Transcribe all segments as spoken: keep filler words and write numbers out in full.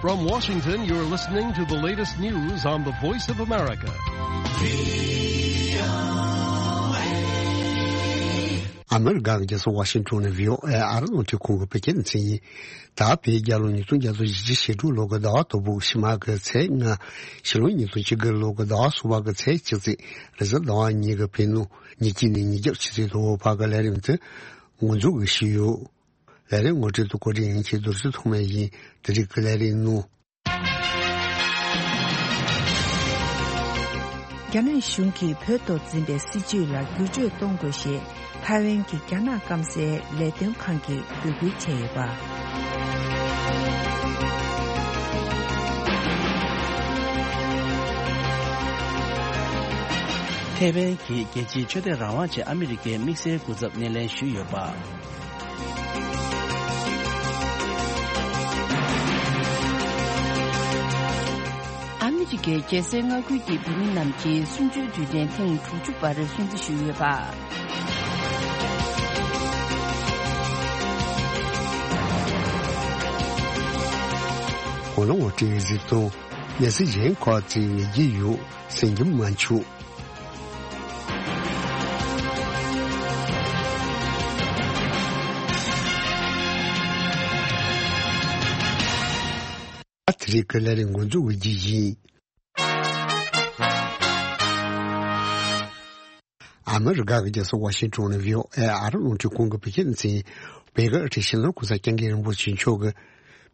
From Washington, you're listening to the latest news on the Voice of America. ཨ་མི་རི་ཀ་གི་རྒྱལ་ས་ཝ་ཤིང་ཊོན་ནས་ཝི་ཨོ་ཨེ་ཨ་རི་རླུང་འཕྲིན་ཁང་གི་བོད་སྐད་སྡེ་ཚན་ཡིན། ད་བོད་རྒྱལ་ལོ་ཉིས་སྟོང་བརྒྱ་དང་བཞི་བཅུ་ཞེ་དྲུག་ལོ་གི་ཟླ་བ་དང་པོ་ཕྱི་མ་གི་ཚེས་ལྔ། ཕྱི་ལོ་ཉིས་སྟོང་བཅུ་དགུ་ལོ་གི་ཟླ་བ་གསུམ་པ་གི་ཚེས་གཅིག་ཚེས་རེས་གཟའ་ཟླ་བ་ཉིན་གྱི་བོད་ནང་ཉིན་གཅིག་ནས་ཉིན་རྒྱབ་ཆུ་ཚོད་དང་པོ་བར་གྱི་ལས་རིམ་དེ་འགོ་འཛུགས་ཞུས་ཡོད། ལས་རིམ་ངོ་སྤྲོད་དང་གོ་སྒྲིག་ཡིན་གྱི་རྡོ་རྗེ་ཐོགས་མེད་ཡིན། དེ་རིང་གི་ལས་རིམ་ནང་། རྒྱ་ནག་གཞུང་གིས་བོད་ཐོག་འཛིན་པའི་སྲིད་བྱུས་ལ་བསྒྱུར་བཅོས་གཏོང་དགོས་ཞེས་ཐའེ་ཝན་གྱི་རྒྱ་ནག་སྐམ་སའི་ལས་དོན་ཁང་གིས་འབོད་སྐུལ་བྱས་ཡོད་པ། ཐའེ་ཝན་གྱིས་རྒྱལ་སྤྱིའི་ཆོས་དད་རང་དབང་ཆེད་ཨ་མི་རི་ཀའི་དམིགས་བསལ་སྐུ་ཚབ་སྣེ་ལེན་ཞུས་ཡོད་པ། ཨ་མི་རི་ཀའི་རྒྱལ་སའི་མངའ་ཁུལ་གྱི་བོད་མི་རྣམས་ཀྱིས་གསུམ་བཅུའི་དུས་དྲན་ཐེངས་དྲུག་ཅུ་པར་སྲུང་བརྩི་ཞུས་ཡོད་པ། ཁོ་ལ་ངོ་སྤྲོད་གཟིགས་དང་། གནས་ཚུལ་གཞན་ཁག་ཅིག་ཉན་གྱི་ཡོད། གསན་རྒྱུ་མ་འཕྱུགས། ཨ་ཐི་རི་ཀ་ལ་རིང་འགོ་འཛུགས་ཀྱི་ཡིན། ཨ་མི་རི་ཀ་གི་རྒྱལ་ས་ཝ་ཤིང་ཊོན་ནས་ཝི་ཨོ་ཨེ་ཨ་རི་རླུང་འཕྲིན་ཁང་གི་བོད་སྐད་སྡེ་ཚན། བོད་ཀྱི་ཨ་ཁྲིད་སྤྱི་ནོར་གོང་ས་སྐྱབས་མགོན་རིན་པོ་ཆེ་མཆོག་གིས་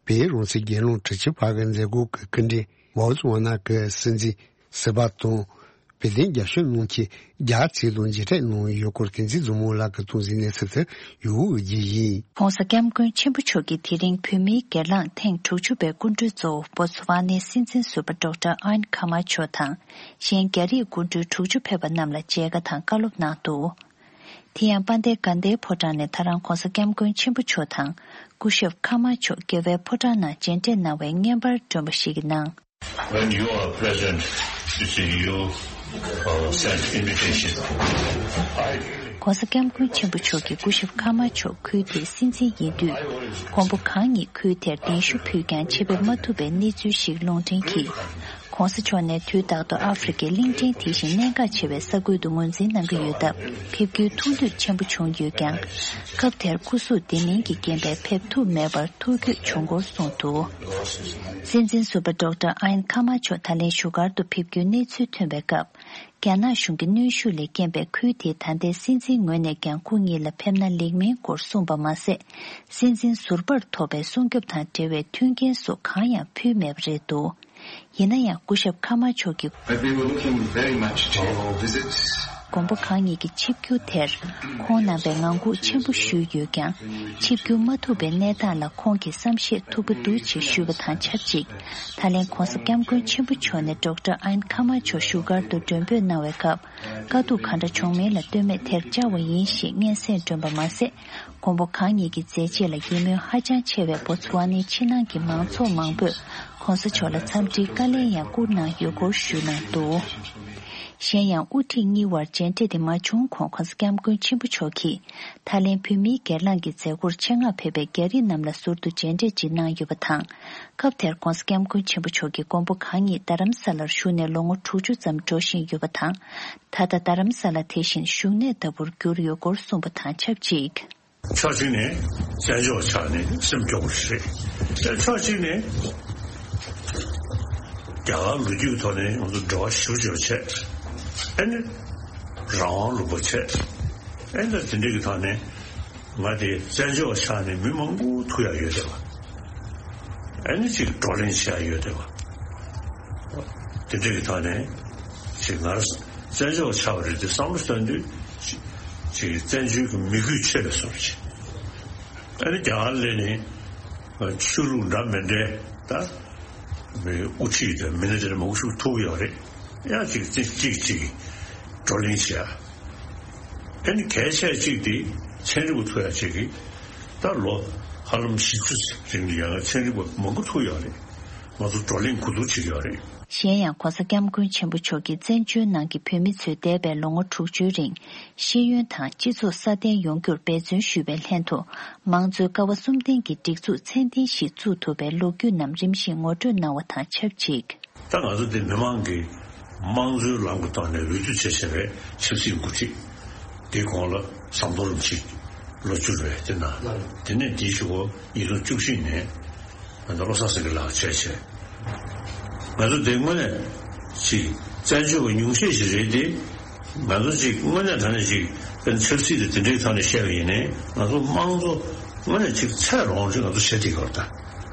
བོད་རང་བཙན་རྒྱལ་ཡོངས་དྲུག་ཅུ་པ་གི་མཛད་སྒོ་གི་སྐུ་མགྲོན་བོ་ཙི་ཝ་ན་གི་སྲིད་འཛིན་སིལ་བ་དང་། བོད་དོན་རྒྱབ་སྐྱོར་གནང་མཁན་རྒྱ་ཚད་དང་མཇལ་འཕྲད་གནང་ཡོད་སྐོར་བསྟན་འཛིན་བཟང་མོ་ལགས་ཀྱིས་གཏོང་ཟིན་གནས་ཚུལ་དེ་ཡུ་གུ་བརྗེ་ཡིན། ྋགོང་ས་ྋསྐྱབས་མགོན་ཆེན་པོ་མཆོག་གིས་དེ་རིང་བོད་མིའི་སྒེར་ལངས་ཐེངས་དྲུག་ཅུ་པའི་སྐུ་མགྲོན་གཙོ་བོ་བོ་ཙི་ཝ་ནའི་སྲིད་འཛིན་ཟུར་པ་ཌོག་ཊར་ཨན་ཁ་མ་ཆོ་དང་། གཞན་རྒྱ་རིགས་སྐུ་མགྲོན་དྲུག་ཅུ་ཕེབས་པ་རྣམས་ལ་མཇལ་ཁ་དང་བཀའ་སློབ་གནང་འདུག་དེ་ཡང་དཔལ་ལྡན་དགའ་ལྡན་ཕོ་བྲང་ནས་ད་རང་ྋགོང་ས་ྋསྐྱབས་མགོན་ཆེན་པོ་མཆོག་དང་སྐུ་ཞབས་ཁ་མ་མཆོག་རྒྱལ་བའི་ཕོ་བྲང་ནང་མཇལ་འཕྲད་གནང་བའི་བརྙན་པར་བསྒྲོན་པ་ཞིག་གི་ནང་། When you are present, you see, you, uh, send invitation. I ྋགོང་ས་ྋསྐྱབས་མགོན་ཆེན་པོ་མཆོག་གིས་སྐུ་ཞབས་ཁ་མ་མཆོག་ཁུལ་དེའི་སྲིད་འཛིན་ཡིན་དུས། མགོན་པོ་གང་ཉིད་ཁུལ་དེར་གདན་ཞུ་ཕུལ་ཀྱང་ཆེད་ཕེབས་མ་ཐུབ་པའི་གནས་ཚུལ་ཞིག་ལུང་འདྲེན་གྱིས། ྋགོང་ས་མཆོག་ནས་དུས་རྟག་ཏུ་ཨ་ཧྥེ་རི་ཁའི་གླིང་ཕྲན་དེ་བཞིན་གནད་འགག་ཆེ་བའི་ས་ཁུལ་དུ་ངོས་འཛིན་གནང་གི་ཡོད་སྟབས། ཕེབས་རྒྱུའི་ཐུགས་འདོད་ཆེན་པོ་བྱུང་ཡོད་ཀྱང་། སྐབས་དེར་སྐུ་གཟུགས་བདེ་མིན་གྱི་རྐྱེན་པས་ཕེབས་ཐུབ་མེད་པར་ཐུགས་འགྱོད་བྱུང་སྐོར་གསུངས་འདུག་སྲིད་འཛིན་ཟུར་པ་ཌོག་ཊར་ཨན་ཁ་མ་མཆོག་ད་ལན་བཞུགས་སྒར་དུ་ཕེབས་རྒྱུའི་གནས་ཚུལ་ཐོན་པའི་སྐབས། རྒྱ་ནག་གཞུང་གི་གནོན་ཤུགས་ལས་རྐྱེན་པས་ཁུལ་དེའི་ད་ལྟའི་སྲིད་འཛིན་ངོས་ནས་ཀྱང་སྐུ་ཉིད་ལ་ཕེབས་ན་ལེགས་མིན་སྐོར་གསུངས་པ་མ་ཟད། སྲིད་འཛིན་ཟུར་པར་ཐོབ་པའི་སྲུང་སྐྱོབ་དང་འབྲེལ་བའི་མཐུན་རྐྱེན་སོགས་གང་ཡང་ཕུལ་མེད་པ་རེད་འདུག་ཡིན་ན་ཡང་སྐུ་ཞབས་ཁ་མ་མཆོག་གིས། But we were looking very much to your visit. མགོན་པོ་གང་ཉིད་ཀྱི་ཆིབས་བསྒྱུར་དེར་ཁོང་རྣམ་པས་ངང་སྒུག་ཆེན་པོ་ཞུས་ཡོད་ཀྱང་། ཆིབས་བསྒྱུར་མ་ཐུབ་པའི་གནས་སྟངས་ལ་ཁོང་གིས་བསམ་ཤེས་ཐུབ་ཀྱི་འདུག་ཅེས་ཞུས་པ་དང་ཆབས་ཅིག་ད་ལན་ྋགོང་ས་ྋསྐྱབས་མགོན་ཆེན་པོ་མཆོག་ནས་ཌོག་ཊར་ཨན་ཁ་མ་མཆོག་བཞུགས་སྒར་དུ་མགྲོན་འབོད་གནང་བའི་སྐབས། དཀའ་སྡུག་གང་འདྲ་བྱུང་མིན་ལ་ལྟོས་མེད་དེར་བཅར་བ་ཡིན་ཞེས་སྙན་སེང་བསྒྲོན་པ་མ་ཟད། མགོན་པོ་གང་ཉིད་ཀྱི་མཛད་རྗེས་ལ་ཡིད་སྨོན་ཧ་ཅང་ཆེ་བའི་བོ་ཙི་ཝ་ནའི་ཕྱི་ནང་གི་མང་ཚོགས་མང་པོས་ྋགོང་ས་མཆོག་ལ་འཚམས་འདྲིའི་བཀའ་ལན་ཡང་བསྐུར་གནང་ཡོད་སྐོར་ཞུས་གནང་འདུག་གཞན་ཡང་དབུ་ཁྲིད་གཉིས་དབར་མཇལ་འཕྲད་དེ་མ་བྱུང་གོང་ྋགོང་ས་ྋསྐྱབས་མགོན་ཆེན་པོ་མཆོག་གིས་ད་ལན་བོད་མིའི་སྒེར་ལངས་ཀྱི་མཛད་སྒོར་ཆེད་མངགས་ཕེབས་པའི་རྒྱ་རིགས་རྣམས་ལ་ཟུར་དུ་མཇལ་འཕྲད་ཅིག་གནང་ཡོད་པ་དང་། སྐབས་དེར་ྋགོང་ས་ྋསྐྱབས་མགོན་ཆེན་པོ་མཆོག་གིས་མགོན་པོ་གང་ཉིད་རྡ་རམ་ས་ལར་བཞུགས་ནས་ལོ་ངོ་དྲུག་ཅུ་ཙམ་འགྲོ་བཞིན་ཡོད་པ་དང་། ད་ལྟ་རྡ་རམ་ས་ལ་དེ་བཞིན་བཞུགས་གནས་ལྟ་བུར་གྱུར་ཡོད་སྐོར་གསུངས་པ་དང་ཆབས་ཅིག་ཕྱོགས་གཅིག་ནས་བཙན་བྱོལ་བ་ཆགས་ནས་སེམས་སྐྱོ་པོ་ཞིག་རེད། ཕྱོགས་གཅིག་ནས་རྒྱ་གར་ལོ་རྒྱུས་ཀྱི་ཐོག་ནས་ང་ཚོ་འབྲེལ་བ་ཞེ་པོ་ཅིག་བྱས། ཨ་ནི་རང་དབང་ལུང་པ་བྱས། ཨ་ནི་དེ་འདྲ་གི་ཐོག་ནས་ང་དེ་བཙན་བྱོལ་བ་ཆགས་ནས་མི་མང་པོ་ཐུག་ཡག་ཡོད་བསྡད་པ། ཨ་ནི་ཅིག་བགྲོ་གླེང་བྱེད་ཡག་ཡོད་བསྡད་པ། དེ་འདྲ་གི་ཐོག་ནས་ཅིག་ང་རང་བཙན་བྱོལ་བ་ཆགས་པ་རེད་དེ་བསམ་བློ་བཏང་དུས་ཅིག་ཅིག་བཙན་བྱོལ་གྱི་མི་རྒྱུད་ཆེ་བའི་བཟོ་འདྲ་ཅིག་ཨ་ནི་རྒྱ་གར་སླེབས་ནས་ཆོས་ལུགས་འདྲ་མི་འདྲའི་ད་མི་དབུ་ཁྲིད་དང་མི་སྣ་དེ་འདྲ་མང་པོ་ཞིག་ཐུག་ཡོད་རེད། ཡང་ཅིག་ཅིག་ཅིག་ཅིག་བགྲོ་གླེང་བྱེད་ཡག་ཨ་ནི་གལ་ཆེ་གཅིག་དེ་ཚན་རིག་པ་ཐུག་ཡག་ཅིག་གིས་ད་ལོ་ཧ་ལམ་བཞི་བཅུ་རིང་ལ་ཡང་ཚན་རིག་པ་མང་པོ་ཐུག་ཡོད་རེད། ང་ཚོ་བགྲོ་གླེང་གོ་བསྡུར་བྱེད་ཀྱི་ཡོད་རེད། གཞན་ཡང་༸གོང་ས་༸སྐྱབས་མགོན་ཆེན་པོ་མཆོག་གིས་བཙན་བྱོལ་ནང་གི་བོད་མི་ཚོས་འདས་པའི་ལོ་ངོ་དྲུག་ཅུའི་རིང་ཤེས་ཡོན་དང་སྤྱི་ཚོགས་སྲ་བརྟན་ཡོང་རྒྱུར་འབད་བརྩོན་ཞུས་པའི་ལྷན་དུ། མང་གཙོའི་ཀ་བ་གསུམ་ལྡན་གྱི་སྒྲིག་འཛུགས་ཚད་ལྡན་ཞིག་བཙུགས་ཐུབ་པའི་ལོ་རྒྱུས་རྣམས་རིམ་བཞིན་ངོ་སྤྲོད་གནང་བ་དང་ཆབས་ཅིག། ད་ང་ཚོ་འདི་མི་མང་གིས་དམངས་གཙོའི་ལམ་གྱི་ཐོག་ནས་འོས་བསྡུ་བྱས་བྱས་པའི་ཆབ་སྲིད་འགོ་ཁྲིད། དེའི་གོང་ལ་ཟམ་གདོང་རིན་པོ་ཆེ་ལོ་བཅུ་རེད་དེ་ན། དེ་ནས་དེའི་གཞུག་གུ་ཉིས་སྟོང་བཅུ་བཞི་ནས་ང་ཚོ་བློ་བཟང་སེང་གེ་ལགས་བྱས་བྱས། ང་ཚོ་དེ་དངོས་གནས་ཅིག་བཙན་བྱོལ་བ་ཉུང་ཤས་ཤིག་རེད་དེ། ང་ཚོ་ཅིག་དངོས་གནས་དྲང་གནས་ཅིག་དཔེར་ན་ཆབ་སྲིད་དེ་དེ་འདྲའི་ཐོག་ནས་བཤད་པ་ཡིན་ནའི་ང་ཚོ་དམངས་གཙོ་དངོས་གནས་ཅིག་ཚད་རོང་ཅིག་ང་ཚོ་བྱེད་ཐུབ་ཀྱི་ཡོད་རེད་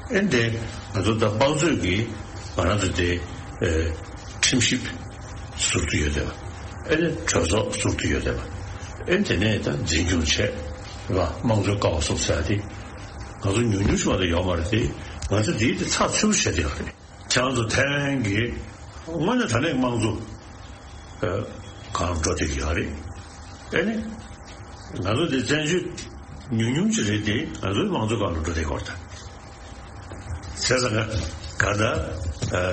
ད། ཨེ་འདྲ་ང་ཚོ་ད་དམངས་གཙོའི་གི་ང་རང་ཚོ་དེ་ཨེ་ཁྲིམས་ཞིབ་ཟུར་དུ་ཡོད་བསྡད་པ། ཨེ་ནས་གྲོས་ཚོགས་ཟུར་དུ་ཡོད་བསྡད་པ། ཨེ་དེ་ནས་ད་འཛིན་སྐྱོང་བྱས་རེད་པ། དམངས་གཙོའི་ཀ་བ་གསུམ་ཟེར་ཡ་དེ་ང་ཚོ་ཉུང་ཉུང་ཞིག་མ་གཏོགས་ཡོད་མ་རེད་དེ། ང་ཚོ་དེའི་དེ་ཚགས་ཚུད་པོ་བྱས་བསྡད་ཡོད་རེད། ཁྱེད་རང་ཚོ་ཐའེ་ཝན་གྱི་དངོས་གནས་དྲང་གནས་དམངས་གཙོ་ཨ་གང་འགྲོ་བསྡད་ཀྱི་ཡོད་རེད། ཨེ་ནི། ང་ཚོ་འདི་བཙན་བྱོལ་ཉུང་ཉུང་ཅིག་རེད་དེ་ང་ཚོའི་དམངས་གཙོ་སྒང་ལ་འགྲོ་བསྡད་ཡོད་རེད་ད། བྱས་ཙང་ག་ག་ད་ཨ་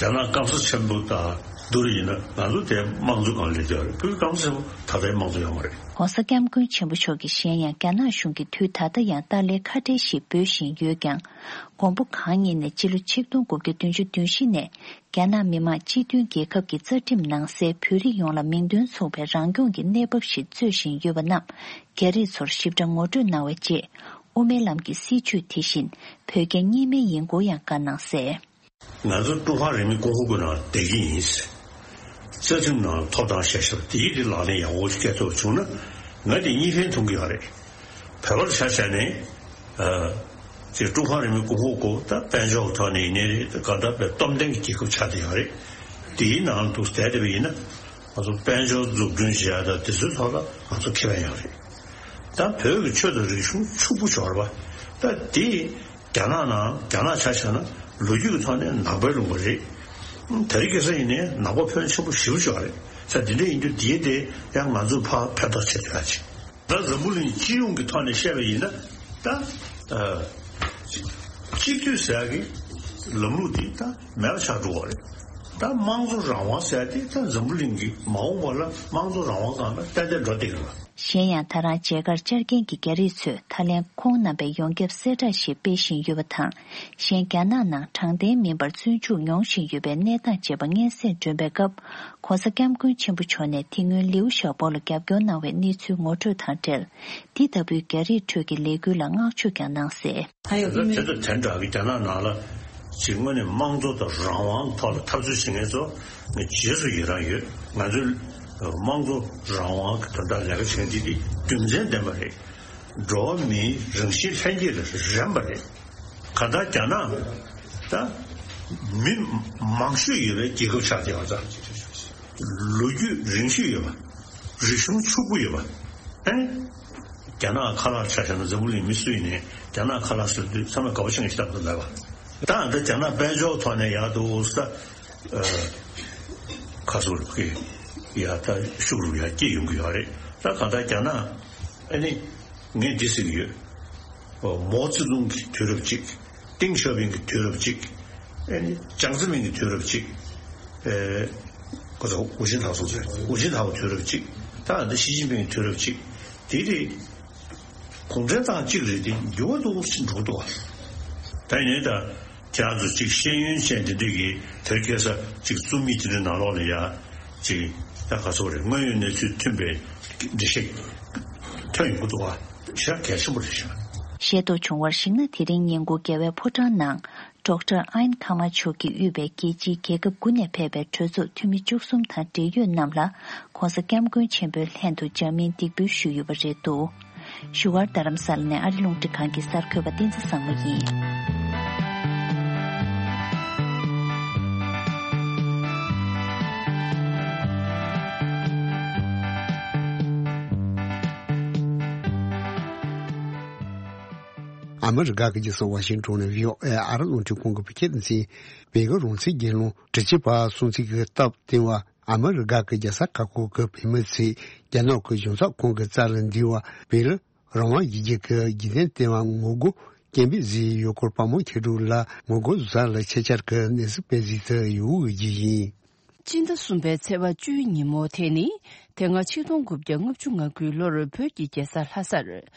རྒྱ་ནག་སྐམ་ས་ཆེན་པོ་དང་བསྡུར་ཡིན་ན་ང་ཚོ་དེ་དམངས་གཙོ་སྒང་ལ་སླེབས་བསྡད་ཡོད་རེད། བོད་སྐམ་ས་ཆེན་པོ་ད་ལྟའི་དམངས་གཙོ་ཡོད་མ་རེད། ༸གོང་ས་༸སྐྱབས་མགོན་ཆེན་པོ་མཆོག་གིས་གཞན་ཡང་རྒྱ་ནག་གཞུང་གིས་དུས་ད་ལྟ་ཡང་ཏཱ་ལའི་ཁ་བྲལ་ཞེས་འབོད་བཞིན་ཡོད་ཀྱང་། མགོན་པོ་གང་ཉིད་ནས་ཕྱི་ལོ་ཆིག་སྟོང་དགུ་བརྒྱ་བདུན་ཅུ་དོན་བཞི་ནས་རྒྱ་ནག་མི་དམངས་སྤྱི་མཐུན་རྒྱལ་ཁབ་ཀྱི་རྩ་ཁྲིམས་ནང་གསལ་བོད་རིགས་ཡོངས་ལ་མིང་དོན་མཚུངས་པའི་རང་སྐྱོང་གི་གནས་བབ་ཞིག་རྩོད་བཞིན་ཡོད་པ་རྣམས་རྒྱ་རིགས་ཚོར་ཞིབ་ཕྲ་ངོ་སྤྲོད་གནང་བའི་རྗེས། དབུ་མའི་ལམ་གྱི་སྲིད་བྱུས་དེ་བཞིན་བོད་རྒྱ་གཉིས་སྨན་ཡིན་སྐོར་ཡང་བཀའ་གནང་གསལ། ང་ཚོ་ཀྲུང་ཧྭ་རིང་མིན་གོང་ཧོ་གི་ནང་བསྡད་ཀྱི་ཡིན། རྩ་ཁྲིམས་ནང་ཐོབ་ཐང་བཞག་བཞག་དེའི་དེ་ལག་ལེན་ཡག་པོ་ཞིག་བཀལ་ཐུབ་བྱུང་ན་ང་དེ་གཉིས་ཕན་ཐོགས་ཀྱི་ཡོད་རེད། བོད་པར་ཆ་བཞག་ནས་ཨ་ཅེ་ཀྲུང་ཧྭ་རིང་མིན་གོང་ཧོ་གོ་ད་དཔལ་འབྱོར་ཐོག་ནས་ཡིན་ནའི་རེད། ད་ག་ད་བའི་སྟོབས་ལྡན་གྱི་རྒྱལ་ཁབ་ཆགས་བསྡད་ཡོད་རེད། དེའི་ནང་དུ་བསྡད་བསྡད་པ་ཡིན་ན་ང་ཚོ་དཔལ་འབྱོར་འཛུགས་སྐྲུན་བྱེད་ཡ་ད་དེ་ཚོའི་ཐོག་ལ་ང་ཚོ་ཁེ་ཕན་ཡོད་རེད། ད་བོད་ཀྱི་ཆོས་དང་རིག་གཞུང་ཕྱུག་པོ་ཤོར་བ་ད་དེ། རྒྱ་ནག་ནང་རྒྱ་ནག་ཆ་བཞག་ན་ལོ་རྒྱུས་ཀྱི་ཐོག་ནས་ནག་པའི་ལུང་པ་རེད། ད་རེས་ཁ་སང་ཡིན་ནའི་ནག་པ་ཕོན་ཆེན་པོ་ཞེ་པོ་ཅིག་རེད། ས་དེ་འདྲ་ཡིན་དུས་དེའི་དེ་ཡང་ང་ཚོས་ཕར་ཕན་ཐོགས་བྱེད་ཐུབ་ཡ་ཅིག་ད་འཛམ་བུ་གླིང་སྤྱི་ཡོངས་ཀྱི་ཐོག་ནས་བཤད་པ་ཡིན་ན་ད་ཨ་གཅིག་སྡུད་ཟེར་ཡ་གི་ལམ་ལུགས་དེ་ད་མེད་པ་ཆགས་འགྲོ་བ་རེད། ད་དམངས་གཙོ་རང་དབང་ཟེར་ཡ་དེ་ད་འཛམ་བུ་གླིང་གི་མ་འོངས་པ་ལ་དམངས་གཙོ་རང་དབང་སྒང་ལ་ཏན་ཏན་འགྲོ་བསྡད་ཀྱི་རེད། གཞན་ཡང་ད་རང་མཇལ་ཁར་བཅར་མཁན་གྱི་རྒྱ་རིགས་ཚོས་ད་ལན་ཁོང་རྣམ་པའི་ཡོངས་ཁྱབ་གསལ་བསྒྲགས་ཤིག་སྤེལ་བཞིན་ཡོད་པ་དང་། གཞན་རྒྱ་ནག་ནང་དྲང་བདེན་མིན་པར་བཙོན་འཇུག་མྱོང་བཞིན་ཡོད་པའི་གནས་སྟངས་བཅས་པ་སྙན་སེང་སྒྲོན་པའི་སྐབས། ༸གོང་ས་༸སྐྱབས་མགོན་ཆེན་པོ་མཆོག་ནས་དེ་སྔོན་ལིའུ་ཞའོ་པོ་ལ་རྒྱབ་སྐྱོར་གནང་བའི་གནས་ཚུལ་ངོ་སྤྲོད་དང་འབྲེལ། འདི་ལྟ་བུའི་རྒྱ་རིགས་ཁྲོད་ཀྱི་ལས་འགུལ་ལ་བསྔགས་བརྗོད་ཀྱང་གནང་གསལ། དེ་ལྟར་དེ་འདྲ་གི་རྒྱ་ནག་ནང་ལ་ཅིག་དངོས་གནས་དམངས་གཙོ་དང་རང་དབང་ཐོག་ལ་འཐབ་རྩོད་བྱེད་མཁན་ཚོ་ངས་རྗེས་སུ་ཡི་རང་ཡོད། ང་ཚོའི་དམངས་གཙོ་རང་དབང་གི་དོན་དག་ལས་ཀ་བྱེད་མཁན་དེ་དེ་རྒྱུ་མཚན་ལྡན་པ་རེད། འགྲོ་བ་མིའི་རང་བཞིན་ལྷན་སྐྱེས་ལ་རན་པ་རེད། གང་ལྟར་རྒྱ་ནག་ད་མི་མང་ཤོས་ཡོད་པའི་རྒྱལ་ཁབ་ཆགས་བསྡད་པ་ཙང་། ལོ་རྒྱུས་རིང་ཤོས་ཡོད་པ། རིག་གཞུང་ཕྱུག་པོ་ཡོད་པ། ཨེ། རྒྱ་ནག་ཁ་ལག་ཆ་བཞག་ན་འཛམ་བུ་གླིང་མི་སུ་ཡིན་ནའི་རྒྱ་ནག་ཁ་ལག་ཟེར་དུས་ཚང་མས་དགའ་པོ་བྱེད་མཁན་ཞིག་ལྟ་བུ་མེད་པ། ད་ད་རྒྱ་ནག་དཔལ་འབྱོར་ཐོག་ནས་ཡག་འདུག་ས། ཨ། ཁ་སོ་རུ་གི་ཡ་ད་ཤུགས་རུ་ཡ་སྐྱེད་ཡོང་གི་ཡོད་རེད། ད་གང་ལྟར་རྒྱ་ནག་ཨ་ནི་ངས་འདི་ཟེར་གྱི་ཡོད། མའོ་ཙེ་ཏུང་གི་དུས་རབས་གཅིག་ཏེང་ཞའོ་ཕིང་གི་དུས་རབས་གཅིག་ཨ་ནི་ཅང་ཙེ་མིན་གྱི་དུས་རབས་གཅིག་ཨེ། ཁོ་ཚོ་ཝུ་ཅིན་ཐའོ་སོང་ཚེ་ཝུ་ཅིན་ཐའོ་དུས་རབས་གཅིག་ད་འདི་ཞི་ཅིན་ཕིང་གི་དུས་རབས་གཅིག་དེ་རེད། གུང་ཁྲན་ཏང་གཅིག་རེད་དེ་འགྱུར་བ་འདུག་ཕྱིན་འགྲོ་འདུག་ད་ཡིན་ད་ཁྱེད་རང་ཚོ་གཅིག་ཤེས་ཡོན་ཅན་དེ་འདྲས་ཀྱིས་དེར་སྐད་ས་གཅིག་རྩོམ་ཡིག་དེ་འདྲའི་ནང་ལོགས་ལ་ཡ་གཅིག་ད་ག་ཚོད་རེད། དངོས་ཡོད་གནས་ཚུལ་མཐུན་པའི་འགྲེལ་བཤད་ཐོན་ཡོང་གི་འདུག་བ། ཞེ་དྲག་གལ་ཆེན་པོ་རེད་ཤག་ཤེས་རྟོགས་བྱུང་བར་གཞིགས་ན། དེ་རིང་ཉིན་གུང་རྒྱལ་བའི་ཕོ་བྲང་ནང་ཌོག་ཊར་ཨན་ཁ་མ་མཆོག་གིས་དབུས་པའི་རྒྱལ་སྤྱིའི་རྒྱལ་ཁབ་དགུ་ནས་ཕེབས་པའི་གྲོས་ཚོགས་འཐུས་མི་བཅུ་གསུམ་དང་འབྲེལ་ཡོད་རྣམས་ལ་༸གོང་ས་༸སྐྱབས་མགོན་ཆེན་པོའི་ལྷན་དུ་འཇར་མན་འདེགས་འབུལ་ཞུས་ཡོད་པ་རེད་འདུག་བཞུགས་སྒར་རྡ་རམ་ས་ལ་ནས་ཨ་རི་རླུང་འཕྲིན་ཁང་གི་གསར་འགོད་པ་བསྟན་འཛིན་བཟང་མོ་ཡིན། ཨ་མི་རི་ཀ་གི་རྒྱལ་ས་ཝ་ཤིང་ཊོན་ནས་བྷི་ཨོ་ཨེ་ཨ་རི་རླུང་འཕྲིན་ཁང་གི་བོད་སྐད་སྡེ་ཚན། བོད་ཀྱི་རང་བཙན་རྒྱལ་ནོར་དྲུག་ཅུ་པ་སྲུང་བརྩི་གི་སྟབས་བསྟུན་པ། ཨ་མི་རི་ཀ་གི་རྒྱལ་ས་ཁག་ཁག་གི་བོད་མི་ཚོས་རྒྱ་ནག་གི་གཞུང་ཚབ་ཁང་གི་རྩ་ལ་འདུས་པ་བོད་རང་དབང་ཡིག་རྒྱུགས་ཀྱི་རྒྱུན་ལྡན་ལྟེ་བ་ངོ་རྒོལ་ སྐྱེ་འཕེལ་གཟིགས་ཡུལ་སྐོར་བ་མོ་ཁྱེད་དྲུག་ལ་ངོ་རྒོལ་ཟ་ལ་ཆེ་ཆར་གི་གནས་སུ་དཔེ་གཟིགས་ཚུལ་ཡོད་ཀྱི་ཡིན། སྤྱི་ཟླ་གསུམ་པའི་ཚེས་པ་བཅུའི་ཉིན་མོ་དེ་ནི་དེ་སྔ་ཆིག་སྟོང་དགུ་བརྒྱ་ལྔ་བཅུ་ང་དགུའི་ལོར་བོད་ཀྱི་རྒྱལ་ས་ལྷ་སར་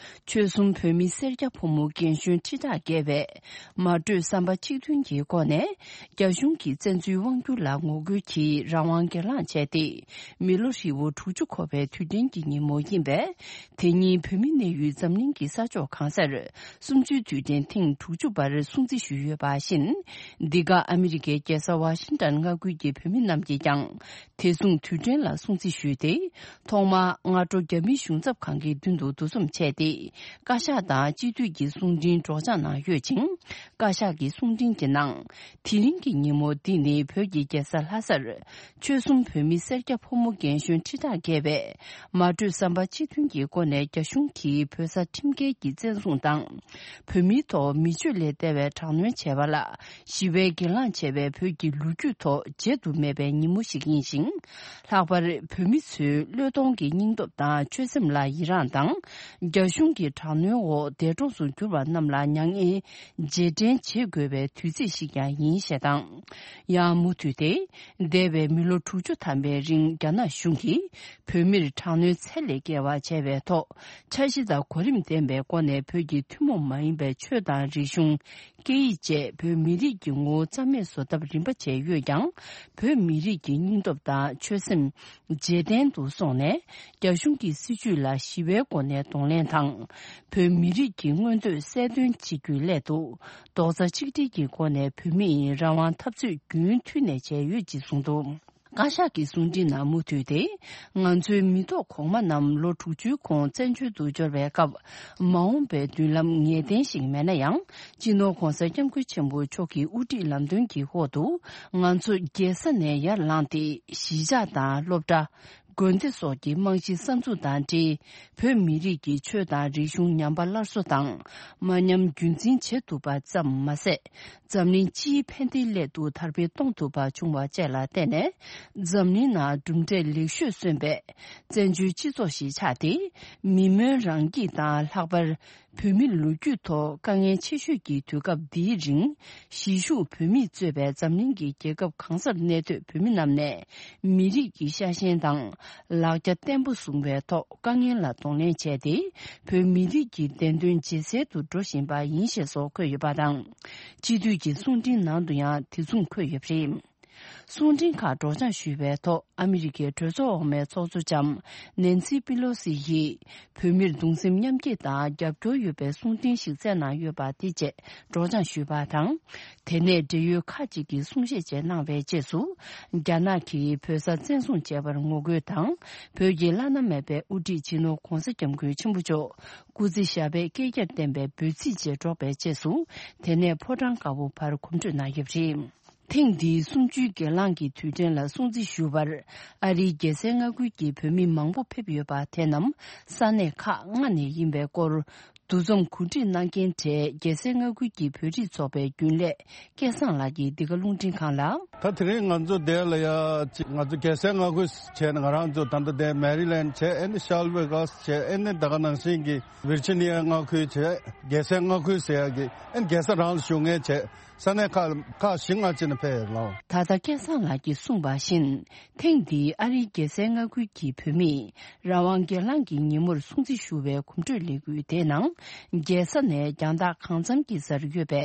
ཆོལ་གསུམ་བོད་མི་སེར་སྐྱ་ཕོ་མོ་རྒན་གཞོན་ཁྲི་ཕྲག་བརྒལ་བས་མ་གྲོས་བསམ་པ་གཅིག་མཐུན་གྱི་སྒོ་ནས་རྒྱ་གཞུང་གི་བཙན་འཛུལ་དབང་བསྒྱུར་ལ་ངོ་རྒོལ་གྱིས་རང་དབང་སྒེར་ལངས་བྱས་ཏེ། མི་ལོ་ཧྲིལ་བོ་དྲུག་ཅུ་འཁོར་བའི་དུས་དྲན་གྱི་ཉིན་མོ་ཡིན་པས། དེ་ཉིན་བོད་མི་གནས་ཡུལ་འཛམ་གླིང་གི་ས་ཕྱོགས་གང་སར་གསུམ་བཅུའི་དུས་དྲན་ཐེངས་དྲུག་ཅུ་པར་སྲུང་བརྩི་ཞུས་ཡོད་པ་བཞིན། འདི་ག་ཨ་མི་རི་ཀའི་རྒྱལ་ས་ཝ་ཤིང་ཏན་མངའ་ཁུལ་གྱི་བོད་མི་རྣམས་ཀྱིས་ཀྱང་དེ་མཚུངས་དུས་དྲན་ལ་སྲུང་བརྩི་ཞུས་ཏེ། ཐོག་མར་སྔ་དྲོ་རྒྱ་མིའི་གཞུང་ཚབ་ཁང་གི་མདུན་དུ་འདུ་འཛོམས་བྱས་ཏེ། བཀའ་ཤག་དང་སྤྱི་འཐུས་ཀྱི་གསུང་འཕྲིན་སྒྲོག་སྦྱང་གནང་ཡོད་ཅིང་། བཀའ་ཤག་གི་གསུང་འཕྲིན་གྱི་ནང་། དེ་རིང་གི་ཉིན་མོ་འདི་ནི་བོད་ཀྱི་རྒྱལ་ས་ལྷ་སར་ཆོལ་གསུམ་བོད་མི་སེར་སྐྱ་ཕོ་མོ་རྒན་གཞོན་ཁྲི་ཕྲག་བརྒལ་བས་མ་གྲོས་བསམ་པ་གཅིག་མཐུན་གྱི་སྒོ་ནས་རྒྱ་གཞུང་གིས་བོད་ས་ཁྲིམས་འགལ་གྱིས་བཙན་བཟུང་དང་། བོད་མིའི་ཐོག་མི་སྤྱོད་ལས་འདས་པའི་དྲག་གནོན་བྱས་པ་ལ་ཞི་བའི་སྒེར་ལངས་བྱས་པའི་བོད་ཀྱི་ལོ་རྒྱུས་ཐོག་བརྗེད་དུ་མེད་པའི་ཉིན་མོ་ཞིག་ཡིན་ཞིང་། ལྷག་པར་བོད་མི་ཚོའི་བློས་གཏོང་གི་སྙིང་སྟོབས་དང་ཆོད་སེམས་ལ་ཡི་རངས་དང་། རྒྱ་གཞུང་གི་དྲག་གནོན་འོག་འདས་གྲོངས་སུ་གྱུར་པ་རྣམས་ལ་མྱ་ངན་རྗེས་དྲན་བྱེད་དགོས་པའི་དུས་ཚིགས་ཤིག་ཀྱང་ཡིན་ཞེས་དང་། ཡང་མུ་མཐུད་དེ། འདས་པའི་མི་ལོ་དྲུག་ཅུ་ཐམ་པའི་རིང་རྒྱ་ནག་གཞུང་གིས་བོད་མིར་དྲག་གནོན་ཚད་ལས་བརྒལ་བ་བྱས་པའི་ཐོག་འཆར་གཞི་དང་གོ་རིམ་ལྡན་པའི་སྒོ་ནས་བོད་ཀྱི་ཐུན་མོང་མ་ཡིན་པའི་ཆོས་དང་རིག་གཞུང་། སྐད་ཡིག་བཅས་བོད་མི་རིགས་ཀྱི་ངོ་བོ་རྩ་མེད་བཟོ་ཐབས་རིམ་པ་བྱས་ཡོད་ཀྱང་། བོད་མི་རིགས་ཀྱི་སྙིང་སྟོབས་དང་ཆོད་སེམས་རྗེས་དྲན་དུ་སོང་ནས། རྒྱ་གཞུང་གི་སྲིད་བྱུས་ལ་ཞི་བའི་སྒོ་ནས་གདོང་ལེན་དང་། བོད་མི་རིགས་ཀྱི་མངོན་འདོད་གསལ་སྟོན་བྱེད་རྒྱུའི་སླད་དུ། རྡོག་རྩ་གཅིག་སྒྲིལ་གྱི་སྒོ་ནས་བོད་མིའི་རང་དབང་འཐབ་རྩོད་རྒྱུན་མཐུད་ནས་བྱས་ཡོད་ཅེས་གསུངས་འདུག་བཀའ་ཤག་གི་གསུང་འཕྲིན་ནང་མུ་མཐུད་དེ། ང་ཚོའི་མི་ཐོག་གོང་མ་རྣམས་ལོ་དྲུག་ཅུའི་གོང་བཙན་བྱོལ་དུ་འབྱོར་བའི་སྐབས། མ་འོངས་པའི་མདུན་ལམ་ངེས་གཏན་ཞིག་མེད་ན་ཡང་། སྤྱི་ནོར་༧གོང་ས་༧སྐྱབས་མགོན་ཆེན་པོ་མཆོག་གི་དབུ་ཁྲིད་ལམ་སྟོན་གྱི་འོག་ཏུ། ང་ཚོ་རྒྱལ་ས་ནས་ཡར་ལངས་ཏེ། གཞིས་ཆགས་དང་སློབ་གྲྭ། དགོན་སྡེ་སོགས་ཀྱི་རྨང་གཞི་གསར་འཛུགས་དང་འབྲེལ། བོད་མི་རིགས་ཀྱི་ཆོས་དང་རིག་གཞུང་ཉམས་པ་སླར་གསོ་དང་། མ་ཉམས་རྒྱུན་འཛིན་བྱེད་ཐུབ་པ་ཙམ་མ་ཟད། འཛམ་གླིང་སྤྱིའི་ཕན་བདེའི་སླད་དུ་དར་སྤེལ་གཏོང་ཐུབ་པ་བྱུང་བ་བཅས་ལ་བརྟེན་ནས། འཛམ་གླིང་ནང་གྲུབ་འབྲས་ལེགས་ཤོས་སོན་པའི་བཙན་བྱོལ་སྤྱི་ཚོགས་ཤིག་ཆགས་ཏེ། མི་སྨོན་རང་སྐྱིད་དང་། ལྷག་པར་བོད་མི་ལོ་རྒྱུས་ཐོག་དཀའ་ངལ་ཆེ་ཤོས་ཀྱི་དུས་སྐབས་འདིའི་རིང་། གཞིས་བཞུགས་བོད་མིས་གཙོས་པའི་འཛམ་གླིང་གི་རྒྱལ་ཁབ་གང་སར་གནས་སྡོད་བོད་མི་རྣམས་ནས། མི་རིགས་ཀྱི་ཤ་ཞེན་དང་། ལག་རྒྱ་བརྟན་པོ་བཟུང་བའི་ཐོག་དཀའ་ངལ་ལ་གདོང་ལེན་བྱས་ཏེ། བོད་མི་རིགས་ཀྱི་བདེན་དོན་ཇེ་གསལ་དུ་འགྲོ་བཞིན་པ་ཡིན་ཞེས་སོགས་འཁོད་ཡོད་པ་དང་། སྤྱི་འཐུས་ཀྱི་གསུང་འཕྲིན་ནང་དུ་ཡང་དེ་མཚུངས་འཁོད་ཡོད་པ་རེད། གསུང་འཕྲིན་ཁག་སྒྲོག་སྦྱང་ཞུས་པའི་ཐོག་ཨ་མི་རི་ཀའི་གྲོས་ཚོགས་འོག་མའི་ཚོགས་གཙོ་ལྕམ་ནན་སི་པི་ལོ་སི་ཡིས། བོད་མིར་གདུང་སེམས་མཉམ་སྐྱེད་དང་རྒྱབ་སྐྱོར་ཡོད་པའི་གསུང་འཕྲིན་ཞིག་བསྩལ་གནང་ཡོད་པ་དེ་བཅས་སྒྲོག་སྦྱང་ཞུས་པ་དང་། དེ་ནས་འབྲེལ་ཡོད་ཁག་ཅིག་གིས་གསུང་བཤད་བཅས་གནང་བའི་རྗེས་སུ། རྒྱ་ནག་གིས་བོད་ས་བཙན་བཟུང་བྱས་པར་ངོ་རྒོལ་དང་། བོད་ཀྱི་བླ་ན་མེད་པའི་དབུ་ཁྲིད་སྤྱི་ནོར་༧གོང་ས་༧སྐྱབས་མགོན་ཆེན་པོ་མཆོག་སྐུ་ཚེ་ཞབས་པད་བསྐལ་བརྒྱར་བརྟན་པའི་འབོད་ཚིག་བཅས་སྒྲོག་པའི་རྗེས་སུ། དེ་ནས་ཕོ་བྲང་དཀར་པོ་བར་གོམ་བགྲོད་གནང་ཡོད་པ་རེད། ཐེངས་འདིའི་གསུམ་བཅུའི་སྒེར་ལངས་ཀྱི་དུས་དྲན་ལ་སྲུང་བརྩི་ཞུ་བར། ཨ་རིའི་རྒྱལ་སའི་མངའ་ཁུལ་གྱི་བོད་མི་མང་པོ་ཕེབས་ཡོད་པ་དེ་རྣམས་ས་གནས་ཁག་ལྔ་ནས་ཡིན་པའི་སྐོར། འདུ་འཛོམས་གོ་སྒྲིག་གནང་མཁན་གྲས་རྒྱལ་སའི་མངའ་ཁུལ་གྱི་བོད་རིགས་ཚོགས་པའི་རྒྱུན་ལས་སྐལ་བཟང་ལགས་ཀྱིས་འདི་ག་རླུང་འཕྲིན་ཁང་ལ། ད་དེ་རིང་ང་ཚོ་འདིར་ལ་ཡ་ཅིག་ང་ཚོ་རྒྱལ་སའི་མངའ་ཁུལ་བྱས་ནས་ང་རང་ཚོ་ད་ལྟ་འདིར་མེ་རི་ལེན་བྱས། ཨེ་ནི་ཤར་ཝེ་གྷལ་བྱས། ཨེ་ནི་ད་ག་ནང་བཞིན་གྱི་ཝིར་ཇི་ནི་ཡ་མངའ་ཁུལ་བྱས། རྒྱལ་སའི་མངའ་ཁུལ་ཟེར་ཡ་གི་ཨེ་ནི་རྒྱལ་ས་རང་ལ་བཞུགས་མཁན་བྱས། ས་གནས་ཁག་ཁག་བཞི་ལྔ་ཅིག་ནས་ཕེབས་ཡོད་ལགས། ད་ལྟ་སྐལ་བཟང་ལགས་ཀྱིས་གསུངས་པ་བཞིན། ཐེངས་འདིའི་ཨ་རིའི་རྒྱལ་སའི་མངའ་ཁུལ་གྱི་བོད་མིས་རང་དབང་སྒེར་ལངས་ཀྱི་ཉིན་མོར་སྲུང་བརྩི་ཞུ་བའི་གོམ་བགྲོད་ལས་འགུལ་དེའི་ནང་། རྒྱལ་ས་ནས་རྒྱང་ཐག་གང་འཚམ་གྱི་སར་ཡོད་པའི་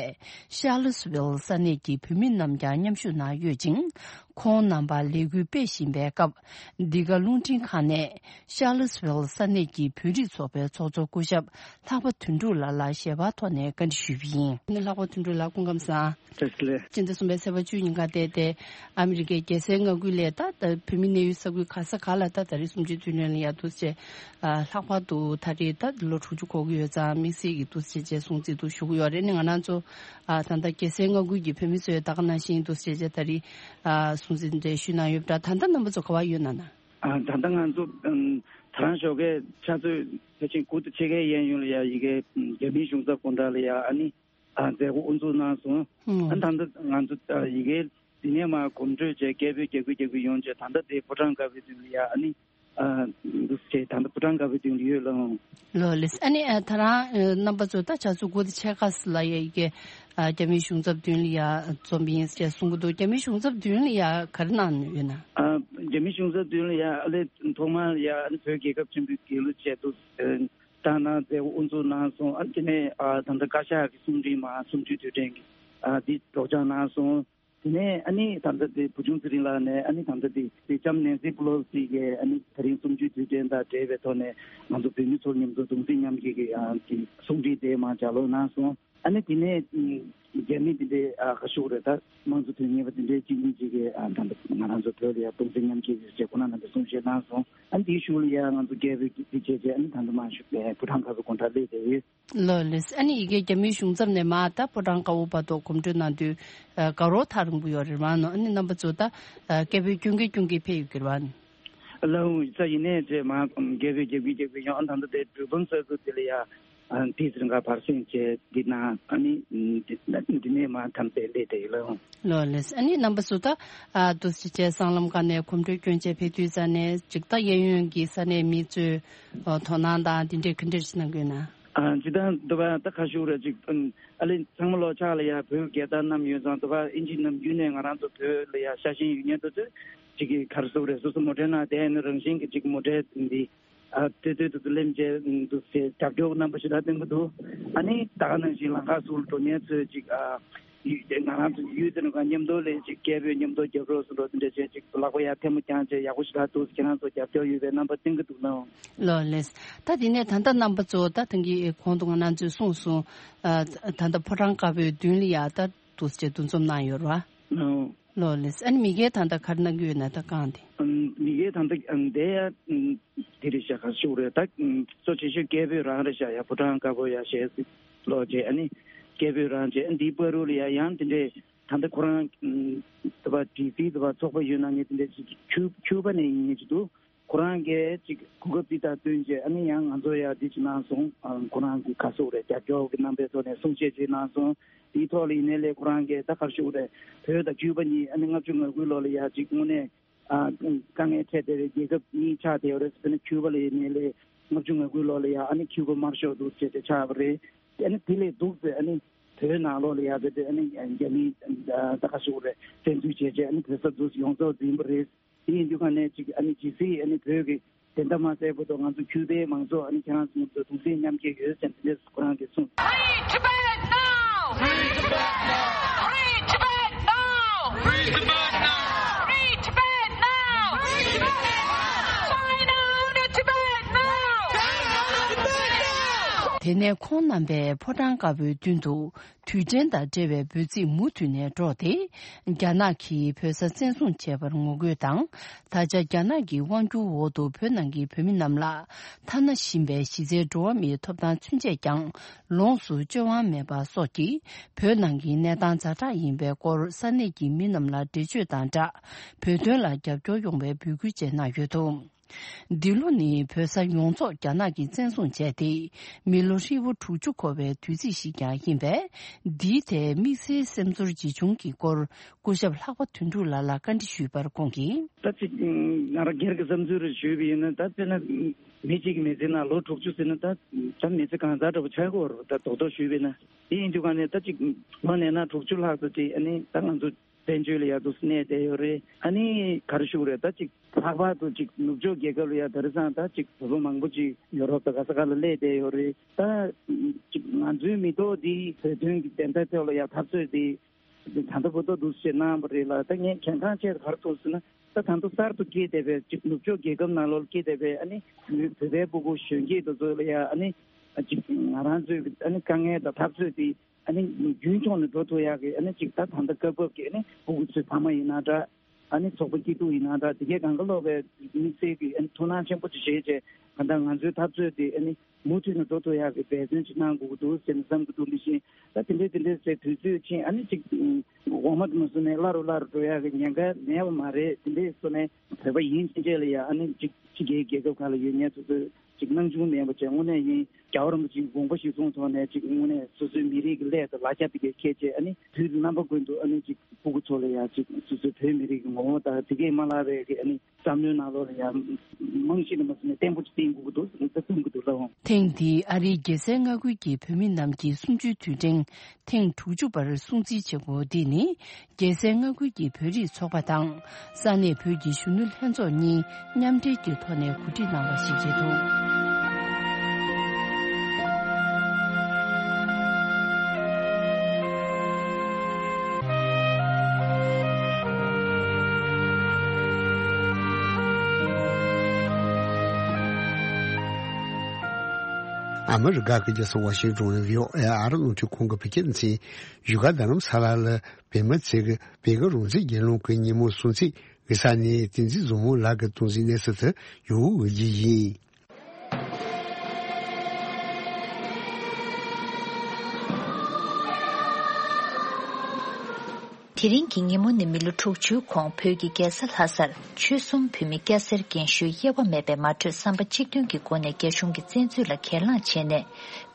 ཤར་ལི་སི་ཝིལ་ས་གནས་ཀྱི་བོད་མི་རྣམས་ཀྱང་མཉམ་ཞུགས་གནང་ཡོད་ཅིང་། ཁོང་རྣམ་པ་ལས་འགུལ་སྤེལ་བཞིན་པའི་སྐབས། འདི་ག་རླུང་འཕྲིན་ཁང་ནས་ཤར་ལི་སི་ཝིལ་ས་གནས་ཀྱི་བོད་རིགས་ཚོགས་པའི་ཚོགས་གཙོ་སྐུ་ཞབས་ལྷག་པ་དོན་གྲུབ་ལགས་ལ་ཞལ་པར་ཐོག་ནས་བཀའ་འདྲི་ཞུས་པ་ཡིན། ལྷག་པ་དོན་གྲུབ་ལགས་སྐུ་ཁམས་བཟང་། བཀྲ་ཤིས་བདེ་ལེགས། སྤྱི་ཟླ་གསུམ་པའི་ཚེས་པ་བཅུ་ཉིན་ཀ་དེ་དེ་ཨ་མི་རི་ཀའི་རྒྱལ་སའི་མངའ་ཁུལ་ལས་ད་ད་བོད་མི་གནས་ཡུལ་ས་ཁུལ་ག་ས་ག་ལ་ད་ད་རེས་གསུམ་བཅུའི་དུས་དྲན་ལ་ཡ་འདུག་སེ་ལྷག་པར་དུ་ད་རེས་ད་ལོ་དྲུག་ཅུ་འཁོར་གྱི་ཡོད་ཙང་དམིགས་བསལ་གྱི་འདུག་སེ་བྱས་སྲུང་བརྩི་འདུག་ཞུ་གི་ཡོད་རེད། ནི་ང་རང་ཚོ་ད་ལྟ་རྒྱལ་སའི་མངའ་ཁུལ་གྱི་བོད་མི་ཚོས་ད་ག་ནང་བཞིན་འདུག་སེ་བྱས་ད་རེས་སྲུང་བརྩི་འདྲ་ཞུས་གནང་ཡོད་པ་འདྲ། ད་ལྟ་རྣམ་པ་ཚོ་ག་པར་ཡོད་ན་ན། ཨ་ད་ལྟ་ང་ཚོ་ཨམ་ད་རང་ཞོགས་ཀའི་ཆུ་ཚོད་ཕལ་ཆེར་དགུ་དང་ཕྱེད་ཀའི་གཡས་གཡོན་ལ་ཡ་ཡི་གེ་ཨམ་རྒྱ་མིའི་གཞུང་ཚབ་དགོང་དག་ལ་ཡ་ཨ་ནི་ཨ་མཛད་སྒོ་དབུ་འཛུགས་གནང་སོང་། ཨ་ད་ལྟ་ང་ཚོ་ཨ་ཡི་གེ་འདི་ནས་མར་གོམ་བགྲོད་བྱས་སྐད་འབོད་རྒྱག་གི་རྒྱག་གི་ཡོང་བྱས་ད་ལྟ་དེ་ཕོ་བྲང་དཀར་པོའི་མདུན་ལ་ཡ་ཨ་ནི་ ཨ་འདུག་ཅེས་ད་ལྟ་ཕོ་བྲང་དཀར་པོའི་མདུན་ལ་ཡོད་ལགས། ལགས་ལགས། ཨ་ནི་ཨ་ད་རང་ཨ་རྣམ་པ་ཚོ་ད་ཆུ་ཚོད་དགུ་དང་ཕྱེད་ཀ་ཙམ་ལ་ཡ་ཡི་གེ་ཨ་རྒྱ་མིའི་གཞུང་ཚབ་མདུན་ལ་ཡ་འཛོམས་ཡིན་ཅེས་གསུང་གི་འདུག་རྒྱ་མིའི་གཞུང་ཚབ་མདུན་ལ་ཡ་ག་རེ་གནང་ཡོད་ན། ཨ་རྒྱ་མིའི་གཞུང་ཚབ་མདུན་ལ་ཡ་ཨ་ལས་ཐོག་མར་ཡ་ཨ་ནི་བོད་རྒྱལ་ཁབ་ཆེན་པོའི་རྒྱལ་གླུ་བཅས་འདུག་ཨ་བཏང་གནང་མཛད་སྒོ་དབུ་འཛུགས་གནང་སོང་། ཨ་ནི་དེ་ནས་ཨ་ད་ལྟ་བཀའ་ཤག་གི་གསུང་འཕྲིན་མ་གསུམ་བཅུའི་དུས་དྲན་གྱི་ཨ་འདི་སྒྲོག་སྦྱང་གནང་སོང་། དེ་ནས་ཨ་ནི་ད་ལྟ་དེ་བུ་ཆུང་ཚེ་རིང་ལགས་ནས་ཨ་ནི་ད་ལྟ་དེ་དེ་ལྕམ་ནེན་སི་པེ་ལོ་སི་གིས་ཨ་ནི་ད་རིང་གསུམ་བཅུའི་དུས་དྲན་དང་འབྲེལ་བའི་ཐོག་ནས་ང་ཚོ་བོད་མི་ཚོ་མཉམ་དུ་གདུང་སེམས་མཉམ་སྐྱེད་ཀྱི་ཨ་དེ་གསུང་འཕྲིན་དེ་མར་ལྗགས་ཀློག་གནང་སོང་། ཨ་ནི་དེ་ནས་རྒྱ་མི་དེ་འདྲའི་ཨ་ཁ་ཤུགས་རེད། ད་དམངས་གཙོ་དོན་གཉེར་བ་དེ་འདྲའི་གཅིག་གཉིས་ཅིག་གིས་ཨ་ད་ལྟ་ང་རང་ཚོ་བོད་ལ་ཡ་གདུང་སེམས་མཉམ་སྐྱེད་ཀྱི་ཞེས་ཁོ་ན་རྣམ་པས་གསུང་བཤད་གནང་སོང་། ཨ་ནི་དེའི་གཞུག་ལ་ཡ་ང་ཚོ་རྒྱལ་པོའི་དེ་བྱས་རྗེས་ཨ་ནི་ད་ལྟ་མར་བཞུགས་པའི་ཕོ་བྲང་དཀར་པོའི་སྒང་དྲག་སླེབས་བསྡད་ཡོད། ལགས་ལགས། ཨ་ནི་ཡི་གེ་རྒྱ་མིའི་གཞུང་ཚབ་ནས་མར་ད་ཕོ་བྲང་དཀར་པོ་བར་དུ་གོམ་བགྲོད་གནང་དུས་ཨ་དགའ་རོགས་ཐག་རིང་པོ་ཡོད་རེད་མ་ནོ། ཨ་ནི་རྣམ་པ་ཚོ་ད་ཨ་སྐད་འབོད་སྐྱོན་གི་སྐྱོན་གི་ཕེབས་ཡོད་ཀྱི་རེད་བ། ལགས་ད་ཡིན་ནའི་རྗེས་མར་རྒྱལ་པོའི་རྒྱབ་ཀྱི་རྒྱབ་ཀྱི་ཡང་ཨ་ད་ལྟ་དེ་འགྲུལ་འབུམ་ས་ཁུལ་དེ་ལ་ཡ་ཨ་དེ་ཚོ་འགའ་བར་གསེང་བྱས་འདི་ན་ཨ་ནི་འདི་འདི་ནས་མར་ཐམས་ཅད་སླེབས་བསྡད་ཡོད་ལགས། ལགས་ལགས། ཨ་ནི་རྣམ་པ་ཚོ་ད་ཨ་འདུག་སེ་བྱས་སྲང་ལམ་སྒང་ནས་གོམ་བགྲོད་སྐྱོན་བྱས་ཕེབས་དུས་ཙ་ནས་ཅིག་ད་གཡས་གཡོན་གྱི་ས་གནས་མི་ཚོས་ཨ་དོ་སྣང་དང་འདི་འདྲའི་ག་འདྲ་ཞིག་གནང་གི་ཡོད་ན། ཨ་ཇི་ལྟར་འདུག་པ་ད་ཁ་ཤུགས་རེ་ཅིག་ཨ་ལེ་ཚང་མ་ལོ་ཕྱག་ལ་ཡ་བོད་རྒྱལ་དར་བསྣམས་ཡོད་ཙང་འདུག་པ་ཨིན་ཇི་ནམ་རྒྱུན་ནས་ང་རང་ཚོ་བོད་ལ་ཡ་ཤ་ཞེན་ཡོད་མཁན་དེ་ཚོས་ཅིག་གི་ག་རེ་ཟེར་དགོས་རེད། སོ་སོ་མོ་ཊའི་ནང་བསྡད་ཡོད་ན་རང་བཞིན་གྱི་ཅིག་མོ་ཊའི་འདི་ཨ་ལྟོས་ལྟོས་དེ་ཚོ་ལེན་བྱས་འདུག་ཟེར་རྒྱབ་སྐྱོར་རྣམ་པ་ཞེ་དྲག་སྟོན་གྱི་འདུག་ཨ་ནི་ད་ག་ནང་བཞིན་ལམ་ཁ་ཟུར་འགྲོ་མཁན་ཚོས་ཅིག་ཨ། ཡུལ་ང་རང་ཚོ་ཡུལ་དེ་ནང་ག་མཉམ་དུ་ལས་ཅིག་སྐད་འབོད་མཉམ་དུ་རྒྱབ་རོགས་སུ་འགྲོ་དེ་འདྲ་བྱས་ཅིག་ལག་པ་ཡར་ཐལ་མོ་བརྐྱངས་བྱས་ཡག་པོ་ཞེ་དྲག་འདུག་ཁྱེད་རང་ཚོ་རྒྱབ་སྐྱོར་ཡོད་པའི་རྣམ་པ་སྟོན་གྱི་འདུག་ནའང་། ལགས་ལགས། ད་དེ་ནས་ད་ལྟ་རྣམ་པ་ཚོ་ད་ཐེངས་ཀྱི་གོང་དུ་ང་རང་ཚོས་གསུངས་སོང་། ཨ་ད་ལྟ་ཕོ་བྲང་དཀར་པོའི་མདུན་ལ་ཡ་ད་འདུག་སེ་འདུ་འཛོམས་གནང་ཡོད་རེད་བ། ལགས་ལགས། ཨ་ནི་མི་སྒེར་ད་ལྟ་ག་རེ་གནང་གི་ཡོད་ན་ད་གང་དེ། ཨམ་མི་སྒེར་ད་ལྟ་ཨམ་དེ་ཡ་ཨམ་དེ་རེད་ཤག་ག་ཞུ་རེད་ད། ཨམ་གཙོ་ཆེ་ཤོས་སྐད་འབོད་རང་རེད་ཤག་ཡ་ཕོ་བྲང་དཀར་པོ་ཡ་ཞེས་ལོ་རྗེས་ཨ་ནི་སྐད་འབོད་རང་རྗེས་ཨ་ནི་འདིའི་བར་དུ་ལ་ཡ་ཡང་དེ་འདྲས་ད་ལྟ་ཁོ་རང་ཨམ་དེ་བ་ཌི་སི་དེ་བ་ཚོགས་པ་ཡོད་ན་ངས་དེ་འདྲས་ཅིག་ཁྱུ་ཁྱུ་པ་ནས་ཡིན་ངེས་ཅིག་འདུག་ཁོ་རང་གིས་ཅིག་གོ་སྐབས་འདི་དང་བསྟུན་བྱས་ཨ་ནི་ཡང་ང་ཚོ་ཡ་འདི་ཅིག་གནང་སོང་། ཨ་ཁོ་རང་གི་ག་ཟེར་དགོས་རེད་རྒྱབ་སྐྱོར་གྱི་རྣམ་པའི་ཐོག་ནས་གསུང་བཤད་ཅིག་གནང་སོང་། དེའི་ཐོག་ལ་ཡིན་ནའི་ལས་ཁོ་རང་གིས་ད་ག་རེ་ཞུ་དགོས་རེད། བོད་དང་ཁྱུ་པ་གཉིས་ཨ་ནི་ལྔ་བཅུ་ང་དགུའི་ལོ་ལ་ཡ་ཅིག་དངོས་གནས་ཨ་དཀའ་ངལ་འཕྲད་བསྡད་པའི་རྒྱལ་ཁབ་གཉིས་ཆགས་བསྡད་ཡོད་རེད། དཔེར་ན་ཁྱུ་པ་ལ་ཡིན་ནའི་ལས་ལྔ་བཅུ་ང་དགུའི་ལོ་ལ་ཡ་ཨ་ནི་ཁྱུ་པ་དམར་ཤོག་འདུག་ཅེས་དེ་ཆགས་པ་རེད། ཨ་ནི་དེ་ལས་སྡུག་ཚེ་ཨ་ནི་བོད་ནང་ལོགས་ལ་ཡ་དེ་དེ་ཨ་ནི་རྒྱ་མིའི་ད་ག་ཞུ་དགོས་རེད། བཙན་འཛུལ་བྱས་རྗེས་ཨ་ནི་བོད་ས་འདུག་ཡོངས་རྫོགས་འཛིན་པ་རེད། དེ་ཡིན་དུས་ག་ནས་ཅིག་ཨ་ནི་ཇི་སྲིད་ཨ་ནི་བོད་ཀྱི་བདེན་མཐའ་མ་གསལ་བར་དུ་ང་ཚོ་ཁྱུ་པའི་མང་ཚོགས་ཨ་ནི་ཁྱེད་རང་ཚོ་མཉམ་དུ་གདུང་སེམས་མཉམ་སྐྱེད་ཡོད་ཟེར་ནས་དེ་འདྲས་ཁོ་རང་གིས་གསུངས། Free Tibet now! Free Tibet now! Free Tibet now! Free Tibet now! Free Tibet now! Free Tibet now! China out of Tibet now! China out of Tibet now! དེ་ནས་ཁོང་རྣམ་པས་ཕོ་བྲང་དཀར་པོའི་མདུན་དུ་དུས་དྲན་དང་འབྲེལ་བའི་འབོད་ཚིག་མུ་མཐུད་ནས་སྒྲོག་སྟེ། རྒྱ་ནག་གིས་བོད་ས་བཙན་བཟུང་བྱས་པར་ངོ་རྒོལ་དང་། ད་ཆ་རྒྱ་ནག་གི་དབང་སྒྱུར་འོག་ཏུ་བོད་ནང་གི་བོད་མི་རྣམས་ལ་ཐ་ན་ཞིང་པའི་གཞི་རྩའི་འགྲོ་བ་མིའི་ཐོབ་ཐང་ཚུན་ཆད་ཀྱང་ལོངས་སུ་སྤྱོད་དབང་མེད་པ་སོགས་ཀྱིས་བོད་ནང་གི་གནས་སྟངས་ཛ་དྲག་ཡིན་པའི་སྐོར་ས་གནས་ཀྱི་མི་རྣམས་ལ་འགྲེལ་བརྗོད་དང་སྦྲགས། བོད་དོན་ལ་རྒྱབ་སྐྱོར་ཡོང་བའི་འབོད་སྐུལ་བཅས་གནང་ཡོད་འདུག་འདི་ལོ་ནི་བོད་ས་ཡོངས་རྫོགས་རྒྱ་ནག་གིས་བཙན་བཟུང་བྱས་ཏེ། མི་ལོ་ཧྲིལ་པོ་དྲུག་ཅུ་འཁོར་བའི་དུས་ཚིགས་ཤིག་ཀྱང་ཡིན་པས། འདིའི་ཐད་དམིགས་བསལ་སེམས་ཚོར་ཇི་བྱུང་གི་སྐོར་སྐུ་ཞབས་ལྷག་པ་དོན་གྲུབ་ལགས་ལ་བཀའ་འདྲི་ཞུས་པར་ཁོང་གིས། ད་ཅིག་ང་རང་སྒེར་གྱི་བསམ་ཚུལ་རེ་ཞུས་པ་ཡིན་ན། ད་དཔེར་ན་མི་གཅིག་གི་མི་ཚེ་ནང་ལོ་དྲུག་ཅུ་ཟེར་ན་ད་ད་མི་ཚེ་གང་ཟག་འདྲ་པོ་ཆགས་ཀྱི་ཡོད་རེད། ད་རྡོག་རྡོག་ཞུས་པ་ཡིན་ན། དེ་ཡིན་དུས་ག་ནས་ད་ཅིག་ལོ་ནས་ན་དྲུག་ཅུ་ལྷག་ཙམ་ཅིག་ཨ་ནི་ད་ང་ཚོ་བཙན་བྱོལ་ལ་ཡ་འདུག་གནས་བསྡད་ཡོད་རེད། ཨ་ནི་ག་རེ་ཞུ་དགོས་རེད། ད་ཅིག་ལྷག་པར་དུ་ཅིག་ནུབ་ཕྱོགས་རྒྱལ་ཁབ་ལ་ཡ་དེང་སང་ད་ཅིག་བོད་པ་མང་པོ་ཅིག་ཡོ་རོབ་དང་ག་ས་ག་ལ་སླེབས་བསྡད་ཡོད་རེད། ད་ཅིག་ང་ཚོའི་མི་ཐོག་འདི་བོད་དོན་གྱི་བདེན་མཐའ་ཐོག་ལ་ཡ་འཐབ་རྩོད་འདི་ད་ལྟ་བར་དུ་འདུག་སེ་གནང་བ་རེད་ལ། ད་ངས་གལ་འགངས་ཆེ་ག་རེ་ཐུག་ཟེར་ན། ད་ད་ལྟ་གསར་དུ་སྐྱེས་བསྡད་པའི་ཅིག་ནུབ་ཕྱོགས་རྒྱལ་ཁབ་ནང་ལོགས་ལ་སྐྱེས་བསྡད་པའི་ཨ་ནི་བོད་པའི་ཕྲུ་གུ་གཞོན་སྐྱེས་དེ་ཚོ་ལ་ཡ་ཨ་ནི་ཅིག་ང་རང་ཚོའི་ཨ་ནི་དཀའ་ངལ་དང་འཐབ་རྩོད་དེ་ཨ་ནི་རྒྱུན་འཁྱོངས་ནས་འགྲོ་ཐུབ་ཡག་གི་ཨ་ནི་ཅིག་ད་ད་ལྟ་སྐབས་བབ་ཀྱི་ཨ་ནི་ཕྲུ་གུ་ཚོའི་ཕ་མ་ཡིན་ན་འདྲ། ཨ་ནི་ཚོགས་པ་སྐྱིད་སྡུག་ཡིན་ན་འདྲ། དེ་གའི་གང་ག་ལོག་པའི་དམིགས་བསལ་གྱི་ཨ་ནི་ཐུགས་སྣང་ཆེན་པོ་ཅིག་བཞེས་བྱས། གང་ལྟར་ང་ཚོའི་འཐབ་རྩོད་དེ་ཨ་ནི་མུ་མཐུད་ནས་འགྲོ་ཐུབ་ཡག་གི་འབད་བརྩོན་ཅིག་གནང་དགོས་ཀྱི་འདུག་ཟེར་ནས་བསམ་གྱི་འདུག་དེ་བཞིན་ད་དེ་འདྲའི་དེ་འདྲའི་ཟེར་དུས་ཚོད་ཕྱིན་ཨ་ནི་ཅིག་འོག་མ་དུ་མ་སོང་ནས་སླ་རུ་སླ་རུ་འགྲོ་ཡག་གི་ཉེན་ཁ་མེད་པ་མ་རེད། དེ་འདྲའི་སོང་ནས་བོད་པ་ཡིན་ཕྱིན་ཆད་ལ་ཡ་ཨ་ནི་ཅིག་ཕྱི་རྒྱལ་རྒྱལ་ཁབ་ཁག་ལ་ཡོད་མཁན་དེ་ཚོས་ ཅིག་སྣང་ཆུང་མེད་པ་བྱས། དངོས་གནས་ཡིན་རྒྱལ་བ་རིན་པོ་ཆེའི་དགོངས་པ་གཞིར་བཟུང་ཐོག་ནས་ཅིག་དངོས་གནས་སོ་སོའི་མི་རིགས་ཀྱི་སླད་དུ་ལ་རྒྱ་ཕ་གིར་འཁྱེར་བྱས། ཨ་ནི་དུས་དང་རྣམ་པ་ཀུན་ཏུ་ཨ་ནི་ཅིག་ཕྲུ་གུ་ཚོ་ལ་ཡང་ཅིག་སོ་སོའི་བོད་མི་རིགས་ཀྱི་ངོ་བོ་དང་དེ་གས་མ་བརླག་པའི་གི་ཨ་ནི་བསམ་བློའི་ནང་ལོགས་ལ་ཡང་རྨང་གཞི་ནས་མ་ཟིན་ནས་བརྟན་པོ་ཅིག་བསྟན་དགོས་ཀྱི་འདུག་ད་གསུང་གི་འདུག་ལགས། ཐེངས་འདིའི་ཨ་རིའི་རྒྱལ་སའི་མངའ་ཁུལ་གྱི་བོད་མི་རྣམས་ཀྱི་གསུམ་བཅུའི་དུས་དྲན་ཐེངས་དྲུག་ཅུ་པར་སྲུང་བརྩི་བྱེད་སྒོ་འདི་ནི། རྒྱལ་སའི་མངའ་ཁུལ་གྱི་བོད་རིགས་ཚོགས་པ་དང་ས་གནས་བོད་ཀྱི་གཞོན་ནུ་ལྷན་ཚོགས་གཉིས་མཉམ་འབྲེལ་གྱི་ཐོག་ནས་གོ་སྒྲིག་གནང་བ་ཞིག་རེད་འདུག། ཨ་མི་རི་ཀ་གི་རྒྱལ་ས་ཝ་ཤིང་ཏོན་ནས་བྷི་ཨོ་ཨེ་ཨ་རི་རླུང་འཕྲིན་ཁང་གི་བོད་སྐད་སྡེ་ཚན་བཞུགས་སྒར་རྡ་རམ་ས་ལ་ལ་བོད་མི་ཚོས་བོད་ཀྱི་རང་བཙན་རྒྱལ་ལོངས་ཀྱི་ཉིན་མོ་སྲུང་བརྩི་གི་ས་གནས་བསྟན་འཛིན་བཟང་མོ་ལགས་ཀྱི་སྟོང་འཛིན་གནས་ས་དུ་ཡོང་འོས་ཀྱི་ཡིན། དེ་རིང་གི་ཉིན་མོ་ནི་མི་ལོ་དྲུག་ཅུའི་གོང་བོད་ཀྱི་རྒྱལ་ས་ལྷ་སར་ཆོལ་གསུམ་བོད་མི་སྐྱ་སེར་རྒན་གཞོན་དབྱེ་བ་མེད་པའི་མ་གྲོས་བསམ་པ་གཅིག་མཐུན་གྱི་སྒོ་ནས་རྒྱ་གཞུང་གི་བཙན་འཛུལ་ལ་གྱེན་ལངས་བྱས་ནས་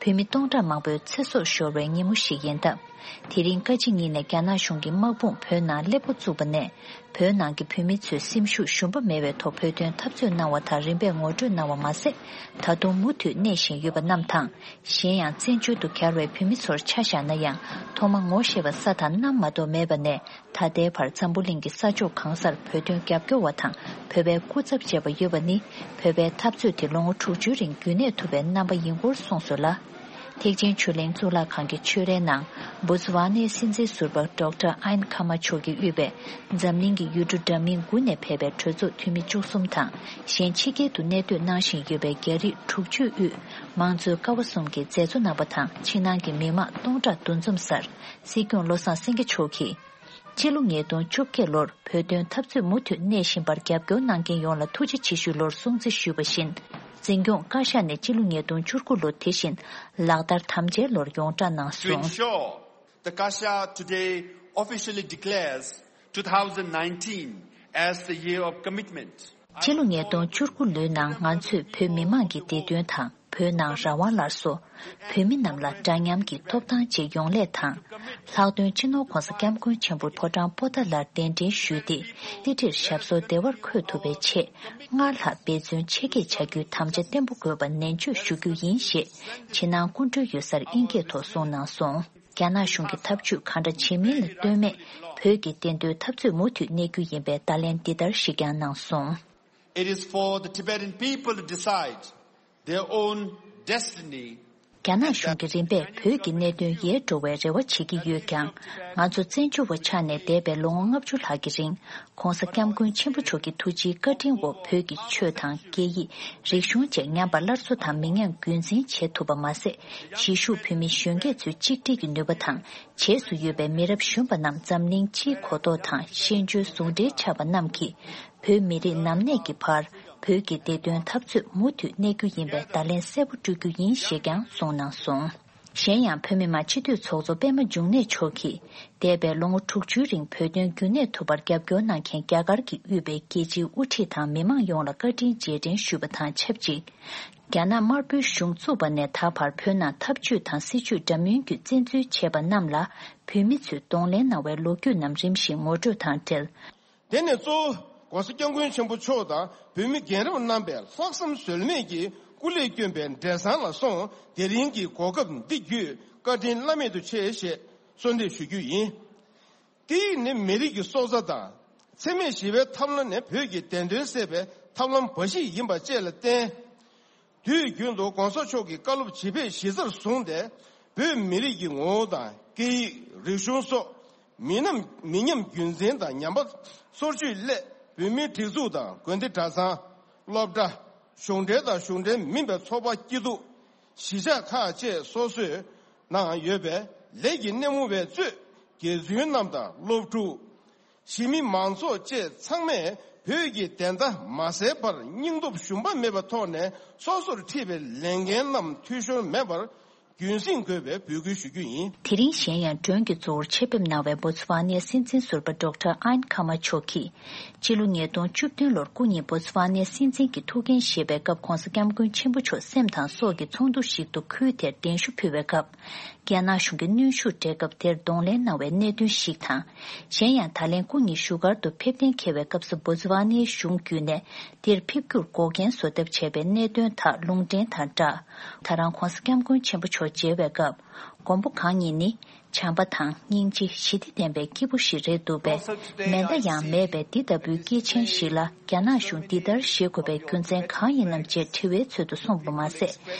བོད་མི་སྟོང་ཕྲག་མང་པོའི་ཚེ་སྲོག་ཤོར་བའི་ཉིན་མོ་ཞིག་ཡིན་སྟབས། དེ་རིང་བཀའ་སྤྱི་གཉིས་ནས་རྒྱ་ནག་གཞུང་གི་དམག་དཔུང་བོད་ནང་སླེབས་འགོ་བཙུགས་པ་ནས། བོད་ནང་གི་བོད་མི་ཚོས་སེམས་ཤུགས་ཞུམ་པ་མེད་པའི་ཐོག་བོད་དོན་འཐབ་རྩོད་གནང་བ་དང་རིམ་པས་ངོ་སྤྲོད་གནང་བ་མ་ཟད། ད་དུང་མུ་མཐུད་གནས་བཞིན་ཡོད་པ་རྣམས་དང་། གཞན་ཡང་བཙན་བྱོལ་དུ་གྱར་བའི་བོད་མི་ཚོར་ཆ་བཞག་ན་ཡང་ཐོག་མ་ངོ་ཤེས་པ་ས་དང་གནམ་མ་གཏོགས་མེད་པ་ནས། ད་ལྟའི་བར་འཛམ་བུ་གླིང་གི་ས་ཕྱོགས་གང་སར་བོད་དོན་རྒྱབ་སྐྱོར་བ་དང་བོད་པའི་སྐུ་ཚབ་བྱས་པ་ཡོད་པ་ནི། བོད་པའི་འཐབ་རྩོད་དེ་ལོ་ངོ་དྲུག་ཅུའི་རིང་རྒྱུན་གནས་ཐུབ་པའི་རྣམ་པ་ཡིན་སྐོར་གསུངས་སོང་ལ། ཐེག་ཆེན་ཆོས་གླིང་གཙུག་ལག་ཁང་གི་ཆོས་རའི་ནང་། བོ་ཙི་ཝཱ་ནའི་སྲིད་འཛིན་ཟུར་པ་ཌོག་ཊར་ཨན་ཁ་མ་མཆོག་གིས་དབུས་པའི་འཛམ་གླིང་གི་ཡུལ་གྲུ་འདྲ་མིན་དགུ་ནས་ཕེབས་པའི་གྲོས་ཚོགས་འཐུས་མི་བཅུ་གསུམ་དང་། གཞན་ཕྱི་རྒྱལ་དུ་གནས་སྡོད་གནང་བཞིན་ཡོད་པའི་རྒྱ་རིགས་དྲུག་ཅུའི་དབུས་མང་གཙོའི་ཀ་བ་གསུམ་གྱི་མཛད་གཙོ་རྣམ་པ་དང་། ཕྱི་ནང་གི་མི་མང་སྟོང་ཕྲག་འདུ་འཛོམས་སར། སྲིད་སྐྱོང་བློ་བཟང་སེང་གེ་མཆོག་གིས། སྤྱི་ལོ་ཉིས་སྟོང་བཅོ་བརྒྱད་ལོར་བོད་དོན་འཐབ་རྩོད་མུ་མཐུད་གནས་བཞིན་པར་རྒྱབ་སྐྱོར་གནང་མཁན་ཡོངས་ལ་ཐུགས་རྗེ་ཆེ་ཞུའི་ལོར་སྲུང་བརྩི་ཞུས་པ་བཞིན། འཛིན་སྐྱོང་བཀའ་ཤག་ནས་སྤྱི་ལོ་ཉིས་སྟོང་བཅུ་དགུ་ལོ་དེ་བཞིན་ལག་བསྟར་དམ་བཅའི་ལོར་ཡོངས་བསྒྲགས་གནང་སོང་། Ensure the Kasha today officially declares two thousand nineteen as the year of commitment. སྤྱི་ལོ་ཉིས་སྟོང་བཅུ་དགུ་ལོའི་ནང་ང་ཚོས་བོད་མི་མང་གི་བདེ་དོན་དང་། བོད་ནང་རང་དབང་སླར་གསོ། བོད་མི་རྣམས་ལ་འདྲ་མཉམ་གྱི་ཐོབ་ཐང་བཅས་ཡོང་སླད་དང་། ལྷག་དོན་སྤྱི་ནོར་༧གོང་ས་༧སྐྱབས་མགོན་ཆེན་པོ་ཕོ་བྲང་པོ་ཏཱ་ལར་གདན་འདྲེན་ཞུས་ཏེ། རྩེ་ཁྲིར་ཞབས་སོར་བདེ་བར་འཁོད་ཐུབ་པའི་ཆེད། སྔར་ལྷག་འབད་བརྩོན་ཆེ་བསྐྱེད་བྱ་རྒྱུའི་དམ་བཅའ་བརྟན་པོ་དགོས་པ་ནན་བརྗོད་ཞུ་རྒྱུ་ཡིན་ཞེས། ཕྱི་ནང་སྐུ་མགྲོན་ཡོད་སར་དབྱིན་སྐད་ཐོག་གསུངས་གནང་སོང་། རྒྱ་ནག་གཞུང་གིས་ཐབས་ཇུས་གང་འདྲ་བྱེད་མིན་ལ་ལྟོས་མེད། བོད་ཀྱི་བདེན་དོན་འཐབ་རྩོད་མུ་མཐུད་གནས་རྒྱུ་ཡིན་པའི་བརྡ་ལན་འདི་ལྟར་ཞིག་ཀྱང་གནང་སོང་། It is for the Tibetan people to decide their own destiny. རྒྱ་ནག་གཞུང་གིས་རིམ་པས་བོད་ཀྱི་གནད་དོན་ཡལ་འགྲོ་བའི་རེ་བ་བྱེད་ཀྱི་ཡོད་ཀྱང་། ང་ཚོ་བཙན་བྱོལ་བ་ཆགས་ནས་འདས་པའི་ལོ་ངོ་ལྔ་བཅུ་ལྷག་གི་རིང་། ྋགོང་ས་ྋསྐྱབས་མགོན་ཆེན་པོ་མཆོག་གི་ཐུགས་རྗེའི་བཀའ་དྲིན་འོག་བོད་ཀྱི་ཆོས་དང་སྐད་ཡིག་རིག་གཞུང་བཅས་ཉམས་པ་སླར་གསོ་དང་མི་ཉམས་རྒྱུན་འཛིན་བྱེད་ཐུབ་པ་མ་ཟད། གཞིས་བཞུགས་བོད་མི་གཞོན་སྐྱེས་ཚོའི་གཅིག་སྒྲིལ་གྱི་ནུས་པ་དང་། རྗེས་སུ་ཡོད་པའི་མི་རབས་གཞོན་པ་རྣམས་འཛམ་གླིང་སྤྱིའི་གོ་རྟོགས་དང་ཤེས་འཇོན་ཟུང་འབྲེལ་ཆགས་པ་རྣམས་ཀྱིས། བོད་མི་རིགས་ནམ་གནས་ཀྱི་བར། བོད་ཀྱི་བདེ་དོན་འཐབ་རྩོད་མུ་མཐུད་གནས་རྒྱུ་ཡིན་པའི་བརྡ་ལན་གསལ་པོ་སྤྲོད་རྒྱུ་ཡིན་ཞེས་ཀྱང་གསུངས་གནང་སོང་། གཞན་ཡང་། བོད་མི་མང་སྤྱི་འཐུས་ཚོགས་གཙོ་པད་མ་འབྱུང་གནས་མཆོག་གིས། འདས་པའི་ལོ་ངོ་དྲུག་ཅུའི་རིང་བོད་དོན་རྒྱུན་གནས་ཐུབ་པར་རྒྱབ་སྐྱོར་གནང་མཁན་རྒྱ་གར་གྱིས་དབུས་པའི་རྒྱལ་སྤྱིའི་དབུ་ཁྲིད་དང་མི་མང་ཡོངས་ལ་བཀའ་དྲིན་རྗེས་དྲན་ཞུས་པ་དང་ཆབས་ཅིག། རྒྱ་ནག་དམར་པོའི་གཞུང་བཙུགས་པ་ནས་ད་བར་བོད་ནང་འཐབ་ཇུས་དང་སྲིད་ཇུས་འདྲ་མིན་བརྒྱུད་བཙན་འཛུལ་བྱས་པ་རྣམས་ལ་བོད་མི་ཚོས་གདོང་ལེན་གནང་བའི་ལོ་རྒྱུས་རྣམས་རིམ་བཞིན་ངོ་སྤྲོད་དང་འབྲེལ། དེ་ནས་གཙོ་བོ་༧གོང་ས་༧སྐྱབས་མགོན་ཆེན་པོ་མཆོག་དང་བོད་མི་རྒན་རབས་རྣམ་པས་ལྷག་བསམ་ཟོལ་མེད་ཀྱིས་སྐུ་ལས་བསྐྱོན་པའི་འབྲས་བཟང་ལ་སོང་། དེ་རིང་གི་གོ་སྐབས་འདི་བརྒྱུད་བཀའ་དྲིན་བླ་མེད་དུ་ཆེ་ཞེས་གསོལ་འདེབས་ཞུ་རྒྱུ་ཡིན། སྐད་ཡིག་ནི་མི་རིགས་ཀྱི་སྲོག་རྩ་དང་། འཚེ་མེད་ཞི་བའི་ཐབས་ལམ་ནི་བོད་ཀྱི་བདེན་དོན་གསལ་བའི་ཐབས་ལམ་འབའ་ཞིག་ཡིན་པ་བཅས་ལ་བརྟེན། དུས་རྒྱུན་དུ་༧གོང་ས་མཆོག་གི་བཀའ་སློབ་ཇི་ཕེབས་གཞི་རྩར་བཟུང་སྟེ། བོད་མི་རིགས་ཀྱི་ངོ་བོ་དང་སྐད་ཡིག་རིག་གཞུང་སོགས་མི་ཉམས་མི་ཉམས་རྒྱུན་འཛིན་དང་ཉམས་པ་སོར་ཆུད་སླད། བོད་མིའི་སྒྲིག་འཛུགས་དང་དགོན་སྡེ་གྲྭ་ཚང་། སློབ་གྲྭ། གཞུང་འབྲེལ་དང་གཞུང་འབྲེལ་མིན་པའི་ཚོགས་པ་སྐྱིད་སྡུག་གཞིས་ཆགས་ཁག་བཅས་སོ་སོའི་ནང་ཡོད་པའི་ལས་ཀྱི་སྣེ་མོ་བའི་གཙོས་དགེ་བཙུན་རྣམས་དང་སློབ་ཕྲུག་གཞིས་མི་མང་ཚོགས་བཅས་ཚང་མས་བོད་ཀྱི་བདེན་མཐའ་མ་གསལ་བར་སྙིང་སྟོབས་ཞུམ་པ་མེད་པའི་ཐོག་ནས་སོ་སོར་འཁྲིས་པའི་ལས་འགན་རྣམས་འཐུས་ཤོར་མེད་པར་ རྒྱུན་སྲིང་དགོས་པའི་འབོད་སྐུལ་ཞུ་རྒྱུ་ཡིན། དེ་རིང་གཞན་ཡང་མགྲོན་གྱི་གཙོ་བོར་ཆེད་ཕེབས་གནང་བའི་བོ་ཙི་ཝཱ་ནའི་སྲིད་འཛིན་ཟུར་པ་ཌོག་ཊར་ཨན་ཁ་མ་མཆོག་གིས། སྤྱི་ལོ་ཉིས་སྟོང་བཅུ་བདུན་ལོར་སྐུ་ཉིད་བོ་ཙི་ཝཱ་ནའི་སྲིད་འཛིན་གྱི་ཐུགས་འགན་བཞེས་པའི་སྐབས་༸གོང་ས་༸སྐྱབས་མགོན་ཆེན་པོ་མཆོག་སེམས་དང་སྲོག་གི་ཚོགས་འདུ་ཞིག་ཏུ་ཁུལ་དེར་གདན་ཞུ་ཕུལ་བའི་སྐབས། རྒྱ་ནག་གཞུང་གིས་གནོན་ཤུགས་སྤྲད་སྐབས་དེར་གདོང་ལེན་གནང་བའི་གནད་དོན་ཞིག་དང་། གཞན་ཡང་ད་ལན་སྐུ་ཉིད་བཞུགས་སྒར་དུ་ཕེབས་གཏན་འཁེལ་བའི་སྐབས་སུ་བོ་ཙི་ཝཱ་ནའི་གཞུང་བརྒྱུད་ནས་དེར་ཕེབས་རྒྱུར་འགོག་རྐྱེན་བཟོ་ཐབས་བྱས་པའི་གནད་དོན་དག་ལུང་འདྲེན་དང་སྦྲགས། ད་རང་༸གོང་ས་༸སྐྱབས་མགོན་ཆེན་པོ་མཆོག་མཇལ་བའི་སྐབས། མགོན་པོ་གང་ཉིད་ནི་བྱམས་པ་དང་སྙིང་རྗེ་ཞི་བདེ་ལྡན་པའི་སྐྱེས་བུ་ཞིག་རེད་འདུག་པས། མེ་མདའ་ཡང་མེད་པའི་འདི་ལྟ་བུའི་སྐྱེས་ཆེན་ཞིག་ལ་རྒྱ་ནག་གཞུང་འདི་ལྟར་བཞེད་དགོས་པའི་རྒྱུ་མཚན་གང་ཡིན་ནམ་ཅེས་དྲི་བའི་ཚུལ་དུ་གསུངས་པ་མ་ཟད།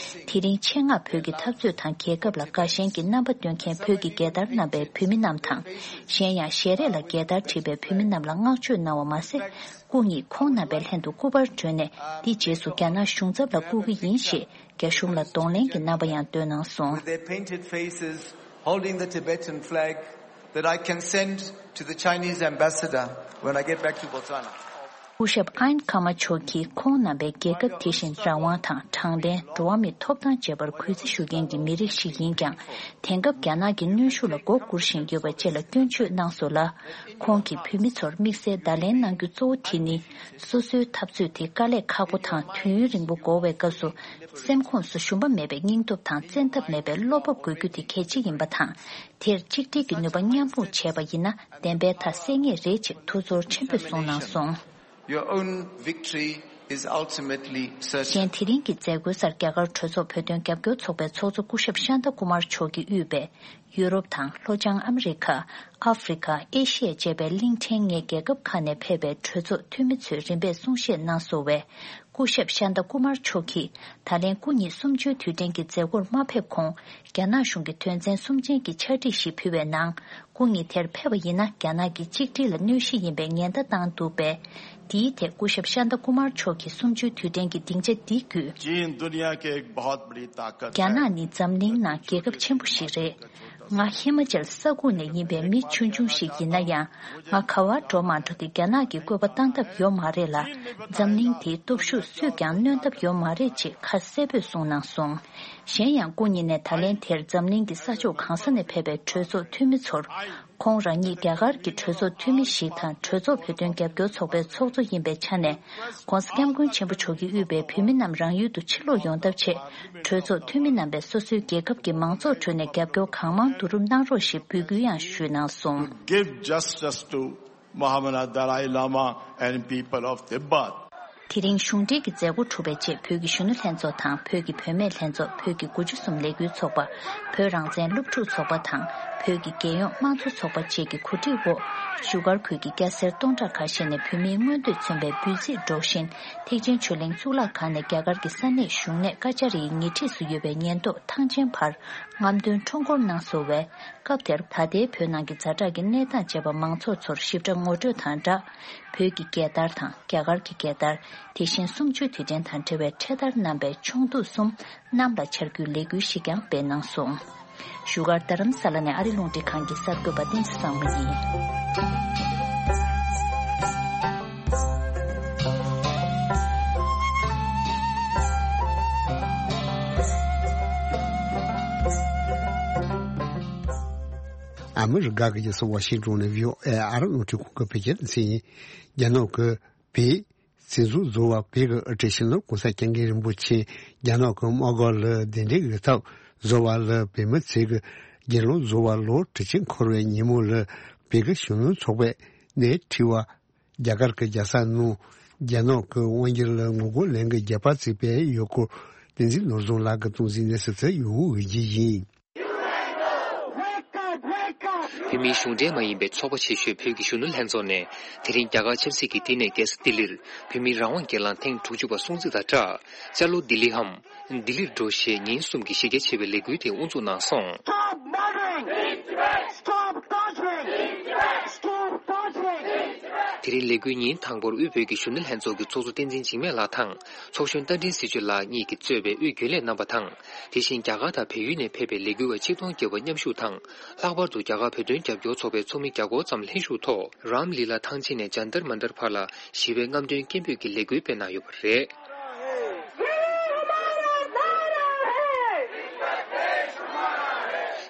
དེ་རིང་ཆེད་མངགས་བོད་ཀྱི་འཐབ་རྩོད་དང་རྒྱལ་ཁབ་ལ་དགའ་ཞེན་གྱི་རྣམ་པ་སྟོན་མཁན་བོད་ཀྱི་རྒྱལ་དར་བསྣམས་པའི་བོད་མི་རྣམས་དང་། གཞན་ཡང་ཞལ་རས་ལ་རྒྱལ་དར་བྲིས་པའི་བོད་མི་རྣམས་ལ་བསྔགས་བརྗོད་གནང་བ་མ་ཟད། སྐུ་ཉིད་ཁོང་རྣམ་པའི་ལྷན་དུ་སྐུ་པར་བསྒྲོན་ནས་འདི་རྗེས་སུ་རྒྱ་ནག་གཞུང་ཚབ་ལ་བསྐུར་གྱི་ཡིན་ཞེས་རྒྱ་གཞུང་ལ་གདོང་ལེན་གྱི་རྣམ་པ་ཡང་སྟོན་གནང་སོང་། With their painted faces, holding the Tibetan flag that I can send to the Chinese ambassador when I get back to Botswana. སྐུ་ཞབས་ཨན་ཁ་མ་མཆོག་གིས་ཁོང་རྣམ་པའི་རྒྱལ་ཁབ་དེ་བཞིན་རང་དབང་དང་དྲང་བདེན། འགྲོ་བ་མིའི་ཐོབ་ཐང་བཅས་པར་གུས་བརྩི་ཞུ་མཁན་གྱི་མི་རིགས་ཤིག་ཡིན་ཀྱང་། དེང་སྐབས་རྒྱ་ནག་གི་གནོན་ཤུགས་ལ་མགོ་སྒུར་བཞིན་ཡོད་པ་བཅས་ལ་སྐྱོན་བརྗོད་གནང་སོང་ལ། ཁོང་གིས་བོད་མི་ཚོར་དམིགས་བསལ་བརྡ་ལན་གནང་རྒྱུ་གཙོ་བོ་དེ་ནི། སོ་སོའི་འཐབ་རྩོད་དེ་དཀའ་ལས་ཁག་པོ་དང་དུས་ཡུན་རིང་པོ་འགོར་བའི་སྐབས་སུ། སེམས་ཁོངས་སུ་ཞུམ་པ་མེད་པའི་སྙིང་སྟོབས་དང་བཙན་ཐབས་མེད་པའི་བློ་སྤོབས་དགོས་རྒྱུ་དེ་གལ་ཆེ་ཡིན་པ་དང་། དེར་གཅིག་སྒྲིལ་གྱི་ནུས་པ་མཉམ་སྤུངས་བྱས་པ་ཡིན་ན་བདེན་པའི་མཐའ་གསལ་ངེས་རེད་ཅེས་ཐུགས་ཚོར་ཆེན་པོས་གསུངས་གནང་སོང་། Your own victory is ultimately certain. གཞན་དེ་རིང་གི་མཛད་སྒོའི་སར་རྒྱ་གར་གྲོས་ཚོགས་བོད་དོན་རྒྱབ་སྐྱོར་ཚོགས་པའི་ཚོགས་གཙོ་སྐུ་ཞབས་ཤཱནྟ་ཀུ་མར་མཆོག་གིས་དབུས་པའི་ཡུ་རོབ་དང་ལྷོ་བྱང་ཨ་མི་རི་ཁ། ཨ་ཧྥེ་རི་ཁ། ཨེ་ཤི་ཡ་བཅས་པའི་གླིང་ཕྲན་ལྔའི་རྒྱལ་ཁབ་ཁག་ནས་ཕེབས་པའི་གྲོས་ཚོགས་འཐུས་མི་ཚོས་རིམ་པས་གསུང་བཤད་གནང་སོང་བས། སྐུ་ཞབས་ཤཱནྟ་ཀུ་མར་མཆོག་གིས་ད་ལན་སྐུ་ཉིད་གསུམ་བཅུའི་དུས་དྲན་གྱི་མཛད་སྒོར་མ་ཕེབས་གོང་། རྒྱ་ནག་གཞུང་གིས་དོན་ཚན་གསུམ་ཅན་གྱི་ཕྱག་བྲིས་ཤིག་ཕུལ་བའི་ནང་། སྐུ་ཉིད་དེར་ཕེབས་པ་ཡིན་ན་རྒྱ་ནག་གི་གཅིག་སྒྲིལ་ལ་གནོད་གཞི་ཡིན་པའི་ཉེན་བརྡ་བཏང་འདུག་པས། འདིའི་ཐད་སྐུ་ཞབས་ཤཱནྟ་ཀུ་མར་མཆོག་གིས་གསུམ་བཅུའི་དུས་དྲན་གྱི་སྡིངས་ཆ་འདི་བརྒྱུད། चीन दुनिया की एक बहुत बड़ी ताकत རྒྱ་ནག་ནི་འཛམ་གླིང་ནང་རྒྱལ་ཁབ་ཆེན་པོ་ཞིག་རེད། ང་ཧི་མ་ཅལ་ས་ཁུལ་ནས་ཡིན་པའི་མི་ཆུང་ཆུང་ཞིག་ཡིན་ན་ཡང་། ང་ག་བར་འགྲོ་མ་འགྲོ་དེ་རྒྱ་ནག་གི་བཀོད་པ་བཏང་ཐབས་ཡོད་མ་རེད་ལ། འཛམ་གླིང་དེའི་སྟོབས་ཤུགས་སུས་ཀྱང་གནོན་ཐབས་ཡོད་མ་རེད་ཅེས་ཁ་གསལ་པོས་གསུངས་གནང་སོང་། གཞན་ཡང་སྐུ་ཉིད་ནས་ད་ལན་དེར་འཛམ་གླིང་གི་ས་ཕྱོགས་གང་ས་ནས་ཕེབས་པའི་གྲོས་ཚོགས་འཐུས་མི་ཚོར། ཁོང་རང་ཉིད་རྒྱ་གར་གྱི་གྲོས་ཚོགས་འཐུས་མི་ཞིག་དང་གྲོས་ཚོགས་བོད་དོན་རྒྱབ་སྐྱོར་ཚོགས་པའི་ཚོགས་གཙོ་ཡིན་པའི་ཆ་ནས། ༸གོང་ས་༸སྐྱབས་མགོན་ཆེན་པོ་མཆོག་གིས་དབུས་པའི་བོད་མི་རྣམས་རང་ཡུལ་དུ་ཕྱིར་ལོག་ཡོང་ཐབས་ཆེད། གྲོས་ཚོགས་འཐུས་མི་རྣམ་པས་སོ་སོའི་རྒྱལ་ཁབ་ཀྱི་མང་ཚོགས་ཁྲོད་ནས་རྒྱབ་སྐྱོར་གང་མང་བསྡུ་རུབ་གནང་རོགས་ཞེས་འབོད་སྐུལ་ཡང་ཞུས་གནང་སོང་། Give justice to Mahamana Dalai Lama and people of Tibet. དེ་རིང་གཞུང་འབྲེལ་གྱི་མཛད་སྒོ་གྲུབ་པའི་རྗེས་བོད་ཀྱི་གཞོན་ནུ་ལྷན་ཚོགས་དང་བོད་ཀྱི་བུད་མེད་ལྷན་ཚོགས། བོད་ཀྱི་དགུ་བཅུ་གསུམ་ལས་འགུལ་ཚོགས་པ། བོད་རང་བཙན་སློབ་ཕྲུག་ཚོགས་པ་དང་བོད་ཀྱི་རྒྱལ་ཡོངས་དམངས་གཙོ་ཚོགས་པ་བཅས་ཀྱི་གོ་སྒྲིག་འོག་བཞུགས་སྒར་ཁུལ་གྱི་སྐྱ་སེར་སྟོང་ཕྲག་ཁ་ཤས་ནས་བོད་མིའི་མངོན་འདོད་མཚོན་པའི་འབུལ་ཚིག་སྒྲོག་བཞིན་ཐེག་ཆེན་ཆོས་གླིང་གཙུག་ལག་ཁང་ནས་རྒྱ་གར་གྱི་ས་གནས་གཞུང་གནས་ཀ་ཅཱ་རི་ཡི་ཉེ་འཁྲིས་སུ་ཡོད་པའི་ཉེན་རྟོག་ཐང་ཆེན་བར་རྔམ་སྟོན་ཁྲོམ་སྐོར་གནང་སོང་བས། སྐབས་དེར་ད་ལྟའི་བོད་ནང་གི་ཛ་དྲག་གི་གནས་སྟངས་བཅས་པ་མང་ཚོགས་ཚོར་ཞིབ་ཕྲ་ངོ་སྤྲོད་དང་སྦྲགས། བོད་ཀྱི་རྒྱལ་དར་དང་རྒྱ་གར་གྱི་རྒྱལ་དར། དེ་བཞིན་གསུམ་བཅུའི་དུས་དྲན་དང་འབྲེལ་བའི་འཕྲེད་དར་བསྣམས་པའི་ཆུང་འདུས་གསུམ་གནམ་ལ་འཕྱར་རྒྱུའི་ལས་འགུལ་ཞིག་ཀྱང་སྤེལ་གནང་སོང་། བཞུགས་སྒར་རྡ་རམ་ས་ལ་ནས་ཨ་རི་རླུང་འཕྲིན་ཁང་གི་གསར་འགོད་པ་བསྟན་འཛིན་བཟང་མོ་ཡིན། ཨ་མི་རི་ཀ་གི་རྒྱལ་ས་ཝ་ཤིང་ཏོན་ནས་བྷི་ཨོ་ཨེ་ཨ་རི་རླུང་འཕྲིན་ཁང་གི་བོད་སྐད་སྡེ་ཚན་ཡིན། རྒྱ་ནག་གི་བོད་སྲིད་འཛིན་ཟུར་པ་བོད་ཀྱི་ཨུ་ཀྲི་ཤི་ན་གོང་ས་སྐྱབས་མགོན་རིན་པོ་ཆེ་རྒྱ་ནག་གི་དམག་སྒར་ལ་གདན་འདྲེན་ཡོད་སྟབས། ཟུར་པ་ལ་བོད་མི་ཚོས་ཀྱི་རྒྱལ་ཡོངས་ཟུར་པ་ལོ་དྲུག་ཅུ་འཁོར་བའི་ཉིན་མོ་ལ་བོད་ཀྱི་གཞོན་ནུ་ཚོགས་པས་སྣེ་ཁྲིད་པ། རྒྱ་གར་གྱི་རྒྱལ་ས་ནང་རྒྱ་ནག་གི་དབང་སྒྱུར་ལ་ངོ་རྒོལ་ལས་འགུལ་རྒྱག་པ་བྱས་པའི་ཡུལ་སྐོར་བསྟན་འཛིན་ནོར་བཟང་ལགས་ཀྱིས་གཏོང་ཟིན་གནས་ཚུལ་དེ་ཡོང་འོས་ཀྱི་ཡིན། བོད་མིའི་གཞུང་འབྲེལ་མ་ཡིན་པའི་ཚོགས་པ་ཆེ་ཤོས་བོད་ཀྱི་གཞོན་ནུ་ལྷན་ཚོགས་ནས་དེ་རིང་རྒྱ་གར་ཆབ་སྲིད་ཀྱི་ལྟེ་གནས་རྒྱལ་ས་ལྡི་ལིར་བོད་མིའི་རང་དབང་སྒེར་ལངས་ཐེངས་དྲུག་ཅུ་པ་སྲུང་བརྩི་དང་སྦྲགས། ཅ་ལོ་ལྡི་ལི་འམ། ལྡི་ལིར་འགྲོ་ཞེས་ཉིན་གསུམ་གྱི་གཞི་རྒྱ་ཆེ་བའི་ལས་འགུལ་དེ་དབུ་འཛུགས་གནང་སོང་། Stop murdering! Stop torturing! Stop torturing! དེ་རིང་ལས་འགུལ་ཉིན་དང་པོར་དབུས་བོད་ཀྱི་གཞོན་ནུ་ལྷན་ཚོགས་ཀྱི་ཚོགས་གཙོ་བསྟན་འཛིན་འཇིགས་མེད་ལགས་དང་ཚོགས་གཞོན་རྟ་མགྲིན་ཟི་ཆུ་ལགས་གཉིས་ཀྱིས་གཙོས་པའི་དབུས་རྒྱུན་ལས་རྣམ་པ་དང་། དེ་བཞིན་རྒྱ་གར་དང་བལ་ཡུལ་ནས་ཕེབས་པའི་ལས་འགུལ་བ་ཆིག་སྟོང་བརྒལ་བ་མཉམ་ཞུགས་དང་། ལྷག་པར་དུ་རྒྱ་གར་བོད་དོན་རྒྱབ་སྐྱོར་ཚོགས་པའི་ཚོགས་མི་བརྒྱ་སྐོར་ཙམ་ལྷན་ཞུགས་ཐོག་རམ་ལི་ལ་ཐང་ཆེན་ནས་ཇཱན་ཏར་མན་ཏར་བར་ལ་ཞི་བའི་རྔམ་སྟོན་སྐད་འབོད་ཀྱི་ལས་འགུལ་སྤེལ་གནང་ཡོད་པ་རེད།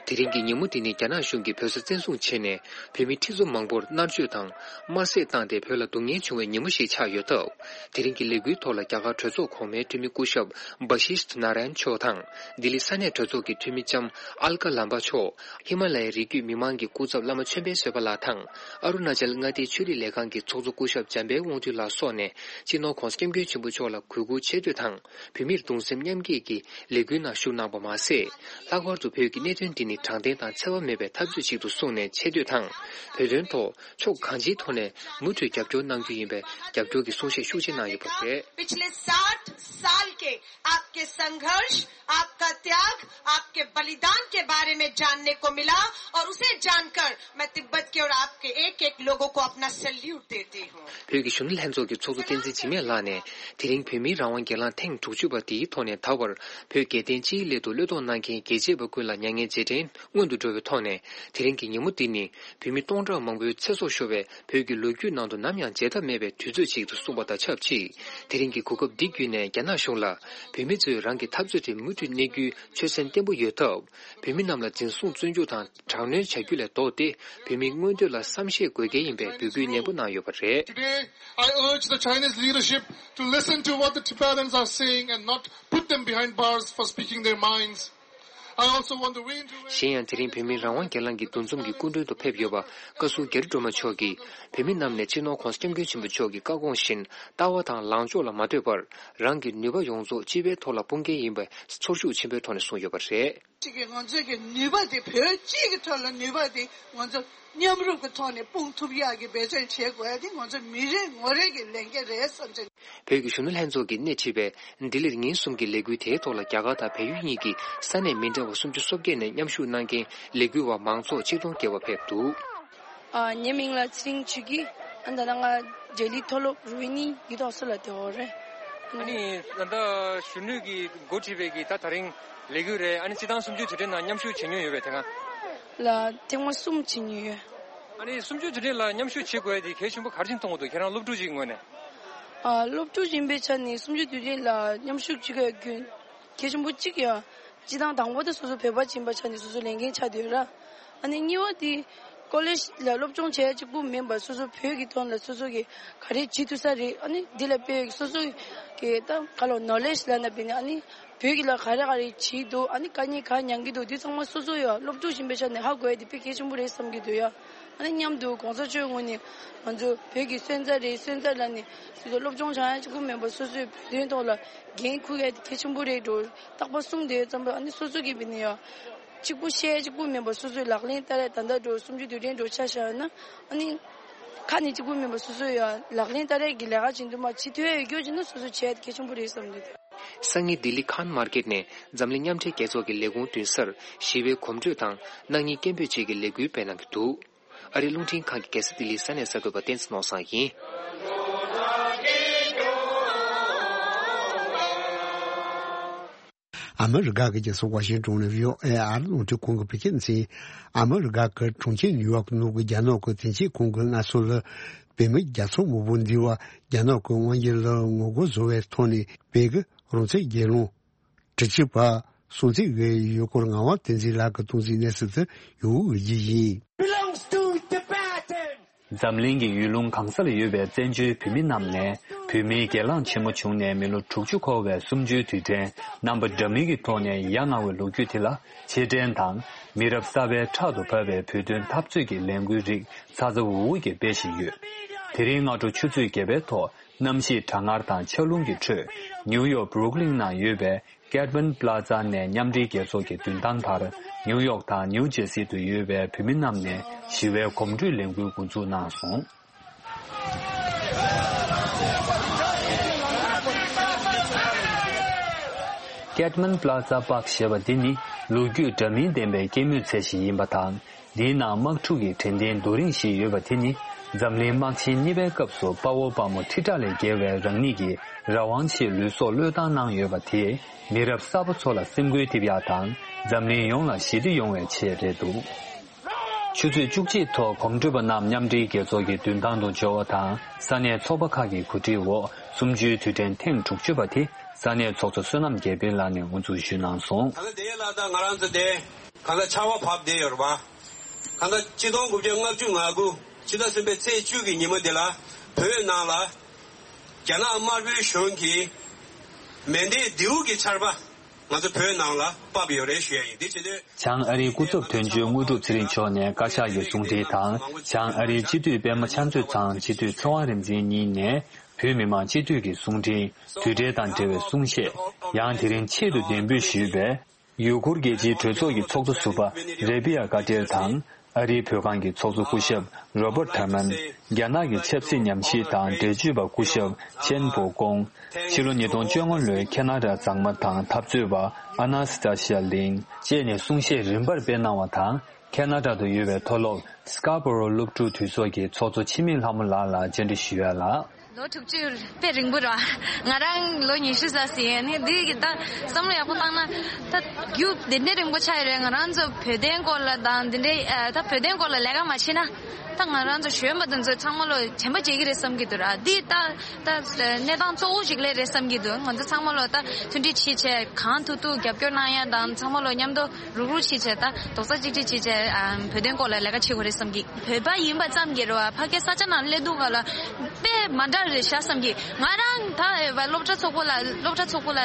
དེ་རིང་གི་ཉིན་མོ་འདི་ནི་རྒྱ་ནག་གཞུང་གིས་བོད་ས་བཙན་བཟུང་བྱས་ནས་བོད་མི་ཁྲི་ཚོ་མང་པོར་མནར་གཅོད་དང་དམར་གསོད་བཏང་སྟེ་བོད་ལ་སྡུག་བསྔལ་བྱུང་བའི་ཉིན་མོ་ཞིག་ཆགས་ཡོད་སྟབས། དེ་རིང་གི་ལས་འགུལ་ཐོག་ལ་རྒྱ་གར་གྲོས་ཚོགས་གོང་མའི་འཐུས་མི་སྐུ་ཞབས་བྷ་ཤིཤ་ནཱ་ར་ཡན་མཆོག་དང་། ལྡི་ལི་ས་གནས་གྲོས་ཚོགས་ཀྱི་འཐུས་མི་ལྕམ་ཨལ་ཀ་ལམ་པ་མཆོག་ཧི་མ་ལ་ཡའི་རི་རྒྱུད་མི་མང་གི་སྐུ་ཚབ་བླ་མ་ཆོས་འཕེལ་བཟོད་པ་ལགས་དང་། ཨ་རུ་ན་ཅལ་མངའ་སྡེའི་ཆོས་རིག་ལས་ཁང་གི་ཚོགས་གཙོ་སྐུ་ཞབས་འཇམ་དཔལ་དབང་འདུས་ལགས་སོགས་ནས་སྤྱི་ནོར་༧གོང་ས་༧སྐྱབས་མགོན་ཆེན་པོ་མཆོག་ལ་གུས་བཀུར་ཆེ་བསྟོད་དང་། བོད་མིར་གདུང་སེམས་མཉམ་སྐྱེད་ཀྱི་ལས་འགུལ་ནང་ཞུགས་གནང་བ་མ་ཟད། ལྷག་པར་དུ་བོད་ཀྱི་གནད་དོན་འདི་ནི་དྲང་བདེན་དང་འཚེ་བ་མེད་པའི་འཐབ་རྩོད་ཅིག་ཏུ་གསུངས་ནས་ཆེ་བསྟོད་དང་། བོད་དོན་ཐོག་ཕྱོགས་གང་ཅིའི་ཐོག་ནས་མུ་མཐུད་རྒྱབ་སྐྱོར་གནང་རྒྱུ་ཡིན་པའི་རྒྱབ་སྐྱོར་གྱི་གསུང་བཤད་ཤུགས་ཆེ་གནང་ཡོད་པ་རེད། पिछले साठ साल के आपके संघर्ष, आपका त्याग, आपके बलिदान के बारे में जानने को मिला और उसे जानकर मैं तिब्बत के और आपके एक एक लोगों को अपना सैल्यूट देती हूँ। བོད་ཀྱི་གཞོན་ནུ་ལྷན་ཚོགས་ཀྱི་ཚོགས་གཙོ་བསྟན་འཛིན་འཇིགས་མེད་ལགས་ནས། དེ་རིང་བོད་མིའི་རང་དབང་སྒེར་ལངས་ཐེངས་དྲུག་ཅུ་པ་འདིའི་ཐོག་ནས་ད་བར་བོད་རྒྱལ་བསྟན་སྤྱིའི་སླད་དུ་བློས་གཏོང་གནང་མཁན་རྒྱལ་གཅེས་པ་ཀུན་ལ་མྱ་ངན་རྗེས་དྲན་སྔོན་དུ་འགྲོ་བའི་ཐོག་ནས། དེ་རིང་གི་ཉིན་མོ་འདི་ནི་བོད་མི་སྟོང་ཕྲག་མང་པོའི་ཚེ་སྲོག་ཤོར་བའི་བོད་ཀྱི་ལོ་རྒྱུས་ནང་དུ་ནམ་ཡང་བརྗེད་ཐབས་མེད་པའི་དུས་ཚོད་ཅིག་ཏུ་གསུངས་པ་དང་ཆབས་ཅིག་དེ་རིང་གི་གོ་སྐབས་འདི་བརྒྱུད་ནས་རྒྱ་ནག་གཞུང་ལ། བོད་མི་ཚོས་རང་གི་འཐབ་རྩོད་དེ་མུ་མཐུད་གནས་རྒྱུའི་ཆོད་སེམས་བརྟན་པོ་ཡོད་སྟབས། བོད་མི་རྣམས་ལ་འཛིན་བཟུང་བཙོན་འཇུག་དང་དྲག་གནོན་བྱ་རྒྱུ་ལས་ལྡོག་སྟེ། བོད་མིའི་མངོན་འདོད་ལ་བསམ་ཤེས་དགོས་གལ་ཡིན་པའི་འབོད་སྐུལ་ནན་པོ་གནང་ཡོད་པ་རེད། Today, I urge the Chinese leadership to listen to what the Tibetans are saying and not put them behind bars for speaking their minds. I also want to reiterate གཞན་ཡང་། དེ་རིང་བོད་མིའི་རང་དབང་སྒེར་ལངས་ཀྱི་འདུ་འཛོམས་ཀྱི་སྐུ་མགྲོན་དུ་ཕེབས་ཡོད་པ། བཀའ་ཟུར་རྒྱ་རི་སྒྲོལ་མ་མཆོག་གིས། བོད་མི་རྣམས་ནས་སྤྱི་ནོར་༧གོང་ས་༧སྐྱབས་མགོན་ཆེན་པོ་མཆོག་གི་བཀའ་དགོངས་བཞིན། ལྟ་བ་དང་ལངས་ཕྱོགས་ལ་མ་ལྟོས་པར། རང་གི་ནུས་པ་ཡོངས་རྫོགས་སྤྱི་པའི་ཐོག་ལ་སྤུངས་འགན་ཡིན་པའི་ཚོར་ཤུགས་ཆེན་པོའི་ཐོག་ནས་གསུངས་ཡོད་པ་རེད། གཅིག་གིས་ང་ཚོའི་གི་ནུས་པ་དེ། བོད་སྤྱི་གི་ཐོག་ལ་ནུས་པ་དེ་ང་ཚོ་མཉམ་རུབ་ཀྱི་ཐོག་ནས་སྤུངས་ཐུབ་ཡག་གི་འབད་བརྩོན་བྱེད་དགོས་ཡ་དེ་ང་ཚོ་མི་རེ་ངོ་རེ་གི་ལས་འགན་རེད་བསམ་བྱས། བོད་ཀྱི་གཞོན་ནུ་ལྷན་ཚོགས་ཀྱིས་སྣེ་ཁྲིད་པའི་ལྡི་ལིར་ཉིན་གསུམ་གྱི་ལས་འགུལ་དེའི་ཐོག་ལ། རྒྱ་གར་དང་བལ་ཡུལ་གཉིས་ཀྱི་ས་གནས་མི་འདྲ་བ་སུམ་ཅུ་སོ་བརྒྱད་ནས་མཉམ་ཞུགས་གནང་མཁན་ལས་འགུལ་བ་མང་ཚོགས་ཆིག་སྟོང་བརྒལ་བ་ཕེབས་འདུག་ཨ། ངའི་མིང་ལ་ཚེ་རིང་ཆོས་སྐྱིད། ཨ། ད་ལྟ་ང་ལྡི་ལི་མཐོ་སློབ་རོ་ཧི་ནི་ཡིག་ཐོག་སློབ་གྲྭ་དེ་འོག་རེད། ཨ་ནི་ད་ལྟ་གཞོན་ནུ་གིས་འགོ་ཁྲིད་པའི་གི་ད་དེ་རིང་ལས་འགུལ་རེད། ཨ་ནི་སྤྱི་བཏང་གསུམ་བཅུའི་དུས་དྲན་ནང་མཉམ་ཞུགས་བྱེད་མྱོང་ཡོད་པས་དེ་སྔ། ལ་ཐེངས་མ་གསུམ་བྱེད་མྱོང་ཡོད། ཨ་ནི་གསུམ་བཅུའི་དུས་དྲན་ལ་མཉམ་ཞུགས་བྱེད་དགོས་ཡ་དེ་གལ་ཆེན་པོ་ག་རེ་བྱས་མཐོང་གི་འདུག་ཁྱེད་རང་སློབ་ཕྲུག་ཅིག་ངོས་ནས། ཨ། སློབ་ཕྲུག་ཡིན་པའི་ཆ་ནས་གསུམ་བཅུའི་དུས་དྲན་ལ་མཉམ་ཞུགས་བྱེད་དགོས་ཡ་རྒྱུན་གལ་ཆེན་པོ་གཅིག་ཡ། སྤྱི་བཏང་དང་པོ་དེ་སོ་སོ་བོད་པ་ཡིན་པའི་ཆ་ནས་སོ་སོ་ལས་འགན་ཆགས་བསྡད་ཡོད་ར། ཨ་ནི་གཉིས་པ་དེ་ཀོ་ལེཇ་ལ་སློབ་སྦྱོང་བྱེད་ཡ་གཅིག་པུ་མིན་པར་སོ་སོ་བོད་ཀྱི་དོན་ལ་སོ་སོ་གིས་ག་རེ་བྱེད་ཐུབ་ས་རེད། ཨ་ནི་འདི་ལ་དཔེ་སོ་སོ་གི་ད་ག་ལོ་ནོ་ལེཇ་ལབ་ན་བས་ནི། ཨ་ནི་བོད་ཀྱི་ལ་ག་རེ་ག་རེ་བྱེད་འདུག་ཨ་ནི་དཀའ་ངལ་ག་མྱངས་ཀྱི་འདུག་འདི་ཚང་མ་སོ་སོ་ཡ་སློབ་ཕྲུག་ཡིན་པའི་ཆ་ནས་ཧ་གོ་ཡ་དེ་དཔེ་གལ་ཆེན་པོ་རེད་བསམ་གྱི་འདུག་ཡ། ཨ་ནི་མཉམ་དུ་གོང་ས་མཆོག་ངོས་ནས་ང་ཚོ་བོད་ཀྱི་སོན་རྩ་རེད། སོན་རྩ་ལབ་ནས་སོ་སོ་སློབ་སྦྱོང་བྱ་ཡ་གཅིག་པུ་མིན་པར་སོ་སོའི་བོད་དོན་ཐོག་ལ་འགན་འཁུར་ཡ་དེ་གལ་ཆེན་པོ་རེད་འགྲོ། རྟག་པར་གསུངས་བསྡད་ཡོད་ཙམ་པ། ཨ་ནི་སོ་སོ་གིས་བས་ནི་ཡ་གཅིག་པུ་བཤད་ཡ་གཅིག་པུ་མིན་པར་སོ་སོའི་ལག་ལེན་བསྟར་ཡ། ད་ལྟ་འགྲོ་གསུམ་བཅུའི་དུས་དྲན་འགྲོ་ཆ་བཞག་ན། ཨ་ནི་ཁ་ནས་གཅིག་པུ་མིན་པར་སོ་སོ་ཡ་ལག་ལེན་བསྟར་ཡ་གི་ལས་ཀ་བྱེད་འདུག་མ། བྱེད་ཐུབ་ཡ་ཡོད་རྒྱུ་བྱས་ན་སོ་སོ་བྱས་ཡ་དེ་གལ་ཆེན་པོ་རེད་བསམ་འདུག་སང་ཉིན་ལྡི་ལི་ཁཱན་མར་ཀེཊ་ནས་འཛམ་གླིང་མཉམ་འབྲེལ་རྒྱལ་ཚོགས་ཀྱི་ལས་ཁུངས་མདུན་སར་ཞི་བའི་གོམ་བགྲོད་དང་སྣང་བརྙན་སྐད་འབོད་བཅས་ཀྱི་ལས་འགུལ་སྤེལ་གནང་གི་འདུག་ཨ་རིའི་རླུང་འཕྲིན་ཁང་གི་རྒྱལ་ས་ལྡི་ལིའི་ས་གནས་གསར་འགོད་པ་བསྟན་འཛིན་ནོར་བཟང་ཡིན། ཨ་མི་རི་ཀ་གི་རྒྱལ་ས་ཝ་ཤིང་ཏོན་ནས་བྷི་ཨོ་ཨེ་ཨ་རིའི་རླུང་འཕྲིན་ཁང་གི་བོད་སྐད་སྡེ་ཚན། ཨ་མི་རི་ཀ་གི་གྲོང་ཁྱེར་ནིའུ་ཡོག་ནང་གི་རྒྱ་ནག་གི་དོན་གཅོད་ཁང་གིས་སྔ་སོ་ལ་བོད་མི་རྒྱལ་ཚོགས་དམག་དཔུང་འདི་བ་རྒྱ་ནག་གི་དབང་སྒྱུར་ལ་ངོ་རྒོལ་བཟོ་བའི་ཐོག་ནས་བོད་ཀྱི་རང་བཙན་རྒྱལ་ལོངས་དྲུག་ཅུ་པ་སྲུང་བརྩི་ཡོད་སྐོར་ངག་དབང་བསྟན་འཛིན་ལགས་ཀྱིས་གཏོང་ཟིན་གནས་ཚུལ་དེ་ཡུ་གུ་འུར་བརྗོད་ཡིན། Belongs to Tibetans. འཛམ་གླིང་གི་ཡུལ་ལུང་གང་ས་ལ་ཡོད་པའི་བཙན་བྱོལ་བོད་མི་རྣམས་ནས་བོད་མིའི་སྒེར་ལངས་ཆེན་མོ་བྱུང་ནས་མི་ལོ་དྲུག་ཅུ་འཁོར་བའི་གསུམ་བཅུའི་དུས་དྲན་རྣམ་པ་འདྲ་མིན་གྱི་ཐོག་ནས་ཡ་ང་བའི་ལོ་རྒྱུས་དེ་ལ་རྗེས་དྲན་དང་། མི་རབས་གསར་པའི་ཕྲག་ཏུ་བབས་པའི་བོད་དོན་འཐབ་རྩོད་ཀྱི་ལས་འགུལ་རིགས་ཚ་ཚ་འུར་འུར་གྱིས་སྤེལ་བཞིན་ཡོད། དེ་རིང་སྔ་དྲོ་ཆུ་ཚོད་བརྒྱད་པའི་ཐོག་གནམ་གཤིས་གྲང་ངར་དང་ཆར་རླུང་གི་ཁྲོད། ནིའུ་ཡོག་བྷུ་རུག་ལིན་ནང་ཡོད་པའི་ཀེད་མན་པ་ལ་ཛ་ནས་མཉམ་འབྲེལ་རྒྱལ་ཚོགས་ཀྱི་མདུན་ཐང་བར་ནིའུ་ཡོག་དང་ནིའུ་ཇེ་སི་ཏུ་ཡོད་པའི་བོད་མི་རྣམས་ནས་ཞི་བའི་གོམ་བགྲོད་ལས་འགུལ་འགོ་འཛུགས་གནང་སོང་། ཀེད་མན་པ་ལ་ཛ་པཱག་ཞེས་པ་འདི་ནི་ལོ་རྒྱུས་འདྲ་མིན་ལྡན་པའི་སྐྱེད་མོས་ཚལ་ཞིག་ཡིན་པ་དང་། འདིའི་ནང་དམག་འཁྲུག་གི་དྲན་རྟེན་རྡོ་རིང་ཞིག་ཡོད་པ་དེ་ནི་འཛམ་གླིང་དམག་ཆེན་གཉིས་པའི་སྐབས་སུ་དཔའ་བོ་དཔའ་མོ་ཁྲི་ཕྲག་ལས་བརྒལ་བས་རང་ཉིད་ཀྱི་རང་དབང་ཆེད་ལུས་སྲོག་བློས་བཏང་གནང་ཡོད་པ་དེས་མི་རབས་གསར་པ་ཚོ་ལ་སེམས་འགུལ་ཐེབས་ཡག་དང་འཛམ་གླིང་ཡོངས་ལ་ཞི་བདེ་ཡོང་བའི་ཆེད་རེད་འདུག་ཆུ་ཚོད་བཅུ་གཅིག་ཐོག་གོམ་བགྲོད་པ་རྣམས་མཉམ་འབྲེལ་རྒྱལ་ཚོགས་ཀྱི་མདུན་ཐང་དུ་འབྱོར་བ་དང་ས་གནས་ཚོགས་པ་ཁག་གི་གོ་སྒྲིག་འོག་གསུམ་བཅུའི་དུས་དྲན་ཐེངས་དྲུག་ཅུ་པ་དེ་ས་གནས་ཚོགས་གཙོ་བསོད་ནམས་རྒྱལ་འཕེལ་ལགས་ནས་དབུ་འཛུགས་ཞུས་གནང་སོང་། ད་ལྟ་དེ་ལ་ད་ང་རང་ཚོ་དེ། གང་ལྟར་ཆར་པ་བབས་བསྡད་ཡོད་རེད་པ། གང་ལྟར་ཆིག་སྟོང་དགུ་བརྒྱ་ལྔ་བཅུ་ང་དགུ་ཕྱི་ཟླ་གསུམ་པའི་ཚེས་བཅུ་གི་ཉིན་མོ་འདི་ལ་བོད་ནང་ལ་རྒྱ་ནག་དམར་པོའི་གཞུང་གིས་མེ་མདའི་མདེའུ་གི་ཆར་པ་ང་ཚོ་བོད་ནང་ལ་བབས་ཡོད་རེད་ཞུ་ཡ་ཡིན། འདི་བྱེད་དུས། བྱང་ཨ་རིའི་སྐུ་ཚབ་དོན་གཅོད་དངོས་གྲུབ་ཚེ་རིང་མཆོག་ནས་བཀའ་ཤག་གི་གསུང་འཕྲིན་དང་། བྱང་ཨ་རིའི་སྤྱི་འཐུས་པད་མ་ཕྱག་མཛོད་ཚང་སྤྱི་འཐུས་ཚེ་དབང་རིག་འཛིན་གཉིས་ནས་བོད་མི་མང་སྤྱི་འཐུས་ཀྱི་གསུང་འཕྲིན། དུས་འབྲེལ་དང་འབྲེལ་བའི་གསུང་བཤད། ཡང་དེ་རིང་ཆེད་དུ་གདན་འབུལ་ཞུས་པའི་ཡུ་གུར་རྒྱལ་སྤྱིའི་གྲོས་ཚོགས་ཀྱི་ཚོགས་གཙོ་ཟུར་པ་རེ་བི་ཡ་ཀ་ཏེར་དང་། ཨ་རིའི་བོད་ཁང་གི་ཚོགས་གཙོ་སྐུ་ཞབས་རོ་པར་ཐར་མན། རྒྱ་ནག་གི་ཆབ་སྲིད་ཉམས་ཞིབ་དང་འགྲེལ་བརྗོད་པ་སྐུ་ཞབས་ཆེན་པོ་ཀོང་། ཕྱི་ལོ་ཉིས་སྟོང་བཅོ་ལྔ་ལོའི་ཁེ་ན་ཌ་མཛངས་མ་དང་འཐབ་རྩོད་པ་ཨ་ན་སི་ཏ་ཤི་ཡ་ལིན་བཅས་ནས་གསུང་བཤད་རིམ་པར་སྤེལ་གནང་བ་དང་། ཁེ་ན་ཌ་དུ་ཡོད་པའི་མཐོ་སློབ་སི་ཀ་པོ་རོ་སློབ་ཕྲུག་འཐུས་ཚོགས་ཀྱི་ཚོགས་གཙོ་འཆི་མེད་ལྷ་མོ་ལགས་ལ་བཅར་འདྲི་ཞུ་ཡ་ལ། ལོ་དྲུག་ཅུ་དཔེ་རིང་པོ་རེད་བ། ང་རང་ལོ་ཉི་ཤུ་ཙམ་ཟིན་ནི་འདི་གི་ད་བསམ་བློ་ཡག་པོ་བཏང་ན་ད་རྒྱུ་དེ་འདྲའི་རིང་པོ་ཆགས་ཡོད་རེད། ང་རང་ཚོ་བོད་དོན་སྐོར་ལ་དང་འདི་འདྲའི་ཨ་ད་བོད་དོན་སྐོར་ལ་ལས་ཀ་མ་བྱས་ན་ད་ང་རང་ཚོ་གཞོན་པ་དེ་ཚོ་ཚང་མ་ལོ་དྲན་པ་བརྗེད་ཀྱི་རེད་བསམ་གྱི་འདུག་ར། འདི་ད་ད་གནས་སྟངས་གཙོ་བོ་ཞིག་ལས་རེད་བསམ་གྱི་འདུག་ང་ཚོ་ཚང་མ་ལོ་ད་མཐུན་སྒྲིལ་བྱས་བྱས་གང་ཐུབ་ཐུབ་རྒྱབ་སྐྱོར་གནང་ཡ་དང་ཚང་མ་ལོ་མཉམ་དུ་རུག་རུག་བྱས་བྱས་ད་རྡོག་རྩ་གཅིག་སྒྲིལ་བྱས་བྱས་ཨ་བོད་དོན་སྐོར་ལ་ལས་ཀ་བྱེད་དགོས་རེད་བསམ་གྱི། བོད་པ་ཡིན་པ་ཙམ་གྱིས་རེད་བ། ཕ་གིའི་ས་ཆ་ནང་སླེབས་དུས་སྒང་ལ་དཔེ་མ་འདྲ་རེད་ཤག་བསམ་གྱི། ང་རང་ད་སློབ་གྲྭ་ཚོགས་པ་ལ་སློབ་གྲྭ་ཚོགས་པ་ལ་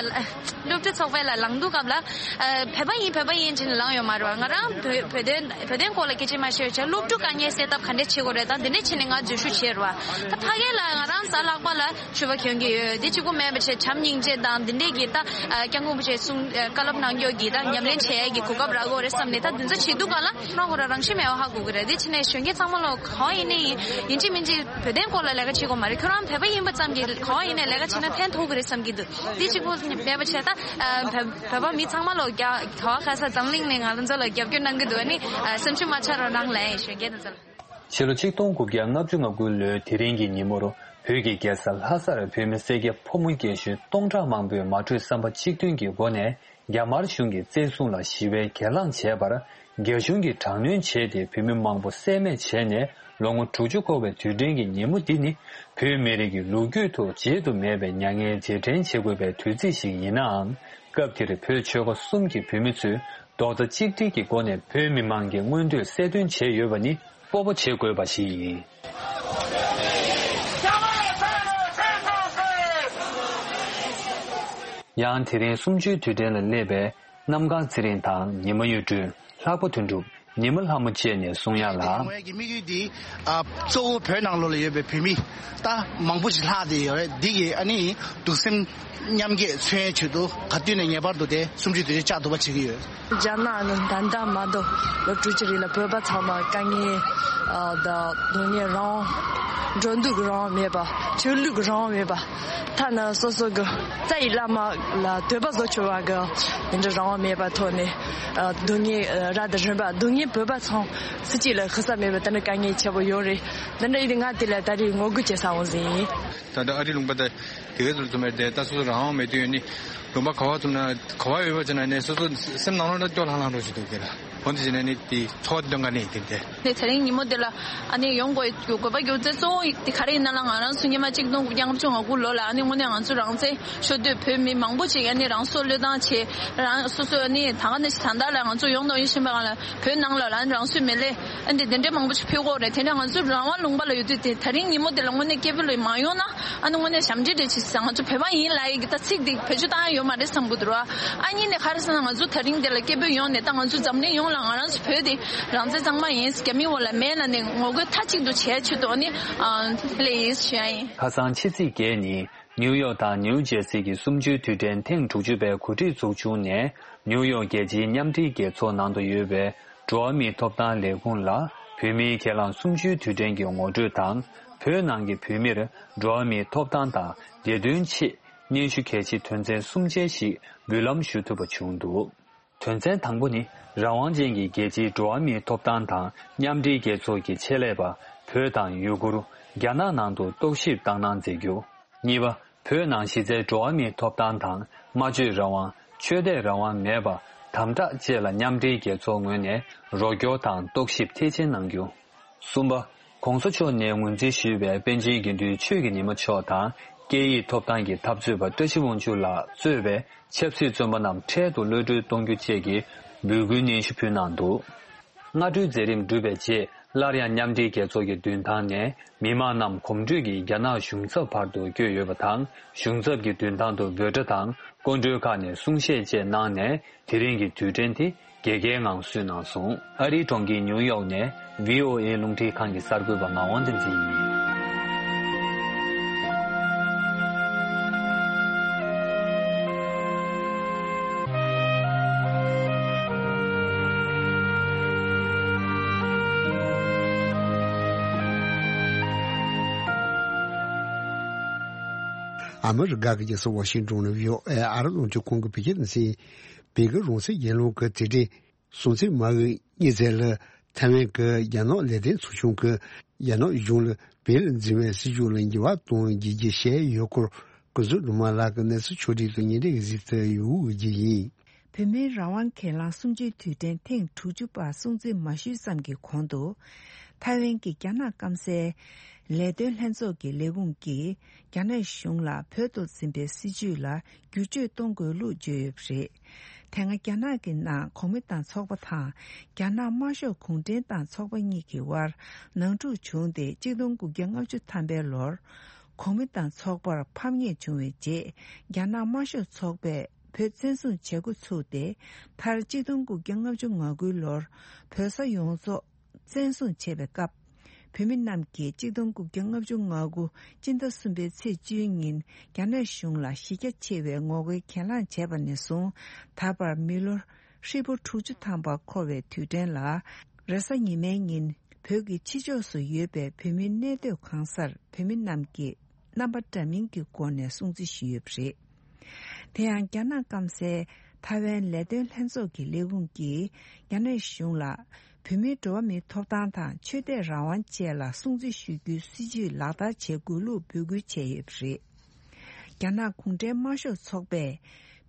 སློབ་གྲྭ་ཚོགས་པ་ལ་ལངས་དུས་སྐབས་ལ་ཨ་བོད་པ་ཡིན་བོད་པ་ཡིན་བྱས་ནས་ལངས་ཡོད་མ་རེད་བ། ང་རང་བོད་བོད་དོན་བོད་དོན་སྐོར་ལ་སྐད་ཆ་མ་བཤད་བྱས་སློབ་ཕྲུག་དཀའ་ངལ་སེལ་ཐབས་ག་འདྲས་བྱེད་དགོས་རེད་ད་འདི་འདྲས་བྱས་ནས་ང་འཛུལ་ཞུགས་བྱས་རེད་བ། ད་ཕ་གི་ལ་ང་རང་གཟའ་ལྷག་པ་ལ་ཆོས་པ་གྱོན་གྱི་ཡོད། དེ་གཅིག་པོ་མེད་པ་བྱས་བྱམས་སྙིང་རྗེ་དང་འདི་འདྲས་ཀྱི་ད་སྐྱབས་མགོན་རིན་པོ་ཆེ་གསུང་བཀའ་སློབ་གནང་རྒྱུ་གི་ད་ཉམས་ལེན་བྱེད་ཡས་ཀྱི་གོ་སྐབས་རག་གི་ཡོད་རེད་བསམ་ནས་ད་འདི་ཚོ་བྱེད་དུས་སྒང་ལ་ཁོ་རང་ཁོ་རང་རང་བཞིན་མེད་པ་ཧ་གོ་གི་རེད། དེ་བྱས་ནས་གཞོན་སྐྱེས་ཚང་མ་ལོ་གང་ཡིན་ནའི་ཡིན་ཡིན་གཅིག་མིན་གཅིག་བོད་དོན་སྐོར་ལ་ལས་ཀ་བྱེད་དགོས་མ་རེད། ཁྱོད་རང་བོད་པ་ཡིན་པ་ཙམ་གྱིས་གང་ཡིན་ནའི་ལས་ཀ་བྱེད་ན་ཕན་ཐོགས་ཀྱི་རེད་བསམ་གྱི་འདུག་དེ་གཅིག་པོ་མེད་པ་བྱས་ད་བོད་བོད་པ་མི་ཚང་མ་ལོ་རྒྱ་ག་བ་ག་ས་འཛམ་གླིང་ནས་ང་རང་ཚོ་ལ་རྒྱབ་སྐྱོར་གནང་གི་འདུག་ཨ་ནི་སེམས་ཤུགས་མ་ཆག་རོགས་གནང་ལབ་ཡིན་གཞོན་སྐྱེས་དེ་ཚོ་ལ། ཕྱི་ལོ་ཆིག་སྟོང་དགུ་བརྒྱ་ལྔ་བཅུ་ང་དགུ་ལོའི་དེ་རིང་གི་ཉིན་མོར་བོད་ཀྱི་རྒྱལ་ས་ལྷ་སར་བོད་མི་སེར་སྐྱ་ཕོ་མོ་རྒན་གཞོན་སྟོང་ཕྲག་མང་པོས་མ་གྲོས་བསམ་པ་གཅིག་མཐུན་གྱི་སྒོ་ནས་རྒྱ་དམར་གཞུང་གི་བཙན་བཟུང་ལ་ཞི་བའི་གྱེན་ལངས་བྱས་པར་རྒྱ་གཞུང་གིས་དྲག་གནོན་བྱས་ཏེ་བོད་མི་མང་པོ་བསད་རྨས་བྱས་ནས་ལོ་ངོ་དྲུག་ཅུ་འཁོར་བའི་དུས་དྲན་གྱི་ཉིན་མོ་འདི་ནི་བོད་མི་རིགས་ཀྱི་ལོ་རྒྱུས་ཐོག་བརྗེད་དུ་མེད་པའི་མྱ་ངན་རྗེས་དྲན་བྱེད་དགོས་པའི་དུས་ཚིགས་ཤིག་ཡིན་ནའང་། སྐབས་དེར་བོད་ཆོལ་ཁ་གསུམ་གྱི་བོད་མི་ཚོས་རྡོག་རྩ་གཅིག་སྒྲིལ་གྱི་སྒོ་ནས་བོད་མི་མང་གི་མངོན་འདོད་གསལ་སྟོན་བྱས་ཡོད་པ་ནི་སྤོབས་པ་བྱེད་དགོས་པ་ཞིག་ཡིན། ཡང་དེ་རིང་གསུམ་བཅུའི་དུས་དྲན་ལ་སླེབས་པའི་གནམ་གང་ཚེ་རིང་དང་ཉི་མ་གཡུ་སྒྲོན། ལྷག་པ་དོན་གྲུབ། ཉི་མ་ལྷ་མོ་བཅས་ནས་གསུང་ཡ་ལ། དེ་ངོས་ཀྱི་དམིགས་ཡུལ་འདི་ཨ་གཙོ་བོ་བོད་ནང་ལོགས་ལ་ཡོད་པའི་བོད་མི་ད་མང་པོ་ཞིག་ལྷག་བསྡད་ཡོད་རེད། འདི་གི་ཨ་ནི་གདུང་སེམས་མཉམ་སྐྱེད་མཚོན་ཡའི་ཆེད་དུ་ག་དུས་ནས་ངེས་པར་དུ་དེ་གསུམ་བཅུའི་དུས་དྲན་བཅག་ཐུབ་པ་བྱེད་ཀྱི་ཡོད། རྒྱ་ནག་ནི་ད་ལྟ་མ་གཏོགས་ལོ་དྲུག་ཅུ་རིང་ལ་བོད་པ་ཚང་མ་དཀའ་ངལ་ཨ་དང་སྡུག་བསྔལ་རང་དབང་འགྲོ་འདུག་གི་རང་དབང་མེད་པ། ཆོས་ལུགས་ཀྱི་རང་དབང་མེད་པ། ཐ་ན་སོ་སོ་གི་རྩ་ཡི་བླ་མ་ལ་འདོད་པ་བཟོ་ཆོག་པ་གི་འདི་འདྲ་རང་དབང་མེད་པ་ཐོག་ནས་ཨ་སྡུག་བསྔལ་ཨ་རབ་དང་རིམ་པ་སྡུག་བསྔལ་བོད་པ་ཚང་སུ་གཅིག་ལ་ཤི་ས་མེད་པ་དེ་འདྲ་དཀའ་ངལ་ཆེ་པོ་ཡོད་རེད། དེ་འདྲ་ཡིན་དུས་ང་དེ་ལ་ད་རེས་ངོ་རྒོལ་བྱེད་ས་འོང་ཟིན་ཡིན། ད་ལྟ་ཨ་རི་ལུང་པ་དེ་དེ་གའི་ཚོ་ཚོ་མེད་དེ་ད་སོ་སོ་རང་དབང་མེད་དུས་ཡོད་ནི་ལུང་པ་ག་བ་ཚོ་ན་ག་བ་ཡོད་པ་ཚོ་ན་ནས་སོ་སོ་སེམས་ནང་ལོགས་ལ་སྐྱོ་ལྷང་ལྷང་འགྲོ་བཞིན་འདུག་གི་ལ། འོན་ཏེ་བྱས་ན་ནི་དེ་ཚོར་བ་དེ་སྟོན་ག་ནས་དེ་འདྲ། ནས་དེ་རིང་ཉིན་མོ་དེ་ལ་ཨ་ནི་ཡོང་དགོས་དགོས་པ་རྒྱུ་མཚན་གཙོ་བོ་དེ་ག་རེ་ཡིན་ན་ལ་ང་རང་ཚོ་སྔོན་མ་གཅིག་སྟོང་དགུ་བརྒྱ་ལྔ་བཅུ་ང་དགུ་ལོ་ལ་ཨ་ནི་དངོས་གནས་ང་ཚོ་རང་བཙན་ཤོར་དུས་བོད་མི་མང་པོ་ཅིག་ཨ་ནི་རང་སྲོག་བློས་བཏང་བྱས་རང་སོ་སོ་ཨ་ནི་ད་ག་ནང་བཞིན་ད་ལྟ་ལ་ང་ཚོ་ཡོང་དང་ཡོང་བཞིན་པ་གང་ལ་བོད་ནང་ལ་ལ་ཨ་ནི་རང་སོའི་མི་ལས་ཨ་ནི་དེ་འདྲ་མང་པོ་ཅིག་ཕུལ་དགོས་རེད། དེ་འདྲ་ང་ཚོ་རང་དབང་ལུང་པ་ལ་ཡོད་དུས་དེ་དེ་རིང་ཉིན་མོ་དེ་ལ་དངོས་གནས་སྐད་འབོད་ལ་མ་ཡོང་ན། ཨ་ནི་དངོས་གནས་ཞབས་འདྲེན་རེད་ཅེས་ཟེར། ང་ཚོ་བོད་པ་ཡིན་ལབ་ཡི་གི་ད་ཚིག་འདི་བེད་སྤྱོད་བཏང་ཡ་ཡོད་མ་རེད་བསམ་གི་འདུག་ར། ཨ་གཉིས་ནས་ག་རེ་ཟེར་ན་ང་ཚོ་དེ་རིང་འདི་ལ་སྐད་འབོད་ཡོང་ནས་ད་ང་ཚོ་འཛམ་གླིང་ཡོངས་ལ་ང་རང་ཚོ་བོད་དེ་རང་བཙན་གཙང་མ་ཡིན། རྒྱ་མིའི་འོག་ལ་མེད་ལབ་ནས་ངོ་རྒོལ་མཐའ་གཅིག་ཏུ་བྱས་ཆེད་དུ་ཨ་ནི་ཨ་ལས་ཡིན་ཞུ་ཡ་ཡིན། ཁ་སང་ཕྱི་ཚེས་བརྒྱད་ཉིན་ནིའུ་ཡོག་དང་ནིའུ་ཇེར་སི་གི་གསུམ་བཅུའི་དུས་དྲན་ཐེངས་དྲུག་ཅུ་པའི་གོ་སྒྲིག་ཚོགས་ཆུང་ནས་ནིའུ་ཡོག་རྒྱལ་སྤྱིའི་མཉམ་འབྲེལ་རྒྱལ་ཚོགས་ནང་དུ་ཡོད་པའི་འགྲོ་བ་མིའི་ཐོབ་ཐང་ལས་ཁུངས་ལ་བོད་མིའི་སྒེར་ལངས་གསུམ་བཅུའི་དུས་དྲན་གྱི་ངོ་སྤྲོད་དང་། བོད་ནང་གི་བོད་མིར་འགྲོ་བ་མིའི་ཐོབ་ཐང་དང་བདེ་དོན་ཆེད་སྙན་ཞུ་གལ་ཆེ་དོན་ཚན་གསུམ་ཅན་ཞིག་འབུལ་ལམ་ཞུ་ཐུབ་པ་བྱུང་འདུག་དོན་ཚན་དང་པོ་ནི་རང་དབང་ཅན་གྱི་རྒྱལ་སྤྱིའི་འགྲོ་བ་མིའི་ཐོབ་ཐང་དང་མཉམ་འབྲེལ་རྒྱལ་ཚོགས་ཀྱི་ཆེད་ལས་པ་བོད་དང་ཡུ་གུར། རྒྱ་ནག་ནང་དུ་རྟོག་ཞིབ་བཏང་གནང་མཛད་རྒྱུ། གཉིས་པ། བོད་ནང་གཞི་རྩའི་འགྲོ་བ་མིའི་ཐོབ་ཐང་དང་སྨྲ་བརྗོད་རང་དབང་། ཆོས་དད་རང་དབང་མེད་པ། དམ་དྲག་བཅས་ལ་མཉམ་འབྲེལ་རྒྱལ་ཚོགས་ངོས་ནས་རོགས་སྐྱོར་དང་རྟོག་ཞིབ་མཐིལ་ཕྱིན་གནང་རྒྱུ། གསུམ་པ། ྋགོང་ས་མཆོག་ནས་ངོས་འཛིན་ཞུས་པའི་པཎ་ཆེན་དགེ་འདུན་ཆོས་ཀྱི་ཉི་མ་མཆོག་དང་། སྐད་ཡིག་ཐོབ་ཐང་གི་འཐབ་རྩོད་པ་བཀྲ་ཤིས་དབང་ཕྱུག་ལགས་གཙོས་པའི་ཆབ་སྲིད་བཙོན་པ་རྣམས་འཕྲལ་དུ་གློད་གྲོལ་གཏོང་རྒྱུ་བཅས་ཀྱི་ འབོད་སྐུལ་སྙན་ཞུ་ཕུལ་གནང་འདུག། སྔ་དྲོའི་མཛད་རིམ་གྲུབ་པའི་རྗེས། སླར་ཡང་མཉམ་འབྲེལ་རྒྱལ་ཚོགས་ཀྱི་མདུན་ཐང་ནས་མི་མང་རྣམས་གོམ་བགྲོད་ཀྱིས་རྒྱ་ནག་གཞུང་ཚབ་བར་དུ་བསྐྱོད་ཡོད་པ་དང་། གཞུང་ཚབ་ཀྱི་མདུན་ཐང་དུ་འབོད་སྒྲ་དང་སྐུ་མགྲོན་ཁག་ནས་གསུང་བཤད་བཅས་གནང་ནས། དེ་རིང་གི་དུས་དྲན་དེ་རྒྱལ་ཁའི་ངང་བསུས་གནང་སོང་། ཨ་རིའི་གྲོང་ཁྱེར་ཉིའུ་ཡོག་ནས་བྷི་ཨོ་ཨེ་རླུང་འཕྲིན་ཁང་གི་གསར་འགོད་པ་ངག་དབང་བསྟན་འཛིན་ཡིན། ཨ་མི་རི་ཀ་གི་རྒྱལ་ས་ཝ་ཤིང་ཏོན་ནས་བྷི་ཨོ་ཨེ་ཨ་རི་རླུང་འཕྲིན་ཁང་གིས་བོད་སྐད་ནང་གསན། བོད་ཀྱི་རང་སྲིད་རྒྱལ་ལོ་གི་དེ་རིང་སྲོང་བཙན་མ་གི་ཉི་ཤུ་ལ་ཐའེ་ཝན་གྱི་རྒྱ་ནག་ལས་དོན་ཚོགས་ཆུང་གིས་རྒྱ་ནག་གཞུང་ལ་བོད་ལ་འཛིན་པའི་སྲིད་ཇུས་ལ་འགྱུར་བ་གཏོང་རྒྱུ་བྱས་ཡོད་སྐོར། ཀུན་བཟང་སྒྲོལ་མ་ལགས་ཀྱིས་གནས་ཚུལ་ཕྱོགས་སྒྲིག་དང་ཉེ་འབྲེལ་གྱི་གཟིགས་ཏེ་ཡོད་ཀྱི་ཡིན། བོད་མིའི་རང་དབང་སྒེར་ལངས་གསུམ་བཅུའི་དུས་དྲན་ཐེངས་དྲུག་ཅུ་པ་སྲུང་བརྩི་མ་ཞུས་ཙམ་གྱི་གོང་དུ། ཐའེ་ཝན་གྱི་རྒྱ་ནག་སྐམ་སའི་ལས་དོན་ལྷན་ཚོགས་ཀྱི་ལས་ཁུངས་ཀྱིས་རྒྱ་ནག་གཞུང་ལ་བོད་དུ་འཛིན་པའི་སྲིད་ཇུས་ལ་བསྒྱུར་བཅོས་གཏོང་དགོས་ལུགས་བརྗོད་ཡོད་པ་རེད། དེ་སྔ་རྒྱ་ནག་གི་ནང་གོང་མའི་ཏང་ཚོགས་པ་དང་རྒྱ་ནག་དམར་ཤོག་གུང་ཁྲན་ཏང་ཚོགས་པ་གཉིས་ཀྱི་དབར་ནང་འཁྲུག་བྱུང་སྟེ་གཅིག་སྟོང་དགུ་བརྒྱ་ལྔ་བཅུ་ཐམ་པའི་ལོར། གོང་མའི་ཏང་ཚོགས་པར་ཕམ་ཉེས་བྱུང་བའི་རྗེས། རྒྱ་ནག་དམར་ཤོག་ཚོགས་པས་བོད་བཙན་བཟུང་བྱེད་འགོ་ཚུགས་ཏེ། མཐར་གཅིག་སྟོང་དགུ་བརྒྱ་ལྔ་བཅུ་ང་དགུའི་ལོར་བོད་ས་ཡོངས་རྫོགས་བཙན་བཟུང་བྱས་པའི་སྐབས། བོད་མི་རྣམས་ཀྱིས་གཅིག་སྟོང་དགུ་བརྒྱ་ལྔ་བཅུ་ང་དགུ་སྤྱི་ཟླ་གསུམ་པའི་ཚེས་བཅུའི་ཉིན་རྒྱ་ནག་གཞུང་ལ་གཞི་རྒྱ་ཆེ་བའི་ངོ་རྒོལ་གྱེན་ལངས་བྱས་པ་ནས་བཟུང་ད་བར་མི་ལོ་ཧྲིལ་པོ་དྲུག་ཅུ་ཐམ་པ་འཁོར་བའི་དུས་དྲན་ལ། རེས་གཟའ་ཉི་མའི་ཉིན་བོད་ཀྱི་ཕྱི་ཕྱོགས་སུ་ཡོད་པའི་བོད་མིའི་གནས་སྡོད་གང་སར་བོད་མི་རྣམས་ཀྱིས་རྣམ་པ་འདྲ་མིན་གྱི་སྒོ་ནས་སྲུང་བརྩི་ཞུས་ཡོད་པ་རེད། དེ་ཡང་རྒྱ་ནག་སྐམ་སའི་ཐའེ་ཝན་ལས་དོན་ལྷན་ཚོགས་ཀྱི་ལས་ཁུངས་ཀྱིས་རྒྱ་ནག་གཞུང་ལ་བོད་མིའི་འགྲོ་བ་མིའི་ཐོབ་ཐང་དང་ཆོས་དད་རང་དབང་བཅས་ལ་སྲུང་བརྩི་ཞུ་རྒྱུའི་སྲིད་ཇུས་ལག་བསྟར་བྱེད་དགོས་ལུགས་འབོད་སྐུལ་བྱས་ཡོད་པ་རེད། རྒྱ་ནག་གུང་ཁྲན་དམར་ཤོག་ཚོགས་པས་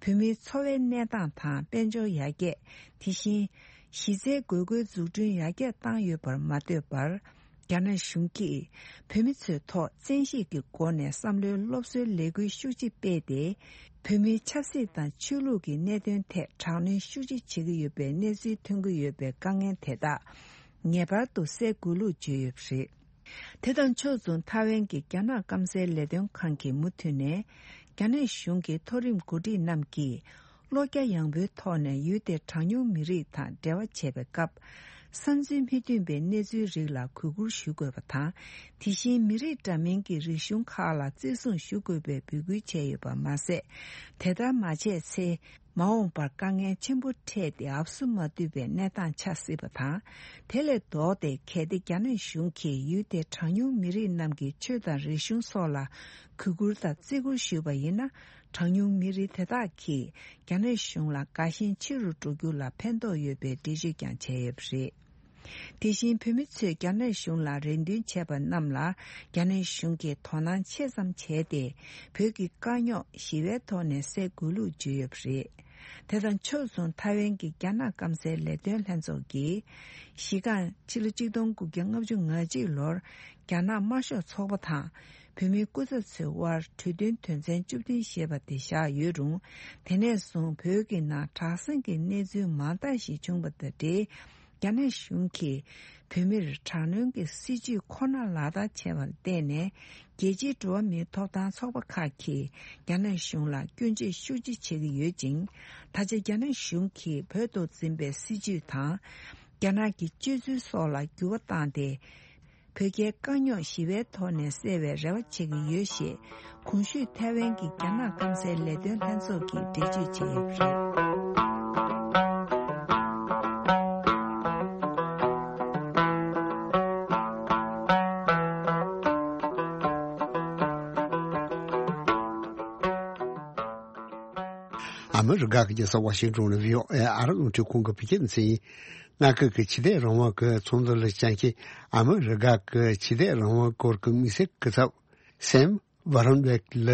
བོད་མིའི་འཚོ་བའི་གནས་སྟངས་དང་དཔལ་འབྱོར་ཡར་རྒྱས། དེ་བཞིན་གཞི་རྩའི་དགོས་མཁོའི་འཛུགས་སྐྲུན་ཡར་རྒྱས་བཏང་ཡོད་པར་མ་ལྟོས་པར། རྒྱ་ནག་གཞུང་གིས་བོད་མི་ཚོའི་ཐོག་བཙན་ཤེད་ཀྱི་སྒོ་ནས་བསམ་བློའི་སློབ་གསོའི་ལས་འགུལ་ཤུགས་ཆེ་སྤེལ་ཏེ། བོད་མིའི་ཆབ་སྲིད་དང་ཆོས་ལུགས་ཀྱི་གནད་དོན་ཐད་དྲག་གནོན་ཤུགས་ཆེ་བྱེད་ཀྱི་ཡོད་པའི་གནས་ཚུལ་ཐོན་གྱི་ཡོད་པའི་དཀའ་ངལ་དེ་དག་ངེས་པར་དུ་སེལ་དགོས་ལུགས་བརྗོད་ཡོད་པ་རེད། དེ་དང་ཕྱོགས་མཚུངས་ཐའེ་ཝན་གྱི་རྒྱ་ནག་སྐམ་སའི་ལས་དོན་ཁང་གིས་མུ་མཐུད་ནས་རྒྱ་ནག་གཞུང་གི་མཐོ་རིམ་འགོ་ཁྲིད་རྣམས་ཀྱིས་བློ་རྒྱ་ཡངས་པོའི་ཐོག་ནས་ཡུལ་དེའི་གྲངས་ཉུང་མི་རིགས་དང་འབྲེལ་བ་བྱེད་པའི་སྐབས། བསམ་ཚུལ་མི་མཐུན་པའི་གནས་ཚུལ་རིགས་ལ་གུས་བཀུར་ཞུ་དགོས་པ་དང་། དེ་བཞིན་མི་རིགས་འདྲ་མིན་གྱི་རིག་གཞུང་ཁག་ལ་བརྩི་སྲུང་ཞུ་དགོས་པའི་འབོད་སྐུལ་བྱས་ཡོད་པ་མ་ཟད། དེ་ལྟར་མ་བྱས་ཚེ། མ་འོངས་པར་དཀའ་ངལ་ཆེན་པོ་འཕྲད་དེ་ཨབ་སུ་མ་ཐུབ་པའི་གནས་སྟངས་ཆགས་སྲིད་པ་དང་། དེ་ལས་ལྡོག་སྟེ་གལ་ཏེ་རྒྱ་ནག་གཞུང་གིས་ཡུལ་དེའི་གྲངས་ཉུང་མི་རིགས་རྣམས་ཀྱི་ཆོས་དང་རིག་གཞུང་སོགས་ལ་གུས་བཀུར་དང་བརྩི་བཀུར་ཞུས་པ་ཡིན་ན། གྲངས་ཉུང་མི་རིགས་དེ་དག་གིས་རྒྱ་ནག་གཞུང་ལ་དགའ་ཞེན་ཆེ་རུ་འགྲོ་རྒྱུ་ལ་ཕན་ཐོགས་ཡོད་པའི་འགྲེལ་བརྗོད་ཀྱང་བྱས་ཡོད་པ་རེད། དེ་བཞིན་བོད་མི་ཚོས་རྒྱ་ནག་གཞུང་ལ་རེ་འདུན་བྱས་པ་རྣམས་ལ་རྒྱ་ནག་གཞུང་གིས་དོ་སྣང་ཆེ་ཙམ་བྱས་ཏེ། བོད་ཀྱི་དཀའ་རྙོག་ཞི་བའི་ཐོག་ནས་སེལ་དགོས་ལུགས་བརྗོད་ཡོད་པ་རེད། དེ་དང་ཕྱོགས་མཚུངས་ཐའེ་ཝན་གྱི་རྒྱ་ནག་སྐམ་སའི་ལས་དོན་ལྷན་ཚོགས་ཀྱིས། གཞི་རྐང་ཕྱི་ལོ་གཅིག་སྟོང་དགུ་བརྒྱ་ལྔ་བཅུ་ང་གཅིག་ལོར་རྒྱ་ནག་དམར་ཤོག་ཚོགས་པ་དང་བོད་མིའི་སྐུ་ཚབ་ཚོའི་དབར་གྲོས་མཐུན་དོན་ཚན་བཅུ་བདུན་ཞེས་པ་དེ་བཞག་ཡོད་རུང་། དེ་ནས་བཟུང་བོད་ཀྱི་ནང་དྲག་ཟིང་གི་གནས་ཚུལ་མང་དག་ཞིག་བྱུང་བ་དང་འབྲེལ། རྒྱ་ནག་གཞུང་གིས་བོད་མིར་དྲག་གནོན་གྱི་སྲིད་ཇུས་ཁོ་ན་ལག་བསྟར་བྱས་པར་བརྟེན་ནས། རྒྱལ་སྤྱིའི་འགྲོ་བ་མིའི་ཐོབ་ཐང་ཚོགས་པ་ཁག་གིས་རྒྱ་ནག་གཞུང་ལ་སྐྱོན་བརྗོད་ཤུགས་ཆེ་བྱེད་ཀྱི་ཡོད་ཅིང་། ད་ཆ་རྒྱ་ནག་གཞུང་གིས་བོད་དུ་འཛིན་པའི་སྲིད་ཇུས་དང་། རྒྱ་ནག་གི་སྤྱོད་ཚུལ་སོགས་ལ་འགྱུར་བ་བཏང་སྟེ། བོད་རྒྱའི་དཀའ་རྙོག་ཞི་བའི་ཐོག་ནས་སེལ་བའི་རེ་བ་བྱེད་ཀྱི་ཡོད་ཞེས། གོང་ཞུས་ཐའེ་ཝན་གྱི་རྒྱ་ནག་སྐམ་སའི་ལས་དོན་ལྷན་ཚོགས་ཀྱིས་འགྲེལ་བརྗོད་བྱས་ཡོད་པ་རེད། ཨ་མི་རི་ཀ་གི་རྒྱལ་ས་ཝ་ཤིང་ཏོན་ནས་བྷི་ཨོ་ཨེ་ཨ་རི་རླུང་འཕྲིན་ཁང་གི་བོད་སྐད་སྡེ་ཚན་ཡིན། མངའ་ཁུལ་གྱི་ཕྱི་འཐེན་རང་དབང་གི་ཚོགས་འདུ་ལ་བཅར་མཁན་ཨ་མི་རི་ཀ་གི་ཕྱི་འཐེན་རང་དབང་སྐོར་གྱི་དམིགས་བསལ་སྐུ་ཚབ་སེམ་ཝ་རོན་བེག་ལ་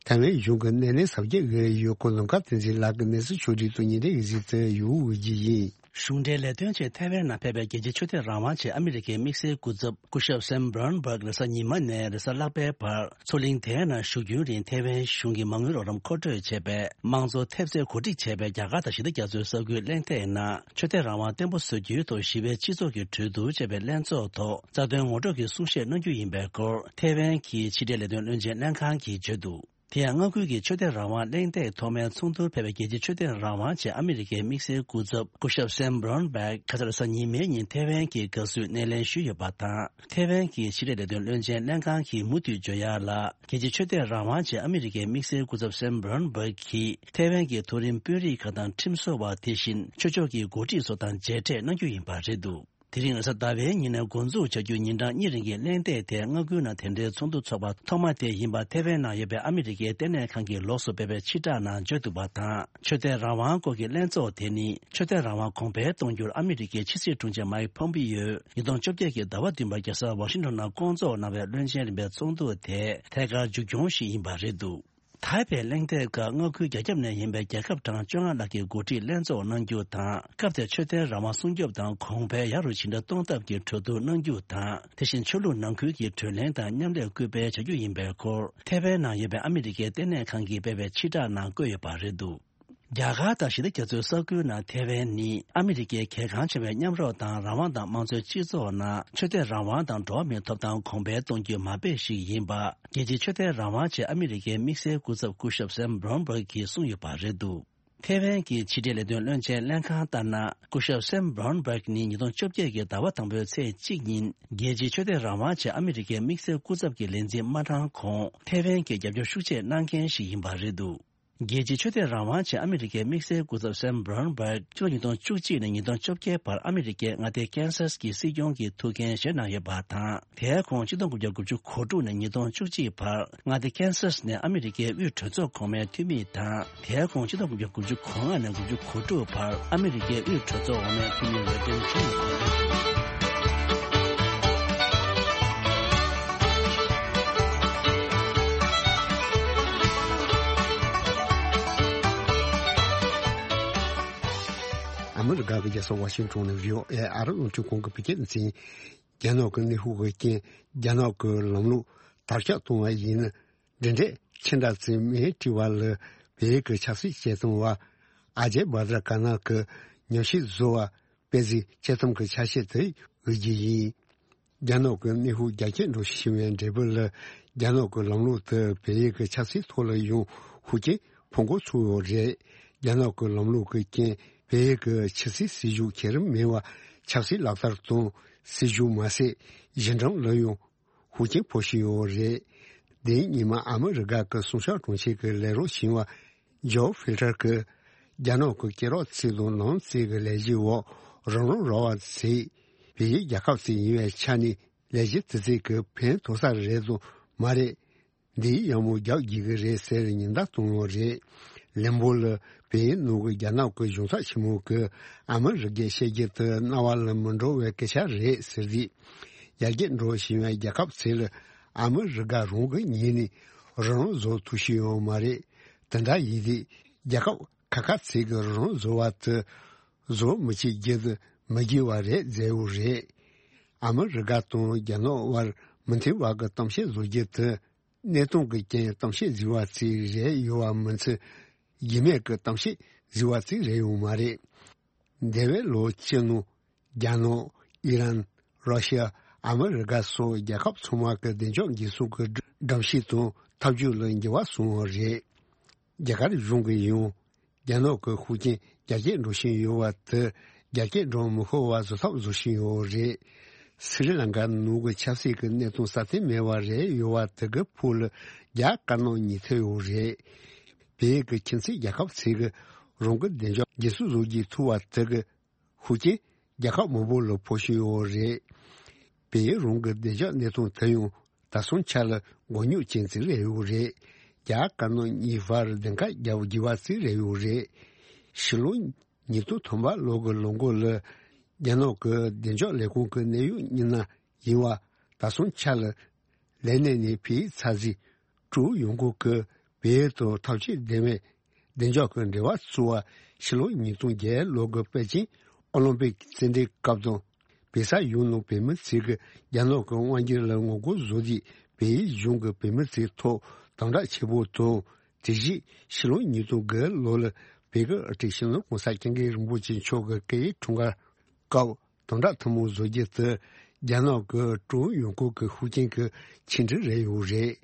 ཐའེ་ཝན་གཞུང་གི་སྣེ་ལེན་གཟབ་རྒྱས་ཀྱི་ཡོད་སྐོར་ལུང་དཀར་བསྟན་འཛིན་ལགས་ཀྱིས་གནས་ཚུལ་ཕྱོགས་བསྒྲིགས་དང་ཉེ་འབྲེལ་གྱི་གཟིགས་ཚུལ་ཡོད་ཀྱི་ཡིན། གཞུང་འབྲེལ་ལས་དོན་ཆེད་ཐའེ་ཝན་ནང་ཕེབས་པའི་རྒྱལ་སྤྱིའི་ཆོས་དད་རང་དབང་ཆེད་ཨ་མི་རི་ཀའི་དམིགས་བསལ་སྐུ་ཚབ་སྐུ་ཞབས་སེམ་བྷོན་བྷག་རེས་གཟའ་ཉི་མ་ནས་རེས་གཟའ་ལྷག་པའི་བར་མཚོ་གླིང་དེའི་ནང་བཞུགས་རྒྱུན་རིང་ཐའེ་ཝན་གཞུང་གི་མ་དངུལ་རོགས་རམ་མཁོ་སྤྲོད་བྱས་པའི་དམངས་གཙོ་ཐེབས་རྩའི་གོ་སྒྲིག་བྱས་པའི་རྒྱ་གར་དང་ཞི་བདེ་རྒྱ་མཚོའི་ས་ཁུལ་གླེང་སྟེགས་ནང་ཆོས་དད་རང་དབང་བརྟན་པོ་བཟོ་རྒྱུའི་ཐོག་ཞི་བའི་སྤྱི་ཚོགས་ཀྱི་གྲོས་བསྡུར་ཅེས་པའི་ལྷན་ཚོགས་ཐོག་རྩ་དོན་ངོ་སྤྲོད་ཀྱི་གསུང་བཤད་གནང་རྒྱུ་ཡིན་པའི་སྐོར་ཐའེ་ཝན་གྱི་ཕྱི་འབྲེལ་ལས་དོན་བློན་ཆེན་ལྷན་ཁང་གིས་བརྗོད་འདུག་དེ་ཡང་མངའ་ཁུལ་གྱི་ཆོས་དད་རང་དབང་གླེང་སྟེགས་ཐོག་མའི་ཚོགས་འདུར་ཕེབས་པའི་རྒྱལ་སྤྱིའི་ཆོས་དད་རང་དབང་ཆེད་ཨ་མི་རི་ཀའི་དམིགས་བསལ་སྐུ་ཚབ་སྐུ་ཞབས་སེམ་བྷོན་བྷག་ཁ་སང་རེས་གཟའ་ཉི་མའི་ཉིན་ཐའེ་ཝན་གྱི་དགའ་བསུའི་སྣེ་ལེན་ཞུས་ཡོད་པ་དང་། ཐའེ་ཝན་གྱི་ཕྱི་འབྲེལ་ལས་དོན་བློན་ཆེན་ལྷན་ཁང་གིས་མུ་མཐུད་བརྗོད་ཡག་ལ། རྒྱལ་སྤྱིའི་ཆོས་དད་རང་དབང་ཆེད་ཨ་མི་རི་ཀའི་དམིགས་བསལ་སྐུ་ཚབ་སེམ་བྷོན་བྷག་གིས་ཐའེ་ཝན་གྱི་མཐོ་རིམ་དཔོན་རིགས་ཁག་དང་ཁྲིམས་བཟོ་བ། དེ་བཞིན་ཆོས་ཕྱོགས་ཀྱི་འགོ་ཁྲིད་སོགས་དང་མཇལ་འཕྲད་གནང་རྒྱུ་ཡིན་པ་རེད་འདུག་དེ་རིང་རེས་གཟའ་ཟླ་བའི་ཉིན་ནས་འགོ་འཛུགས་བྱ་རྒྱུའི་ཉིན་གྲངས་གཉིས་རིང་གི་གླེང་སྟེགས་དེ་མངའ་ཁུལ་ནང་དེ་འདྲའི་ཚོགས་འདུ་འཚོགས་པ་ཐོག་མ་དེ་ཡིན་པ་ཐའེ་ཝན་ནང་ཡོད་པའི་ཨ་མི་རི་ཀའི་ལྟེ་གནས་ཁང་གིས་ལོགས་སུ་སྤེལ་བའི་ཕྱིར་བསྒྲགས་ནང་བརྗོད་འདུག་པ་དང་། ཆོས་དད་རང་དབང་སྐོར་གྱི་ལྷན་ཚོགས་དེ་ནི་ཆོས་དད་རང་དབང་གོང་འཕེལ་གཏོང་རྒྱུར་ཨ་མི་རི་ཀའི་ཕྱི་སྲིད་དྲུང་ཆེ་མཱིག་ཕོམ་པིའོ་ཉིས་སྟོང་བཅོ་བརྒྱད་ཀྱི་ཟླ་བ་བདུན་པར་རྒྱལ་ས་ཝ་ཤིང་ཊོན་ནང་བསྐོང་ཚོགས་གནང་བའི་བློན་ཆེན་རིམ་པའི་ཚོགས་འདུ་དེ་ཐད་ཀར་མཇུག་སྐྱོང་ཞིག་ཡིན་པ་རེད་འདུག་ཐའེ་པེ་གླེང་སྟེགས་སྐབས་མངའ་ཁུལ་རྒྱ་ཁྱབ་ནས་ཡིན་པའི་རྒྱལ་ཁབ་གྲངས་བཅོ་ལྔ་ལྷག་གིས་འགོ་ཁྲིད་ལྷན་ཚོགས་གནང་རྒྱུ་དང་། སྐབས་དེར་ཆོས་དད་རང་དབང་སྲུང་སྐྱོབ་དང་གོང་འཕེལ་ཡག་རུ་ཇི་འདྲ་གཏོང་ཐབས་ཀྱི་གྲོས་བསྡུར་གནང་རྒྱུ་དང་། དེ་བཞིན་ཆོས་ལུགས་ནང་ཁུལ་གྱི་གྲོས་གླེང་དང་མཉམ་ལས་སྐུལ་སྤེལ་བྱ་རྒྱུ་ཡིན་པའི་སྐོར་ཐའེ་ཝན་ནང་ཡོད་པའི་ཨ་མི་རི་ཀའི་ལྟེ་གནས་ཁང་གིས་སྤེལ་བའི་ཕྱིར་བསྒྲགས་ནང་བཀོད་ཡོད་པ་རེད་འདུག་རྒྱ་གར་དང་ཞི་བདེ་རྒྱ་མཚོའི་ས་ཁུལ་ནང་ཐའེ་ཝན་ནི་ཨ་མི་རི་ཀའི་གལ་འགངས་ཆེ་བའི་མཉམ་རོགས་དང་རང་དབང་དང་དམངས་གཙོའི་སྤྱི་ཚོགས་ནང་ཆོས་དད་རང་དབང་དང་འགྲོ་བ་མིའི་ཐོབ་ཐང་གོང་འཕེལ་གཏོང་རྒྱུའི་མ་དཔེ་ཞིག་ཡིན་པ། རྒྱལ་སྤྱིའི་ཆོས་དད་རང་དབང་ཆེད་ཨ་མི་རི་ཀའི་དམིགས་བསལ་སྐུ་ཚབ་སྐུ་ཞབས་སེམ་བྷོན་བྷག་གིས་གསུངས་ཡོད་པ་རེད་འདུག་ཐའེ་ཝན་གྱི་ཕྱི་འབྲེལ་ལས་དོན་བློན་ཆེན་ལྷན་ཁང་ལྟར་ན། སྐུ་ཞབས་སེམ་བྷོན་བྷག་ནི་ཉིས་སྟོང་བཅོ་བརྒྱད་ཀྱི་ཟླ་བ་དང་པོའི་ཚེས་གཅིག་ཉིན་རྒྱལ་སྤྱིའི་ཆོས་དད་རང་དབང་ཆེད་ཨ་མི་རི་ཀའི་དམིགས་བསལ་སྐུ་ཚབ་ཀྱི་ལས་འཛིན་མ་གྲངས་གོང་ཐའེ་ཝན་གྱི་རྒྱབ་སྐྱོར་ཤུགས་ཆེ་གནང་མཁན་ཞིག་ཡིན་པ་རེད་འདུག་རྒྱལ་སྤྱིའི་ཆོས་དད་རང་དབང་ཆེད་ཨ་མི་རི་ཀའི་དམིགས་བསལ་སྐུ་ཚབ་སེམ་བྷོན་བྷག་ཕྱི་ལོ་ཉིས་སྟོང་བཅུ་གཅིག་ནས་ཉིས་སྟོང་བཅོ་བརྒྱད་བར་ཨ་མི་རི་ཀའི་མངའ་སྡེ་ཀན་སཱས་ཀྱི་སྲིད་སྐྱོང་གི་ཐུགས་འགན་བཞེས་གནང་ཡོད་པ་དང་། དེའི་གོང་ཆིག་སྟོང་དགུ་བརྒྱ་དགུ་བཅུ་གོ་དྲུག་ནས་ཉིས་སྟོང་བཅུ་གཅིག་བར་མངའ་སྡེ་ཀན་སཱས་ནས་ཨ་མི་རི་ཀའི་དབུས་གྲོས་ཚོགས་གོང་མའི་འཐུས་མི་དང་། དེའི་གོང་ཆིག་སྟོང་དགུ་བརྒྱ་དགུ་བཅུ་གོ་ལྔ་ནས་དགུ་བཅུ་གོ་དྲུག་བར་ཨ་མི་རི་ཀའི་དབུས་གྲོས་ཚོགས་འོག་མའི་འཐུས་མི་འོས་འདེམས་བྱུང་ཡོད་པ་རེད། ཨ་མི་རི་ཀ་གི་རྒྱལ་ས་ཝ་ཤིང་ཊོན་ནས་བྷི་ཨོ་ཨེ་ཨ་རི་རླུང་འཕྲིན་ཁང་གི་བོད་སྐད་སྡེ་ཚན། རྒྱ་ནག་གི་ནུས་ཤུགས་ཀྱི་རྐྱེན་རྒྱ་ནག་གི་ལམ་ལུགས་དར་ཁྱབ་གཏོང་བ་ཡིན་ན། འབྲེལ་འདྲིས་ཆེ་དྲགས་ཚེ་མིའི་དྲི་བ་ལ་བལ་ཡུལ་གྱི་ཆབ་སྲིད་བྱེད་སྟངས་བ་ཨ་ཇེ་བྷ་དྲ་ཀ་ན་གི་ཉམས་ཞིབ་བཟོ་བ་དཔེ་གཟིགས་དཔྱད་རྩོམ་གྱི་ཆ་ཤས་དེ་འོས་རྒྱུ་ཡིན། རྒྱ་ནག་གི་ནུས་ཤུགས་རྒྱ་སྐྱེད་འགྲོ་བཞིན་པའི་འབྲས་བུ་ལ། རྒྱ་ནག་གི་ལམ་ལུགས་དེ་བལ་ཡུལ་གྱི་ཆབ་སྲིད་ཐོག་ལ་ཡང་ཤུགས་རྐྱེན་ཕོག་འགོ་ཚུགས་ཡོད་རེད། རྒྱ་ནག་གི་ལམ་ལུགས་ཀྱི་རྐྱེན་བལ་ཡུལ་གྱི་ཕྱི་སྲིད་སྲིད་ཇུས་ཁྱད་རིམ་མེད་པ་ཆབ་སྲིད་ལག་བསྟར་དང་། སྲིད་ཇུས་མ་ཟད་གཞི་འགྲམ་ལ་ཡང་ཤུགས་རྐྱེན་ཕོག་བཞིན་ཡོད་རེད། འདིའི་ཉི་མ་ཨ་མི་རི་ཀ་གི་སྲུང་སྐྱོབ་དྲུང་ཆེ་གི་ལས་རོགས་ཞིང་བ་ཇོ་ཧྥིལ་ཊར་གྱིས། རྒྱ་ནག་གི་སྐད་གྲགས་ཚིག་དང་ལམ་ཚིག་གི་ལས་གཞིའི་འོག་རང་རང་ར་བ་ཚིག་བལ་ཡུལ་རྒྱལ་ཁབ་ཅིག་ཡིན་པའི་ཆ་ནས་ལས་གཞི་དེ་ཚིག་གི་ཕན་ཐོགས་ས་རེད་དང་མ་རེད། འདིའི་ཡག་མོ་རྒྱག་དགོས་ཀྱི་རེད་ཟེར་ཉེན་བརྡ་བཏང་ཡོད་རེད། ལན་པོ་ལ་བལ་ཡུལ་ནང་གི་རྒྱ་ནག་གི་གཞུང་ཚབ་ཆེན་མོ་གིས་ཨ་མི་རི་ཀའི་བཤད་རྒྱུ་དེ་རྣ་བ་ལ་མི་འགྲོ་བའི་སྐད་ཆ་རེད་ཟེར་དུས། ཡར་རྒྱས་འགྲོ་བཞིན་པའི་རྒྱལ་ཁབ་ཚོ་ལ་ཨ་མི་རི་ཀ་རང་གི་ངོས་ནས་རང་རང་བཟོ་ཐུབ་བཞིན་ཡོད་མ་རེད། དེ་འདྲ་ཡིན་དུས་རྒྱལ་ཁབ་ཁ་ཁ་ཚོ་གིས་རང་རང་བཟོ་བ་དེ་བཟོ་མི་བྱེད་རྒྱུ་དེ་མི་དགོས་པ་རེད་ཟེར་ཡོད་རེད། ཨ་མི་རི་ཀ་དང་རྒྱ་ནག་དབར་མི་མཐུན་པ་གི་གཏམ་བཤད་བཟོ་རྒྱུ་དེ། གནས་སྟངས་ཀྱི་རྐྱེན་གཏམ་བཤད་བཟོས་པ་ཅིག་རེད་ཡོད་པ་མིན་ཚེ། རྒྱུས་མེད་ཀྱི་གཏམ་བཤད་བཟོས་པ་ཅིག་རེད་ཡོད་མ་རེད། འདས་པའི་ལོ་བཅུ་ནང་རྒྱ་ནག་ཨི་རན། ར་ཤི་ཡ། ཨ་མི་རི་ཀ་སོགས་རྒྱལ་ཁབ་ཚང་མ་གི་བདེ་འཇགས་འགན་སྲུང་གི་སྒྲོམ་གཞི་དང་ཐབས་ཇུས་ལ་འགྱུར་བ་སོང་བ་རེད། རྒྱ་གར་གཞུང་གིས་ཡང་། རྒྱ་ནག་གི་ཤུགས་རྐྱེན་རྒྱ་སྐྱེད་འགྲོ་བཞིན་ཡོད་པ་དེ་རྒྱ་སྐྱེད་འགྲོ་མི་ཤོར་བ་བཟོ་ཐབས་བཟོ་བཞིན་ཡོད་རེད། སི་རི་ལང་ཀ་ནང་གི་ཆབ་སྲིད་ཀྱི་གནས་སྟངས་སྲ་བརྟན་མེད་པ་རེད་ཡོད་པ་དེ་གི་ཕུགས་ལ་རྒྱ་དཀར་ནག་གཉིས་ཐེབས་ཡོད་རེད། བལ་ཡུལ་གྱི་ཁྱིམ་མཚེས་རྒྱལ་ཁབ་ཚོ་གིས་རང་གི་བདེ་འཇགས་འགན་སྲུང་བཟོ་རྒྱུ་ཐུབ་པ་དེ་གི་ཤུགས་རྐྱེན་རྒྱལ་ཁབ་མང་པོ་ལ་ཕོག་བཞིན་ཡོད་རེད། བལ་ཡུལ་རང་གི་བདེ་འཇགས་གནས་སྟངས་དེ་ཡང་། ད་སོང་ཆ་ལ་མགོ་རྙོག་ཅན་ཅིག་རེད་ཡོད་རེད། རྒྱ་དཀར་ནག་གཉིས་བར་བདེན་ཁ་རྒྱག་དགོས་པ་ཅིག་རེད་ཡོད་རེད། ཕྱི་ལོ་ཉིས་སྟོང་ཐམ་པ་ལོ་གི་ལོ་འགོ་ལ་རྒྱ་ནག་གི་བདེ་འཇགས་ལས་ཁུངས་ཀྱི་གནད་ཡོད་མི་སྣ་ཡིན་པ་ད་སོང་ཆ་ལ་ལས་གནས་ནས་ཕྱིར་ཚར་རྗེས་ཀྲུའུ་ཡོང་སྒོ་གི་བལ་ཡུལ་དང་འཐབ་ཇུས་ལྡན་པའི་བདེ་འཇགས་ཀྱི་འབྲེལ་བ་བཙུགས་པ་ཕྱི་ལོ་ཉིས་སྟོང་བརྒྱད་ལོ་གི་པེ་ཅིང་ ཨོ་ལིམ་པིག་རྩེད་འགྲན་སྐབས་དང་། བོད་ས་ཡོངས་ནང་བོད་མི་ཚོས་ཀྱི་རྒྱ་ནག་གི་དབང་སྒྱུར་ལ་ངོ་རྒོལ་བཟོ་རྒྱུ། བལ་ཡུལ་གཞུང་གིས་བོད་མི་ཚོའི་ཐོག་དམ་དྲག་ཆེན་པོ་དང་། དེ་བཞིན་ཕྱི་ལོ་ཉིས་སྟོང་དགུ་ལོ་ལ་བོད་ཀྱི་དབུ་ཁྲིད་སྤྱི་ནོར་༸གོང་ས་༸སྐྱབས་མགོན་རིན་པོ་ཆེ་མཆོག་གི་སྐུ་ཡི་འཁྲུངས་སྐར་སྐབས་དམ་དྲག་ཐུན་མོང་བཟོ་རྒྱུ་དེ། རྒྱ་ནག་གི་ཀྲུང་ཡོང་ཁུལ་གྱི་ཤུགས་རྐྱེན་གྱི་ཆིངས་འགྲིག་རེད་ཡོད་རེད།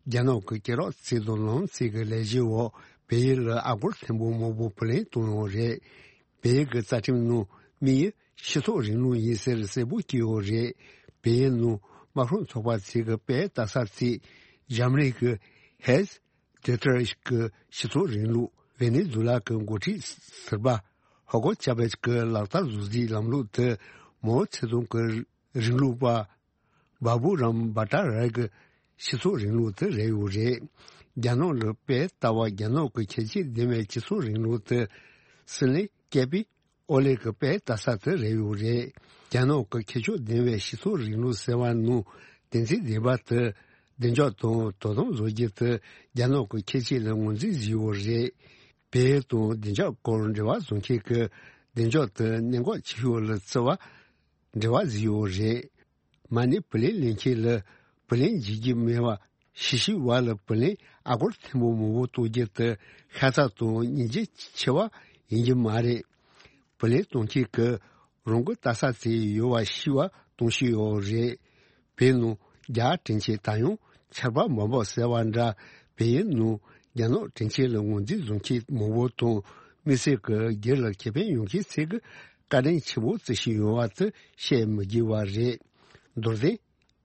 རྒྱ་ནག་གི་སྐྱེས་རབས་རྩིས་དང་ལམ་རྩིས་ཀྱི་ལས་གཞིའི་འོག་བལ་ཡུལ་ལ་ཨ་སྒོར་ཐེར་འབུམ་མང་པོ་བུ་ལོན་གཏོང་ཡོད་རེད། བལ་ཡུལ་གྱི་རྩ་ཁྲིམས་ནང་དམིགས་ཡུལ་སྤྱི་ཚོགས་རིང་ལུགས་ཡིན་ཟེར་གསལ་པོ་བྲིས་ཡོད་རེད། བལ་ཡུལ་ནང་དམར་ཤོག་ཚོགས་པ་ཚོས་ཀྱི་དཔལ་ལྟ་ས་ཚོས་འཇར་མ་ནི་གི་ཧེས་ཏེ་ཐར་གྱི་སྤྱི་ཚོགས་རིང་ལུགས། ཝེ་ནེ་ཛུ་ལ་གྱི་འགོ་ཁྲིད་ཟུར་པ་ཧོ་གོ་ཅཱ་བེས་ཀྱི་ལག་བསྟར་བཟོ་རྩིས་ལམ་ལུགས་དེ། མའོ་ཙེ་ཏུང་གི་རིང་ལུགས་པ་བ་བུ་རམ་བྷ་ཏཱ་རའི་གི་སྤྱི་ཚོགས་རིང་ལུགས་དེ་རེད་ཡོད་རེད། རྒྱ་ནག་ལ་དཔེ་ལྟ་བ་རྒྱ་ནག་གི་ཁྱད་ཆོས་ལྡན་པའི་སྤྱི་ཚོགས་རིང་ལུགས་དེ། སྲིད་བློན་སྐྱབས་པས་ཨོ་ལེ་གི་དཔེ་ལྟ་ས་དེ་རེད་ཡོད་རེད། རྒྱ་ནག་གི་ཁྱད་ཆོས་ལྡན་པའི་སྤྱི་ཚོགས་རིང་ལུགས་ཟེར་བ་ནང་དོན་ཚན་བདུན་པ་དེ། བདེ་འཇགས་དང་དོ་དམ་བཟོ་རྒྱུ་དེ་རྒྱ་ནག་གི་ཁྱད་ཆོས་ལ་ངོས་འཛིན་བྱས་ཡོད་རེད། བལ་ཡུལ་དང་བདེ་འཇགས་སྐོར་འབྲེལ་བ་བཟོ་མཁན་གྱི་བདེ་འཇགས་དེ་གནད་འགག་ཆེ་ཤོས་ལ་བརྩི་བ། འབྲེལ་བ་བཟོས་ཡོད་རེད། མ་ཎི་བུ་ལོན་ལེན་མཁན་ལ་བུ་ལོན་འཇལ་རྒྱུ་མེད་པ། གཞིས་བྱེས་བར་ལ་བུ་ལོན་ཨ་སྒོར་ཐེར་འབུམ་མང་པོ་གཏོང་རྒྱུ་དེ་ཤ་ཚ་དང་སྙིང་རྗེ་ཆེ་བ་ཡིན་རྒྱུ་མ་རེད། བུ་ལོན་གཏོང་མཁན་གྱིས་རང་གི་ལྟ་ས་ཚོ་ཡོད་པ་ཤེས་པ་གཏོང་བཞིན་ཡོད་རེད། བོད་ནང་རྒྱ་དྲིན་ཆེན་ད་ཡང་ཆར་པ་འབབ་འབབ་ཟེར་བ་འདྲ། བལ་ཡུལ་ནང་རྒྱ་ནག་དྲིན་ཆེན་ལ་ངོས་འཛིན་བཟོ་མཁན་མང་པོ་དང་། དམིགས་བསལ་གྱི་སྒེར་ལ་ཁེ་ཕན་ཡོང་མཁན་ཚོས་ཀྱི་བཀའ་དྲིན་ཆེན་པོ་བརྩི་བཞིན་ཡོད་པ་དེ་བཤད་མི་དགོས་པ་རེད། མདོར་བསྟན།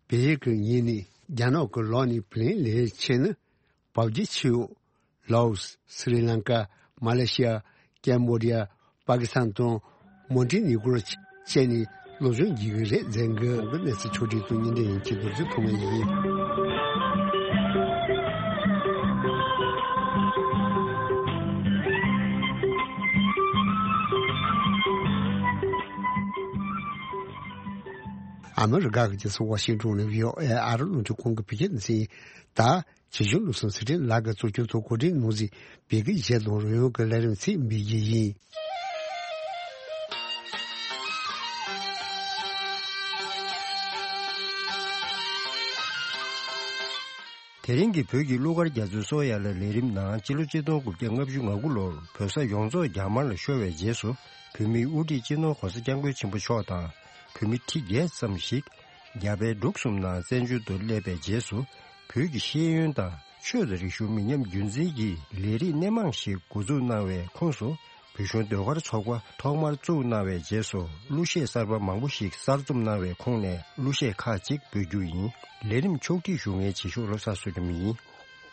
བལ་ཡུལ་གྱི་ངོས་ནས་རྒྱ་ནག་གི་ལག་ནས་བུ་ལོན་ལེན་ཆེད་ནི། བབ་རྒྱུ་ཆེ་བོ། ལའོ་སི། སི་རི་ལང་ཀ། མ་ལེ་ཤི་ཡ། ཀེམ་བོ་ཌི་ཡ། པ་ཀི་སི་ཐན་དང་མོན་ཊི་ནི་གོར་བཅས་ནས་སློབ་སྦྱོང་བགྱིད་ཀྱི་རེད། མཛད་སྒོའི་གནས་ཚུལ་ཕྱོགས་སྒྲིག་དང་བརྙན་འཕྲིན་ཡིན་གྱི་རྡོ་རྗེ་ཐོགས་མེད་ཡིན། ཨ་མི་རི་ཀ་གི་རྒྱལ་ས་ཝ་ཤིང་ཏོན་ནས་བྷི་ཨོ་ཨེ་ཨ་རི་རླུང་འཕྲིན་ཁང་གི་བོད་སྐད་སྡེ་ཚན་ཡིན། ད། རྗེ་གཞུང་བློ་བཟང་ཚེ་རིང་ལགས་ཀྱིས་གཙོ་སྐྱོང་ཐོག་གོ་སྒྲིག་གནང་མཛད་པའི་གཞས་དང་རོལ་དབྱངས་ཀྱི་ལས་རིམ་ཚིག་འབུལ་རྒྱུ་ཡིན། དེ་རིང་གི་བོད་ཀྱི་གླུ་གར་རྒྱ་མཚོའི་སོ་ཡ་ལ་ལས་རིམ་ནང་སྤྱི་ལོ་ཆིག་སྟོང་དགུ་བརྒྱ་ལྔ་བཅུ་ང་དགུ་ལོར་བོད་ས་ཡོངས་རྫོགས་རྒྱ་དམར་ལ་ཤོར་བའི་རྗེས་སུ་བོད་མིའི་དབུ་ཁྲིད་སྤྱི་ནོར་༸གོང་ས་༸སྐྱབས་མགོན་ཆེན་པོ་མཆོག་དང་བོད་མི་ཁྲི་བརྒྱད་ཙམ་ཞིག་རྒྱ་བལ་འབྲུག་གསུམ་ནང་བཙན་བྱོལ་དུ་སླེབས་པའི་རྗེས་སུ་བོད་ཀྱི་ཤེས་ཡོན་དང་ཆོས་དང་རིག་གཞུང་མི་ཉམས་རྒྱུན་འཛིན་གྱི་ལས་རིགས་སྣེ་མང་ཞིག་འགོ་འཛུགས་གནང་བའི་ཁོངས་སུ་བོད་གཞུང་ཟློས་གར་ཚོགས་པ་ཐོག་མར་བཙུགས་གནང་བའི་རྗེས་སུ་གླུ་གཞས་གསར་པ་མང་པོ་ཞིག་གསར་རྩོམ་གནང་བའི་ཁོངས་ནས་གླུ་གཞས་ཁག་ཅིག་འབུལ་རྒྱུ་ཡིན། ལས་རིམ་ཕྱོགས་སྒྲིག་ཞུ་མཁན་རྗེས་ཕྱོགས་བློ་བཟང་བསོད་ནམས་ཡིན།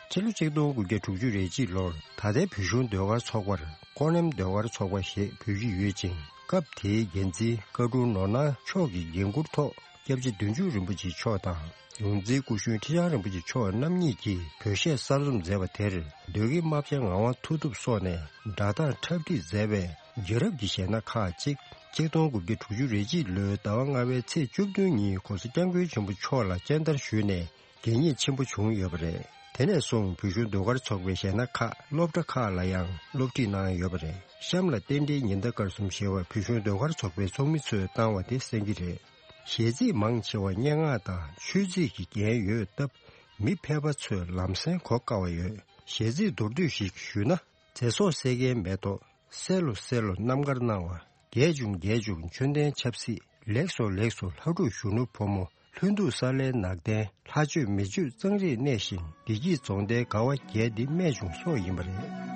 ཕྱི་ལོ་ཆིག་སྟོང་དགུ་བརྒྱ་དྲུག་ཅུ་རེ་གཅིག་ལོར་ད་ལྟའི་བོད་གཞུང་ཟློས་གར་ཚོགས་པར་ཀོ་ནེམ་ཟློས་གར་ཚོགས་པ་ཞེས་འབོད་ཀྱི་ཡོད་ཅིང་། སྐབས་དེའི་འགན་འཛིན་བཀའ་དྲུང་ནོར་སྣང་མཆོག་གི་འགན་འཁུར་ཐོག་སྐྱབས་རྗེ་བདུད་འཇོམས་རིན་པོ་ཆེ་མཆོག་དང་ཡོངས་འཛིན་སྐུ་གཞོན་ཁྲི་བྱང་རིན་པོ་ཆེ་མཆོག་རྣམ་གཉིས་ཀྱིས་བོད་གཞས་གསར་རྩོམ་མཛད་པ་དེར་ཟློས་དགེ་རྨ་བྱ་ངག་དབང་མཐུ་སྟོབས་སོགས་ནས་སྒྲ་གདངས་འཁྲབ་ཁྲིད་མཛད་པའི་རྒྱལ་རབས་ཀྱི་གཞས་སྣ་ཁག་ཅིག་ཆིག་སྟོང་དགུ་བརྒྱ་དྲུག་ཅུ་རེ་གཅིག་ལོའི་ཟླ་བ་ལྔ་པའི་ཚེས་བཅུ་བདུན་ཉིན་༸གོང་ས་༸སྐྱབས་མགོན་ཆེན་པོ་མཆོག་ལ་སྤྱན་བསྟར་ཞུས་ནས། དགེ་བསྙེན་ཆེན་པོ་བྱུང་ཡོད་པ་རེད། དེ་ནས་བཟུང་བོད་གཞུང་ཟློས་གར་ཚོགས་པའི་གཞས་སྣ་ཁག་སློབ་གྲྭ་ཁག་ལ་ཡང་སློབ་ཁྲིད་གནང་ཡོད་པ་རེད། གཤམ་ལ་རྟེན་འབྲེལ་ཉི་ཟླ་སྐར་གསུམ་ཞེས་པ་བོད་གཞུང་ཟློས་གར་ཚོགས་པའི་ཚོགས་མི་ཚོས་བཏང་བ་དེ་གསན་གྱི་རེད། གཞས་ཚིག་མང་ཆེ་བ་སྙན་ངག་དང་ཆོས་ཚིག་གི་རྒྱན་ཡོད་སྟབས། མི་ཕལ་པ་ཚོས་ལམ་སེང་གོ་དཀའ་བ་ཡོད། གཞས་ཚིག་མདོར་བསྡུས་ཤིག་ཞུས་ན། ཚེ་སྲོག་བསད་མཁན་མེ་ཏོག་གསལ་ལོ་གསལ་ལོ་རྣམ་དཀར་སྣང་བ། རྒྱས་བྱུང་རྒྱས་བྱུང་མཆོད་རྟེན་ཆབ་སྲིད། ལེགས་སོ་ལེགས་སོ་ལྷ་ཕྲུག་གཞོན་ནུ་ཕོ་མོ། ལྷུན་སྡུག་ས་ལའི་ནགས་གདན། ལྷ་ཆོས་མི་ཆོས་གཙང་རིས་གནས་ཤིང་། བདེ་སྐྱིད་རྫོང་མདའི་དགའ་བ་རྒྱས་འདི་རྨད་བྱུང་སོགས་ཡིན་པ་རེད།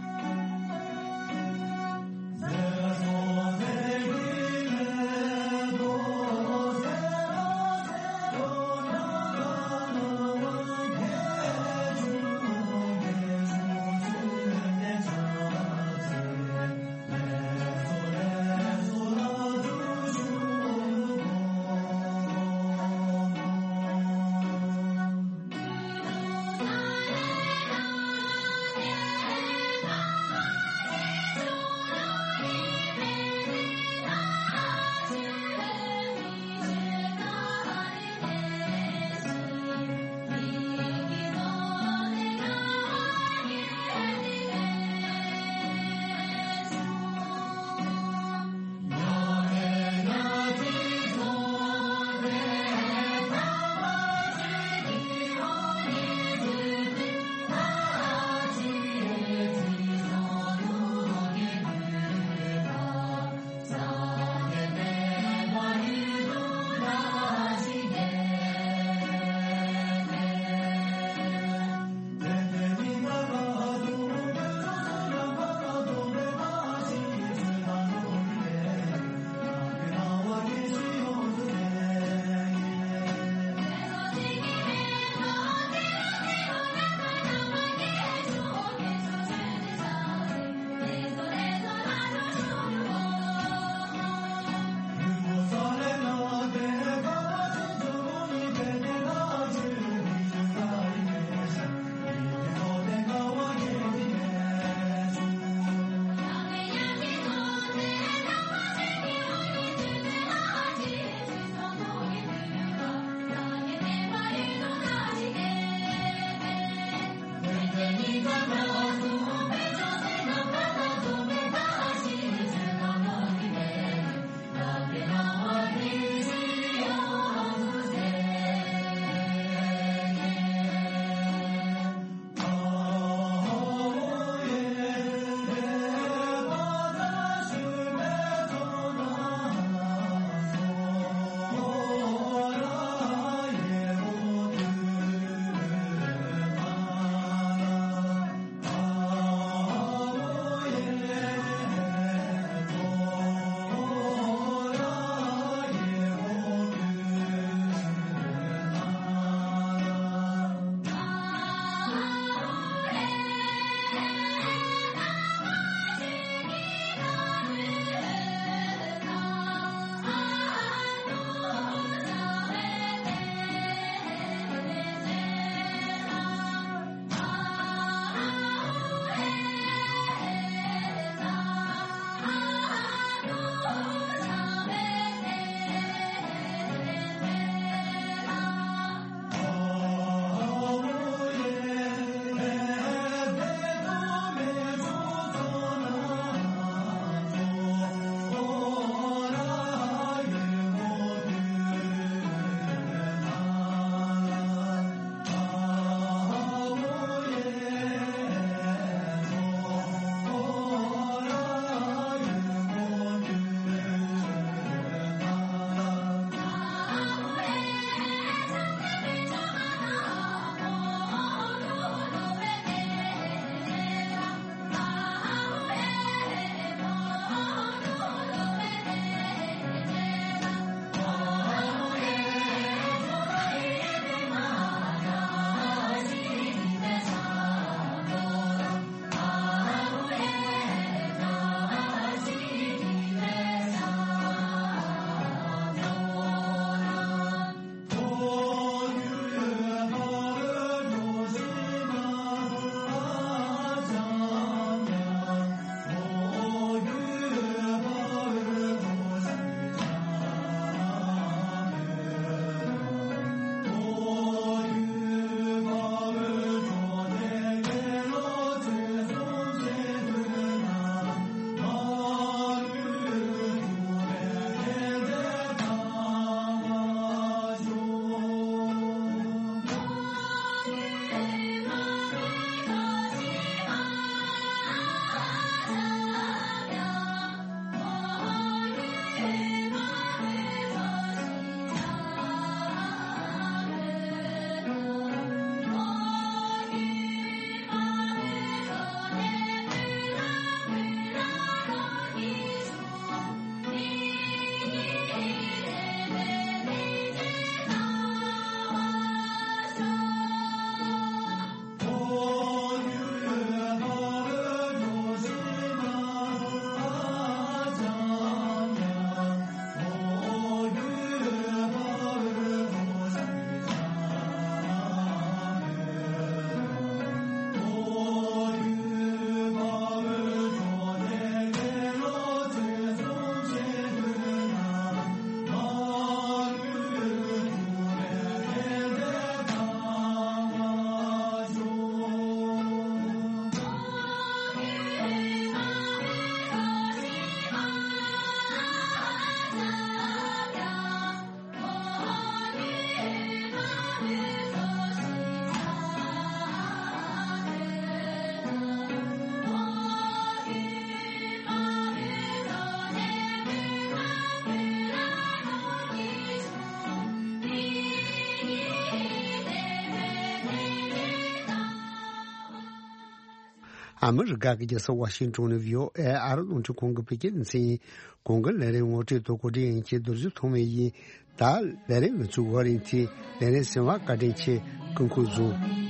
ཨ་མི་རི་ཀ་གི་རྒྱལ་ས་ཝ་ཤིང་ཏོན་ནས་བྷི་ཨོ་ཨེ་ཨ་རི་རླུང་འཕྲིན་ཁང་གི་བོད་སྐད་སྡེ་ཚན་ཡིན། གོང་གི་ལས་རིམ་ངོ་སྤྲོད་དང་གོ་སྒྲིག་ཡིན་གྱི་རྡོ་རྗེ་ཐོགས་མེད་ཡིན། ད་ལས་རིམ་ལ་ཚུགས་པ་རིང་ཚེ་ལས་རིམ་གསན་པར་བཀའ་དྲིན་ཆེ། སྐུ་ཁམས་བཟང་།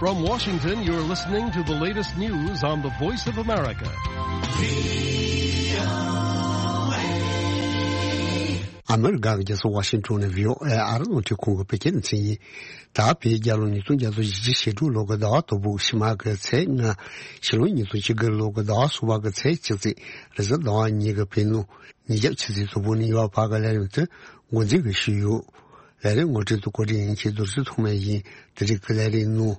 From Washington, you're listening to the latest news on the Voice of America. ཨ་མི་རི་ཀ་གི་རྒྱལ་ས་ཝ་ཤིང་ཊོན་ནས་ཝི་ཨོ་ཨེ་ཨ་རི་རླུང་འཕྲིན་ཁང་གི་བོད་སྐད་སྡེ་ཚན་ཡིན། ད་བོད་རྒྱལ་ལོ་ཉིས་སྟོང་བརྒྱ་དང་བཞི་བཅུ་ཞེ་དྲུག་ལོ་གི་ཟླ་བ་དང་པོ་ཕྱི་མ་གི་ཚེས་ལྔ། ཕྱི་ལོ་ཉིས་སྟོང་བཅུ་དགུ་ལོ་གི་ཟླ་བ་གསུམ་པ་གི་ཚེས་གཅིག་ཚེས་རེས་གཟའ་ཟླ་བ་ཉིན་གྱི་བོད་ནང་ཉིན་རྒྱབ་ཆུ་ཚོད་དྲུག་པ་ནས་ཡོལ་བ་བར་གྱི་ལས་རིམ་དེ་འགོ་འཛིན་གྱིས་ཞུས་ཡོད། ལས་རིམ་ངོ་སྤྲོད་དང་གོ་སྒྲིག་ཡིན་གྱི་རྡོ་རྗེ་ཐོགས་མེད་ཡིན། དེ་རིང་གི་ལས་རིམ་ནང་།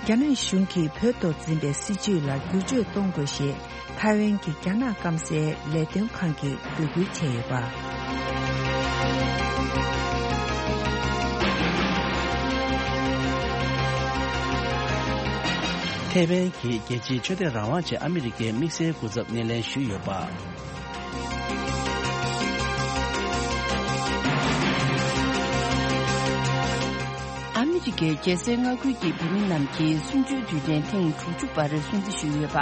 རྒྱ་ནག་གཞུང་གིས་བོད་ཐོག་འཛིན་པའི་སྲིད་བྱུས་ལ་བསྒྱུར་བཅོས་གཏོང་དགོས་ཞེས་ཐའེ་ཝན་གྱི་རྒྱ་ནག་སྐམ་སའི་ལས་དོན་ཁང་གིས་འབོད་སྐུལ་བྱས་ཡོད་པ། ཐའེ་ཝན་གྱི་རྒྱལ་སྤྱིའི་ཆོས་དད་རང་དབང་ཆེད་ཨ་མི་རི་ཀའི་དམིགས་བསལ་སྐུ་ཚབ་སྣེ་ལེན་ཞུས་ཡོད་པ། ཨ་མི་རི་ཀའི་རྒྱལ་སའི་མངའ་ཁུལ་གྱི་བོད་མི་རྣམས་ཀྱི་གསུམ་བཅུའི་དུས་དྲན་ཐེངས་དྲུག་ཅུ་པར་སྲུང་བརྩི་ཞུས་ཡོད་པ།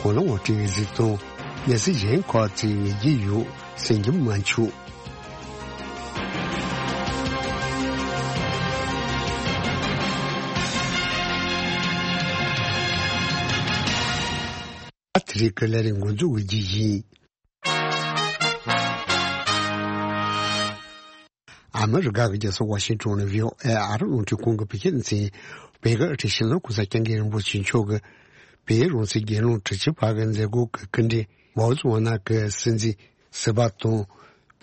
གོ་ལ་ངོ་སྤྲོད་གཟིགས་སྟངས། གནས་ཚུལ་གཞན་ཁག་ཅིག་མི་བརྗེད་ཡོད་གསན་རྒྱུ་མ་འཆུག་ཨ་ཐི་རི་ཀ་ལ་རིང་འགོ་འཛུགས་ཀྱི་ཡིན། ཨ་མི་རི་ཀ་གི་རྒྱལ་ས་ཝ་ཤིང་ཊོན་ནས་ཝི་ཨོ་ཨེ་ཨ་རི་རླུང་འཕྲིན་ཁང་གི་བོད་སྐད་སྡེ་ཚན། བོད་ཀྱི་ཨ་ཁྲིད་སྤྱི་ནོར་གོང་ས་སྐྱབས་མགོན་རིན་པོ་ཆེ་མཆོག་གིས་བོད་རང་བཙན་རྒྱལ་ལོ་དྲུག་ཅུ་པ་གི་མཛད་སྒོ་གི་སྐུ་མགྲོན་མའོ་ཙེ་ཝ་ན་གི་སྲིད་འཛིན་ཟུར་པ་དང་།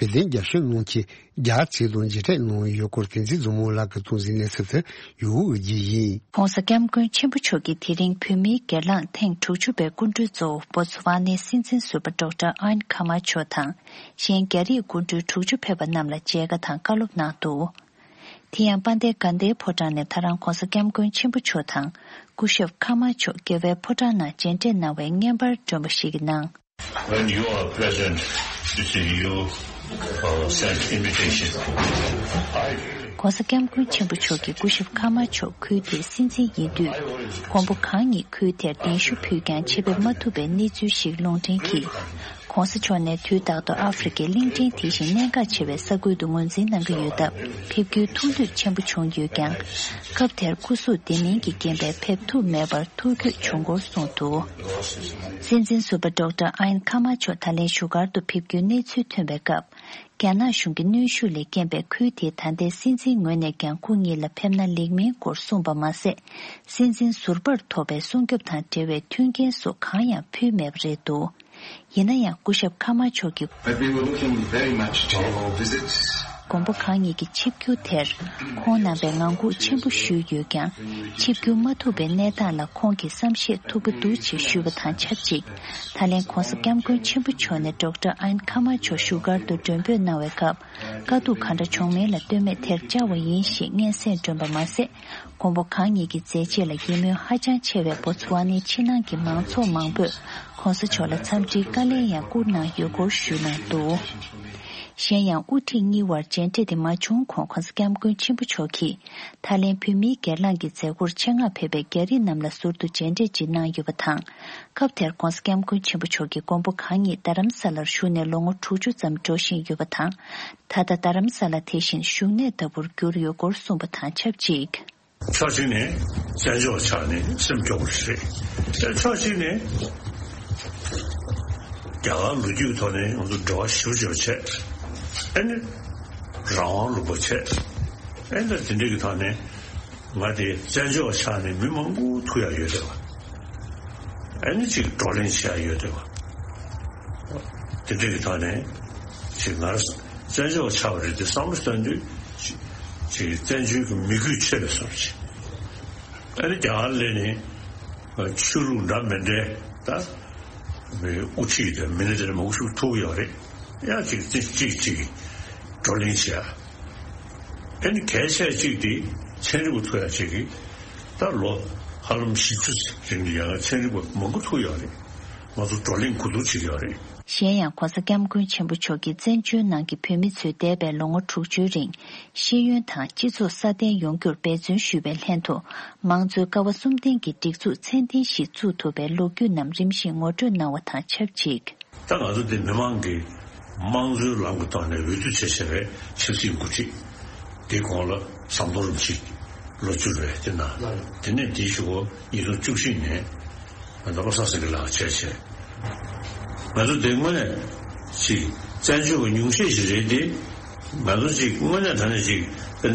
བོད་དོན་རྒྱབ་སྐྱོར་གནང་མཁན་རྒྱ་ཆེ་དང་མཇལ་འཕྲད་གནང་ཡོད་སྐོར་བསྟན་འཛིན་བཟང་མོ་ལགས་ཀྱིས་གཏོང་ཟིན་གནས་ཚུལ་དེ་ཡོད་ཀྱི་ཡིན། ྋགོང་ས་ྋསྐྱབས་མགོན་ཆེན་པོ་མཆོག་གིས་དེ་རིང་བོད་མིའི་སྒེར་ལངས་ཐེངས་དྲུག་ཅུ་པའི་སྐུ་མགྲོན་གཙོ་བོ་བོ་ཚུ་ཝ་ནའི་སྲིད་འཛིན་ཟུར་པ་ཌོག་ཊར་ཨན་ཁ་མ་ཆོ་དང་། གཞན་རྒྱ་རིགས་སྐུ་མགྲོན་དྲུག་ཅུ་ཕེབས་པ་རྣམས་ལ་མཇལ་ཁ་དང་བཀའ་སློབ་གནང་འདུག་དེ་ཡང་དཔལ་ལྡན་དགའ་ལྡན་ཕོ་བྲང་ནས་ད་རང་ྋགོང་ས་ྋསྐྱབས་མགོན་ཆེན་པོ་མཆོག་དང་སྐུ་ཞབས་ཁ་མ་མཆོག་རྒྱལ་བའི་ཕོ་བྲང་ནང་མཇལ་འཕྲད་གནང་བའི་བརྙན་པར་བསྒྲོན་པ་ཞིག་གི་ནང་། When you are present, you see, you, uh, send invitation. I ྋགོང་ས་ྋསྐྱབས་མགོན་ཆེན་པོ་མཆོག་གིས་སྐུ་ཞབས་ཁ་མ་མཆོག་ཁུལ་དེའི་སྲིད་འཛིན་ཡིན་དུས། མགོན་པོ་གང་ཉིད་ཁུལ་དེར་གདན་ཞུ་ཕུལ་ཀྱང་ཆེད་ཕེབས་མ་ཐུབ་པའི་གནས་ཚུལ་ཞིག་ལུང་འདྲེན་གྱིས། ྋགོང་ས་མཆོག་ནས་དུས་རྟག་ཏུ་ཨ་ཧྥེ་རི་ཁའི་གླིང་ཕྲན་དེ་བཞིན་གནད་འགག་ཆེ་བའི་ས་ཁུལ་དུ་ངོས་འཛིན་གནང་གི་ཡོད་སྟབས། ཕེབས་རྒྱུའི་ཐུགས་འདོད་ཆེན་པོ་བྱུང་ཡོད་ཀྱང་། སྐབས་དེར་སྐུ་གཟུགས་བདེ་མིན་གྱི་རྐྱེན་པས་ཕེབས་ཐུབ་མེད་པར་ཐུགས་འགྱོད་བྱུང་སྐོར་གསུངས་འདུག་སྲིད་འཛིན་ཟུར་པ་ཌོག་ཊར་ཨན་ཁ་མ་མཆོག་ད་ལན་བཞུགས་སྒར་དུ་ཕེབས་རྒྱུའི་གནས་ཚུལ་ཐོན་པའི་སྐབས། རྒྱ་ནག་གཞུང་གི་གནོན་ཤུགས་ལས་རྐྱེན་པས་ཁུལ་དེའི་ད་ལྟའི་སྲིད་འཛིན་ངོས་ནས་ཀྱང་སྐུ་ཉིད་ལ་ཕེབས་ན་ལེགས་མིན་སྐོར་གསུངས་པ་མ་ཟད། སྲིད་འཛིན་ཟུར་པར་ཐོབ་པའི་སྲུང་སྐྱོབ་དང་འབྲེལ་བའི་མཐུན་རྐྱེན་སོགས་གང་ཡང་ཕུལ་མེད་པ་རེད་འདུག་ཡིན་ན་ཡང་སྐུ་ཞབས་ཁ་མ་མཆོག་གིས། But we were looking very much to your visits. མགོན་པོ་གང་ཉིད་ཀྱི་ཆིབས་བསྒྱུར་དེར་ཁོང་རྣམ་པས་ངང་སྒུག་ཆེན་པོ་ཞུས་ཡོད་ཀྱང་། ཆིབས་བསྒྱུར་མ་ཐུབ་པའི་གནས་སྟངས་ལ་ཁོང་གིས་བསམ་ཤེས་ཐུབ་ཀྱི་འདུག་ཅེས་ཞུས་པ་དང་ཆབས་ཅིག་ད་ལན་ྋགོང་ས་ྋསྐྱབས་མགོན་ཆེན་པོ་མཆོག་ནས་ཌོག་ཊར་ཨན་ཁ་མ་མཆོག་བཞུགས་སྒར་དུ་མགྲོན་འབོད་གནང་བའི་སྐབས། དཀའ་སྡུག་ག་འདྲ་བྱུང་མིན་ལ་ལྟོས་མེད་དེར་བཅར་བ་ཡིན་ཞེས་སྙན་སེང་བསྒྲོན་པ་མ་ཟད། མགོན་པོ་གང་ཉིད་ཀྱི་མཛད་རྗེས་ལ་ཡིད་སྨོན་ཧ་ཅང་ཆེ་བས་བོ་ཚུ་ཝ་ནའི་ཕྱི་ནང་གི་མང་ཚོགས་མང་པོས་ྋགོང་ས་མཆོག་ལ་འཚམས་འདྲིའི་བཀའ་ལན་ཡང་བསྐུར་གནང་ཡོད་སྐོར་ཞུས་གནང་འདུག་གཞན་ཡང་དབུ་ཁྲིད་གཉིས་དབར་མཇལ་འཕྲད་དེ་མ་བྱུང་གོང་ྋགོང་ས་ྋསྐྱབས་མགོན་ཆེན་པོ་མཆོག་གིས་ད་ལན་བོད་མིའི་སྒེར་ལངས་ཀྱི་མཛད་སྒོར་ཆེད་མངགས་ཕེབས་པའི་རྒྱ་རིགས་རྣམས་ལ་ཟུར་དུ་མཇལ་འཕྲད་ཅིག་གནང་ཡོད་པ་དང་། སྐབས་དེར་ྋགོང་ས་ྋསྐྱབས་མགོན་ཆེན་པོ་མཆོག་གིས་མགོན་པོ་གང་ཉིད་རྡ་རམ་ས་ལར་བཞུགས་ནས་ལོ་ངོ་དྲུག་ཅུ་ཙམ་འགྲོ་བཞིན་ཡོད་པ་དང་། ད་ལྟ་རྡ་རམ་ས་ལ་དེ་བཞིན་བཞུགས་གནས་ལྟ་བུར་གྱུར་ཡོད་སྐོར་གསུངས་པ་དང་ཆབས་ཅིག་ཕྱོགས་གཅིག་ནས་བཙན་བྱོལ་བ་ཆགས་ནས་སེམས་སྐྱོ་པོ་རེད། ཕྱོགས་གཅིག་ནས་རྒྱ་གར་ལོ་རྒྱུས་ཐོག་ནས་ང་ཚོ་འབྲེལ་བ་ཞེ་པོ་ཅིག་བྱས། ཨ་ནི་རང་དབང་ལུང་པ་བྱས། ཨ་ནི་དེ་འདྲ་གི་ཐོག་ནས་ང་དེ་བཙན་བྱོལ་བ་ཆགས་ནས་མི་མང་པོ་ཐུག་ཡག་ཡོད་བསྡད་པ། ཨ་ནི་ཅིག་བགྲོ་གླེང་བྱེད་ཡག་ཡོད་བསྡད་པ། དེ་འདྲ་གི་ཐོག་ནས་ཅིག་ང་བཙན་བྱོལ་བ་ཆགས་པ་རེད་དེ་བསམ་བློ་གཏོང་དུས་ཅིག་ཅིག་བཙན་བྱོལ་གྱི་མི་རྒྱུད་ཆད་པའི་བཟོ་འདྲ་ཅིག་ཨ་ནི་རྒྱ་གར་སླེབས་ནས་ཆོས་ལུགས་འདྲ་མི་འདྲའི་ད་མི་དབུ་ཁྲིད་དང་མི་སྣ་དེ་འདྲ་མང་པོ་ཞིག་ཐུག་ཡོད་རེད། ཡང་ཅིག་ཅིག་ཅིག་ཅིག་བགྲོ་གླེང་བྱེད་ཡག་ཨ་ནི་གལ་ཆེ་གཅིག་དེ་ཚན་རིག་པ་ཐུག་ཡག་ཅིག་གིས་ད་ལོ་ཧ་ལམ་བཞི་བཅུ་རིང་ལ་ཡང་ཚན་རིག་པ་མང་པོ་ཐུག་ཡོད་རེད། ང་ཚོ་བགྲོ་གླེང་གོ་བསྡུར་བྱེད་ཀྱི་ཡོད་རེད། གཞན་ཡང་༸གོང་ས་༸སྐྱབས་མགོན་ཆེན་པོ་མཆོག་གིས་བཙན་བྱོལ་ནང་གི་བོད་མི་ཚོས་འདས་པའི་ལོ་ངོ་དྲུག་ཅུའི་རིང་ཤེས་ཡོན་དང་སྤྱི་ཚོགས་སྲ་བརྟན་ཡོང་རྒྱུར་འབད་བརྩོན་ཞུས་པའི་ལྷན་དུ། དམངས་གཙོའི་ཀ་བ་གསུམ་ལྡན་གྱི་སྒྲིག་འཛུགས་ཚད་ལྡན་ཞིག་བཙུགས་ཐུབ་པའི་ལོ་རྒྱུས་རྣམས་རིམ་བཞིན་ངོ་སྤྲོད་གནང་བ་དང་ཆབས་ཅིག། ད་ང་ཚོ་འདི་མི་མང་གིས་དམངས་གཙོའི་ལམ་གྱི་ཐོག་ནས་འོས་བསྡུ་བྱས་བྱས་པའི་ཆབ་སྲིད་འགོ་ཁྲིད་དེ་གོང་ལ་ཟམ་གདོང་རིན་པོ་ཆེ་ལོ་བཅུ་རེད་དེ་ན། དེ་ནས་དེའི་གཞུག་གུ་ཉིས་སྟོང་བཅུ་བཞི་ནས་ང་ཚོ་བློ་བཟང་སེང་གེ་ལགས་བྱས་བྱས། ང་ཚོ་དེ་དངོས་གནས་ཅིག་བཙན་བྱོལ་བ་ཉུང་ཤས་ཤིག་རེད་དེ། ང་ཚོ་ཅིག་དངོས་གནས་དྲང་གནས་ཅིག་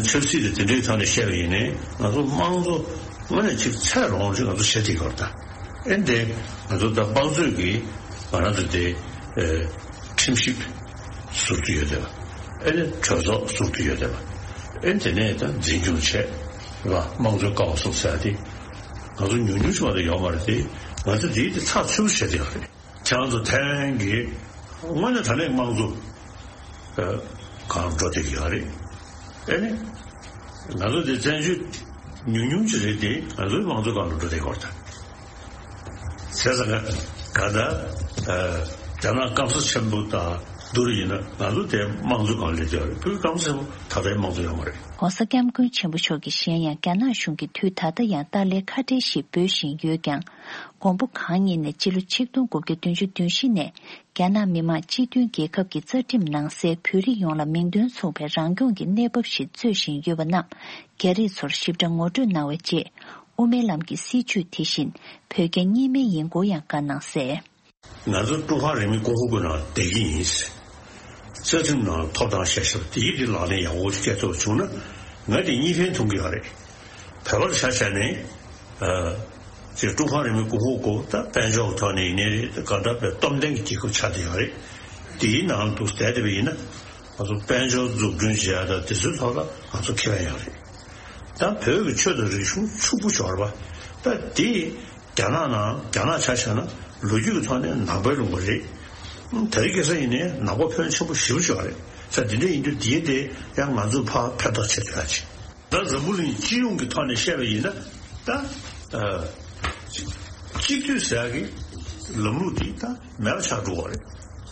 ཆབ་སྲིད་དེ་དེ་འདྲའི་ཐོག་ནས་བཤད་པ་ཡིན་ནའི་ང་ཚོ་དམངས་གཙོ་དངོས་གནས་ཅིག་ཚད་ལོངས་ཅིག་ང་ཚོ་བྱེད་ཐུབ་ཀྱི་ཡོད་རེད་ད། ཨེ་འདི་ང་ཚོ་ད་དམངས་གཙོས་ཀྱི་ང་རང་ཚོ་དེ་ཁྲིམས་ཞིབ་ཟུར་དུ་ཡོད་བསྡད་པ། ཨེ་ནི་གྲོས་ཚོགས་ཟུར་དུ་ཡོད་བསྡད་པ། ཨེ་དེ་ནས་ད་འཛིན་སྐྱོང་བྱས་ར་དམངས་གཙོའི་ཀ་བ་གསུམ་ཟེར་ཡ་དེ་ང་ཚོ་ཉུང་ཉུང་ཞིག་མ་གཏོགས་ཡོད་མ་རེད་དེ། ང་ཚོ་དེའི་དེ་ཚགས་ཚུད་པོ་བྱེད་བསྡད་ཡོད་རེད། ཁྱེད་རང་ཚོ་ཐའེ་ཝན་གྱི་དངོས་གནས་དྲང་གནས་དམངས་གཙོ་གང་འགྲོ་བསྡད་ཀྱི་ཡོད་རེད། ཨེ་ནི་ང་ཚོ་དེ་བཙན་བྱོལ་ཉུང་ཉུང་ཅིག་རེད་དེ་ང་ཚོའི་དམངས་གཙོ་གང་ལ་འགྲོ་བསྡད་ཀྱི་ཡོད་རེད་ད། བྱས་ཙང་ག་ག་ད་རྒྱ་ནག་སྐམ་ས་ཆེན་པོ་དང་བསྡུར་ཡིན་ན་ང་ཚོ་དེ་དམངས་གཙོ་གང་ལ་སླེབས་ཀྱི་ཡོད་རེད། བོད་སྐམ་ས་ཆེན་པོ་ད་ལྟའི་དམངས་གཙོ་ཡོད་མ་རེད། ༸གོང་ས་༸སྐྱབས་མགོན་ཆེན་པོ་མཆོག་གིས་གཞན་ཡང་རྒྱ་ནག་གཞུང་གིས་དུས་ད་ལྟ་ཡང་ཏཱ་ལའི་ཁ་བྲལ་ཞེས་འབོད་བཞིན་ཡོད་ཀྱང་། མགོན་པོ་གང་ཉིད་ནས་སྤྱི་ལོ་ཆིག་སྟོང་དགུ་བརྒྱ་བདུན་ཅུ་དོན་བཞི་ནས་རྒྱ་ནག་མི་དམངས་སྤྱི་མཐུན་རྒྱལ་ཁབ་ཀྱི་རྩ་ཁྲིམས་ནང་གསལ་བོད་རིགས་ཡོངས་ལ་མིང་དོན་མཚུངས་པའི་རང་སྐྱོང་གི་གནས་བབ་ཞིག་རྩོད་བཞིན་ཡོད་པ་རྣམས་རྒྱ་རིགས་ཚོར་ཞིབ་ཕྲ་ངོ་སྤྲོད་གནང་བའི་རྗེས་དབུ་མའི་ལམ་གྱི་སྲིད་བྱུས་དེ་བཞིན་བོད་རྒྱ་གཉིས་སྨན་ཡིན་སྐོར་ཡང་བཀའ་གནང་གསལ། ང་ཚོ་ཀྲུང་ཧྭ་རིང་མིན་གོང་འོག་གི་ནང་བསྡད་ཀྱི་ཡིན། རྩ་ཁྲིམས་ནང་ཐོབ་ཐང་བཞག་བཞག་དེ་ཡིག་དེ་ལག་ལེན་ཡག་པོ་ཞིག་སྤྲད་ཐུབ་པ་བྱུང་ན་ང་དེ་གཉིས་ཕན་ཐོགས་ཀྱི་ཡོད་རེད། བོད་པར་ཆ་བཞག་ནས་ཨ་ཅེ་ཀྲུང་ཧྭ་རིང་མིན་གོང་འོག་གོ་ད་དཔལ་འབྱོར་ཐོག་ནས་ཡིན་ནའི་རེད། ད་གང་ལྟར་བའི་སྟོབས་ལྡན་གྱི་རྒྱལ་ཁབ་ཆགས་བསྡད་ཡོད་རེད། དེའི་ནང་དུ་བསྡད་བསྡད་པ་ཡིན་ན་ང་ཚོ་དཔལ་འབྱོར་འཛུགས་སྐྲུན་བྱེད་ཡ་ད་དེ་ཚོའི་ཐོག་ལ་ང་ཚོ་ཁེ་ཕན་ཡོད་རེད། ད་བོད་ཀྱི་ཆོས་དང་རིག་གཞུང་ཕྱུག་པོ་ཤོར་བ་ད་དེ། རྒྱ་ནག་ནང་རྒྱ་ནག་ཆ་བཞག་ན་ལོ་རྒྱུས་ཀྱི་ཐོག་ནས་ནང་པའི་ལུང་པ་རེད། ད་རེས་ཁ་སང་ཡིན་ནའི་ནང་པ་ཕོན་ཆེན་པོ་ཞེ་པོ་ཅིག་ཡོད་རེད། ས་འདི་འདྲ་ཡིན་དུས་དེའི་དེ་ཡང་ང་ཚོས་ཕར་ཕན་ཐོགས་བྱེད་ཐུབ་ཡ་ཅིག་ད་འཛམ་བུ་གླིང་སྤྱི་ཡོངས་ཀྱི་ཐོག་ནས་བཤད་པ་ཡིན་ན་ད་ཨ་གཅིག་སྡུད་ཟེར་ཡ་གི་ལམ་ལུགས་དེ་ད་མེད་པ་ཆགས་འགྲོ་བ་རེད།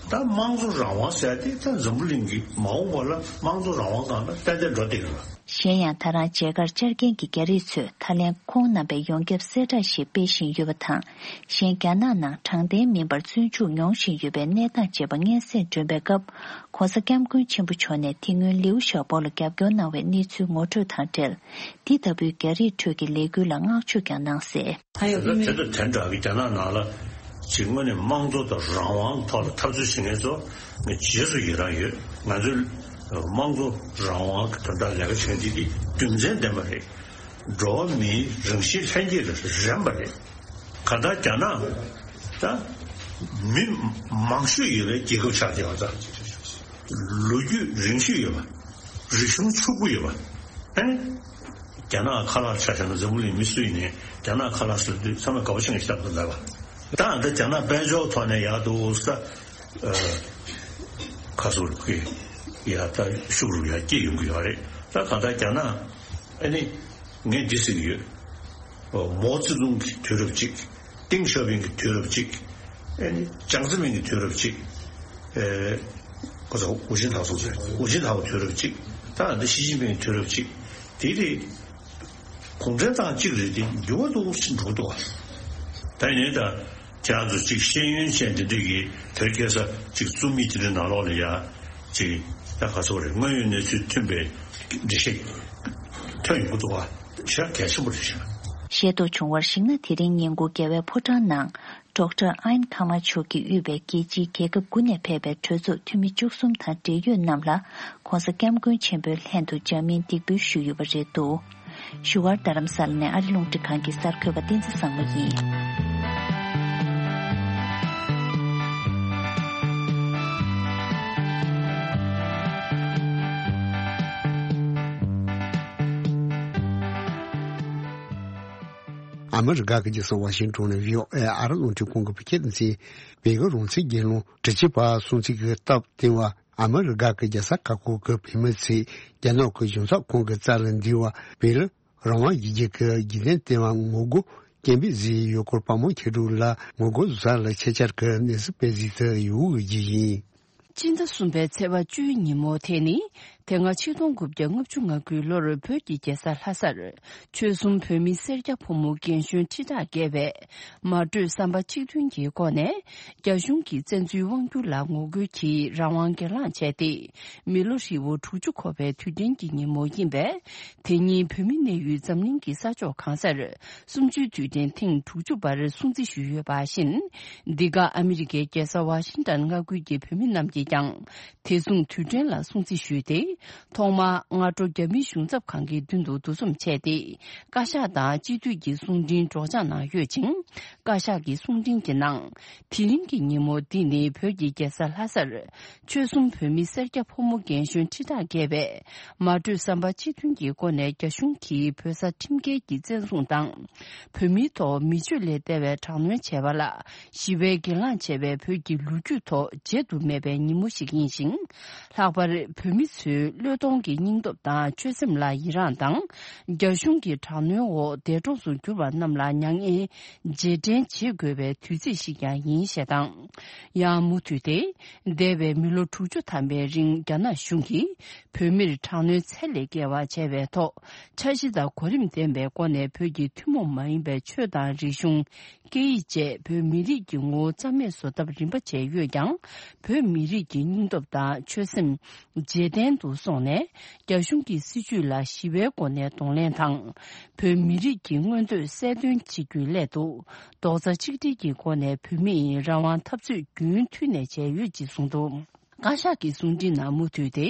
ད་དམངས་གཙོ་རང་དབང་ཟེར་ཡ་དེ་ད་འཛམ་བུ་གླིང་གི་མ་འོངས་པ་ལ་དམངས་གཙོ་རང་དབང་སྒང་ལ་ཏན་ཏན་འགྲོ་བསྡད་ཀྱི་རེད། གཞན་ཡང་ད་རང་མཇལ་ཁར་བཅར་མཁན་གྱི་རྒྱ་རིགས་ཚོས་ད་ལན་ཁོང་རྣམ་པའི་ཡོངས་ཁྱབ་གསལ་བསྒྲགས་ཤིག་སྤེལ་བཞིན་ཡོད་པ་དང་། གཞན་རྒྱ་ནག་ནང་དྲང་བདེན་མིན་པར་བཙོན་འཇུག་མྱོང་བཞིན་ཡོད་པའི་གནས་སྟངས་བཅས་པ་སྙན་སེང་སྒྲོན་པའི་སྐབས། ༸གོང་ས་༸སྐྱབས་མགོན་ཆེན་པོ་མཆོག་ནས་དེ་སྔོན་ལིའུ་ཞའོ་པོ་ལ་རྒྱབ་སྐྱོར་གནང་བའི་གནས་ཚུལ་ངོ་སྤྲོད་དང་འབྲེལ། འདི་ལྟ་བུའི་རྒྱ་རིགས་ཁྲོད་ཀྱི་ལས་འགུལ་ལ་བསྔགས་བརྗོད་ཀྱང་གནང་གསལ། དེ་དང་དེ་འདྲ་གི་རྒྱ་ནག་ནང་ལ་ཅིག་དངོས་གནས་དམངས་གཙོ་དང་རང་དབང་ཐོག་ལ་འཐབ་རྩོད་བྱེད་མཁན་ཚོ་ང་རྗེས་སུ་ཡི་རང་ཡོད། ང་ཚོའི་དམངས་གཙོ་རང་དབང་གི་དོན་དག་ལས་ཀ་བྱེད་མཁན་འདི་འདི་རྒྱུ་མཚན་ལྡན་པ་རེད། འགྲོ་བ་མིའི་རང་བཞིན་ལྷན་སྐྱེས་ལ་རན་པ་རེད། གང་ལྟར་རྒྱ་ནག་ད་མི་མང་ཤོས་ཡོད་པའི་རྒྱལ་ཁབ་ཆགས་བསྡད་པ་དང་། ལོ་རྒྱུས་རིང་ཤོས་ཡོད་པ། རིག་གཞུང་ཕྱུག་པོ་ཡོད་པ། ཨེ། རྒྱ་ནག་ཁ་ལག་ཆ་བཞག་ན་འཛམ་བུ་གླིང་མི་སུ་ཡིན་ནའི་རྒྱ་ནག་ཁ་ལག་ཟེར་དུས་ཚང་མས་དགའ་པོ་བྱེད་མཁན་ཞིག་ཆགས་འདུག་ལབ་པ། ད་ཨ་ད་རྒྱ་ནག་དཔལ་འབྱོར་ཐོག་ནས་ཡག་འདུག་ས། ཁ་སོ་རུ་གི་ཡ་ད་ཤུགས་རུ་ཡ་སྐྱེད་ཡོང་གི་ཡོད་རེད། ད་གང་ལྟར་རྒྱ་ནག་ཨ་ནི་ངས་འདི་ཟེར་གི་ཡོད། མའོ་ཙེ་ཏུང་གི་དུས་རབས་གཅིག་ཏེང་ཞའོ་ཕིང་གི་དུས་རབས་གཅིག་ཨ་ནི་ཅང་ཙེ་མིན་གྱི་དུས་རབས་གཅིག་ཨེ། ཁོ་ཚོ་ཧུའུ་ཅིན་ཐའོ་སོང་ཟེར། ཧུའུ་ཅིན་ཐའོ་དུས་རབས་གཅིག་ད་ཨ་ནི་ཞི་ཅིན་ཕིང་གི་དུས་རབས་གཅིག་དེ་རེད། གུང་ཁྲན་ཏང་གཅིག་རེད་དེ་འགྱུར་བ་འདུག་ཕྱིན་འགྲོ་འདུག་ད་ཡིན་ད་ཁྱེད་རང་ཚོ་གཅིག་ཤེས་ཡོན་ཅན་དེ་འདྲ་གི་དེར་ཁ་སང་གཅིག་རྩོམ་ཡིག་དེ་འདྲའི་ནང་ལོགས་ལ་ཡ་གཅིག་ད་ག་ཚོད་རེད། དངོས་ཡོད་གནས་ཚུལ་མཐུན་པའི་འགྲེལ་བཤད་ཐོན་ཡོང་གི་འདུག་བ། ཤ་གལ་ཆེན་པོ་རེད་ཤག་ཤེས་རྟོགས་བྱུང་བར་གཞིགས་ན། དེ་རིང་ཉིན་གུང་རྒྱལ་བའི་ཕོ་བྲང་ནང་ཌོག་ཊར་ཨན་ཁ་མ་མཆོག་གིས་དབུས་པའི་རྒྱལ་སྤྱིའི་རྒྱལ་ཁབ་དགུ་ནས་ཕེབས་པའི་གྲོས་ཚོགས་འཐུས་མི་བཅུ་གསུམ་དང་འབྲེལ་ཡོད་རྣམས་ལ་༸གོང་ས་༸སྐྱབས་མགོན་ཆེན་པོའི་ལྷན་དུ་འཇར་མན་འདེགས་འབུལ་ཞུས་ཡོད་པ་རེད་འདུག་བཞུགས་སྒར་རྡ་རམ་ས་ལ་ནས་ཨ་རི་རླུང་འཕྲིན་ཁང་གི་གསར་འགོད་པ་བསྟན་འཛིན་བཟང་མོ་ཡིན། ཨ་མི་རི་ཀ་གི་རྒྱལ་ས་ཝ་ཤིང་ཊོན་ནས་བྷི་ཨོ་ཨེ་ཨ་རི་རླུང་འཕྲིན་ཁང་གི་བོད་སྐད་སྡེ་ཚན། བོད་ཀྱི་རང་བཙན་རྒྱལ་ལོ་དྲུག་ཅུ་པ་སྲུང་བརྩི་གི་སྟབས་བསྟུན་པ། ཨ་མི་རི་ཀ་གི་རྒྱལ་ས་ཁག་ཁག་གི་བོད་མི་ཚོས་རྒྱ་ནག་གི་གཞུང་ཚབ་ཁང་གི་རྩ་ལ་འདུས་པ། བོད་རང་དབང་གི་རྒྱལ་ཁབ་ཀྱི་རྒྱུན་ལྡན་ལྟེ་བ་ངོ་རྒོལ་ སྐྱེ་འཕེལ་གཟིགས་ཡུལ་སྐོར་བ་མོ་ཁྱེད་དྲུག་ལ་ངོ་རྒོལ་བཟའ་ལ་ཆེད་བཅར་གྱི་གནས་སུ་དཔེ་གཟིགས་དུ་ཡོད་ཀྱི་ཡིན། སྤྱི་ཟླ་གསུམ་པའི་ཚེས་པ་བཅུའི་ཉིན་མོ་དེ་ནི། དེ་སྔ་ཆིག་སྟོང་དགུ་བརྒྱ་ལྔ་བཅུ་ང་དགུའི་ལོར་བོད་ཀྱི་རྒྱལ་ས་ལྷ་སར། ཆོལ་གསུམ་བོད་མི་སེར་སྐྱ་ཕོ་མོ་རྒན་གཞོན་ཁྲི་ཕྲག་བརྒལ་བས། མ་གྲོས་བསམ་པ་གཅིག་མཐུན་གྱི་སྒོ་ནས། རྒྱ་གཞུང་གིས་བཙན་འཛུལ་དབང་བསྒྱུར་ལ་ངོ་རྒོལ་གྱིས་རང་དབང་སྒེར་ལངས་བྱས་ཏེ། མི་ལོ་ཧྲིལ་བོ་དྲུག་ཅུ་འཁོར་བའི་དུས་དྲན་གྱི་ཉིན་མོ་ཡིན་པས། དེ་ཉིན་བོད་མི་གནས་ཡུལ་འཛམ་གླིང་གི་ས་ཕྱོགས་གང་སར། གསུམ་བཅུའི་དུས་དྲན་ཐེངས་དྲུག་ཅུ་པར་སྲུང་བརྩི་ཞུས་ཡོད་པ་བཞིན། འདི་ག་ཨ་མི་རི་ཀའི་རྒྱལ་ས་ཝ་ཤིང་ཏན་མངའ་ཁུལ་གྱི་བོད་མི་རྣམས་ཀྱིས་ཀྱང་། དེ་མཚུངས་དུས་དྲན་ལ་སྲུང་བརྩི་ཞུས་ཏེ། ཐོག་མར་སྔ་དྲོ་རྒྱ་མིའི་གཞུང་ཚབ་ཁང་གི་མདུན་དུ་འདུ་འཛོམས་བྱས་ཏེ། བཀའ་ཤག་དང་སྤྱི་འཐུས་ཀྱི་གསུང་འཕྲིན་སྒྲོག་སྦྱང་གནང་ཡོད་ཅིང་། བཀའ་ཤག་གི་གསུང་འཕྲིན་གྱི་ནང་། དེ་རིང་གི་ཉིན་མོ་འདི་ནི་བོད་ཀྱི་རྒྱལ་ས་ལྷ་སར། ཆོལ་གསུམ་བོད་མི་སེར་སྐྱ་ཕོ་མོ་རྒན་གཞོན་ཁྲི་ཕྲག་བརྒལ་བས། མ་གྲོས་བསམ་པ་གཅིག་མཐུན་གྱི་སྒོ་ནས་རྒྱ་གཞུང་གིས་བོད་ས་ཁྲིམས་འགལ་གྱིས་བཙན་བཟུང་དང་། བོད་མིའི་ཐོག་མི་སྤྱོད་ལས་འདས་པའི་དྲག་གནོན་བྱས་པ་ལ། ཞི་བའི་སྒེར་ལངས་བྱས་པའི་བོད་ཀྱི་ལོ་རྒྱུས་ཐོག་བརྗེད་དུ་མེད་པའི་ཉིན་མོ་ཞིག་ཡིན་ཞིང་། ལྷག་པར་བོད་མི་ཚོའི་བློས་གཏོང་གི་སྙིང་སྟོབས་དང་ཆོད་སེམས་ལ་ཡི་རངས་དང་། རྒྱ་གཞུང་གི་དྲག་གནོན་འོག་འདས་གྲོངས་སུ་གྱུར་པ་རྣམས་ལ་མྱ་ངན་རྗེས་དྲན་བྱེད་དགོས་པའི་དུས་ཚིགས་ཤིག་ཀྱང་ཡིན་ཞེས་དང་། ཡང་མུ་མཐུད་དེ། འདས་པའི་མི་ལོ་དྲུག་ཅུ་ཐམ་པའི་རིང་རྒྱ་ནག་གཞུང་གིས་བོད་མིར་དྲག་གནོན་ཚད་ལས་བརྒལ་བ་བྱས་པའི་ཐོག་འཆར་གཞི་དང་གོ་རིམ་ལྡན་པའི་སྒོ་ནས་བོད་ཀྱི་ཐུན་མོང་མ་ཡིན་པའི་ཆོས་དང་རིག་གཞུང་། སྐད་ཡིག་བཅས་བོད་མི་རིགས་ཀྱི་ངོ་བོ་རྩ་མེད་བཟོ་ཐབས་རིམ་པ་བྱས་ཡོད་ཀྱང་། བོད་མི་རིགས་ཀྱི་སྙིང་སྟོབས་དང་ཆོད་སེམས་རྗེས་དྲན་དུ་སོང་ནས། རྒྱ་གཞུང་གི་སྲིད་བྱུས་ལ་ཞི་བའི་སྒོ་ནས་གདོང་ལེན་དང་། བོད་མི་རིགས་ཀྱི་མངོན་འདོད་གསལ་སྟོན་བྱེད་རྒྱུའི་སླད་དུ། རྡོག་རྩ་གཅིག་སྒྲིལ་གྱི་སྒོ་ནས་བོད་མིའི་རང་དབང་འཐབ་རྩོད་རྒྱུན་མཐུད་ནས་བྱས་ཡོད་ཅེས་གསུངས་འདུག་བཀའ་ཤག་གི་གསུང་འཕྲིན་ནང་མུ་མཐུད་དེ།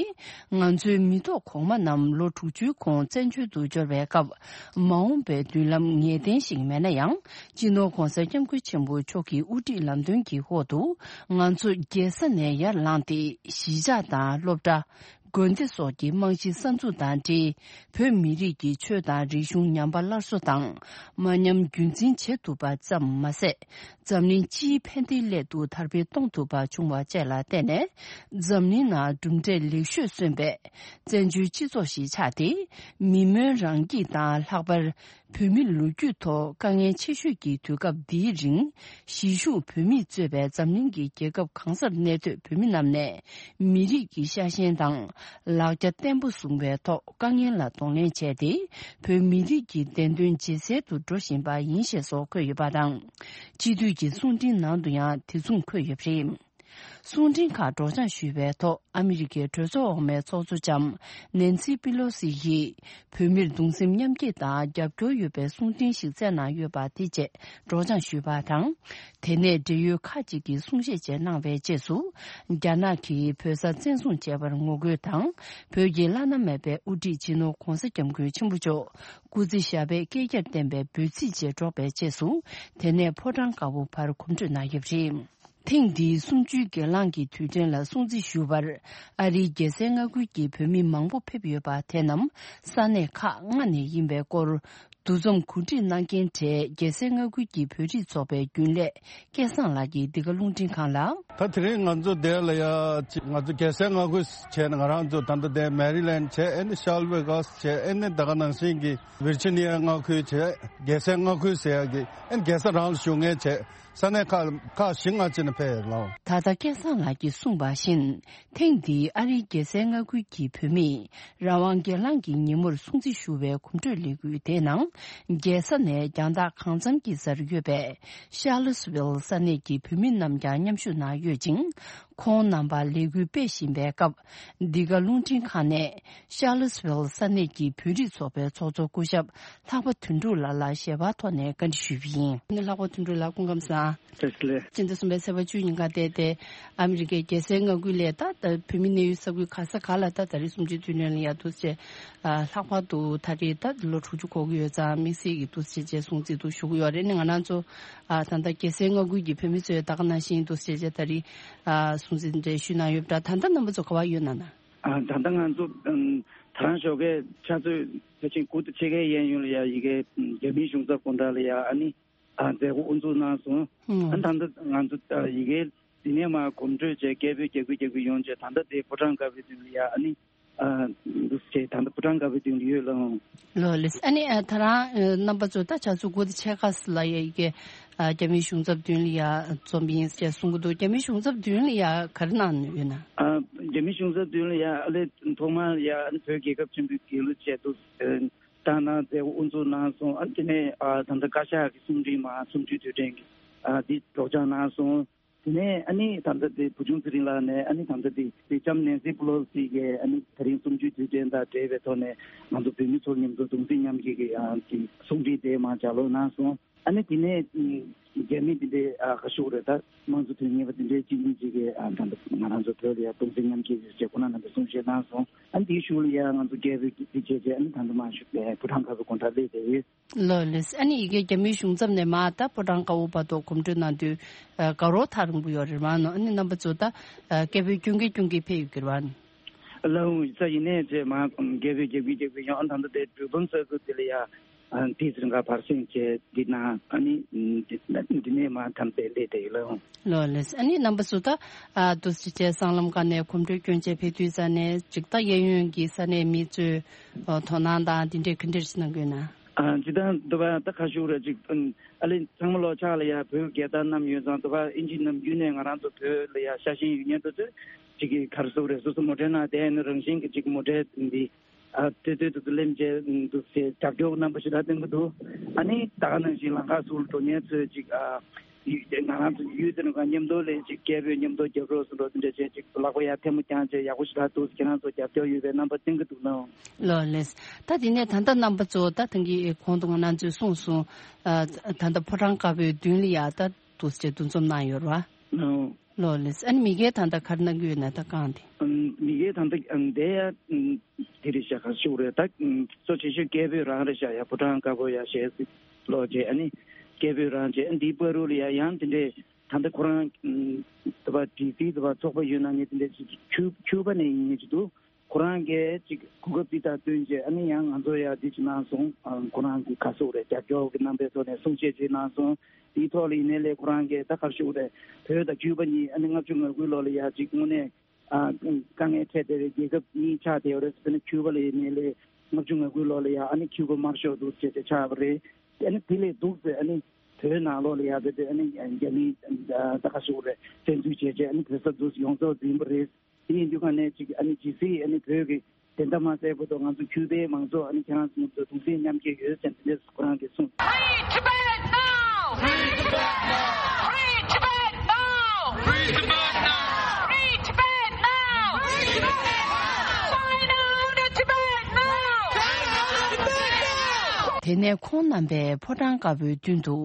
ང་ཚོའི་མི་ཐོག་གོང་མ་རྣམས་ལོ་དྲུག་ཅུའི་གོང་བཙན་བྱོལ་དུ་འབྱོར་བའི་སྐབས། མ་འོངས་པའི་མདུན་ལམ་ངེས་གཏན་ཞིག་མེད་ན་ཡང་། སྤྱི་ནོར་༧གོང་ས་༧སྐྱབས་མགོན་ཆེན་པོ་མཆོག་གི་དབུ་ཁྲིད་ལམ་སྟོན་གྱི་འོག་ཏུ། ང་ཚོ་རྒྱལ་ས་ནས་ཡར་ལངས་ཏེ། གཞིས་ཆགས་དང་སློབ་གྲྭ། དགོན་སྡེ་སོགས་ཀྱི་རྨང་གཞི་གསར་འཛུགས་དང་འབྲེལ། བོད་མི་རིགས་ཀྱི་ཆོས་དང་རིག་གཞུང་ཉམས་པ་སླར་གསོ་དང་། མ་ཉམས་རྒྱུན་འཛིན་བྱེད་ཐུབ་པ་ཙམ་མ་ཟད། འཛམ་གླིང་སྤྱིའི་ཕན་བདེའི་སླད་དུ་དར་སྤེལ་གཏོང་ཐུབ་པ་བྱུང་བ་བཅས་ལ་བརྟེན་ནས། འཛམ་གླིང་ནང་གྲུབ་འབྲས་ལེགས་ཤོས་སོན་པའི་བཙན་བྱོལ་སྤྱི་ཚོགས་ཤིག་ཆགས་ཏེ། མི་སྨོན་རང་སྐྱིད་དང་། ལྷག་པར་བོད་མི་ལོ་རྒྱུས་ཐོག་དཀའ་ངལ་ཆེ་ཤོས་ཀྱི་དུས་སྐབས་འདིའི་རིང་། གཞིས་བཞུགས་བོད་མིས་གཙོས་པའི་འཛམ་གླིང་གི་རྒྱལ་ཁབ་གང་སར་གནས་སྡོད་བོད་མི་རྣམས་ནས། མི་རིགས་ཀྱི་ཤ་ཞེན་དང་། ལག་རྒྱ་བརྟན་པོ་བཟུང་བའི་ཐོག་དཀའ་ངལ་ལ་གདོང་ལེན་བྱས་ཏེ། བོད་མི་རིགས་ཀྱི་བདེན་དོན་ཇེ་གསལ་དུ་འགྲོ་བཞིན་པ་ཡིན་ཞེས་སོགས་འཁོད་ཡོད་པ་དང་། སྤྱི་འཐུས་ཀྱི་གསུང་འཕྲིན་ནང་དུ་ཡང་དེ་མཚུངས་འཁོད་ཡོད་པ་རེད། གསུང་འཕྲིན་ཁག་སྒྲོག་སྦྱང་ཞུས་པའི་ཐོག་ཨ་མི་རི་ཀའི་གྲོས་ཚོགས་འོག་མའི་ཚོགས་གཙོ་ལྕམ་ནན་སི་པི་ལོ་སི་ཡིས། བོད་མིར་གདུང་སེམས་མཉམ་སྐྱེད་དང་རྒྱབ་སྐྱོར་ཡོད་པའི་གསུང་འཕྲིན་ཞིག་བསྩལ་གནང་ཡོད་པ་དེ་བཅས་སྒྲོག་སྦྱང་ཞུས་པ་དང་། དེ་ནས་འབྲེལ་ཡོད་ཁག་ཅིག་གིས་གསུང་བཤད་བཅས་གནང་བའི་རྗེས་སུ། རྒྱ་ནག་གིས་བོད་ས་བཙན་བཟུང་བྱས་པར་ངོ་རྒོལ་དང་། བོད་ཀྱི་བླ་ན་མེད་པའི་དབུ་ཁྲིད་སྤྱི་ནོར་༧གོང་ས་༧སྐྱབས་མགོན་ཆེན་པོ་མཆོག་སྐུ་ཚེ་ཞབས་པད་བསྐལ་བརྒྱར་བརྟན་པའི་འབོད་ཚིག་བཅས་སྒྲོག་པའི་རྗེས་སུ། དེ་ནས་ཕོ་བྲང་དཀར་པོ་བར་གོམ་བགྲོད་གནང་ཡོད་པ་རེད། ཐེངས་འདིའི་གསུམ་བཅུའི་སྒེར་ལངས་ཀྱི་དུས་དྲན་ལ་སྲུང་བརྩི་ཞུ་བར། ཨ་རིའི་རྒྱལ་སའི་མངའ་ཁུལ་གྱི་བོད་མི་མང་པོ་ཕེབས་ཡོད་པ་དེ་རྣམས་ས་གནས་ཁག་ལྔ་ནས་ཡིན་པའི་སྐོར། འདུ་འཛོམས་གོ་སྒྲིག་གནང་མཁན་གྲས་རྒྱལ་སའི་མངའ་ཁུལ་གྱི་བོད་རིགས་ཚོགས་པའི་རྒྱུན་ལས་སྐལ་བཟང་ལགས་ཀྱིས་འདི་ག་རླུང་འཕྲིན་ཁང་ལ། ད་དེ་རིང་ང་ཚོ་འདིར་ལ་ཡ་ཅིག་ང་ཚོ་རྒྱལ་སའི་མངའ་ཁུལ་བྱས་ནས་ང་རང་ཚོ་ད་ལྟ་འདིར་མེ་རི་ལེན་བྱས། ཨེ་ནི་ཤཱལ་ཝེ་གྷ་སི་བྱས། ཨེ་ནི་ད་ག་ནང་བཞིན་གྱི་ཝིར་ཇི་ནི་ཡ་མངའ་ཁུལ་བྱས། རྒྱལ་སའི་མངའ་ཁུལ་ཟེར་ཡ་གི་ཨེ་ནི་རྒྱལ་ས་རང་ལ་བཞུགས་མཁན་བྱས། ས་གནས་ཁག་ཁག་བཞི་ལྔ་ཅིག་ནས་ཕེབས་ཡོད་ལགས། ད་ལྟ་སྐལ་བཟང་ལགས་ཀྱིས་གསུངས་པ་བཞིན། ཐེངས་འདིའི་ཨ་རིའི་རྒྱལ་སའི་མངའ་ཁུལ་གྱི་བོད་མིས་རང་དབང་སྒེར་ལངས་ཀྱི་ཉིན་མོར་སྲུང་བརྩི་ཞུ་བའི་གོམ་བགྲོད་ལས་འགུལ་དེའི་ནང་། རྒྱལ་ས་ནས་རྒྱང་ཐག་གང་འཚམ་གྱི་སར་ཡོད་པའི་ཤཱ་ལི་སི་ཝིལ་ས་གནས་ཀྱི་བོད་མི་རྣམས་ཀྱང་མཉམ་ཞུགས་གནང་ཡོད་ཅིང་། ཁོང་རྣམ་པ་ལས་འགུལ་སྤེལ་བཞིན་པའི་སྐབས། འདི་ག་རླུང་འཕྲིན་ཁང་ནས་ཤཱ་ལི་སི་ཝིལ་ས་གནས་ཀྱི་བོད་རིགས་ཚོགས་པའི་ཚོགས་གཙོ་སྐུ་ཞབས་ལྷག་པ་དོན་གྲུབ་ལགས་ལ་ཞལ་པར་ཐོག་ནས་བཀའ་འདྲི་ཞུས་པ་ཡིན། ལྷག་པ་དོན་གྲུབ་ལགས་སྐུ་ཁམས་བཟང་། བཀྲ་ཤིས་བདེ་ལེགས། སྤྱི་ཟླ་གསུམ་པའི་ཚེས་པ་བཅུ་ཉིན་ཀ་བལྟས་ཏེ། ཨ་མི་རི་ཀའི་རྒྱལ་སའི་མངའ་ཁུལ་ལས་ད་ལྟ་བོད་མི་གནས་ཡུལ་ས་ཁུལ་ག་ས་ག་ལ་ད་ད་རེས་གསུམ་བཅུའི་དུས་དྲན་ལ་ཡ་འདུག་སེ། ལྷག་པར་དུ་ད་རེས་ད་ལོ་དྲུག་ཅུ་འཁོར་གྱི་ཡོད་ཙང་དམིགས་བསལ་གྱི་འདུག་སེ་བྱས་སྲུང་བརྩི་འདུག་ཞུ་གི་ཡོད་རེད། ནི་ང་རང་ཚོ་ད་ལྟ་རྒྱལ་སའི་མངའ་ཁུལ་གྱི་བོད་མི་ཚོས་ད་ག་ནང་བཞིན་འདུག་སེ་བྱས་ད་རེས་སྲུང་བརྩི་འདྲ་ཞུས་གནང་ཡོད་པ་འདྲ། ད་ལྟ་རྣམ་པ་ཚོ་ག་པར་ཡོད་ན་ན། ད་ལྟ་ང་ཚོ་ད་རང་ཞོགས་ཀས་ཕྱག་ཚོད་ཕལ་ཆེར་དགུ་དང་ཕྱེད་ཀའི་གཡས་གཡོན་ལ་ཡ་ཡི་གེ་རྒྱ་མིའི་གཞུང་ཚབ་དགོང་དག་ལ་ཡ་ཨ་ནི། ཨ་མཛད་སྒོ་དབུ་འཛུགས་གནང་སོང་། ཨ་ད་ལྟ་ང་ཚོ་ཡི་གེ་འདི་ནས་མར་གོམ་བགྲོད་བྱས། སྐད་འབོད་རྒྱག་གི་རྒྱག་གི་ཡོང་བྱས། ད་ལྟ་དེ་ཕོ་བྲང་དཀར་པོའི་མདུན་ལ་ཡ་ཨ་ནི་ ཨ་འདུག་ཅེས་ད་ལྟ་ཕོ་བྲང་དཀར་པོའི་མདུན་དུ་ཡོད་ལགས། ལགས་ལགས། ཨ་ནི་ཨ་ད་རང་ཨ་རྣམ་པ་ཚོ་ད་ཆ་ཚུགས་དགུ་དང་ཕྱེད་ཀ་ཙམ་ལ་ཡ་ཡི་གེ་ཨ་རྒྱ་མིའི་གཞུང་ཚབ་མདུན་ལ་ཡ་འཛོམས་ཡིན་ཅེས་གསུང་གི་འདུག་རྒྱ་མིའི་གཞུང་ཚབ་མདུན་ལ་ཡ་ག་རེ་གནང་ཡོད་ན། ཨ་རྒྱ་མིའི་གཞུང་ཚབ་མདུན་ལ་ཡ་ཨ་ལས་ཐོག་མར་ཡ་ཨ་ནི་བོད་རྒྱལ་ཁབ་ཆེན་པོའི་རྒྱལ་གླུ་བཅས་འདུག་ཨ་བཏང་གནང་མཛད་སྒོ་དབུ་འཛུགས་གནང་སོང་། ཨ་ནི་དེ་ནས་ཨ་ད་ལྟ་བཀའ་ཤག་གི་གསུང་འཕྲིན་མ་གསུམ་བཅུའི་དུས་དྲན་གྱི་ཨ་འདི་སྒྲོག་སྦྱང་གནང་སོང་། དེ་ནས་ཨ་ནི་ད་ལྟ་དེ་བུ་ཆུང་ཚེ་རིང་ལགས་ནས་ཨ་ནི་ད་ལྟ་དེ་སེང་ལྕམ་ནེན་སི་པེ་ལོ་སི་གིས་ཨ་ནི་དེ་རིང་གསུམ་བཅུའི་དུས་དྲན་དང་འབྲེལ་བའི་ཐོག་ནས་ང་ཚོ་བོད་མི་ཚོ་མཉམ་དུ་གདུང་སེམས་མཉམ་སྐྱེད་ཀྱི་ཨ་ཀྱི་གསུང་འཕྲིན་དེ་མར་ལྗགས་ཀློག་གནང་སོང་། ཨ་ནི་དེ་ནས་རྒྱ་མི་དེ་འདྲའི་ཨ་ག་ཞུ་དགོས་རེད། ད་དམངས་གཙོ་དོན་གཉེར་བ་དེ་འདྲའི་གཅིག་གཉིས་ཅིག་གིས་ཨ་ད་ལྟ་ང་རང་ཚོ་བོད་ལ་ཡ་གདུང་སེམས་མཉམ་སྐྱེད་ཀྱི་ཞེས་ཁོང་རྣམ་པས་གསུང་བཤད་གནང་སོང་། ཨ་ནི་དེའི་གཞུག་ལ་ཡ་ང་ཚོ་རྒྱལ་པོའི་དཀྱིལ་བྱས་རྗེས་ཨ་ནི་ད་ལྟ་མར་ཞུ་བའི་ཕོ་བྲང་དཀར་པོའི་སྒོ་འགྲམ་སླེབས་བསྡད་ཡོད། ལགས་ལགས། ཨ་ནི་ཡི་གེ་རྒྱ་མིའི་གཞུང་ཚབ་ནས་མར་ད་ཕོ་བྲང་དཀར་པོ་བར་དུ་གོམ་བགྲོད་གནང་དུས་ཨ་དགའ་རབ་ཐག་རིང་པོ་ཡོད་རེད་མ་ནོ། ཨ་ནི་རྣམ་པ་ཚོ་ད་ཨ་སྐད་འབོད་སྐྱོན་གི་སྐྱོན་གི་ཕེབས་ཡོད་ཀྱི་རེད་བ། ལགས་འོང་ས་ཡིན་ནས་ཅེས་མར་སྐད་འབོད་རྒྱག་གི་རྒྱག་གི་ཡོང་། ཨ་ད་ལྟ་དེ་གྲོས་འབུམ་ས་ཁུལ་དེ་ལ་ཡ་ཨ་དེ་ཚོ་རིང་ག་བར་སེང་བྱས་འདི་ན་ཨ་ནི་འདི་འདི་ནས་མར་ཐམས་ཅད་སླེབས་བསྡད་ཡོད། ལགས་འོང་། ལགས་ལགས། ཨ་ནི་རྣམ་པ་ཚོ་ད་ཨ་འདུག་སེ་བྱས་སྲང་ལམ་ཁ་ནས་གོམ་བགྲོད་སྐྱོན་བྱས་ཕེབས་དུས་ས་ནས་ཅིག་ད་གཡས་གཡོན་གྱི་ས་གནས་མི་ཚོས་ཨ་དོ་སྣང་དང་འདི་འདྲའི་ག་འདྲ་ཞིག་གནང་གི་ཡོད་ན། ཨ་ཇི་ལྟར་འདུག་པ་ད་ཁ་ཤུགས་རེ་ཅིག་ཨ་ལེ་ཚང་མ་ལོ་ཕྱག་ལ་ཡ་བོད་རྒྱལ་དར་བསྣམས་ཡོད་ཙང་འདུག་པ་ཨིན་ཇི་ནམ་རྒྱུན་ནས་ང་རང་ཚོ་བོད་ལ་ཡ་ཤ་ཞེན་ཡོད་མཁན་དེ་ཚོས་ཅིག་གི་ག་རེ་ཟེར་དགོས་རེད། སོ་སོ་མོ་ཊའི་ནང་བསྡད་ནས་རང་བཞིན་གྱི་ཅིག་མོ་ཊའི་འདི་ཨ་ལྟོས་ལྟོས་དུ་དུ་ལེན་བྱས་འདུག་ཟེར་རྒྱབ་སྐྱོར་རྣམ་པ་ཞིག་ལ་བསྟན་གྱི་འདུག་ཨ་ནི་ད་ག་ནང་བཞིན་ལམ་ཁ་ཟུར་འགྲོ་མཁན་ཚོས་ཅིག་ཨ་ཡུལ་ང་རང་ཚོ་ཡུལ་དེ་ནང་ག་མཉམ་དུ་ལས་ཅིག་སྐད་འབོད་མཉམ་དུ་རྒྱབ་རོགས་སུ་འགྲོ་དེ་འདྲ་བྱས་ཅིག་ལག་པ་ཡར་ཐལ་མོ་བརྐྱངས་བྱས་ཡག་པོ་ཞིག་ལ་འདུག་ཁྱེད་རང་ཚོ་རྒྱབ་སྐྱོར་ཡོད་པའི་རྣམ་པ་བསྟན་གྱི་འདུག་ནའང་། ལགས་ལགས། ད་དེ་ནས་ད་ལྟ་རྣམ་པ་ཚོ་ད་ཐེངས་ཀྱི་གོང་དུ་ང་རང་ཚོས་གསུངས་སོང་། ཨ་ད་ལྟ་ཕོ་བྲང་དཀར་པོའི་མདུན་ལ་ཡ་ད་འདུག་སེ་འདུ་འཛོམས་གནང་ཡོད་རེད་བ། ཨོ། ལགས་ལགས། ཨ་ནི་མི་སྒེར་ད་ལྟ་ག་རེ་གནང་གི་ཡོད་ན་ད་གང་དེ། ཨམ་མི་སྒེར་ད་ལྟ་ཨམ་དེ་ཡ་ཨམ་དེ་རེད་ཤག་ག་ཞུ་རེད་ད། ཨམ་གཙོ་ཆེ་ཤོས་སྐད་འབོད་རང་རེད་ཤག་ཡ་ཕོ་བྲང་དཀར་པོ་ཡ་ཞེས་སི་ལོ་རྗེ་ཨ་ནི་སྐད་འབོད་རང་རྗེས་ཨ་འདིའི་བར་དུ་ལ་ཡ་ཡང་དེ་འདྲས་ད་ལྟ་ཁོ་རང་ཨམ་དུ་བ་ཌི་སི་དུ་བ་ཚོགས་པ་ཡོད་ན་ངས་དེ་འདྲས་ཅིག་ཁྱུ་ཁྱུ་པ་ནས་ཡིན་ངེས་ཅིག་འདུག་ཁོ་རང་གིས་ཅིག་གོ་སྐབས་འདི་དང་བསྟུན་བྱས་ཨ་ནི་ཡང་ང་ཚོ་ཡ་འདི་ཅིག་གནང་སོང་། ཨ་ཁོ་རང་གི་ག་སོག་རེད་རྒྱབ་སྐྱོར་གྱི་རྣམ་པའི་ཐོག་ནས་གསུང་བཤད་ཅིག་གནང་སོང་། དེའི་ཐོག་ལ་ཡིན་ནའི་ལས་ཁོ་རང་གིས་ད་ག་རེ་ཞུ་དགོས་རེད། བོད་དང་ཁྱུ་པ་གཉིས་ཨ་ནི་ལྔ་བཅུ་ང་དགུའི་ལོ་ལ་ཡ་ཅིག་དངོས་གནས་ཨ་དཀའ་ངལ་འཕྲད་བསྡད་པའི་རྒྱལ་ཁབ་གཉིས་ཆགས་བསྡད་ཡོད་རེད། ཨ་ནི་ཁྱུ་པ་ལ་ཡིན་ནའི་ལས་ལྔ་བཅུ་ང་དགུའི་ལོ་ལ་ཡ་ཨ་ནི་ཁྱུ་པ་དམར་ཤོག་འདུག་ཅེས་དེ་ཆགས་པ་རེད། ཨ་ནི་དེ་ལས་སྡུག་ཚེ་ཨ་ནི་བོད་ནང་ལོགས་ལ་ཡ་དེ་དེ་ཨ་ནི་རྒྱ་མིའི་ད་ག་རེ་ཞུ་དགོས་རེད། བཙན་འཛུལ་བྱས་བྱས་ཨ་ནི་བོད་ས་འདུག་ཡོངས་རྫོགས་འཛིན་པ་རེད། དེ་ཡིན་དུས་ག་ནས་ཅིག་ཨ་ནི་ཇི་སྲིད་ཨ་ནི་བོད་ཀྱི་བདེན་མཐའ་མ་གསལ་བར་དུ་ང་ཚོ་ཁྱུ་པའི་མང་ཚོགས་ཨ་ནི་ཁྱེད་རང་ཚོ་མཉམ་དུ་གདུང་སེམས་མཉམ་སྐྱེད་ཡོད་ཟེར་ནས་དེ་འདྲས་ཁོ་རང་གིས་གསུངས། Free Tibet now! Free Tibet now! Free Tibet now! Free Tibet now! Free Tibet now! China out of Tibet now! China out of Tibet now! དེ་ནས་ཁོང་རྣམ་པས་ཕོ་བྲང་དཀར་པོའི་མདུན་དུ་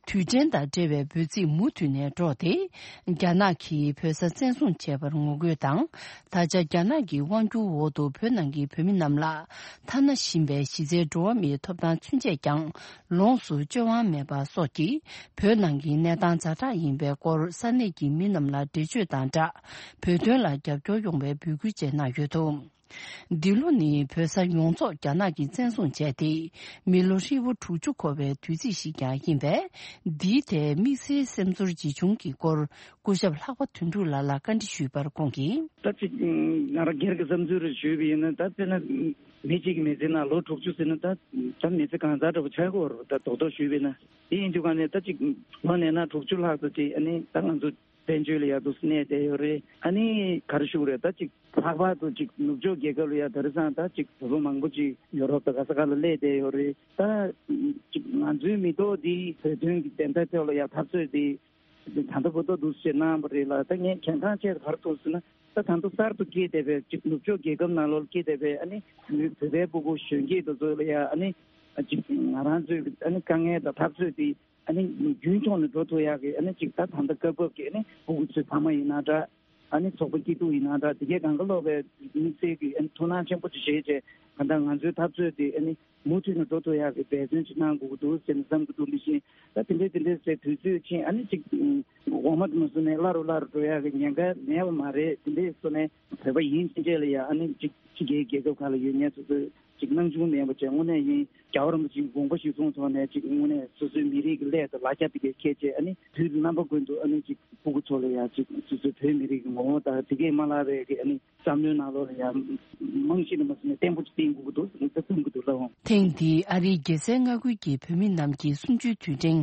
དུས་དྲན་དང་འབྲེལ་བའི་འབོད་ཚིག་མུ་མཐུད་ནས་སྒྲོག་སྟེ། རྒྱ་ནག་གིས་བོད་ས་བཙན་བཟུང་བྱས་པར་ངོ་རྒོལ་དང་། ད་ཆ་རྒྱ་ནག་གི་དབང་སྒྱུར་འོག་ཏུ་བོད་ནང་གི་བོད་མི་རྣམས་ལ་ཐ་ན་ཞིང་པའི་གཞི་རྩའི་འགྲོ་བ་མིའི་ཐོབ་ཐང་ཚུན་ཆད་ཀྱང་ལོངས་སུ་སྤྱོད་དབང་མེད་པ་སོགས་ཀྱིས་བོད་ནང་གི་གནས་སྟངས་ཛ་དྲག་ཡིན་པའི་སྐོར་ས་གནས་ཀྱི་མི་རྣམས་ལ་འགྲེལ་བརྗོད་དང་སྦྲགས། བོད་དོན་ལ་རྒྱབ་སྐྱོར་ཡོང་བའི་འབོད་སྐུལ་བཅས་གནང་ཡོད་འདུག་འདི་ལོ་ནི་བོད་ས་ཡོངས་རྫོགས་རྒྱ་ནག་གིས་བཙན་བཟུང་བྱས་ཏེ། མི་ལོ་ཧྲིལ་པོ་དྲུག་ཅུ་འཁོར་བའི་དུས་ཚིགས་ཤིག་ཀྱང་ཡིན་པས། འདིའི་ཐད་དམིགས་བསལ་སེམས་ཚོར་ཇི་བྱུང་གི་སྐོར་སྐུ་ཞབས་ལྷག་པ་དོན་གྲུབ་ལགས་ལ་བཀའ་འདྲི་ཞུས་པར་ཁོང་གིས། ད་ཅིག་ང་རང་སྒེར་གྱི་བསམ་ཚུལ་རེ་ཞུས་པ་ཡིན་ན། ད་དཔེར་ན་མི་གཅིག་གི་མི་ཚེ་ནང་ལོ་དྲུག་ཅུ་ཟེར་ན་ད་ད་མི་ཚེ་གང་ཙམ་འདྲ་པོ་ཆགས་ཀྱི་ཡོད་རེད། ད་རྡོག་རྡོག་ཞུས་པ་ཡིན་ན། དེ་ཡིན་དུས་ག་ནས་ད་ཅིག་ལོ་ནས་ན་དྲུག་ཅུ་ལྷག་ཙམ་ཅིག་ཨ་ནི་ད་ང་ཚོ་བཙན་བྱོལ་ལ་ཡ་འདུག་གནས་བསྡད་ཡོད་རེད། ཨ་ནི་ག་རེ་ཞུ་དགོས་རེད། ད་ཅིག་ལྷག་པར་དུ་ཅིག་ནུབ་ཕྱོགས་རྒྱལ་ཁབ་ལ་ཡ་དེང་སང་ད་ཅིག་བོད་པ་མང་པོ་ཅིག་ཡོ་རོབ་དང་ག་ས་ག་ལ་སླེབས་བསྡད་ཡོད་རེད། ད་ཅིག་ང་ཚོའི་མི་ཐོག་འདི་བོད་དོན་གྱི་བདེན་མཐའ་ཐོག་ལ་ཡ་འཐབ་རྩོད་འདི་ད་ལྟ་བར་དུ་འདུག་སེ་གནང་བ་རེད་ལ། ད་ངས་གལ་འགངས་ཆེ་ག་རེ་མཐོང་ཟེར་ན། ད་ད་ལྟ་གསར་དུ་སྐྱེས་བསྡད་པའི་ཅིག་ནུབ་ཕྱོགས་རྒྱལ་ཁབ་ནང་ལོགས་སྐྱེས་བསྡད་པའི་ཨ་ནི་བོད་པའི་ཕྲུ་གུ་གཞོན་སྐྱེས་དེ་ཚོ་ལ་ཡ་ཨ་ནི་ཅིག་ང་རང་ཚོའི་ཨ་ནི་དཀའ་ངལ་དང་འཐབ་རྩོད་འདི་ཨ་ནི་རྒྱུན་འཁྱོངས་ནས་འགྲོ་ཐུབ་ཡག་གི་ཨ་ནི་ཅིག་ད་ད་ལྟ་སྐབས་བབ་ཀྱི་ཨ་ནི་ཕྲུ་གུ་ཚོའི་ཕ་མ་ཡིན་ན་འདྲ། ཨ་ནི་ཚོགས་པ་སྐྱིད་སྡུག་ཡིན་ན་འདྲ། དེ་གའི་གང་ག་ལོག་པའི་དམིགས་བསལ་གྱི་ཨ་ནི་ཐུགས་སྣང་ཆེན་པོ་ཅིག་བཞེས་བྱས་གང་ལྟར་ང་ཚོའི་འཐབ་རྩོད་དེ་ཨ་ནི་མུ་མཐུད་ནས་འགྲོ་ཐུབ་ཡག་གི་འབད་བརྩོན་ཅིག་གནང་དགོས་ཀྱི་འདུག་ཟེར་ནས་བསམ་གྱི་འདུག་མི་ཤེས། ད་དེ་འདྲའི་དེ་འདྲའི་ཟེར་དུས་ཚོད་ཕྱིན་ཨ་ནི་ཅིག་འོ་མ་དུ་མ་བཟོས་ནས་སླ་རུ་སླ་རུ་འགྲོ་ཡག་གི་ཉེན་ཁ་མེད་པ་མ་རེད། དེ་འདྲའི་བཟོ་ནས་བོད་པ་ཡིན་ཕྱིན་ཆད་ལ་ཡ་ཨ་ནི་ཅིག་ཕྱི་རྒྱལ་རྒྱལ་ཁབ་ཁག་ལ་ཡོད་མཁན་ཚོ་ཚོས་ སྣང་ཆུང་མེད་པ་བྱས་དངོས་གནས་ཡིན། རྒྱལ་བ་རིན་པོ་ཆེའི་དགོངས་པ་གཞིར་བཟུང་ཐོག་ནས་ཅིག་དངོས་གནས་སོ་སོའི་མི་རིགས་ཀྱི་སླད་དུ་ལ་རྒྱ་དེ་གས་འཁྱེར་བྱས། ཨ་ནི་དུས་རྣམ་པ་ཀུན་ཏུ་ཨ་ནི་ཅིག་ཕྲུ་གུ་ཚོ་ལ་ཡང་ཅིག་སོ་སོའི་བོད་མི་རིགས་ཀྱི་ངོ་བོ་དང་དེ་གས་མ་བརླག་པའི་གི་ཨ་ནི་བསམ་བློའི་ནང་ལོགས་ལ་ཡང་རྨང་གཞི་ནས་མ་ཟིན་ནས་བརྟན་པོ་ཅིག་བཏིང་དགོས་ཀྱི་འདུག་ཟེར་ནས་ད་གསུང་གི་འདུག་ལགས། ཐེངས་འདིའི་ཨ་རིའི་རྒྱལ་སའི་མངའ་ཁུལ་གྱི་བོད་མི་རྣམས་ཀྱི་གསུམ་བཅུའི་དུས་དྲན་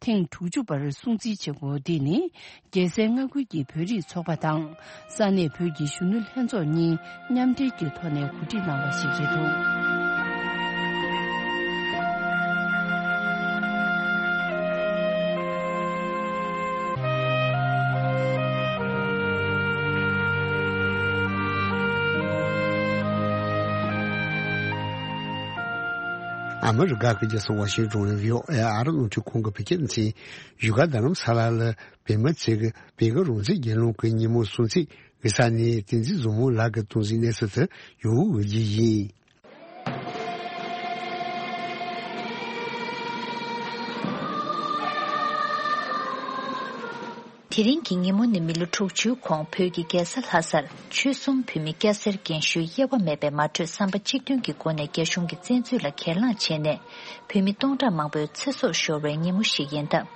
ཐེངས་དྲུག་ཅུ་པར་སྲུང་བརྩི་བྱེད་སྒོ་འདི་ནི། རྒྱལ་སའི་མངའ་ཁུལ་གྱི་བོད་རིགས་ཚོགས་པ་དང་ས་གནས་བོད་ཀྱི་གཞོན་ནུ་ལྷན་ཚོགས་གཉིས་མཉམ་འབྲེལ་གྱི་ཐོག་ནས་གོ་སྒྲིག་གནང་བ་ཞིག་རེད་འདུག། ཨ་མི་རི་ཀ་གི་རྒྱལ་ས་ཝ་ཤིང་ཏོན་ནས་བྷི་ཨོ་ཨེ་ཨ་རི་རླུང་འཕྲིན་ཁང་གི་བོད་སྐད་སྡེ་ཚན། བཞུགས་སྒར་རྡ་རམ་ས་ལ་ལ་བོད་མི་ཚོས་བོད་ཀྱི་རང་བཙན་རྒྱལ་ལོངས་ཀྱི་ཉིན་མོ་སྲུང་བརྩི་ཞུ་ས་ནས་བསྟན་འཛིན་བཟང་མོ་ལགས་ཀྱིས་གཏོང་གཟིགས་གནང་ས་དེར་ཡོང་འོས་ཀྱི་ཡིན། དེ་རིང་གི་ཉིན་མོ་ནི་མི་ལོ་དྲུག་ཅུའི་གོང་བོད་ཀྱི་རྒྱལ་ས་ལྷ་སར་ཆོལ་གསུམ་བོད་མི་སྐྱ་སེར་རྒན་གཞོན་དབྱེ་བ་མེད་པའི་མ་གྲོས་བསམ་པ་གཅིག་མཐུན་གྱི་སྒོ་ནས་རྒྱ་གཞུང་གི་བཙན་འཛུལ་ལ་གྱེན་ལངས་བྱས་ནས་བོད་མི་སྟོང་ཕྲག་མང་པོའི་ཚེ་སྲོག་ཤོར་བའི་ཉིན་མོ་ཞིག་ཡིན་སྟབས།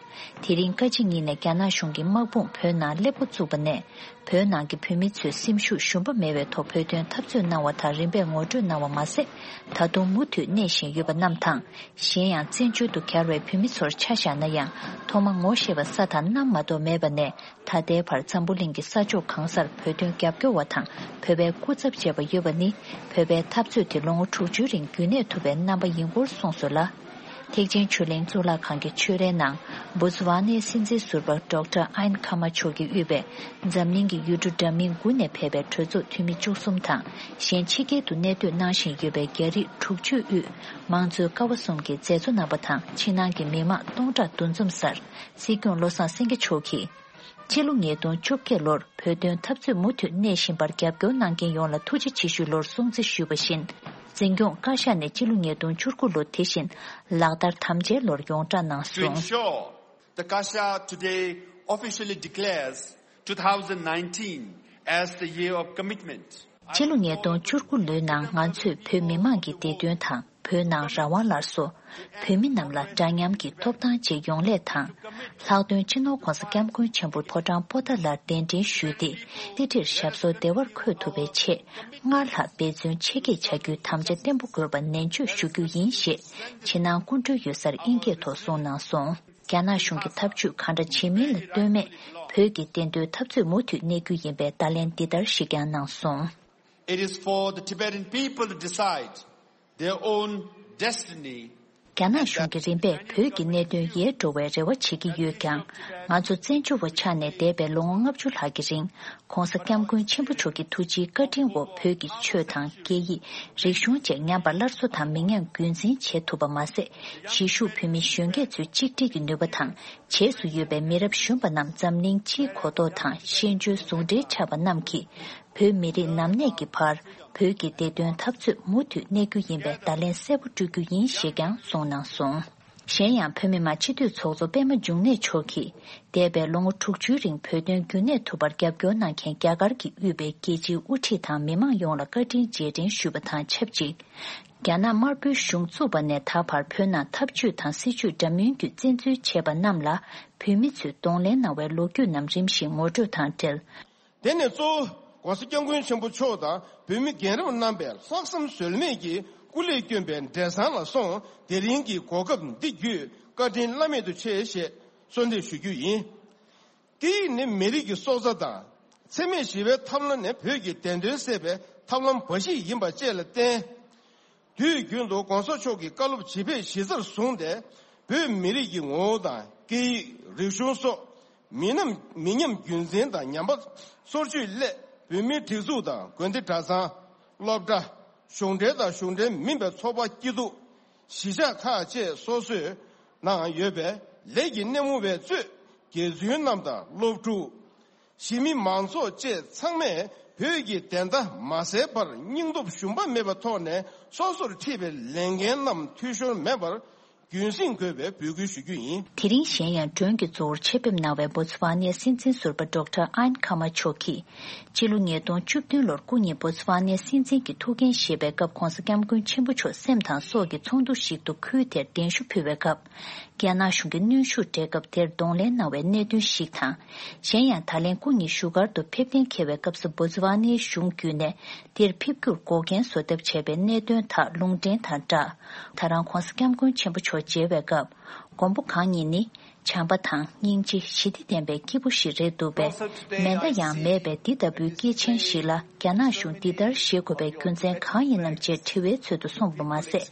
དེ་རིང་བཀའ་སྤྱི་གཉིས་ནས་རྒྱ་ནག་གཞུང་གི་དམག་དཔུང་བོད་ནང་སླེབས་འགོ་བཙུགས་པ་ནས། བོད་ནང་གི་བོད་མི་ཚོས་སེམས་ཤུགས་ཞུམ་པ་མེད་པའི་ཐོག་བོད་དོན་འཐབ་རྩོད་གནང་བ་དང་རིམ་པས་ངོ་སྤྲོད་གནང་བ་མ་ཟད། ད་དུང་མུ་མཐུད་གནས་བཞིན་ཡོད་པ་རྣམས་དང་། གཞན་ཡང་བཙན་བྱོལ་དུ་གྱར་བའི་བོད་མི་ཚོར་ཆ་བཞག་ན་ཡང་ཐོག་མ་ངོ་ཤེས་པ་ས་དང་གནམ་མ་གཏོགས་མེད་པ་ནས། ད་ལྟའི་བར་འཛམ་བུ་གླིང་གི་ས་ཕྱོགས་གང་སར་བོད་དོན་རྒྱབ་སྐྱོར་བ་དང་བོད་པའི་སྐུ་ཚབ་བྱས་པ་ཡོད་པ་ནི། བོད་པའི་འཐབ་རྩོད་དེ་ལོ་ངོ་དྲུག་ཅུའི་རིང་རྒྱུན་གནས་ཐུབ་པའི་རྣམ་པ་ཡིན་སྐོར་གསུངས་སོང་ལ། ཐེག་ཆེན་ཆོས་གླིང་གཙུག་ལག་ཁང་གི་ཆོས་རའི་ནང་། བོ་ཙི་ཝཱ་ནའི་སྲིད་འཛིན་ཟུར་པ་ཌོག་ཊར་ཨན་ཁ་མ་མཆོག་གིས་དབུས་པའི་འཛམ་གླིང་གི་ཡུལ་གྲུ་འདྲ་མིན་དགུ་ནས་ཕེབས་པའི་གྲོས་ཚོགས་འཐུས་མི་བཅུ་གསུམ་དང་། གཞན་ཕྱི་རྒྱལ་དུ་གནས་སྡོད་གནང་བཞིན་ཡོད་པའི་རྒྱ་རིགས་དྲུག་ཅུའི་དབུས་མང་གཙོའི་ཀ་བ་གསུམ་གྱི་མཛད་གཙོ་རྣམ་པ་དང་། ཕྱི་ནང་གི་མི་མང་སྟོང་ཕྲག་འདུ་འཛོམས་སར། སྲིད་སྐྱོང་བློ་བཟང་སེང་གེ་མཆོག་གིས། སྤྱི་ལོ་ཉིས་སྟོང་བཅོ་བརྒྱད་ལོར་བོད་དོན་འཐབ་རྩོད་མུ་མཐུད་གནས་བཞིན་པར་རྒྱབ་སྐྱོར་གནང་མཁན་ཡོངས་ལ་ཐུགས་རྗེ་ཆེ་ཞུའི་ལོར་སྲུང་བརྩི་ཞུས་པ་བཞིན། འཛིན་སྐྱོང་བཀའ་ཤག་ནས་སྤྱི་ལོ་ཉིས་སྟོང་བཅུ་དགུ་ལོ་དེ་བཞིན་ལག་བསྟར་དམ་བཅའི་ལོར་ཡོངས་བསྒྲགས་གནང་སོང་། Ensure the Kasha today officially declares two thousand nineteen as the year of commitment. སྤྱི་ལོ་ཉིས་སྟོང་བཅུ་དགུ་ལོའི་ནང་ང་ཚོས་བོད་མི་མང་གི་བདེ་དོན་དང་། བོད་ནང་རང་དབང་སླར་གསོ། བོད་མི་རྣམས་ལ་འདྲ་མཉམ་གྱི་ཐོབ་ཐང་བཅས་ཡོང་སླད་དང་། ལྷག་དོན་སྤྱི་ནོར་༧གོང་ས་༧སྐྱབས་མགོན་ཆེན་པོ་ཕོ་བྲང་པོ་ཏཱ་ལར་གདན་འདྲེན་ཞུས་ཏེ། ཏི་ཏིར་ཞབས་སོར་བདེ་བར་འཁོད་ཐུབ་པའི་ཆེད། སྔར་ལྷག་འབད་བརྩོན་ཆེ་བསྐྱེད་བྱ་རྒྱུའི་དམ་བཅའ་བརྟན་པོ་དགོས་པ་ནན་བརྗོད་ཞུ་རྒྱུ་ཡིན་ཞེས། ཕྱི་ནང་སྐུ་མགྲོན་ཡོད་སར་དབྱིན་སྐད་ཐོག་གསུངས་གནང་སོང་། རྒྱ་ནག་གཞུང་གིས་ཐབས་ཇུས་གང་འདྲ་བྱེད་མིན་ལ་ལྟོས་མེད། བོད་ཀྱི་བདེན་དོན་འཐབ་རྩོད་མུ་མཐུད་གནས་རྒྱུ་ཡིན་པའི་བརྡ་ལན་འདི་ལྟར་ཞིག་ཀྱང་གནང་སོང་། It is for the Tibetan people to decide their own destiny. རྒྱ་ནག་གཞུང་གིས་རིམ་པས་བོད་ཀྱི་གནད་དོན་ཡལ་འགྲོ་བའི་རེ་བ་བྱེད་ཀྱི་ཡོད་ཀྱང་། ང་ཚོ་བཙན་བྱོལ་བ་ཆགས་ནས་འདས་པའི་ལོ་ངོ་ལྔ་བཅུ་ལྷག་གི་རིང་།༧གོང་ས་༧སྐྱབས་མགོན་ཆེན་པོ་མཆོག་གི་ཐུགས་རྗེའི་བཀའ་དྲིན་འོག་བོད་ཀྱི་ཆོས་དང་སྐད་ཡིག་རིག་གཞུང་བཅས་ཉམས་པ་སླར་གསོ་དང་མི་ཉམས་རྒྱུན་འཛིན་བྱེད་ཐུབ་པ་མ་ཟད། གཞིས་བཞུགས་བོད་མི་གཞོན་སྐྱེས་ཚོའི་གཅིག་སྒྲིལ་གྱི་ནུས་པ་དང་། རྗེས་སུ་ཡོད་པའི་མི་རབས་གཞོན་པ་རྣམས་འཛམ་གླིང་སྤྱིའི་གོ་རྟོགས་དང་ཤེས་འཇོན་ཟུང་འབྲེལ་ཆགས་པ་རྣམས་ཀྱིས། བོད་མི་རིགས་ནམ་གནས་ཀྱི་བར། བོད་ཀྱི་བདེ་དོན་འཐབ་རྩོད་མུ་མཐུད་གནས་རྒྱུ་ཡིན་པའི་བརྡ་ལན་གསལ་པོ་སྤྲོད་རྒྱུ་ཡིན་ཞེས་ཀྱང་གསུངས་གནང་སོང་། གཞན་ཡང་བོད་མི་མང་སྤྱི་འཐུས་ཚོགས་གཙོ་པད་མ་འབྱུང་གནས་མཆོག་གིས། འདས་པའི་ལོ་ངོ་དྲུག་ཅུའི་རིང་བོད་དོན་རྒྱུན་གནས་ཐུབ་པར་རྒྱབ་སྐྱོར་གནང་མཁན་རྒྱ་གར་གྱིས་དབུས་པའི་རྒྱལ་སྤྱིའི་དབུ་ཁྲིད་དང་མི་མང་ཡོངས་ལ་བཀའ་དྲིན་རྗེས་དྲན་ཞུས་པ་དང་ཆབས་ཅིག་རྒྱ་ནག་དམར་པོའི་གཞུང་བཙུགས་པ་ནས་ད་བར་བོད་ནང་ཐབས་ཇུས་དང་སྲིད་ཇུས་འདྲ་མིན་བརྒྱུད་བཙན་འཛུལ་བྱས་པ་རྣམས་ལ་བོད་མི་ཚོས་གདོང་ལེན་གནང་བའི་ལོ་རྒྱུས་རྣམས་རིམ་བཞིན་ངོ་སྤྲོད་དང་འབྲེལ། དེ་ནས་གཙོ་བོ་༧གོང་ས་༧སྐྱབས་མགོན་ཆེན་པོ་མཆོག་དང་བོད་མི་རྒན་རབས་རྣམ་པས་ལྷག་བསམ་ཟོལ་མེད་ཀྱིས་སྐུ་ལས་བསྐྱོན་པའི་འབྲས་བཟང་ལ་སོང་། དེ་རིང་གི་གོ་སྐབས་འདི་བརྒྱུད་བཀའ་དྲིན་བླ་མེད་དུ་ཆེ་ཞེས་གསོལ་འདེབས་ཞུ་རྒྱུ་ཡིན། སྐད་ཡིག་ནི་མི་རིགས་ཀྱི་སྲོག་རྩ་དང་། འཚེ་མེད་ཞི་བའི་ཐབས་ལམ་ནི་བོད་ཀྱི་བདེན་དོན་གསལ་བའི་ཐབས་ལམ་འབའ་ཞིག་ཡིན་པ་བཅས་ལ་བརྟེན། དུས་རྒྱུན་དུ་གོང་ས་མཆོག་གི་བཀའ་སློབ་ཇི་ཕེབས་གཞི་རྩར་བཟུང་སྟེ། བོད་མི་རིགས་ཀྱི་ངོ་བོ་དང་སྐད་ཡིག་རིག་གཞུང་སོགས་མི་ཉམས་མི་ཉམས་རྒྱུན་འཛིན་དང་ཉམས་པ་སོར་ཆུད་སླད། བོད་མིའི་སྒྲིག་འཛུགས་དང་དགོན་སྡེ་གྲྭ་ཚང་། སློབ་གྲྭ། གཞུང་འབྲེལ་དང་གཞུང་འབྲེལ་མིན་པའི་ཚོགས་པ་སྐྱིད་སྡུག་གཞིས་ཆགས་ཁག་བཅས་སོ་སོའི་ནང་ཡོད་པའི་ལས་ཀྱི་སྣེ་མོ་བའི་གཙོས་དགེ་ཚུལ་རྣམས་དང་སློབ་ཕྲུག་གཞིས་མི་མང་ཚོགས་བཅས་ཚང་མས་བོད་ཀྱི་བདེན་མཐའ་མ་གསལ་བར་སྙིང་སྟོབས་ཞུམ་པ་མེད་པའི་ཐོག་ནས་སོ་སོར་འཁྲིད་པའི་ལས་འགན་རྣམས་འཐུས་ཤོར་མེད་པར་ རྒྱུན་སྲིང་དགོས་པའི་འབོད་སྐུལ་ཞུ་རྒྱུ་ཡིན། དེ་རིང་གཞན་ཡང་མགྲོན་གྱི་གཙོ་བོར་ཆེད་ཕེབས་གནང་བའི་བོ་ཚི་ཝ་ནའི་སྲིད་འཛིན་ཟུར་པ་ཌོག་ཊར་ཨན་ཁ་མ་མཆོག་གིས། སྤྱི་ལོ་ཉིས་སྟོང་བཅུ་བདུན་ལོར་སྐུ་ཉིད་བོ་ཚི་ཝ་ནའི་སྲིད་འཛིན་གྱི་ཐུགས་འགན་བཞེས་པའི་སྐབས་༧གོང་ས་༧སྐྱབས་མགོན་ཆེན་པོ་མཆོག་སེམས་དང་སྲོག་གི་ཚོགས་འདུ་ཞིག་ཏུ་ཁུལ་དེར་གདན་ཞུ་ཕུལ་བའི་སྐབས། རྒྱ་ནག་གཞུང་གིས་གནོན་ཤུགས་སྤྲད་སྐབས་དེར་གདོང་ལེན་གནང་བའི་གནད་དོན་ཞིག་དང་། གཞན་ཡང་ད་ལན་སྐུ་ཉིད་བཞུགས་སྒར་དུ་ཕེབས་གཏན་འཁེལ་བའི་སྐབས་སུ་བོ་ཚི་ཝ་ནའི་གཞུང་བརྒྱུད་ནས་དེར་ཕེབས་རྒྱུར་འགོག་རྐྱེན་བཟོ་ཐབས་བྱས་པའི་གནད་དོན་དག་ལུང་འདྲེན་དང་སྦྲགས། ད་རང་༧གོང་ས་༧སྐྱབས་མགོན་ཆེན་པོ་མཆོག་མཇལ་བའི་སྐབས། མགོན་པོ་གང་ཉིད་ནི། བྱམས་པ་དང་སྙིང་རྗེ་ཞི་བདེ་ལྡན་པའི་སྐྱེས་བུ་ཞིག་རེད་འདུག་པས། མེ་མདའ་ཡང་མེད་པའི་འདི་ལྟ་བུའི་སྐྱེས་ཆེན་ཞིག་ལ་རྒྱ་ནག་གཞུང་འདི་ལྟར་བཞེད་དགོས་པའི་རྒྱུ་མཚན་གང་ཡིན་ནམ་ཅེས་དྲི་བའི་ཚུལ་དུ་གསུངས་པ་མ་ཟད།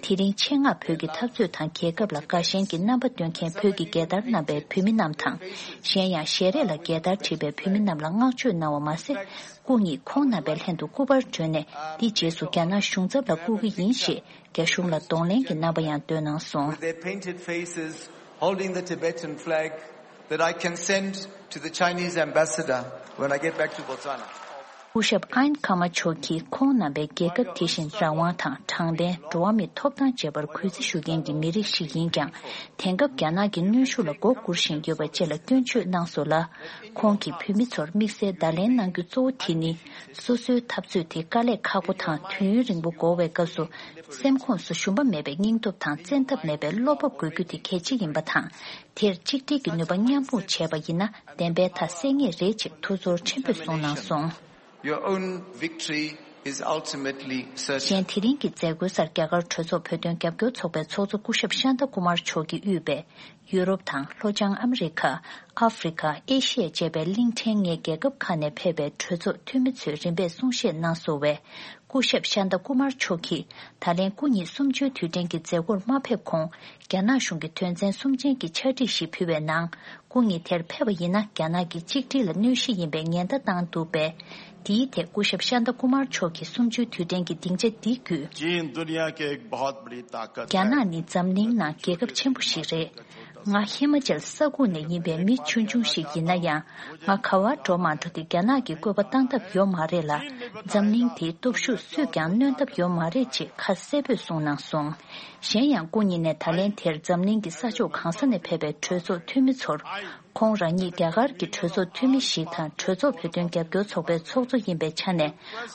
དེ་རིང་ཆེད་མངགས་བོད་ཀྱི་འཐབ་རྩོད་དང་རྒྱལ་ཁབ་ལ་དགའ་ཞེན་གྱི་རྣམ་པ་སྟོན་མཁན་བོད་ཀྱི་རྒྱལ་དར་བསྣམས་པའི་བོད་མི་རྣམས་དང་། གཞན་ཡང་ཞལ་རས་ལ་རྒྱལ་དར་བྲིས་པའི་བོད་མི་རྣམས་ལ་བསྔགས་བརྗོད་གནང་བ་མ་ཟད། སྐུ་ཉིད་ཁོང་རྣམ་པའི་ལྷན་དུ་སྐུ་པར་བསྒྲོན་ནས་འདི་རྗེས་སུ་རྒྱ་ནག་གཞུང་ཚབ་ལ་བསྐུར་གྱི་ཡིན་ཞེས་རྒྱ་གཞུང་ལ་གདོང་ལེན་གྱི་རྣམ་པ་ཡང་སྟོན་གནང་སོང་། With their painted faces, holding the Tibetan flag that I can send to the Chinese ambassador when I get back to Botswana. སྐུ་ཞབས་ཨན་ཁ་མ་མཆོག་གིས་ཁོང་རྣམ་པའི་རྒྱལ་ཁབ་དེ་བཞིན་རང་དབང་དང་དྲང་བདེན། འགྲོ་བ་མིའི་ཐོབ་ཐང་བཅས་པར་གུས་བརྩི་ཞུ་མཁན་གྱི་མི་རིགས་ཤིག་ཡིན་ཀྱང་། དེང་སྐབས་རྒྱ་ནག་གི་གནོན་ཤུགས་ལ་མགོ་སྒུར་བཞིན་ཡོད་པ་བཅས་ལ་སྐྱོན་བརྗོད་གནང་སོང་ལ། ཁོང་གིས་བོད་མི་ཚོར་དམིགས་བསལ་བརྡ་ལན་གནང་རྒྱུ་གཙོ་བོ་དེ་ནི། སོ་སོའི་འཐབ་རྩོད་དེ་དཀའ་ལས་ཁག་པོ་དང་དུས་ཡུན་རིང་པོ་འགོར་བའི་སྐབས་སུ། སེམས་ཁོངས་སུ་ཞུམ་པ་མེད་པའི་སྙིང་སྟོབས་དང་བཙན་ཐབས་མེད་པའི་བློ་སྤོབས་དགོས་རྒྱུ་དེ་གལ་ཆེ་ཡིན་པ་དང་། དེར་གཅིག་སྒྲིལ་གྱི་ནུས་པ་མཉམ་སྤུངས་བྱས་པ་ཡིན་ན་བདེན་པའི་མཐའ་གསལ་ངེས་རེད་ཅེས་ཐུགས་ཚོར་ཆེན་པོས་གསུངས་གནང་སོང་། Your own victory is ultimately certain. གཞན་དེ་རིང་གི་མཛད་སྒོའི་སར་རྒྱ་གར་གྲོས་ཚོགས་བོད་དོན་རྒྱབ་སྐྱོར་ཚོགས་པའི་ཚོགས་གཙོ་སྐུ་ཞབས་ཤཱནྟ་ཀུ་མར་མཆོག་གིས་དབུས་པའི་ཡུ་རོབ་དང་ལྷོ་བྱང་ཨ་མི་རི་ཁ། ཨ་ཧྥེ་རི་ཁ། ཨེ་ཤི་ཡ་བཅས་པའི་གླིང་ཕྲན་ལྔའི་རྒྱལ་ཁབ་ཁག་ནས་ཕེབས་པའི་གྲོས་ཚོགས་འཐུས་མི་ཚོས་རིམ་པས་གསུང་བཤད་གནང་སོང་བས། སྐུ་ཞབས་ཤཱནྟ་ཀུ་མར་མཆོག་གིས་ད་ལན་སྐུ་ཉིད་གསུམ་བཅུའི་དུས་དྲན་གྱི་མཛད་སྒོར་མ་ཕེབས་གོང་། རྒྱ་ནག་གཞུང་གིས་དོན་ཚན་གསུམ་ཅན་གྱི་ཕྱག་བྲིས་ཤིག་ཕུལ་བའི་ནང་། སྐུ་ཉིད་དེར་ཕེབས་པ་ཡིན་ན་རྒྱ་ནག་གི་གཅིག་སྒྲིལ་ལ་གནོད་གཞི་ཡིན་པའི་ཉེན་བརྡ་བཏང་འདུག་པས། དེའི་ཐད་སྐུ་ཞབས་ཤཱནྟ་ཀུ་མར་མཆོག་གིས་གསུམ་བཅུའི་དུས་དྲན་གྱི་སྡིངས་ཆ་འདི་བརྒྱུད། चीन दुनिया के एक बहुत बड़ी ताकत རྒྱ་ནག་ནི་འཛམ་གླིང་ནང་རྒྱལ་ཁབ་ཆེན་པོ་ཞིག་རེད། ང་ཧི་མ་ཅལ་ས་ཁུག་ནས་ཡིན་པའི་མི་ཆུང་ཆུང་ཞིག་ཡིན་ན་ཡང་། ང་ག་བར་འགྲོ་མ་འགྲོ་དེ་རྒྱ་ནག་གི་བཀོད་པ་བཏང་ཐབས་ཡོད་མ་རེད་ལ། འཛམ་གླིང་དེའི་སྟོབས་ཤུགས་སུས་ཀྱང་གནོན་ཐབས་ཡོད་མ་རེད་ཅེས་ཁ་གསལ་པོས་གསུངས་གནང་སོང་། གཞན་ཡང་སྐུ་ཉིད་ནས་ད་ལན་དེར་འཛམ་གླིང་གི་ས་ཕྱོགས་གང་ས་ནས་ཕེབས་པའི་གྲོས་ཚོགས་འཐུས་མི་ཚོར། ཁོང་རང་ཉིད་རྒྱ་གར་གྱི་གྲོས་ཚོགས་འཐུས་མི་ཞིག་དང་གྲོས་ཚོགས་བོད་དོན་རྒྱབ་སྐྱོར་ཚོགས་པའི་ཚོགས་གཙོ་ཡིན་པའི་ཆ་ནས།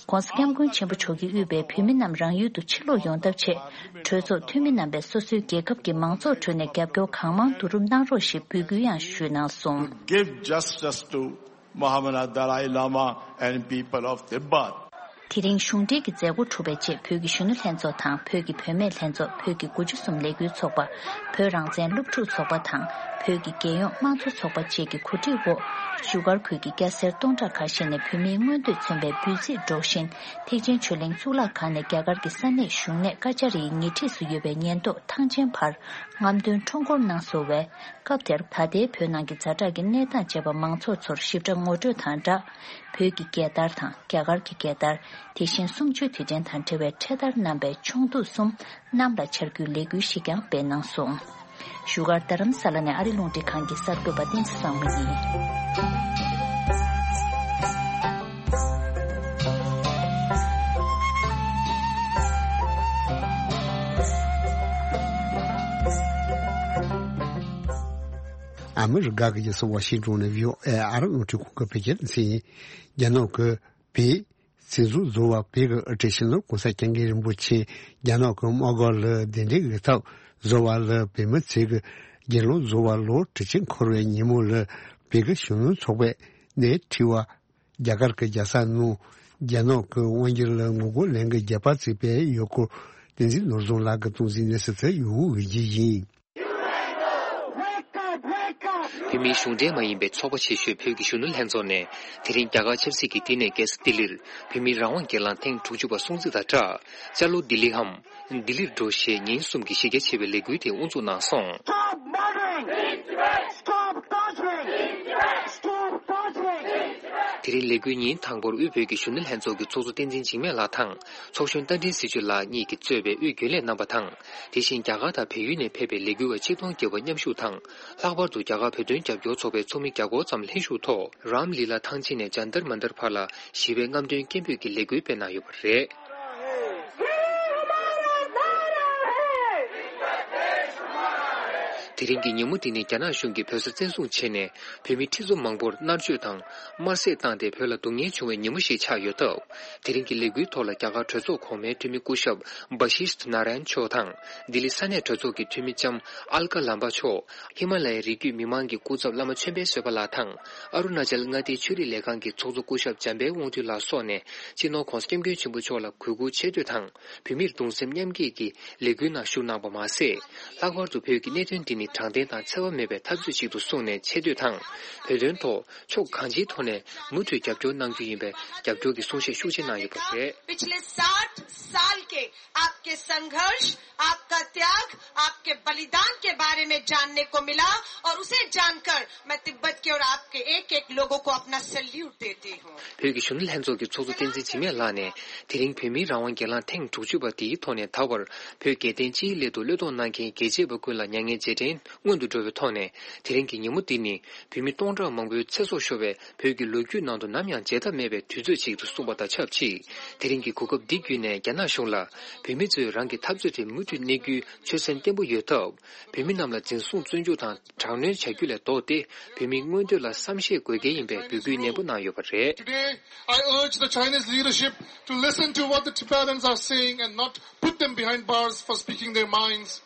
༸གོང་ས་༸སྐྱབས་མགོན་ཆེན་པོ་མཆོག་གིས་དབུས་པའི་བོད་མི་རྣམས་རང་ཡུལ་དུ་ཕྱིར་ལོག་ཡོང་ཐབས་ཆེད། གྲོས་ཚོགས་འཐུས་མི་རྣམ་པས་སོ་སོའི་རྒྱལ་ཁབ་ཀྱི་མང་ཚོགས་ཁྲོད་ནས་རྒྱབ་སྐྱོར་གང་མང་བསྡུ་རུབ་གནང་རོགས་ཞེས་འབོད་སྐུལ་ཡང་ཞུས་གནང་སོང་། Give justice to Mahamana Dalai Lama and people of Tibet. དེ་རིང་གཞུང་འབྲེལ་གྱི་མཛད་སྒོ་གྲུབ་པའི་རྗེས་བོད་ཀྱི་གཞོན་ནུ་ལྷན་ཚོགས་དང་བོད་ཀྱི་བུད་མེད་ལྷན་ཚོགས། བོད་ཀྱི་དགུ་བཅུ་གསུམ་ལས་འགུལ་ཚོགས་པ། བོད་རང་བཙན་སློབ་ཕྲུག་ཚོགས་པ་དང་བོད་ཀྱི་རྒྱལ་ཡོངས་དམངས་གཙོ་ཚོགས་པ་བཅས་ཀྱི་གོ་སྒྲིག་འོག་བཞུགས་སྒར་ཁུལ་གྱི་སྐྱ་སེར་སྟོང་ཕྲག་ཁ་ཤས་ནས་བོད་མིའི་མངོན་འདོད་མཚོན་པའི་འབུལ་རྩིས་སྒྲོག་བཞིན་ཐེག་ཆེན་ཆོས་གླིང་གཙུག་ལག་ཁང་ནས་རྒྱ་གར་གྱི་ས་གནས་གཞུང་གནས་ཀ་ཅ་རིའི་ཉེ་འཁྲིས་སུ་ཡོད་པའི་ཉེན་རྟོག་ཐང་ཆེན་བར་རྔམ་སྟོན་ཁྲོམ་སྐོར་གནང་སོང་བས། སྐབས་དེར་ད་ལྟའི་བོད་ནང་གི་ཛ་དྲག་གི་གནས་སྟངས་བཅས་པ་མང་ཚོགས་ཚོར་ཞིབ་ཕྲ་ངོ་སྤྲོད་དང་སྦྲགས། བོད་ཀྱི་རྒྱལ་དར་དང་རྒྱ་གར་གྱི་རྒྱལ་དར། དེ་བཞིན་གསུམ་བཅུའི་དུས་དྲན་དང་འབྲེལ་བའི་འཕྲེད་དར་བསྣམས་པའི་ཆུང་འདུས་གསུམ་གནམ་ལ་འཕྱར་རྒྱུའི་ལས་འགུལ་ཞིག་ཀྱང་སྤེལ་གནང་སོང་། བཞུགས་སྒར་རྡ་རམ་ས་ལ་ནས་ཨ་རི་རླུང་འཕྲིན་ཁང་གི་གསར་འགོད་པ་བསྟན་འཛིན་བཟང་མོ་ཡིན། ཨ་མི་རི་ཀ་གི་རྒྱལ་ས་ཝ་ཤིང་ཏོན་ནས་བྷི་ཨོ་ཨེ་ཨ་རི་རླུང་འཕྲིན་ཁང་གི་བོད་སྐད་སྡེ་ཚན་ཡིན། རྒྱ་ནག་གི་བོད་སྲིད་ཟུར་ཟུར་པ་བོད་ཀྱི་དབུ་ཁྲིད་སྤྱི་ནོར་༸གོང་ས་༸སྐྱབས་མགོན་རིན་པོ་ཆེ་རྒྱ་ནག་གི་དམག་སྒར་ལ་གདན་འདྲེན་གྱི་ཐོག་ཟུར་པ་ལ་བོད་མི་ཚོས་ཀྱི་དགེ་སློང་ཟུར་པ་ལོ་དྲུག་ཅུ་འཁོར་བའི་ཉིན་མོ་ལ་བོད་ཀྱི་གཞོན་ནུ་ཚོགས་པ་ནས་ཁྲི་པ། རྒྱ་གར་གྱི་རྒྱལ་ས་ནང་རྒྱ་ནག་གི་དབང་སྒྱུར་ལ་ངོ་རྒོལ་ལེན་གྱི་རྒྱབ་པ་བརྩིས་པའི་ཡུལ་སྐོར་བསྟན་འཛིན་ནོར་བཟང་ལགས་ཀྱིས་གཏོང་ཟིན་གནས་ཚུལ་དེ་ཡུལ་དབུས་འོས་བསྡུ་ཡིན། བོད་མིའི་གཞུང་འབྲེལ་མ་ཡིན་པའི་ཚོགས་པ་ཆེ་ཤོས་བོད་ཀྱི་གཞོན་ནུ་ལྷན་ཚོགས་ནས་དེ་རིང་རྒྱ་གར་ཆབ་སྲིད་ཀྱི་བསྟི་གནས་རྒྱལ་ས་ལྡི་ལིར་བོད་མིའི་རང་དབང་སྒེར་ལངས་ཐེངས་དྲུག་ཅུ་པ་སྲུང་བརྩི་དང་སྦྲགས་ཅ་ལོ་ལྡི་ལི་འམ། ལྡི་ལིར་འགྲོ་ཞེས་ཉིན་གསུམ་གྱི་གཞི་རྒྱ་ཆེ་བའི་ལས་འགུལ་དེ་དབུ་འཛུགས་གནང་སོང་། Stop murdering! Stop torturing! Stop torturing! དེ་རིང་ལས་འགུལ་ཉིན་དང་པོར་དབུས་བོད་ཀྱི་གཞོན་ནུ་ལྷན་ཚོགས་ཀྱི་ཚོགས་གཙོ་བསྟན་འཛིན་འཇིགས་མེད་ལགས་དང་ཚོགས་གཞོན་རྟ་མགྲིན་ཟི་ཆུ་ལགས་གཉིས་ཀྱིས་གཙོས་པའི་དབུས་རྒྱུན་ལས་རྣམ་པ་དང་། དེ་བཞིན་རྒྱ་གར་དང་བལ་ཡུལ་ནས་ཕེབས་པའི་ལས་འགུལ་བ་ཆིག་སྟོང་བརྒལ་བ་མཉམ་ཞུགས་དང་། ལྷག་པར་དུ་རྒྱ་གར་བོད་དོན་རྒྱབ་སྐྱོར་ཚོགས་པའི་ཚོགས་མི་བརྒྱ་སྐོར་ཙམ་ལྷན་ཞུགས་ཐོག་རམ་ལི་ལ་ཐང་ཆེན་ནས་ཇན་ཏར་མན་ཏར་བར་ལ་ཞི་བའི་རྔམ་སྟོན་སྐད་འབོད་ཀྱི་ལས་འགུལ་སྤེལ་གནང་ཡོད་པ་རེད། དེ་རིང་གི་ཉིན་མོ་འདི་ནི་རྒྱ་ནག་གཞུང་གིས་བོད་ས་བཙན་བཟུང་བྱས་ནས་བོད་མི་ཁྲི་ཚོ་མང་པོར་མནར་གཅོད་དང་དམར་གསོད་བཏང་སྟེ་བོད་ལ་སྡུག་བསྔལ་བྱུང་བའི་ཉིན་མོ་ཞིག་ཆགས་ཡོད་སྟབས། དེ་རིང་གི་ལས་འགུལ་ཐོག་ལ་རྒྱ་གར་གྲོས་ཚོགས་གོང་མའི་འཐུས་མི་སྐུ་ཞབས་བྷ་ཤིས་ཐ་ན་ར་ཡན་མཆོག་དང་། ལྡི་ལི་ས་གནས་གྲོས་ཚོགས་ཀྱི་འཐུས་མི་ལྕམ་ཨལ་ཀ་ལམ་པ་མཆོག་ཧི་མ་ལ་ཡའི་རི་རྒྱུད་མི་མང་གི་སྐུ་ཚབ་བླ་མ་ཆོས་འཕེལ་བཟོད་པ་ལགས་དང་། ཨ་རུ་ན་ཅལ་མངའ་སྡེའི་ཆོས་རིག་ལས་ཁང་གི་ཚོགས་གཙོ་སྐུ་ཞབས་འཇམ་དཔལ་དབང་འདུས་ལགས་སོགས་ནས་སྤྱི་ནོར་༧གོང་ས་༧སྐྱབས་མགོན་ཆེན་པོ་མཆོག་ལ་གུས་བཀུར་ཆེ་བསྟོད་དང་། བོད་མིར་གདུང་སེམས་མཉམ་སྐྱེད་ཀྱི་ལས་འགུལ་ནང་ཞུགས་གནང་བ་མ་ཟད། ལྷག་པར་དུ་བོད་ཀྱི་གནད་དོན་འདི་ནི་དྲང་བདེན་དང་འཚེ་བ་མེད་པའི་འཐབ་རྩོད་ཅིག་ཏུ་གསུངས་ནས་ཆེ་བསྟོད་དང་། བོད་དོན་ཐོག་ཕྱོགས་གང་ཅིའི་ཐོག་ནས་མུ་མཐུད་རྒྱབ་སྐྱོར་གནང་རྒྱུ་ཡིན་པའི་རྒྱབ་སྐྱོར་གྱི་གསུང་བཤད་ཤུགས་ཆེ་གནང་ཡོད་པ་རེད། पिछले साठ साल के आपके संघर्ष, आपका त्याग, आपके बलिदान के बारे में जानने को मिला और उसे जानकर मैं तिब्बत के और आपके एक एक लोगों को अपना सैल्यूट देती हूँ। བོད་ཀྱི་གཞོན་ནུ་ལྷན་ཚོགས་ཀྱི་ཚོགས་གཙོ་བསྟན་འཛིན་འཇིགས་མེད་ལགས་ནས། དེ་རིང་བོད་མིའི་རང་དབང་སྒེར་ལངས་ཐེངས་དྲུག་ཅུ་པ་འདིའི་ཐོག་ནས་ད་བར་བོད་རྒྱལ་བསྟན་སྤྱིའི་སླད་དུ་བློས་གཏོང་གནང་མཁན་རྒྱལ་གཅེས་པ་ཀུན་ལ་མྱ་ངན་རྗེས་དྲན་སྔོན་དུ་འགྲོ་བའི་ཐོག་ནས། དེ་རིང་གི་ཉིན་མོ་འདི་ནི་བོད་མི་སྟོང་ཕྲག་མང་པོའི་ཚེ་སྲོག་ཤོར་བའི་བོད་ཀྱི་ལོ་རྒྱུས་ནང་དུ་ནམ་ཡང་བརྗེད་ཐབས་མེད་པའི་དུས་ཚོད་ཅིག་ཏུ་གསུངས་པ་དང་ཆབས་ཅིག་དེ་རིང་གི་གོ་སྐབས་འདི་བརྒྱུད་ནས་རྒྱ་ནག་གཞུང་ལ། བོད་མི་ཚོས་རང་གི་འཐབ་རྩོད་དེ་མུ་མཐུད་གནས་རྒྱུའི་ཆོད་སེམས་བརྟན་པོ་ཡོད་སྟབས། བོད་མི་རྣམས་ལ་འཛིན་བཟུང་བཙོན་འཇུག་དང་དྲག་གནོན་བྱ་རྒྱུ་ལས་ལྡོག་སྟེ། བོད་མིའི་མངོན་འདོད་ལ་བསམ་ཤེས་དགོས་གལ་ཡིན་པའི་འབོད་སྐུལ་ནན་པོ་གནང་ཡོད་པ་རེད། Today, I urge the Chinese leadership to listen to what the Tibetans are saying and not put them behind bars for speaking their minds.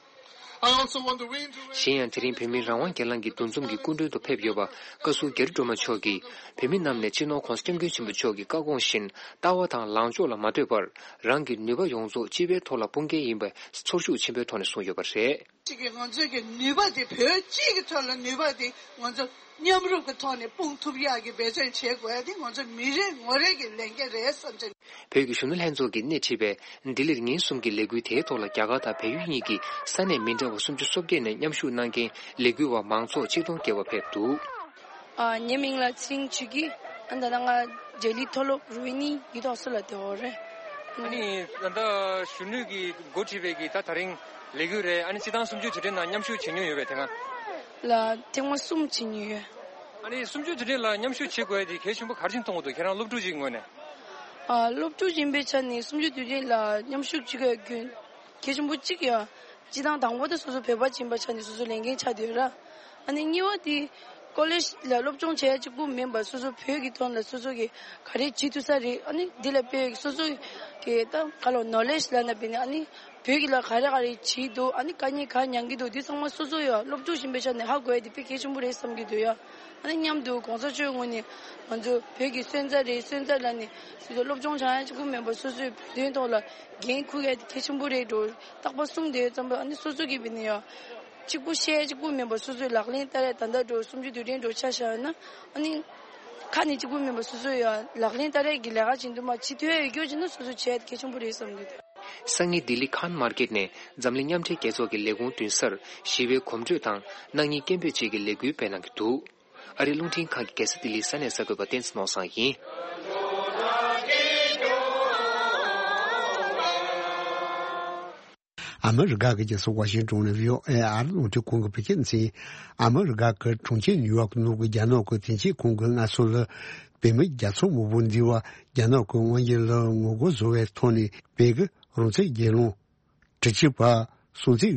I also want to reiterate གཞན་ཡང་། དེ་རིང་བོད་མིའི་རང་དབང་སྒེར་ལངས་ཀྱི་འདུ་འཛོམས་ཀྱི་སྐུ་མགྲོན་དུ་ཕེབས་ཡོད་པ། བཀའ་ཟུར་རྒྱ་རི་སྒྲོལ་མ་མཆོག་གིས། བོད་མི་རྣམས་ནས་སྤྱི་ནོར་༧གོང་ས་༧སྐྱབས་མགོན་ཆེན་པོ་མཆོག་གི་བཀའ་དགོངས་བཞིན། ལྟ་བ་དང་ལངས་ཕྱོགས་ལ་མ་ལྟོས་པར། རང་གི་ནུས་པ་ཡོངས་རྫོགས་སྤྱི་པའི་ཐོག་ལ་སྤུངས་གལ་ཡིན་པའི་ཚོར་ཤུགས་ཆེན་པོའི་ཐོག་ནས་གསུངས་ཡོད་པ་རེད། གཅིག་གིས་ང་ཚོའི་གི་ནུས་པ་དེ། བོད་གཅིག་གི་ཐོག་ལ་ནུས་པ་དེ་ང་ཚོ་མཉམ་རུབ་ཀྱི་ཐོག་ནས་སྤུངས་ཐུབ་ཡག་གི་འབད་བརྩོན་བྱེད་དགོས་ཡ་དེ་ང་ཚོ་མི་རེ་ངོ་རེ་གི་ལས་འགན་རེད་བསམ་བྱས། བོད་ཀྱི་གཞོན་ནུ་ལྷན་ཚོགས་ཀྱིས་སྣེ་ཁྲིད་པའི་ལྡི་ལིར་ཉིན་གསུམ་གྱི་ལས་འགུལ་དེའི་ཐོག་ལ། རྒྱ་གར་དང་བལ་ཡུལ་གཉིས་ཀྱི་ས་གནས་མི་འདྲ་བ་སུམ་ཅུ་སོ་བརྒྱད་ནས་མཉམ་ཞུགས་གནང་མཁན་ལས་འགུལ་བ་མང་ཚོགས་ཆིག་སྟོང་བརྒལ་བ་ཕེབས་འདུག་ཨ། ངའི་མིང་ལ་ཚེ་རིང་ཆོས་སྐྱིད། ཨ། ད་ལྟ་ང་ལྡི་ལི་མཐོ་སློབ་རོ་ཧི་ནི་ཡུལ་ཐོག་སུ་ལ་བསྡད་ཡོད་རེད། ཨ་ནི་ད་ལྟ་གཞོན་ནུ་གིས་འགོ་ཁྲིད་པའི་གི་ད་དེ་རིང་ལས་འགུལ་རེད། ཨ་ནི་སྤྱི་བཏང་སུམ་ཅུ་དུས་དྲན་ནང་མཉམ་ཞུགས་བྱེད་མྱོང་ཡོད་པས་དེ་སྔ། ལ་ཐེངས་མ་གསུམ་བྱེད་མྱོང་ཡོད། ཨ་ནི་སུམ་ཅུ་དུས་དྲན་ལ་མཉམ་ཞུགས་བྱེད་དགོས་ཡ་དེ་གལ་ཆེན་པོ་ག་རེ་བྱས་མཐོང་གི་འདུག་ཁྱེད་རང་སློབ་ཕྲུག་ཅིག་ངོས་ནས། ཨ། སློབ་ཕྲུག་ཡིན་པའི་ཆ་ནས་སུམ་ཅུ་དུས་དྲན་ལ་མཉམ་ཞུགས་བྱེད་དགོས་རྒྱུ་གལ་ཆེན་པོ་གཅིག་ཡོད། སྤྱི་བཏང་དང་པོ་དེ་སོ་སོ་བོད་པ་ཅིག་ཡིན་པའི་ཆ་ནས་སོ་སོ་ལས་འགན་ཆགས་བསྡད་ཡོད་ར། ཨ་ནི་གཉིས་པ་དེ་ཀོ་ལེཇ་ལ་སློབ་སྦྱོང་བྱེད་ཡ་གཅིག་པུ་མིན་པར་སོ་སོ་བོད་ཀྱི་ཐོག་ལ་སོ་སོ་གིས་ག་རེ་བྱེད་ཐུབ་ས་རེད། ཨ་ནི་འདི་ལ་དཔེ་སོ་སོ་གི་ད་ག་ལོ་ནོ་ལེཇ་ལབ་ན་བས་ནི། ཨ་ནི་བོད་ཀྱི་ལ་ག་རེ་ག་རེ་བྱེད་འདུག་ཨ་ནི་དཀའ་ངལ་ག་མྱངས་ཀྱི་འདུག་འདི་ཚང་མ་སོ་སོ་ཡ་སློབ་ཕྲུག་ཡིན་པའི་ཆ་ནས་ཧ་གོ་ཡ་དེ་དཔེ་གལ་ཆེན་པོ་རེད་བསམ་གྱི་འདུག་ཡ། ཨ་ནི་མཉམ་དུ་གོང་ས་མཆོག་ངོས་ནས་ང་ཚོ་བོད་ཀྱི་སོན་རྩ་རེད། སོན་རྩ་ལབ་ནས་སོ་སོ་སློབ་སྦྱོང་བྱ་ཡ་གཅིག་པུ་མིན་པར་སོ་སོའི་བོད་དོན་ཐོག་ལ་འགན་འཁུར་ཡ་དེ་གལ་ཆེན་པོ་རེད་འགྲོ། རྟག་པར་གསུངས་བསྡད་ཙམ་པ། ཨ་ནི་སོ་སོ་གིས་བས་ནི་ཡ་གཅིག་པུ་བཤད་ཡ་གཅིག་པུ་མིན་པར་སོ་སོའི་ལག་ལེན་བསྟར་ཡ། ད་ལྟ་འགྲོ་སུམ་ཅུ་དུས་དྲན་འགྲོ་ཆ་བཞག་ཡོད་ན། ཨ་ནི་ཁ་ནས་གཅིག་པུ་མིན་པར་སོ་སོ་ཡ་ལག་ལེན་བསྟར་ཡ་གི་ལས་ཀ་བྱེད་འདུག་མ་བྱེད་ཐུབ་ཡ་ཡོད་རྒྱུ་བྱས་ན་སོ་སོ་བྱས་ཡ་དེ་གལ་ཆེན་པོ་རེད་བསམ་གྱི་འདུག་སང་ཉིན་ལྡི་ལི་ཁཱན་མར་ཀེཊ་ནས་འཛམ་གླིང་མཉམ་འབྲེལ་རྒྱལ་ཚོགས་ཀྱི་ལས་ཁུངས་མདུན་སར་ཞི་བའི་གོམ་བགྲོད་དང་སྣང་བརྙན་སྐད་འབོད་བཅས་ཀྱི་ལས་འགུལ་སྤེལ་གནང་གི་འདུག་ཨ་རིའི་རླུང་འཕྲིན་ཁང་གི་རྒྱལ་ས་ལྡི་ལིའི་ས་གནས་གསར་འགོད་པ་བསྟན་འཛིན་ནོར་བཟང་ཡིན། ཨ་མི་རི་ཀ་གི་རྒྱལ་ས་ཝ་ཤིང་ཏོན་ནས་བྷི་ཨོ་ཨེ་ཨ་རི་རླུང་འཕྲིན་ཁང་གིས་བོད་སྐད་སྡེ་ཚན། ཨ་མི་རི་ཀ་གི་གྲོང་ཁྱེར་ནིའུ་ཡོག་ནང་གི་རྒྱ་ནག་གི་དོན་གཅོད་ཁང་གིས་སྔ་སོ་ལ་བོད་མི་རྒྱ་མཚོ་སྔོན་པོ་འདི་བ་རྒྱ་ནག་གི་དབང་སྒྱུར་ལ་ངོ་རྒོལ་བཟོ་བའི་ཐོག་ནས་བོད་ཀྱི་རང་བཙན་སྒེར་ལངས་དྲི་ཆུ་བ་སྲུང་བརྩི་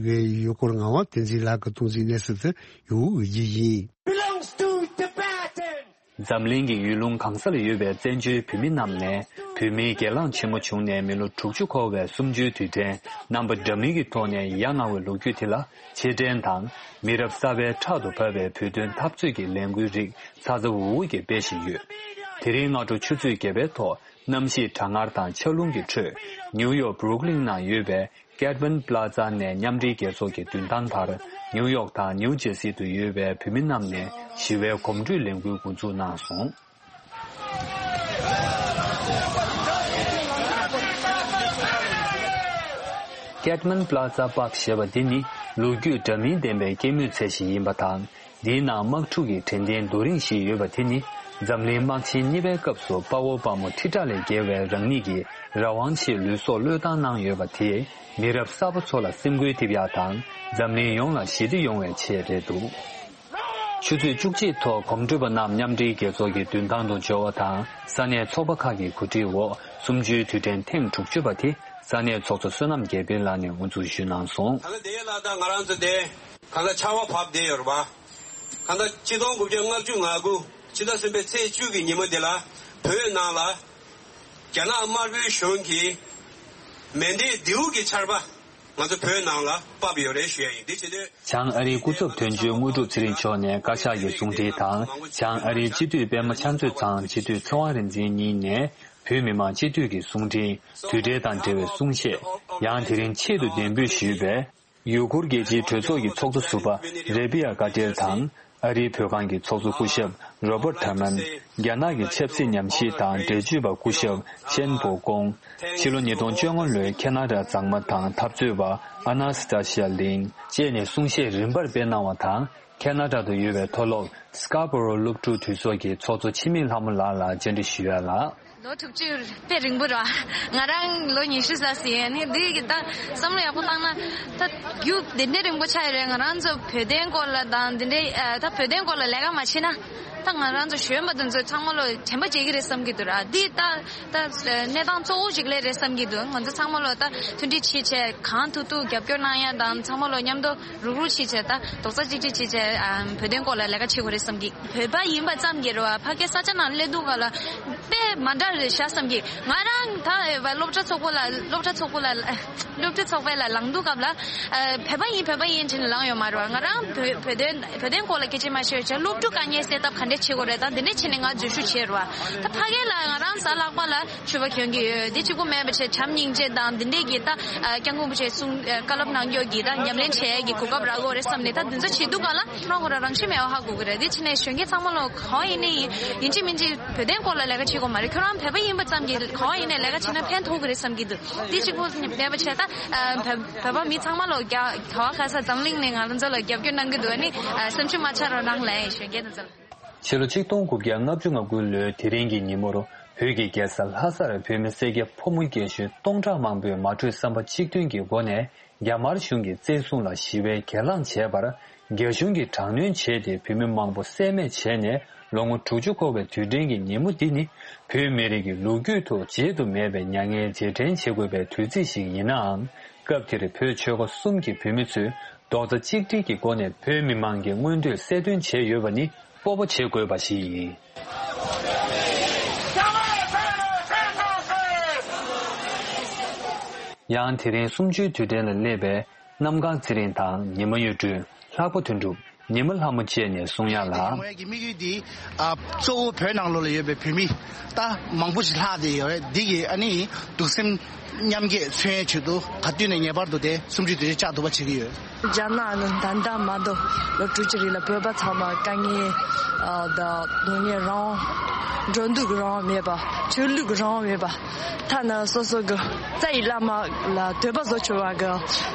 ཡོད་སྐོར་ངག་དབང་བསྟན་འཛིན་ལགས་ཀྱིས་གཏོང་ཚིག་གནས་ཚུལ་དེ་ཡུ་གུ་འགོད་རྒྱུ་ཡིན། Belongs to Tibetans. འཛམ་གླིང་གི་ཡུལ་ལུང་གང་ས་ལ་ཡོད་པའི་བཙན་བྱོལ་བོད་མི་རྣམས་ནས་བོད་མིའི་སྒེར་ལངས་ཆེན་མོ་བྱུང་ནས་མི་ལོ་དྲུག་ཅུ་འཁོར་བའི་གསུམ་བཅུའི་དུས་དྲན་རྣམ་པ་འདྲ་མིན་གྱི་ཐོག་ནས་ཡ་ང་བའི་ལོ་རྒྱུས་དེ་ལ་ཕྱིར་དྲན་དང་། མི་རབས་གསར་པའི་ཕྲག་ཏུ་བབས་པའི་བོད་དོན་འཐབ་རྩོད་ཀྱི་ལས་འགུལ་རིགས་ཚ་ཚ་འུར་འུར་གྱིས་སྤེལ་བཞིན་ཡོད། དེ་རིང་སྔ་དྲོ་ཆུ་ཚོད་བརྒྱད་པའི་ཐོག་གནམ་གཤིས་གྲང་ངར་དང་ཆར་རླུང་གི་ཁྲོད། ནིའུ་ཡོག་བྷུ་རུག་ལིན་ནང་ཡོད་པའི་ཀེད་མན་པ་ལ་ཛ་ནས་མཉམ་འབྲེལ་རྒྱལ་ཚོགས་ཀྱི་མདུན་ཐང་བར་ནིའུ་ཡོག་དང་ནིའུ་ཇེ་སི་ཏུ་ཡོད་པའི་བོད་མི་རྣམས་ནས་ཞི་བའི་གོམ་བགྲོད་ལས་འགུལ་འགོ་འཛུགས་གནང་སོང་། ཀེད་མན་པ་ལ་ཛ་པཱག་ཞེས་པ་འདི་ནི་ལོ་རྒྱུས་འདྲ་མིན་ལྡན་པའི་སྐྱེད་མོས་ཚལ་ཞིག་ཡིན་པ་དང་། འདིའི་ནང་དམག་འཁྲུག་གི་དྲན་རྟེན་རྡོ་རིང་ཞིག་ཡོད་པ་དེ་ནི་འཛམ་གླིང་དམག་ཆེན་གཉིས་པའི་སྐབས་སུ་དཔའ་བོ་དཔའ་མོ་ཁྲི་ཕྲག་ལས་བརྒལ་བས་རང་ཉིད་ཀྱི་རང་དབང་ཆེད་ལུས་སྲོག་བློས་བཏང་གནང་ཡོད་པ་དེས་མི་རབས་གསར་པ་ཚོ་ལ་སེམས་འགུལ་ཐེབས་ཡག་དང་འཛམ་གླིང་ཡོངས་ལ་ཞི་བདེ་ཡོང་བའི་ཆེད་རེད་འདུག་ཆུ་ཚོད་བཅུ་གཅིག་ཐོག་གོམ་བགྲོད་པ་རྣམས་མཉམ་འབྲེལ་རྒྱལ་ཚོགས་ཀྱི་མདུན་ཐང་དུ་འབྱོར་བ་དང་ས་གནས་ཚོགས་པ་ཁག་གི་གོ་སྒྲིག་འོག་གསུམ་བཅུའི་དུས་དྲན་ཐེངས་དྲུག་ཅུ་པ་དེ་ས་གནས་ཚོགས་གཙོ་བསོད་ནམས་རྒྱལ་དཔོན་ལགས་ནས་དབུ་འཛུགས་ཞུས་གནང་སོང་། ད་ལྟ་དེ་ལ་ད་ང་རང་ཚོ་དེ། གང་ལྟར་ཆར་པ་བབས་བསྡད་ཡོད་རེད་པ། གང་ལྟར་ཆིག་སྟོང་དགུ་བརྒྱ་ལྔ་བཅུ་ང་དགུ་ཕྱི་ཟླ་གསུམ་པའི་ཚེས་བཅུ་གི་ཉིན་མོ་འདི་ལ་བོད་ནང་ལ་རྒྱ་ནག་དམར་པོའི་གཞུང་གིས་མེ་མདའི་མདེའུ་གི་ཆར་པ་ང་ཚོ་བོད་ནང་ལ་བབས་ཡོད་རེད་ཞུ་ཡ་ཡིན། འདི་བྱེད་དུས། བྱང་ཨ་རིའི་སྐུ་ཚབ་དོན་གཅོད་དངོས་གྲུབ་ཚེ་རིང་མཆོག་ནས་བཀའ་ཤག་གི་གསུང་འཕྲིན་དང་། བྱང་ཨ་རིའི་སྤྱི་འཐུས་པད་མ་ཕྱག་མཛོད་ཚང་། སྤྱི་འཐུས་ཚེ་དབང་རིག་འཛིན་གཉིས་ནས་བོད་མི་མང་སྤྱི་འཐུས་ཀྱི་གསུང་འཕྲིན། དུས་འབྲེལ་དང་འབྲེལ་བའི་གསུང་བཤད། ཡང་དེ་རིང་ཆེད་དུ་གདན་འབུལ་ཞུས་པའི་ཡུ་གུར་རྒྱལ་སྤྱིའི་གྲོས་ཚོགས་ཀྱི་ཚོགས་གཙོ་ཟུར་པ་རེ་བི་ཡ་ཀ་ཏེར་དང་། ཨ་རིའི་བོད་ཁང་གི་ཚོགས་གཙོ་སྐུ་ཞབས་རོ་པར་ཐར་མན། རྒྱ་ནག་གི་ཆབ་སྲིད་ཉམས་ཞིབ་དང་འགྲེལ་བརྗོད་པ་སྐུ་ཞབས་ཆེན་པོ་ཀོང་། ཕྱི་ལོ་ཉིས་སྟོང་བཅོ་ལྔ་ལོའི་ཁེ་ན་ཌ་མཛངས་མ་དང་འཐབ་རྩོད་པ་ཨ་ན་སི་ཏ་ཤི་ཡ་ལིན་བཅས་ནས་གསུང་བཤད་རིམ་པར་སྤེལ་གནང་བ་དང་། ཁེ་ན་ཌ་དུ་ཡོད་པའི་མཐོ་སློབ་སི་ཀ་པོ་རོ་སློབ་ཕྲུག་འཐུས་ཚོགས་ཀྱི་ཚོགས་གཙོ་འཆི་མེད་ལྷ་མོ་ལགས་ལ་བཅར་འདྲི་ཞུ་ཡ་ལ། ལོ་དྲུག་ཅུ་དཔེ་རིང་པོ་རེད་བ། ང་རང་ལོ་ཉི་ཤུ་ཙམ་ཟིན་ཡོད། ནི་འདི་གི་ད་བསམ་བློ་ཡག་པོ་བཏང་ན་ད་རྒྱུ་དེ་འདྲའི་རིང་པོ་ཆགས་ཡོད་རེད། ང་རང་ཚོ་བོད་དོན་སྐོར་ལ་དང་འདི་འདྲའི་ཨ་ད་བོད་དོན་སྐོར་ལ་ལས་ཀ་མ་བྱེད་ན་ད་ང་རང་ཚོ་གཞོན་པ་དེ་ཚོ་ཚང་མ་ལོ་དྲན་པ་བརྗེད་ཀྱི་རེད་བསམ་གྱི་འདུག་ར། འདི་ད་ད་གནས་སྟངས་གཙོ་བོ་ཞིག་ལས་རེད་བསམ་གྱི་འདུག་ང་ཚོ་ཚང་མ་ལོ་ད་མཐུན་སྒྲིལ་བྱེད་བྱས་གང་ཐུབ་ཐུབ་རྒྱབ་སྐྱོར་གནང་ཡ་དང་ཚང་མ་ལོ་མཉམ་དུ་རུག་རུག་བྱེད་བྱས་ད་རྡོག་རྩ་གཅིག་སྒྲིལ་བྱེད་བྱས་ཨ་བོད་དོན་སྐོར་ལ་ལས་ཀ་བྱེད་དགོས་རེད་བསམ་གྱི། བོད་པ་ཡིན་པ་ཙམ་གྱིས་རེད་བ། ཕ་གི་ས་ཆ་ནང་སླེབས་དུས་ག་ལ་དཔེ་མ་འདྲ་རེད་ཤག་བསམ་གྱི། ང་རང་ད་སློབ་གྲྭ་ཚོགས་པ་ལ་སློབ་གྲྭ་ཚོགས་པ་ལ་སློབ་གྲྭ་ཚོགས་པ་ལ་ལངས་དུས་སྐབས་ལ་བོད་པ་ཡིན་བོད་པ་ཡིན་བྱས་ནས་ལངས་ཡོད་མ་རེད་བ། ང་རང་བོད་བོད་དོན་བོད་དོན་སྐོར་ལ་སྐད་ཆ་མ་བཤད་བྱས་སློབ་ཕྲུག་དཀའ་ངལ་སེལ་ཐབས་ག་འདྲས་བྱེད་དགོས་རེད་ད་འདི་འདྲས་བྱས་ནས་ང་འཛུལ་ཞུགས་བྱས་རེད་བ། ད་ཕ་གི་ལ་ང་རང་གཟའ་ལྷག་པ་ལ་མཆོད་པ་གྱོན་གྱི་ཡོད། དེ་གཅིག་པུ་མེད་པ་བྱས་བྱམས་སྙིང་རྗེ་དང་འདི་འདྲས་ཀྱི་ད་སྐྱབས་མགོན་རིན་པོ་ཆེ་གསུང་བཀའ་སློབ་གནང་རྒྱུ་གི་ད་ཉམས་ལེན་བྱེད་ཡས་ཀྱི་གོ་སྐབས་རག་གི་ཡོད་རེད་བསམ་ནས་ད་འདི་ཚོ་བྱེད་དུས་ག་ལ་ཁོ་རང་ཁོ་རང་རང་བཞིན་མེད་པ་ཧ་གོ་གི་རེད། དེ་བྱས་ནས་གཞོན་སྐྱེས་ཚང་མ་ལོ་ག་བ་ཡིན་ནའི་ཡིན་ཡིན་གཅིག་མིན་གཅིག་བོད་དོན་སྐོར་ལ་ལས་ཀ་བྱེད་དགོས་མ་རེད། ཁྱོད་རང་བོད་པ་ཡིན་པ་ཙམ་གྱིས་ག་བ་ཡིན་ནའི་ལས་ཀ་བྱེད་ན་ཕན་ཐོགས་གི་རེད་བསམ་གྱི་འདུག་དེ་གཅིག་པུ་མེད་པ་བྱས་ད་བོད་བོད་པ་མི་ཚང་མ་ལོ་རྒྱ་ག་བ་ག་ས་འཛམ་གླིང་ནས་ང་རང་ཚོ་ལ་རྒྱབ་སྐྱོར་གནང་གི་འདུག་ཨ་ནི་སེམས་ཤུགས་མ་ཆག་རོགས་གནང་ལན་གཞོན་སྐྱེས་དེ་ཚོ་ལ། ཕྱི་ལོ་ཆིག་སྟོང་དགུ་བརྒྱ་ལྔ་བཅུ་ང་དགུ་ལོའི་དེ་རིང་གི་ཉིན་མོར་བོད་ཀྱི་རྒྱལ་ས་ལྷ་སར་བོད་མི་སེར་སྐྱ་ཕོ་མོ་རྒན་གཞོན་སྟོང་ཕྲག་མང་པོས་མ་གྲོས་བསམ་པ་གཅིག་མཐུན་གྱི་སྒོ་ནས་རྒྱ་དམར་གཞུང་གི་བཙན་བཟུང་ལ་ཞི་བའི་གྱེན་ལངས་བྱས་པར་རྒྱ་གཞུང་གིས་དྲག་གནོན་བྱས་ཏེ་བོད་མི་མང་པོ་བསད་རྨས་བྱས་ནས་ལོ་ངོ་དྲུག་ཅུ་འཁོར་བའི་དུས་དྲན་གྱི་ཉིན་མོ་འདི་ནི་བོད་མི་རིགས་ཀྱི་ལོ་རྒྱུས་ཐོག་བརྗེད་དུ་མེད་པའི་མྱ་ངན་རྗེས་དྲན་བྱེད་དགོས་པའི་དུས་ཚིགས་ཤིག་ཡིན་ནའང་། སྐབས་དེར་བོད་ཆོལ་ཁ་གསུམ་གྱི་བོད་མི་ཚོས་རྡོག་རྩ་གཅིག་སྒྲིལ་གྱི་སྒོ་ནས་བོད་མི་མང་གི་མངོན་འདོད་གསལ་སྟོན་བྱས་ཡོད་པ་ནི་སྤོབས་པ་བྱེད་དགོས་པ་ཞིག་ཡིན། ཡང་དེ་རིང་གསུམ་བཅུའི་དུས་དྲན་ལ་སླེབས་པའི་གནམ་གང་ཚེ་རིང་དང་ཉི་མ་གཡུ་སྒྲོན། ལྷག་པ་དོན་གྲུབ། ཉི་མ་ལྷ་མོ་བཅས་ནས་གསུང་ཡག་ལ། དེ་ངོས་ཀྱི་དམིགས་ཡུལ་འདི་ཨ་གཙོ་བོ་བོད་ནང་ལོགས་ལ་ཡོད་པའི་བོད་མི་ད་མང་པོ་ཞིག་ལྷག་བསྡད་ཡོད་རེད། འདི་གི་ཨ་ནི་གདུང་སེམས་མཉམ་སྐྱེད་མཚོན་ཡས་ཆེད་དུ་ག་དུས་ནས་ངེས་པར་དུ་དེ་གསུམ་བཅུའི་དུས་ཆེན་བཅའ་ཐུབ་པ་བྱེད་ཀྱི་ཡོད། རྒྱ་ནག་ནི་ད་ལྟ་མ་གཏོགས་ལོ་དྲུག་ཅུ་རིང་ལ་བོད་པ་ཚང་མ་དཀའ་ངལ་ཨ་དང་སྡུག་བསྔལ་རང་དབང་འགྲོ་འདུག་གི་རང་དབང་མེད་པ། ཆོས་ལུགས་ཀྱི་རང་དབང་མེད་པ། ཐ་ན་སོ་སོ་གི་རྩ་ཡི་བླ་མ་ལ་འདོད་པ་བཟོ་ཆོག་པ་གི་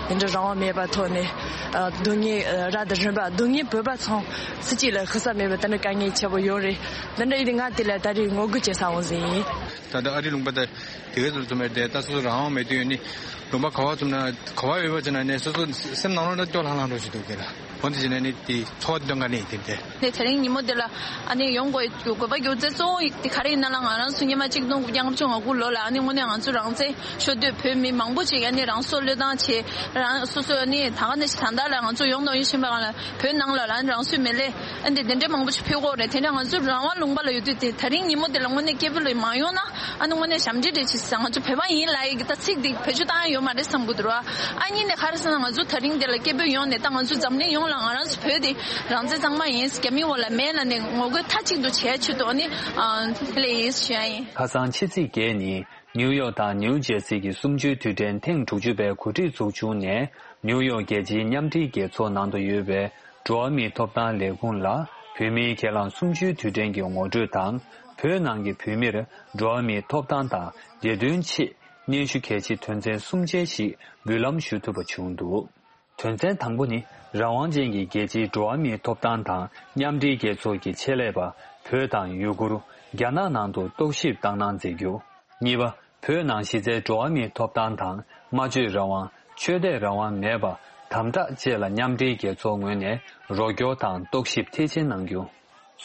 དེ་འདྲ་རང་དབང་མེད་པ་ཐོག་ནས་ཨ་སྡུག་བསྔལ་ཨ་རབ་དང་རིམ་པ་སྡུག་བསྔལ་བོད་པ་ཚང་སུ་གཅིག་ལ་ཤི་ས་མེད་པ་དེ་འདྲ་དཀའ་ངལ་ཆེ་པོ་ཡོད་རེད། དེ་འདྲ་ཡིན་དུས་ང་དེ་ལ་ད་རེས་ངོ་རྒོལ་བྱེད་ས་འོང་ཟིན་ཡིན། ད་ལྟ་ཨ་རིའི་ལུང་པ་དེ་དེ་གའི་ཚུལ་དུ་མེད་དེ་ད་སོ་སོ་རང་དབང་མེད་དུས་ཡོད་ནི་ལུང་པ་ག་བ་ཚུགས་ན་ག་བ་ཡོད་པ་ཅིག་ན་ནས་སོ་སོ་སེམས་ནང་ལོགས་ལ་སྐྱོ་ལྷང་ལྷང་འགྲོ་བཞིན་འདུག་གི་ལ། འོན་ཏེ་བྱས་ན་ནི་དེ་འཚོ་བ་དེ་སྟོན་ག་ནས་དེ་དེ། ནས་དེ་རིང་ཉིན་མོ་དེ་ལ་ཨ་ནི་ཡོང་དགོས་དགོས་པ་རྒྱུ་མཚན་གཙོ་བོ་དེ་ག་རེ་ཡིན་ན་ལ་ང་རང་ཚོ་སྔོན་མ་གཅིག་སྟོང་དགུ་བརྒྱ་ལྔ་བཅུ་ང་དགུ་ལོ་ལ་ཨ་ནི་དངོས་གནས་ང་ཚོ་རང་བཙན་ཤོར་དུས་བོད་མི་མང་པོ་ཅིག་ཨ་ནི་རང་སྲོག་བློས་བཏང་བྱས་རང་སོ་སོ་ཨ་ནི་ད་ག་ནས་ད་ལྟ་ལ་ང་ཚོ་ཡོང་དང་ཡོང་བཞིན་པ་གང་ལ་བོད་ནང་ལ་ལ་ཨ་ནི་རང་སོའི་མི་ལས་ཨ་ནི་དེ་འདྲ་མང་པོ་ཅིག་ཕུལ་དགོས་རེད། དེ་འདྲ་ང་ཚོ་རང་དབང་ལུང་པ་ལ་ཡོད་དུས་དེ་དེ་རིང་ཉིན་མོ་དེ་ལ་དངོས་གནས་སྐད་འབོད་ལ་མ་ཡོང་ན། ཨ་ནི་དངོས་གནས་ཞབས་འདྲེན་རེད་ཅེས་ཟེར། ང་ཚོ་བོད་པ་ཡིན་ལབ་ཡི་གི་ད་ཚིག་འདི་བེད་སྤྱོད་བཏང་ཡ་ཡོད་མ་རེད་བསམ་གི་འདུག་ར། ཨ་གཉིས་ནས་ག་རེ་ཟེར་ན་ང་ཚོ་ད་རིང་འདི་ལ་སྐད་འབོད་ཡོང་ནས་ད་ང་ཚོ་འཛམ་གླིང་ཡོངས་ལ་ང་རང་ཚོ་བོད་འདི་རང་བཙན་གཙང་མ་ཡིན། རྒྱ་མིའི་འོག་ལ་མེད་ལབ་ནས་ངོ་རྒོལ་མཐའ་གཅིག་ཏུ་བྱས་ཆེད་དུ་ཨ་ནི་ཨ་དེ་ལས་ཡིན་ཞུ་ཡ་ཡིན། ཁ་སང་ཕྱི་ཚེས་བརྒྱད་ཉིན་ནིའུ་ཡོག་དང་ནིའུ་ཇེར་སི་གི་གསུམ་བཅུའི་དུས་དྲན་ཐེངས་དྲུག་ཅུ་པའི་གོ་སྒྲིག་ཚོགས་ཆུང་ནས་ནིའུ་ཡོག་རྒྱལ་སྤྱིའི་མཉམ་འབྲེལ་རྒྱལ་ཚོགས་ནང་དུ་ཡོད་པའི་འགྲོ་བ་མིའི་ཐོབ་ཐང་ལས་ཁུངས་ལ་བོད་མིའི་ཁས་བླངས་གསུམ་བཅུའི་དུས་དྲན་གྱི་ངོ་སྤྲོད་དང་། བོད་ནང་གི་བོད་མིར་འགྲོ་བ་མིའི་ཐོབ་ཐང་དང་བདེ་དོན་ཆེད་སྙན་ཞུ་གལ་ཆེ་དོན་ཚན་གསུམ་ཅན་ཞིག་འབུལ་ལམ་ཞུ་ཐུབ་པ་བྱུང་འདུག་དོན་ཚན་དང་པོ་ནི་རང་དབང་ཅན་གྱི་རྒྱལ་སྤྱིའི་འགྲོ་བ་མིའི་ཐོབ་ཐང་དང་མཉམ་འབྲེལ་རྒྱལ་ཚོགས་ཀྱི་ཆེད་ལས་པ་བོད་དང་ཡུ་གུར། རྒྱ་ནག་ནང་དུ་རྟོག་ཞིབ་བཏང་གནང་མཛད་རྒྱུ། གཉིས་པ། བོད་ནང་གཞི་རྩའི་འགྲོ་བ་མིའི་ཐོབ་ཐང་དང་སྨྲ་བརྗོད་རང་དབང་། ཆོས་དད་རང་དབང་མེད་པ། དམ་དྲག་བཅས་ལ་མཉམ་འབྲེལ་རྒྱལ་ཚོགས་ངོས་ནས་རོགས་སྐྱོར་དང་རྟོག་ཞིབ་མཐིལ་ཕྱིན་གནང་རྒྱུ།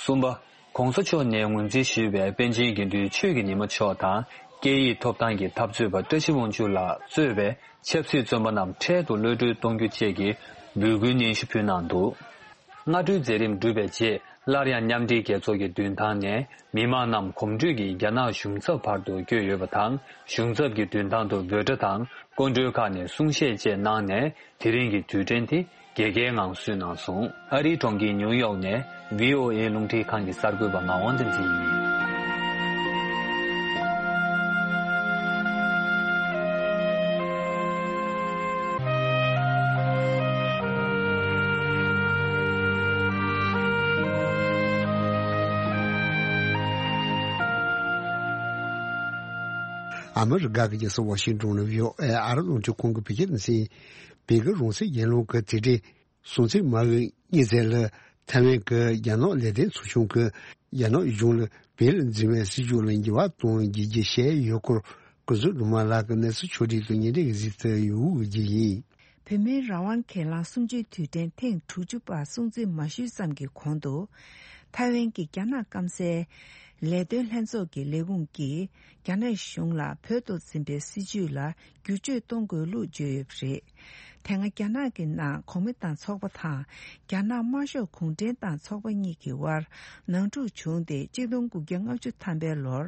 གསུམ་པ། ༸གོང་ས་མཆོག་ནས་ངོས་འཛིན་ཞུས་པའི་པཎ་ཆེན་དགེ་འདུན་ཆོས་ཀྱི་ཉི་མ་མཆོག་དང་། སྐད་ཡིག་ཐོབ་ཐང་གི་འཐབ་རྩོད་པ་བཀྲ་ཤིས་དབང་ཕྱུག་ལགས་གཙོས་པའི་ཆབ་སྲིད་བཙོན་པ་རྣམས་འཕྲལ་དུ་གློད་གྲོལ་གཏོང་རྒྱུ་བཅས་ཀྱི་ འབོད་སྐུལ་སྙན་ཞུ་ཕུལ་གནང་འདུག། སྔ་དྲོའི་མཛད་རིམ་གྲུབ་པའི་རྗེས། སླར་ཡང་མཉམ་འབྲེལ་རྒྱལ་ཚོགས་ཀྱི་མདུན་ཐང་ནས་མི་མང་རྣམས་གོམ་བགྲོད་ཀྱིས་རྒྱ་ནག་གཞུང་ཚབ་བར་དུ་བསྐྱོད་ཡོད་པ་དང་། གཞུང་ཚབ་ཀྱི་མདུན་ཐང་དུ་འབོད་སྒྲ་དང་སྐུ་མགྲོན་ཁག་ནས་གསུང་བཤད་བཅས་གནང་ནས། དེ་རིང་གི་དུས་དྲན་དེ་རྒྱལ་ཁའི་ངང་བསུས་གནང་སོང་། ཨ་རིའི་གྲོང་ཁྱེར་ཉིའུ་ཡོག་ནས་བྷི་ཨོ་ཨེ་རླུང་འཕྲིན་ཁང་གི་གསར་འགོད་པ་ངག་དབང་བསྟན་འཛིན་ཡིན། ཨ་མི་རི་ཀ་གི་རྒྱལ་ས་ཝ་ཤིང་ཏོན་ནས་བྷི་ཨོ་ཨེ་ཨ་རི་རླུང་འཕྲིན་ཁང་གི་བོད་སྐད་སྡེ་ཚན། བོད་ཀྱི་རང་སྲིད་ཡན་ལག་གི་དེ་གྲས་སྲུང་བརྩི་མ་དངུལ་གཉིས་ཚད་ལ་ཐའེ་ཝན་གྱི་རྒྱ་ནག་ལས་དོན་ཚོགས་ཆུང་གིས་རྒྱ་ནག་གཞུང་ལ་བོད་ལ་འཛིན་པའི་སྲིད་ཇུས་ལ་འགྱུར་བ་གཏོང་རྒྱུ་བྱས་ཡོད་སྐོར། སྐུ་ཚབ་སྒྲོལ་མ་ལགས་ཀྱིས་གནས་ཚུལ་ཕྱོགས་སྒྲིག་དང་ཉེ་འབྲེལ་གྱི་གཟིགས་ཚུལ་ཡོད་འོས་ཀྱི་ཡིན། བོད་མིའི་རང་དབང་སྒེར་ལངས་གསུམ་བཅུའི་དུས་དྲན་ཐེངས་དྲུག་ཅུ་པ་སྲུང་བརྩི་མ་ཞུས་ཙམ་གྱི་གོང་དུ། ཐའེ་ཝན་གྱི་རྒྱ་ནག་སྐམ་སའི་ལས་དོན་ལྷན་ཚོགས་ཀྱི་ལས་ཁུངས་ཀྱིས་རྒྱ་ནག་གཞུང་ལ་བོད་དུ་འཛིན་པའི་སྲིད་ཇུས་ལ་བསྒྱུར་བཅོས་གཏོང་དགོས་ལུགས་བརྗོད་ཡོད་པ་རེད། དེ་སྔ་རྒྱ་ནག་གི་ནང་གོང་མ་ཏང་ཚོགས་པ་དང་རྒྱ་ནག་དམར་ཤོག་གུང་ཁྲན་ཏང་ཚོགས་པ་གཉིས་ཀྱི་དབར་ནང་འཁྲུག་བྱུང་སྟེ། གཅིག་སྟོང་དགུ་བརྒྱ་ལྔ་བཅུ་ཐམ་པའི་ལོར་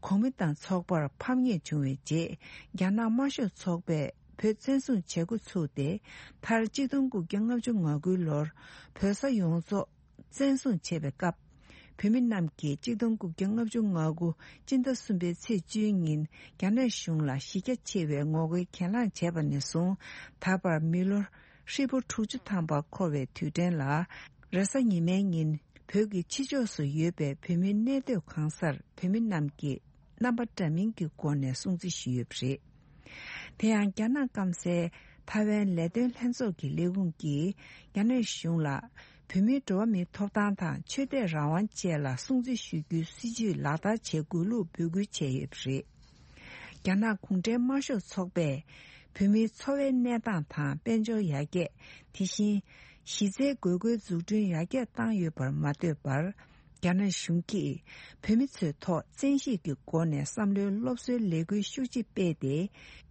གོང་མ་ཏང་ཚོགས་པར་ཕམ་ཉེས་བྱུང་བའི་རྗེས། རྒྱ་ནག་དམར་ཤོག་ཚོགས་པས་བོད་བཙན་བཟུང་བྱེད་འགོ་ཚུགས་ཏེ། མཐར་གཅིག་སྟོང་དགུ་བརྒྱ་ལྔ་བཅུ་ང་དགུའི་ལོར་བོད་ས་ཡོངས་རྫོགས་བཙན་བཟུང་བྱས་པའི་སྐབས། བོད་མི་རྣམས་ཀྱིས་གཅིག་སྟོང་དགུ་བརྒྱ་ལྔ་བཅུ་ང་དགུ་སྤྱི་ཟླ་གསུམ་པའི་ཚེས་བཅུའི་ཉིན་རྒྱ་ནག་གཞུང་ལ་གཞི་རྒྱ་ཆེ་བའི་ངོ་རྒོལ་གྱེན་ལངས་བྱས་པ་ནས་བཟུང་། ད་བར་མི་ལོ་ཧྲིལ་པོ་དྲུག་ཅུ་ཐམ་པ་འཁོར་བའི་དུས་དྲན་ལ། རེས་གཟའ་ཉི་མའི་ཉིན་བོད་ཀྱི་ཕྱི་ཕྱོགས་སུ་ཡོད་པའི་བོད་མིའི་གནས་སྡོད་གང་སར་བོད་མི་རྣམས་ཀྱིས་རྣམ་པ་འདྲ་མིན་གྱི་སྒོ་ནས་སྲུང་བརྩི་ཞུས་ཡོད་པ་རེད། དེ་ཡང་རྒྱ་ནག་སྐམ་སའི་ཐའེ་ཝན་ལས་དོན་ལྷན་ཚོགས་ཀྱི་ལས་ཁུངས་ཀྱིས་རྒྱ་ནག་གཞུང་ལ་བོད་མིའི་འགྲོ་བ་མིའི་ཐོབ་ཐང་དང་ཆོས་དད་རང་དབང་བཅས་ལ་སྲུང་བརྩི་ཞུ་རྒྱུའི་སྲིད་ཇུས་ལག་བསྟར་བྱེད་དགོས་ལུགས་འབོད་སྐུལ་བྱས་ཡོད་པ་རེད། རྒྱ་ནག་གུང་ཁྲན་དམར་ཤོག་ཚོགས་པས་བོད་མིའི་འཚོ་བའི་གནས་སྟངས་དང་དཔལ་འབྱོར་ཡར་རྒྱས། དེ་བཞིན་གཞི་རྩའི་དགོས་མཁོའི་འཛུགས་སྐྲུན་ཡར་རྒྱས་བཏང་ཡོད་པར་མ་ལྟོས་པར། རྒྱ་ནག་གཞུང་གིས་བོད་མི་ཚོའི་ཐོག་བཙན་ཤེད་ཀྱི་སྒོ་ནས་བསམ་བློའི་སློབ་གསོའི་ལས་འགུལ་ཤུགས་ཆེ་སྤེལ་ཏེ།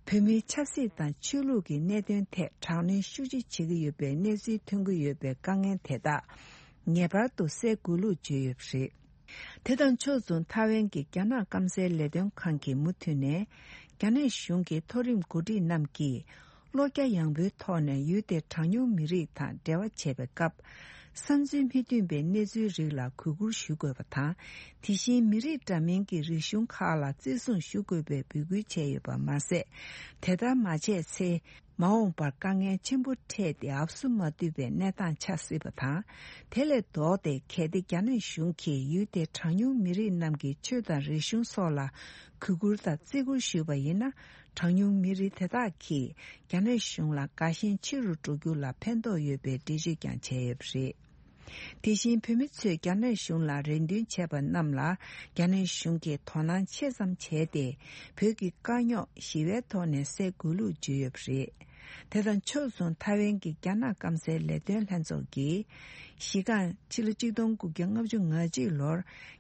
བོད་མིའི་ཆབ་སྲིད་དང་ཆོས་ལུགས་ཀྱི་གནད་དོན་ཐད་དྲག་གནོན་ཤུགས་ཆེ་བྱེད་ཀྱི་ཡོད་པའི་གནས་ཚུལ་ཐོན་གྱི་ཡོད་པའི་དཀའ་ངལ་དེ་དག་ངེས་པར་དུ་སེལ་དགོས་ལུགས་བརྗོད་ཡོད་པ་རེད། དེ་དང་ཕྱོགས་མཚུངས་ཐའེ་ཝན་གྱི་རྒྱ་ནག་སྐམ་སའི་ལས་དོན་ཁང་གིས་མུ་མཐུད་ནས་རྒྱ་ནག་གཞུང་གི་མཐོ་རིམ་འགོ་ཁྲིད་རྣམས་ཀྱིས། བློ་རྒྱ་ཡངས་པོའི་ཐོག་ནས་ཡུལ་དེའི་གྲངས་ཉུང་མི་རིགས་དང་འབྲེལ་བ་བྱེད་པའི་སྐབས། བསམ་ཚུལ་མི་མཐུན་པའི་གནས་ཚུལ་རིགས་ལ་གུས་བཀུར་ཞུ་དགོས་པ་དང་། དེ་བཞིན་མི་རིགས་འདྲ་མིན་གྱི་རིག་གཞུང་ཁག་ལ་བརྩི་སྲུང་ཞུ་དགོས་པའི་འབོད་སྐུལ་བྱས་ཡོད་པ་མ་ཟད། དེ་ལྟར་མ་བྱས་ཚེ། མ་འོངས་པར་དཀའ་ངལ་ཆེན་པོ་འཕྲད་དེ་ཨབ་སུ་མ་ཐུབ་པའི་གནས་སྟངས་ཆགས་སྲིད་པ་དང་། དེ་ལས་ལྡོག་སྟེ། གལ་ཏེ་རྒྱ་ནག་གཞུང་གིས་ཡུལ་དེའི་གྲངས་ཉུང་མི་རིགས་རྣམས་ཀྱི་ཆོས་དང་རིག་གཞུང་སོགས་ལ་གུས་བཀུར་དང་བརྩི་བཀུར་ཞུས་པ་ཡིན་ན། གྲངས་ཉུང་མི་རིགས་དེ་དག་གིས་རྒྱ་ནག་གཞུང་ལ་དགའ་ཞེན་ཆེ་རུ་འགྲོ་རྒྱུ་ལ་ཕན་ཐོགས་ཡོད་པའི་འགྲེལ་བརྗོད་ཀྱང་བྱས་ཡོད་པ་རེད། དེ་བཞིན་བོད་མི་ཚོས་རྒྱ་ནག་གཞུང་ལ་རེ་འདུན་བྱས་པ་རྣམས་ལ་རྒྱ་ནག་གཞུང་གིས་དོ་སྣང་ཆེ་ཙམ་བྱས་ཏེ། བོད་ཀྱི་དཀའ་རྙོག་ཞི་བའི་ཐོག་ནས་སེལ་དགོས་ལུགས་བརྗོད་ཡོད་པ་རེད། དེ་དང་ཕྱོགས་མཚུངས་ཐའེ་ཝན་གྱི་རྒྱ་ནག་སྐམ་སའི་ལས་དོན་ལྷན་ཚོགས་ཀྱིས། གཞི་རྐང་ཕྱི་ལོ་གཅིག་སྟོང་དགུ་བརྒྱ་ལྔ་བཅུ་ང་གཅིག་ལོར་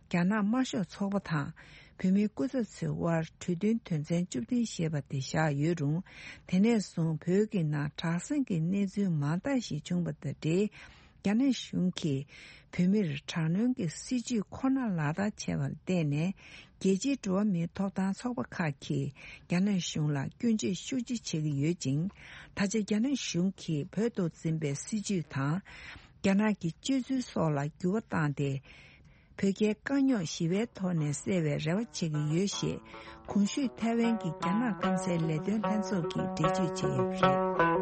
རྒྱ་ནག་དམར་ཤོག་ཚོགས་པ་དང་། བོད་མིའི་སྐུ་ཚབ་ཚོའི་དབར་གྲོས་མཐུན་དོན་ཚན་བཅུ་བདུན་ཞེས་པ་དེ་བཞག་ཡོད་རུང་། དེ་ནས་བཟུང་བོད་ཀྱི་ནང་དྲག་ཟིང་གི་གནས་ཚུལ་མང་དག་ཞིག་བྱུང་བ་དང་འབྲེལ། རྒྱ་ནག་གཞུང་གིས་བོད་མིར་དྲག་གནོན་གྱི་སྲིད་ཇུས་ཁོ་ན་ལག་བསྟར་བྱས་པར་བརྟེན་ནས། རྒྱལ་སྤྱིའི་འགྲོ་བ་མིའི་ཐོབ་ཐང་ཚོགས་པ་ཁག་གིས་རྒྱ་ནག་གཞུང་ལ་སྐྱོན་བརྗོད་ཤུགས་ཆེ་བྱེད་ཀྱི་ཡོད་ཅིང་། ད་ཆ་རྒྱ་ནག་གཞུང་གིས་བོད་དུ་འཛིན་པའི་སྲིད་ཇུས་དང་། རྒྱ་ནག་གི་སྤྱོད་ཚུལ་སོགས་ལ་འགྱུར་བ་བཏང་སྟེ། བོད་རྒྱའི་དཀའ་རྙོག་ཞི་བའི་ཐོག་ནས་སེལ་བའི་རེ་བ་བྱེད་ཀྱི་ཡོད་ཞེས། གོང་ཞུས་ཐའེ་ཝན་གྱི་རྒྱ་ནག་སྐམ་སའི་ལས་དོན་ལྷན་ཚོགས་ཀྱིས་འགྲེལ་བརྗོད་བྱས་ཡོད་པ་རེད།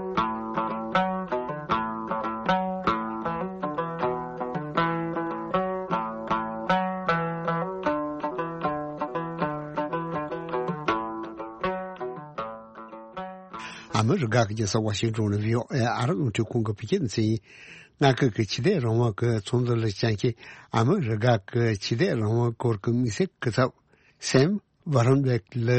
ཨ་མི་རི་ཀ་གི་རྒྱལ་ས་ཝ་ཤིང་ཏོན་ནས་བྷི་ཨོ་ཨེ་ཨ་རི་རླུང་འཕྲིན་ཁང་གི་བོད་སྐད་སྡེ་ཚན་ཡིན། མངའ་ཁུལ་གྱི་ཕྱི་འཐེན་རང་དབང་གི་ཚོགས་འདུ་ལ་བཅར་མཁན་ཨ་མི་རི་ཀ་གི་ཕྱི་འཐེན་རང་དབང་སྐོར་གྱི་དམིགས་བསལ་སྐུ་ཚབ་སེམ་བྷ་རོན་བྷེག་ལ་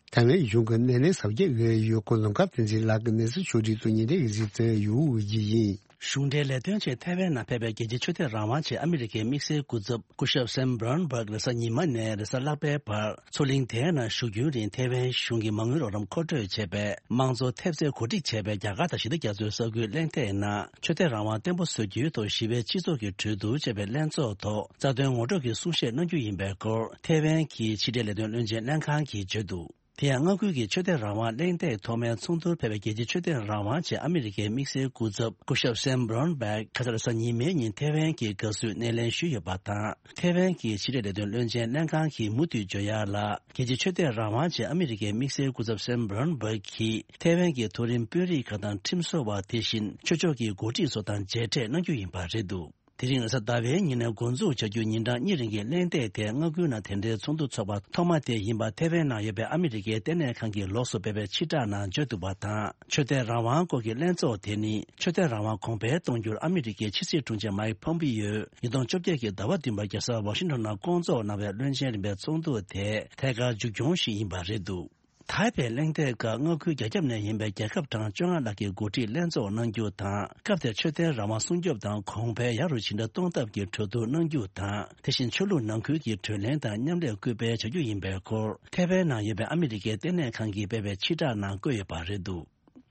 ཐའེ་ཝན་གཞུང་གི་སྣེ་ལེན་གཟབ་རྒྱས་ཀྱི་ཡོད་སྐོར་ལུང་དཀར་བསྟན་འཛིན་ལགས་ཀྱིས་གནས་ཚུལ་ཕྱོགས་བསྒྲིགས་དང་ཉེ་འབྲེལ་གྱི་གཟིགས་ཚུལ་ཡོད་འོས་ཀྱི་ཡིན། གཞུང་འབྲེལ་ལས་དོན་ཆེད་ཐའེ་ཝན་ནང་ཕེབས་པའི་རྒྱལ་སྤྱིའི་ཆོས་དད་རང་དབང་ཆེད་ཨ་མི་རི་ཀའི་དམིགས་བསལ་སྐུ་ཚབ་སྐུ་ཞབས་སེམ་བྷོན་བྷག་རེས་གཟའ་ཉི་མ་ནས་རེས་གཟའ་ལྷག་པའི་བར་མཚོ་གླིང་དེའི་ནང་བཞུགས་རྒྱུན་རིང་ཐའེ་ཝན་གཞུང་གི་མ་དངུལ་རོགས་རམ་མཁོ་སྤྲོད་བྱས་པའི་དམངས་གཙོ་ཐེབས་རྩའི་གོ་སྒྲིག་བྱས་པའི་རྒྱ་གར་དང་ཞི་བདེ་རྒྱ་མཚོའི་ས་ཁུལ་གླེང་སྟེགས་ནང་ཆོས་དད་རང་དབང་བརྟན་པོ་བཟོ་རྒྱུའི་ཐོག་ཞི་བའི་སྤྱི་ཚོགས་ཀྱི་གྲོས་བསྡུར་ཅེས་པའི་ལྷན་ཚོགས་ཐོག་རྩ་དོན་ངོ་སྤྲོད་ཀྱི་གསུང་བཤད་གནང་རྒྱུ་ཡིན་པའི་སྐོར་ཐའེ་ཝན་གྱི་ཕྱི་འབྲེལ་ལས་དོན་བློན་ཆེན་ལྷན་ཁང་གིས་བརྗོད་འདུག་དེ་ཡང་མངའ་ཁུལ་གྱི་ཆོས་དད་རང་དབང་གླེང་སྟེགས་ཐོག་མའི་ཚོགས་འདུར་ཕེབས་པའི་རྒྱལ་སྤྱིའི་ཆོས་དད་རང་དབང་ཆེད་ཨ་མི་རི་ཀའི་དམིགས་བསལ་སྐུ་ཚབ་སྐུ་ཞབས་སེམ་བྷོན་བྷག་ཁ་སང་རེས་གཟའ་ཉི་མའི་ཉིན་ཐའེ་ཝན་གྱི་དགའ་བསུའི་སྣེ་ལེན་ཞུས་ཡོད་པ་དང་། ཐའེ་ཝན་གྱི་ཕྱི་འབྲེལ་ལས་དོན་བློན་ཆེན་ལྷན་ཁང་གིས་མུ་མཐུད་བརྗོད་ཡག་ལ། རྒྱལ་སྤྱིའི་ཆོས་དད་རང་དབང་ཆེད་ཨ་མི་རི་ཀའི་དམིགས་བསལ་སྐུ་ཚབ་སེམ་བྷོན་བྷག་གིས་ཐའེ་ཝན་གྱི་མཐོ་རིམ་དཔོན་རིགས་ཁག་དང་ཁྲིམས་བཟོ་བ་དེ་བཞིན་ཆོས་ཕྱོགས་ཀྱི་འགོ་ཁྲིད་སོགས་དང་མཇལ་འཕྲད་གནང་རྒྱུ་ཡིན་པ་རེད་འདུག་དེ་རིང་རེས་གཟའ་ཟླ་བའི་ཉིན་ནས་འགོ་འཛུགས་བྱ་རྒྱུའི་ཉིན་གྲངས་གཉིས་རིང་གི་གླེང་སྟེགས་དེ་མངའ་ཁུལ་ནང་དེ་འདྲའི་ཚོགས་འདུ་ཚོགས་པ་ཐོག་མ་དེ་ཡིན་པ་ཐའེ་ཝན་ནང་ཡོད་པའི་ཨ་མི་རི་ཀའི་ལྟེ་གནས་ཁང་གིས་ལོགས་སུ་སྤེལ་བའི་ཕྱིར་བསྒྲགས་ནང་བརྗོད་འདུག་པ་དང་། ཆོས་དད་རང་དབང་སྐོར་གྱི་ལྷན་ཚོགས་དེ་ནི་ཆོས་དད་རང་དབང་གོང་འཕེལ་གཏོང་རྒྱུར་ཨ་མི་རི་ཀའི་ཕྱི་སྲིད་དྲུང་ཆེ་མཱིག་ཕོམ་པིའོས་ཉིས་སྟོང་བཅོ་བརྒྱད་ཀྱི་ཟླ་བ་བདུན་པར་རྒྱལ་ས་ཝ་ཤིང་ཊོན་ནང་བསྐོང་ཚོགས་གནང་བའི་བློན་ཆེན་རིམ་པའི་ཚོགས་འདུ་དེ་ཐད་ཀར་མཇུག་སྐྱོང་ཞིག་ཡིན་པ་རེད་འདུག་ཐའེ་པེ་གླེང་སྟེགས་སྐབས་མངའ་ཁུལ་རྒྱ་ཁྱབ་ནས་ཡིན་པའི་རྒྱལ་ཁབ་གྲངས་བཅོ་ལྔ་ལྷག་གིས་འགོ་ཁྲིད་ལྷན་ཚོགས་གནང་རྒྱུ་དང་། སྐབས་དེར་ཆོས་དད་རང་དབང་སྲུང་སྐྱོབ་དང་གོང་འཕེལ་ཡག་རུ་ཇི་འདྲ་གཏོང་ཐབས་ཀྱི་གྲོས་བསྡུར་གནང་རྒྱུ་དང་། དེ་བཞིན་ཆོས་ལུགས་ནང་ཁུལ་གྱི་གྲོས་གླེང་དང་མཉམ་ལས་སྐུལ་སྤེལ་བྱ་རྒྱུ་ཡིན་པའི་སྐོར་ཐའེ་ཝན་ནང་ཡོད་པའི་ཨ་མི་རི་ཀའི་ལྟེ་གནས་ཁང་གིས་སྤེལ་བའི་ཕྱིར་བསྒྲགས་ནང་བཀོད་ཡོད་པ་རེད་འདུག་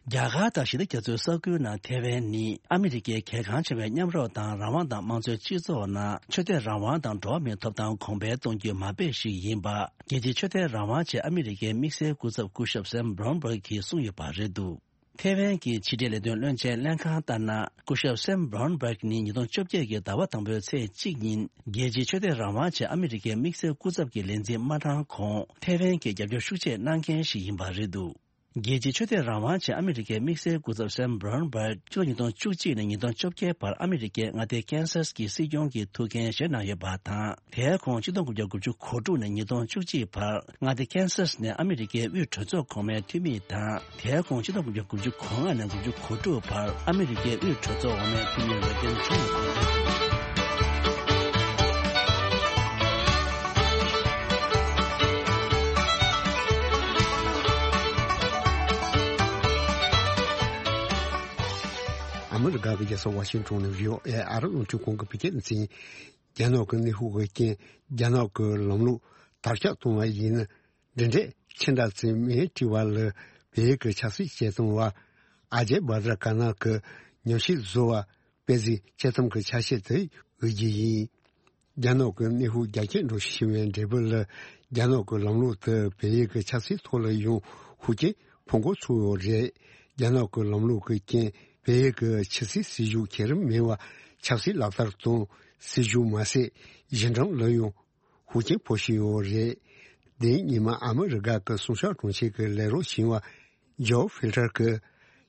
རྒྱ་གར་དང་ཞི་བདེ་རྒྱ་མཚོའི་ས་ཁུལ་ནང་ཐའེ་ཝན་ནི་ཨ་མི་རི་ཀའི་གལ་འགངས་ཆེ་བའི་མཉམ་རོགས་དང་རང་དབང་དང་དམངས་གཙོའི་སྤྱི་ཚོགས་ནང་ཆོས་དད་རང་དབང་དང་འགྲོ་བ་མིའི་ཐོབ་ཐང་གོང་འཕེལ་གཏོང་རྒྱུའི་མ་དཔེ་ཞིག་ཡིན་པ། རྒྱལ་སྤྱིའི་ཆོས་དད་རང་དབང་ཆེད་ཨ་མི་རི་ཀའི་དམིགས་བསལ་སྐུ་ཚབ་སྐུ་ཞབས་སེམ་བྷོན་བྷག་གིས་གསུངས་ཡོད་པ་རེད་འདུག་ཐའེ་ཝན་གྱི་ཕྱི་འབྲེལ་ལས་དོན་བློན་ཆེན་ལྷན་ཁང་ལྟར་ན། སྐུ་ཞབས་སེམ་བྷོན་བྷག་ནི་ཉིས་སྟོང་བཅོ་བརྒྱད་ཀྱི་ཟླ་བ་དང་པོའི་ཚེས་གཅིག་ཉིན་རྒྱལ་སྤྱིའི་ཆོས་དད་རང་དབང་ཆེད་ཨ་མི་རི་ཀའི་དམིགས་བསལ་སྐུ་ཚབ་ཀྱི་ལས་འཛིན་མ་གྲངས་གོང་ཐའེ་ཝན་གྱི་རྒྱབ་སྐྱོར་ཤུགས་ཆེ་གནང་མཁན་ཞིག་ཡིན་པ་རེད་འདུག་རྒྱལ་སྤྱིའི་ཆོས་དད་རང་དབང་ཆེད་ཨ་མི་རི་ཀའི་དམིགས་བསལ་སྐུ་ཚབ་སེམ་བྷོན་བྷག་ཕྱི་ལོ་ཉིས་སྟོང་བཅུ་གཅིག་ནས་ཉིས་སྟོང་བཅོ་བརྒྱད་བར་ཨ་མི་རི་ཀའི་མངའ་སྡེ་ཀན་སཱས་ཀྱི་སྲིད་སྐྱོང་གི་ཐུགས་འགན་བཞེས་གནང་ཡོད་པ་དང་། དེའི་གོང་ཆིག་སྟོང་དགུ་བརྒྱ་དགུ་བཅུ་གོ་དྲུག་ནས་ཉིས་སྟོང་བཅུ་གཅིག་བར་མངའ་སྡེ་ཀན་སཱས་ནས་ཨ་མི་རི་ཀའི་དབུས་གྲོས་ཚོགས་གོང་མའི་འཐུས་མི་དང་། དེའི་གོང་ཆིག་སྟོང་དགུ་བརྒྱ་དགུ་བཅུ་གོ་ལྔ་ནས་དགུ་བཅུ་གོ་དྲུག་བར་ཨ་མི་རི་ཀའི་དབུས་གྲོས་ཚོགས་འོག་མའི་འཐུས་མི་ལ་བརྟེན་བྱུང་ཡོད་པ་རེད། ཨ་མི་རི་ཀ་གི་རྒྱལ་ས་ཝ་ཤིང་ཊོན་ནས་བྷི་ཨོ་ཨེ་ཨ་རི་རླུང་འཕྲིན་ཁང་གི་བོད་སྐད་སྡེ་ཚན། རྒྱ་ནག་གི་གནས་སྤོ་གི་རྐྱེན་རྒྱ་ནག་གི་ལམ་ལུགས་དར་ཁྱབ་གཏོང་བ་ཡིན་ན། འདི་འདྲས་ཕྱི་འདྲ་ཚོས་མིང་བྲིས་པ་ལ་བལ་ཡུལ་གྱི་ཆབ་སྲིད་བྱེད་སྟངས་བ་ཨ་ཇེ་བྷ་དྲ་ཀ་ན་གི་ཉམས་ཞིབ་བཟོ་བ་དཔེ་གཟིགས་དཔྱད་རྩོམ་གྱི་ཆ་ཤས་དེ་འོས་རྒྱུ་ཡིན། རྒྱ་ནག་གི་གནས་སྤོ་རྒྱ་སྐྱེད་འགྲོ་བཞིན་པའི་འབྲས་བུ་ལ་རྒྱ་ནག་གི་ལམ་ལུགས་དེ་བལ་ཡུལ་གྱི་ཆབ་སྲིད་ཐོག་ལ་ཡང་ཤུགས་རྐྱེན་ཕོག་འགོ་ཚུགས་ཡོད་རེད། རྒྱ་ནག་གི་ལམ་ལུགས་ཀྱི་རྐྱེན་བལ་ཡུལ་གྱི་ཕྱི་སྲིད་སྲིད་ཇུས་ཁྱད་རིམ་མེད་པ་ཆབ་སྲིད་ལག་བསྟར་དང་སྲིད་ཇུས་མ་ཟད་གཞི་འགྲམ་ལ་ཡང་ཤུགས་རྐྱེན་ཕོག་བཞིན་ཡོད་རེད། དེ་ཉིན་མ་ཨ་མི་རི་ཀ་གི་སྲུང་སྐྱོབ་དྲུང་ཆེ་གིས་ལས་རོགས་ཞུ་བ་ཇོ་ཧྥིལ་ཊར་གྱིས་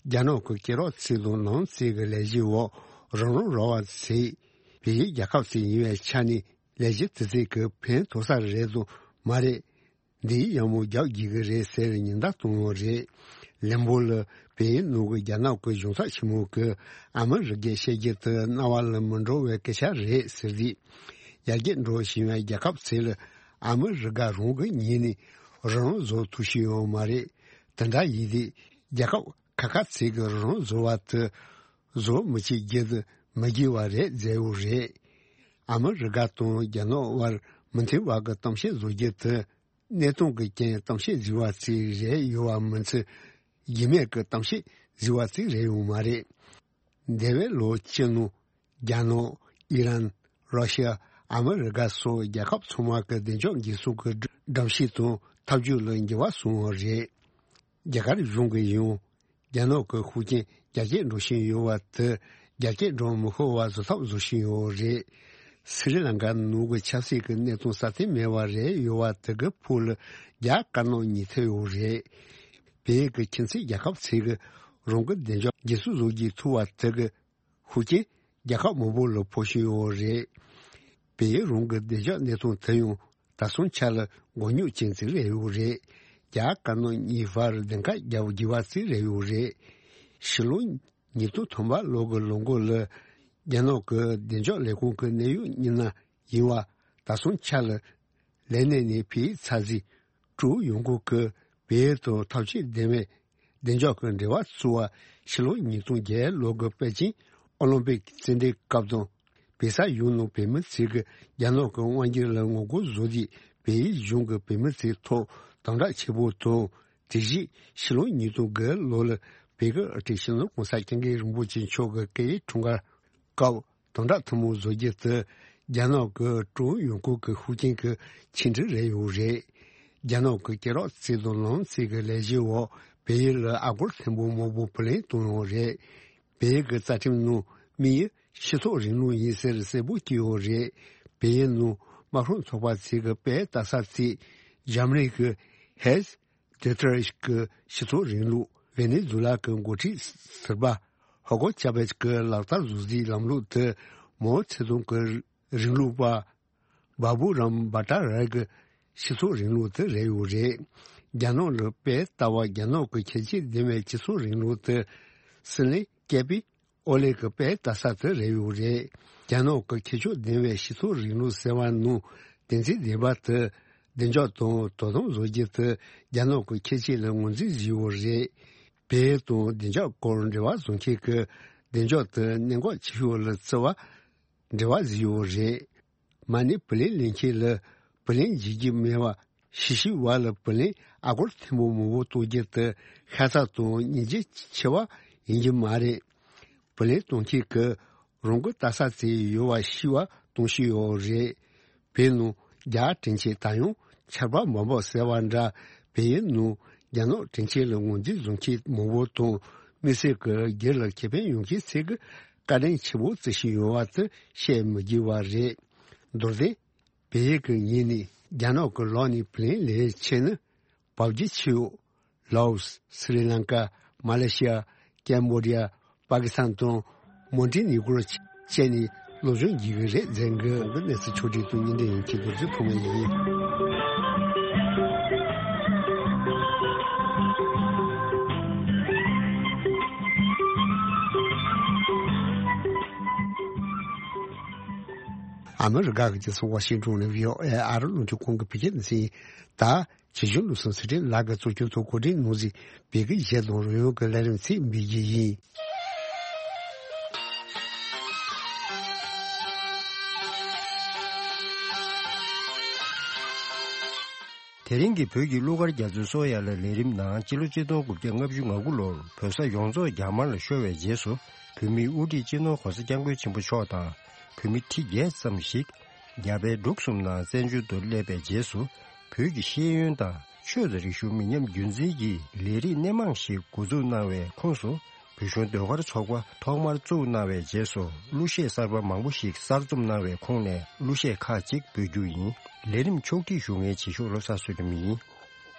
རྒྱ་ནག་གི་སྐད་གྲགས་ཚིག་དང་ནང་ཚིག་གི་ལས་གཞི་འོག་རང་རང་ར་བ་ཟེར། བལ་ཡུལ་རྒྱལ་ཁབ་ཅིག་ཡིན་པའི་ཆ་ནས་ལས་གཞི་དེ་ཚིག་གི་ཕན་ཐོགས་ས་རེད་དང་མ་རེད། འདིའི་ཡག་མོ་རྒྱག་དགོས་ཀྱི་རེད་ཟེར་ཉེན་བརྡ་བཏང་ཡོད་རེད། ལན་པོ་ལ་བལ་ཡུལ་ནང་གི་རྒྱ་ནག་གི་གཞུང་ཚབ་ཆེན་མོ་གིས་ཨ་མི་རི་ཀའི་བཤད་རྒྱུ་དེ་རྣ་བ་ལ་མི་འགྲོ་བའི་སྐད་ཆ་རེད་ཟེར་དུས། ཡར་རྒྱས་འགྲོ་བཞིན་པའི་རྒྱལ་ཁབ་ཚོ་ལ་ཨ་མི་རི་ཀ་རང་གི་ངོས་ནས་རང་རང་བཟོ་ཐུབ་བཞིན་ཡོད་མ་རེད། དེ་འདྲ་ཡིན་དུས་རྒྱལ་ཁབ་ཁ་ཁ་ཚོ་གིས་རང་བཟོ་བ་དེ་བཟོ་མི་བྱེད་རྒྱུ་དེ་མི་དགེ་བ་རེད་ཟེར་ཡོད་རེད། ཨ་མི་རི་ཀ་དང་རྒྱ་ནག་དབར་མི་མཐུན་པ་གི་གཏམ་བཤད་བཟོ་རྒྱུ་དེ། གནས་སྟངས་ཀྱི་རྐྱེན་གཏམ་བཤད་བཟོས་པ་ཅིག་རེད་ཡོད་པ་མིན་ཚེ། རྒྱུས་མེད་ཀྱི་གཏམ་བཤད་བཟོས་པ་ཅིག་རེད་ཡོད་མ་རེད། འདས་པའི་ལོ་བཅུ་ནང་རྒྱ་ནག་ཨི་རན། ར་ཤི་ཡ། ཨ་མི་རི་ཀ་སོགས་རྒྱལ་ཁབ་ཚང་མ་གི་བདེ་འཇགས་འགན་སྲུང་གི་སྒྲོམ་གཞི་དང་ཐབས་ཇུས་ལ་འགྱུར་བ་སོང་བ་རེད། རྒྱ་གར་གཞུང་གིས་ཡང་། རྒྱ་ནག་གི་ཤུགས་རྐྱེན་རྒྱ་སྐྱེད་འགྲོ་བཞིན་ཡོད་པ་དེ་རྒྱ་སྐྱེད་འགྲོ་མི་ཤོར་བ་བཟོ་ཐབས་བཟོ་བཞིན་ཡོད་རེད། སི་རི་ལང་ཀ་ནང་གི་ཆབ་སྲིད་ཀྱི་གནས་སྟངས་སྲ་བརྟན་མེད་པ་རེད་ཡོད་པ་དེ་གི་ཕུགས་ལ་རྒྱ་དཀར་ནག་གཉིས་ཐེབས་ཡོད་རེད། བལ་ཡུལ་གྱི་ཁྱིམ་མཚེས་རྒྱལ་ཁབ་ཚོས་གི་རང་གི་བདེ་འཇགས་འགན་སྲུང་བཟོ་རྒྱུའི་ཐུབ་པ་དེ་གི་ཤུགས་རྐྱེན་རྒྱལ་ཁབ་མང་པོ་ལ་ཕོག་བཞིན་ཡོད་རེད། བལ་ཡུལ་རང་གི་བདེ་འཇགས་གནས་སྟངས་དེ་ཡང་། ད་སོང་ཆ་ལ་མགོ་རྙོག་ཅན་ཅིག་རེད་ཡོད་རེད། རྒྱ་དཀར་ནག་གཉིས་བར་བདེན་ཁ་རྒྱབ་དགོས་པ་ཅིག་རེད་ཡོད་རེད། ཕྱི་ལོ་ཉིས་སྟོང་ཐམ་པ་ལོ་གི་ལོ་འགོ་ལ་རྒྱ་ནག་གི་བདེ་འཇགས་ལས་ཁུངས་ཀྱི་གནད་ཡོད་མི་སྣ་ཡིན་པ་ད་སོང་ཆ་ལ་ལས་གནས་ནས་ཕྱིར་ཚར་རྗེས་ཀྲུའུ་ཡོང་སྒོ་གིས་བལ་ཡུལ་དང་ཐབས་ཇུས་ལྡན་པའི་བདེ་འཇགས་ཀྱི་འབྲེལ་བ་བཙུགས་པ་ཕྱི་ལོ་ཉིས་སྟོང་བརྒྱད་ལོ་གི་པེ་ཅིང་ ཨོ་ལིམ་པིག་རྩེད་འགྲན་སྐབས་དང་། བོད་ས་ཡོངས་ནང་བོད་མི་ཚོས་ཀྱི་རྒྱ་ནག་གི་དབང་སྒྱུར་ལ་ངོ་རྒོལ་བཟོ་རྒྱུ། བལ་ཡུལ་གཞུང་གིས་བོད་མི་ཚོའི་ཐོག་དམ་དྲག་ཆེ་པོ་དང་། དེ་བཞིན་ཕྱི་ལོ་ཉིས་སྟོང་དགུ་ལོ་ལ་བོད་ཀྱི་དབུ་ཁྲིད་སྤྱི་ནོར་༸གོང་ས་༸སྐྱབས་མགོན་རིན་པོ་ཆེ་མཆོག་གི་སྐུ་ཡི་འཁྲུངས་སྐར་སྐབས་དམ་དྲག་ཐུན་མོང་བཟོ་རྒྱུ་དེ། རྒྱ་ནག་གི་ཀྲུང་ཡོང་ཁུལ་གྱི་ཤུགས་རྐྱེན་གྱི་ཆིངས་འགྲིག་རེད་ཡོད་རེད། རྒྱ་ནག་གི་སྐྱེས་རབས་རྩིས་དང་ལམ་རྩིས་ཀྱི་ལས་གཞི་འོག་བལ་ཡུལ་ལ་ཨ་སྒོར་ཐེར་འབུམ་མང་པོ་བུ་ལོན་གཏོང་ཡོད་རེད། བལ་ཡུལ་གྱི་རྩ་ཁྲིམས་ནང་དམིགས་ཡུལ་སྤྱི་ཚོགས་རིང་ལུགས་ཡིན་ཟེར་གསལ་པོ་བྲིས་ཡོད་རེད། བལ་ཡུལ་ནང་དམར་ཤོག་ཚོགས་པ་ཚོས་ཀྱི་དཔལ་ལྟ་ས་ཚོས་འཇར་མ་ནི་གི་ཧེ་སི་ཏེ་ཏར་གྱི་སྤྱི་ཚོགས་རིང་ལུགས། ཝེ་ནེ་ཛུ་ལ་གྱི་འགོ་ཁྲིད་ཟུར་པ་ཧོ་གོ་ཅཱ་བེ་གྱིས་ལག་བསྟར་བཟོ་རྩིས་ལམ་ལུགས་དེ་མའོ་ཙེ་ཏུང་གི་རིང་ལུགས་པ་བ་བུ་རམ་བྷ་ཏཱ་ར་གི་སྤྱི་ཚོགས་རིང་ལུགས་དེ་རེད་ཡོད་རེད། རྒྱ་ནག་ལ་དཔལ་ལྟ་བ་རྒྱ་ནག་གི་ཁྱད་ཆོས་ལྡན་པའི་སྤྱི་ཚོགས་རིང་ལུགས་དེ་སྲིད་བློན་སྐྱེས་པའི་ཨོ་ལེ་གི་དཔལ་ལྟ་ས་དེ་རེད་ཡོད་རེད། རྒྱ་ནག་གི་ཁྱད་ཆོས་ལྡན་པའི་སྤྱི་ཚོགས་རིང་ལུགས་ཟེར་བ་ནང་དོན་ཚན་བདུན་པ་དེ་བདེ་འཇགས་དང་དོ་དམ་བཟོ་རྒྱུ་དེ་རྒྱ་ནག་གི་ཁྱད་ཆོས་ལ་ངོས་འཛིན་བྱས་ཡོད་རེད། བལ་ཡུལ་དང་བདེ་འཇགས་སྐོར་འབྲེལ་བ་བཟོ་མཁན་གྱི་བདེ་འཇགས་དེ་གནད་འགག་ཆེ་ཤོས་ལ་བརྩི་བ་འབྲེལ་བ་བཟོས་ཡོད་རེད། མ་ཎི་བུ་ལོན་ལེན་མཁན་ལ་བུ་ལོན་འཇལ་རྒྱུ་མེད་པ། ཤི་ཤི་བ་ལ་བུ་ལོན་ཨ་སྒོར་ཐེར་འབུམ་མང་པོ་གཏོང་རྒྱུ་དེ་ཤ་ཚ་དང་སྙིང་རྗེ་ཆེ་བ་ཡིན་རྒྱུ་མ་རེད། བུ་ལོན་གཏོང་མཁན་གྱིས་རང་གི་ལྟ་ས་ཚོ་ཡོད་པ་ཤི་བ་གཏོང་བཞིན་ཡོད་རེད། བོད་ནང་རྒྱ་དྲིན་ཆེ་ད་ཡང་ཆར་པ་མ་འབབ་ཟེར་བ་འདྲ། བལ་ཡུལ་ནང་རྒྱ་ནག་དྲིན་ཆེ་ལ་ངོས་འཛིན་བཟོ་མཁན་མང་པོ་དང་། དམིགས་བསལ་གྱི་སྒེར་ལ་ཁེ་ཕན་ཡོང་མཁན་ཚོས་ཀྱི་བཀའ་དྲིན་ཆེ་བོ་བརྩི་བཞིན་ཡོད་པ་དེ་བཤད་མི་དགོས་པ་རེད། མདོར་བསྟན། བལ་ཡུལ་གྱི་ཉིན་ནས་རྒྱ་ནག་གི་ལག་ནས་བུ་ལོན་ལེན་ཆེད་ནི། བབ་རྒྱུ་ཆེ་བོ། ལའོ་སི། སི་རི་ལང་ཀ། མ་ལེ་ཤི་ཡ། ཀེམ་བོ་ཌི་ཡ། པ་ཀི་སི་ཐན་དང་། མོན་ཏི་ནི་གོ་རོ་བཅས་ནས་སློབ་སྦྱོང་བགྱིས་ཀྱི་རེད་ཟེར་གི། གོང་གི་གནས་ཚུལ་ཕྱོགས་སྒྲིག་དང་སྙན་སྒྲོན་ཡིན་གྱི་རྡོ་རྗེ་ཕུ་མ་ཡིན། ཨ་མི་རི་ཀ་གི་རྒྱལ་ས་ཝ་ཤིང་ཏོན་ནས་བྷི་ཨོ་ཨེ་ཨ་རི་རླུང་འཕྲིན་ཁང་གི་བོད་སྐད་སྡེ་ཚན་ཡིན། ད། རྗེ་བཙུན་བློ་བཟང་ཚེ་རིང་ལགས་ཀྱིས་གཙོ་སྐྱོང་དུ་གོ་སྒྲིག་གནང་མཛད་པའི་གཞས་དང་རོལ་དབྱངས་ཀྱི་ལས་རིམ་ཚིག་འབུལ་རྒྱུ་ཡིན། དེ་རིང་གི་བོད་ཀྱི་གླུ་གར་རྒྱ་མཚོའི་སོ་ཡ་ལ་ལས་རིམ་ནང་སྤྱི་ལོ་ཆིག་སྟོང་དགུ་བརྒྱ་ལྔ་བཅུ་ང་དགུ་ལོར་བོད་ས་ཡོངས་རྫོགས་རྒྱ་དམར་ལ་ཤོར་བའི་རྗེས་སུ་བོད་མིའི་དབུ་ཁྲིད་སྤྱི་ནོར་༸གོང་ས་༸སྐྱབས་མགོན་ཆེན་པོ་མཆོག་དང་བོད་མི་ཁྲི་བརྒྱད་ཙམ་ཞིག་རྒྱ་བལ་འབྲུག་གསུམ་ནང་བཙན་བྱོལ་དུ་སླེབས་པའི་རྗེས་སུ་བོད་ཀྱི་ཤེས་ཡོན་དང་ཆོས་དང་རིག་གཞུང་མི་ཉམས་རྒྱུན་འཛིན་གྱི་ལས་རིགས་སྣེ་མང་ཞིག་འགོ་འཛུགས་གནང་བའི་ཁོངས་སུ་བོད་གཞུང་ཟློས་གར་ཚོགས་པ་ཐོག་མར་བཙུགས་གནང་བའི་རྗེས་སུ་གླུ་གཞས་གསར་པ་མང་པོ་ཞིག་གསར་རྩོམ་གནང་བའི་ཁོངས་ནས་གླུ་གཞས་ཁག་ཅིག་འབུལ་རྒྱུ་ཡིན། ལས་རིམ་ཕྱོགས་སྒྲིག་ཞུ་མཁན་རྗེས་ཕྱོགས་བློ་བཟང་བསོད་ནམས་ཡིན།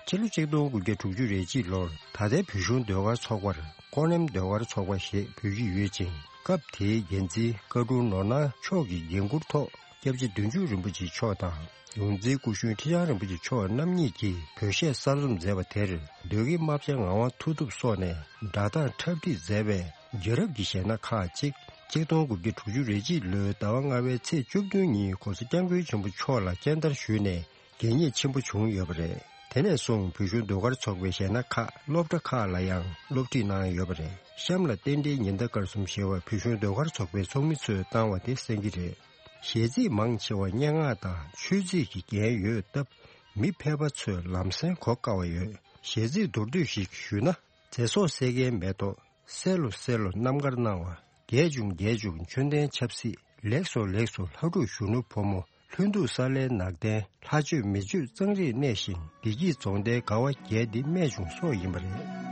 ཕྱི་ལོ་ཆིག་སྟོང་དགུ་བརྒྱ་དྲུག་ཅུ་རེ་གཅིག་ལོར་ད་ལྟའི་བོད་གཞུང་ཟློས་གར་ཚོགས་པར་ཀོ་ནེམ་ཟློས་གར་ཚོགས་པ་ཞེས་འབོད་ཀྱི་ཡོད་ཅིང་། སྐབས་དེའི་འགན་འཛིན་བཀའ་དྲུང་ནོར་གནང་མཆོག་གི་འགན་འཁུར་ཐོག་སྐྱབས་རྗེ་བདུད་འཇོམས་རིན་པོ་ཆེ་མཆོག་དང་། ཡོངས་འཛིན་སྐུ་གཞོན་ཁྲི་བྱང་རིན་པོ་ཆེ་མཆོག་རྣམ་གཉིས་ཀྱིས་བོད་གཞས་གསར་རྩོམ་མཛད་པ་དེར་ཟློས་དགེ་རྨ་བྱ་ངག་དབང་མཐུ་སྟོབས་སོགས་ནས་སྒྲ་གདངས་འཁྲབ་ཁྲིད་མཛད་པའི་རྒྱལ་རབས་ཀྱི་གཞས་སྣ་ཁག་ཅིག་ཆིག་སྟོང་དགུ་བརྒྱ་དྲུག་ཅུ་རེ་གཅིག་ལོའི་ཟླ་བ་ལྔ་པའི་ཚེས་བཅུ་བདུན་ཉིན་༸གོང་ས་༸སྐྱབས་མགོན་ཆེན་པོ་མཆོག་ལ་སྤྱན་བསྟར་ཞུས་ནས་གད་སྙིགས་ཆེན་པོ་བྱུང་ཡོད་པ་རེད། དེ་ནས་བཟུང་བོད་གཞུང་ཟློས་གར་ཚོགས་པའི་གཞས་སྣ་ཁག་སློབ་གྲྭ་ཁག་ལ་ཡང་སློབ་ཁྲིད་གནང་ཡོད་པ་རེད། གཤམ་ལ་རྟེན་འབྲེལ་ཉི་ཟླ་སྐར་གསུམ་ཞེས་པ་བོད་གཞུང་ཟློས་གར་ཚོགས་པའི་ཚོགས་མི་ཚོས་བཏང་བ་དེ་གསན་གྱི་རེད། གཞས་ཚིག་མང་ཆེ་བ་སྙན་ངག་དང་ཆོས་ཚིག་གི་རྒྱན་ཡོད་སྟབས། མི་ཕལ་པ་ཚོས་ལམ་སེང་གོ་དཀའ་བ་ཡོད། གཞས་ཚིག་མདོར་བསྡུས་ཤིག་ཞུས་ན། ཚེ་སྲོག་བསད་མཁན་མེ་ཏོག་བསད་ལོ་བསད་ལོ་རྣམ་དཀར་སྣང་བ། རྒས་བྱུང་རྒས་བྱུང་མཆོད་རྟེན་ཆབ་སྲིད། ལེགས་སོ་ལེགས་སོ་ལྷ་ཕྲུག་གཞོན་ནུ་ཕོ་མོ། ལྷུན་སྡུག་ས་ལའི་ནག་ལྡན། ལྷ་ཆོས་མི་ཆོས་གཙང་རིས་གནས་ཤིང་། བདེ་སྐྱིད་རྫོང་མདའི་དགའ་བ་རྒྱས་འདི་རྨད་བྱུང་སོགས་ཡིན་པ་རེད།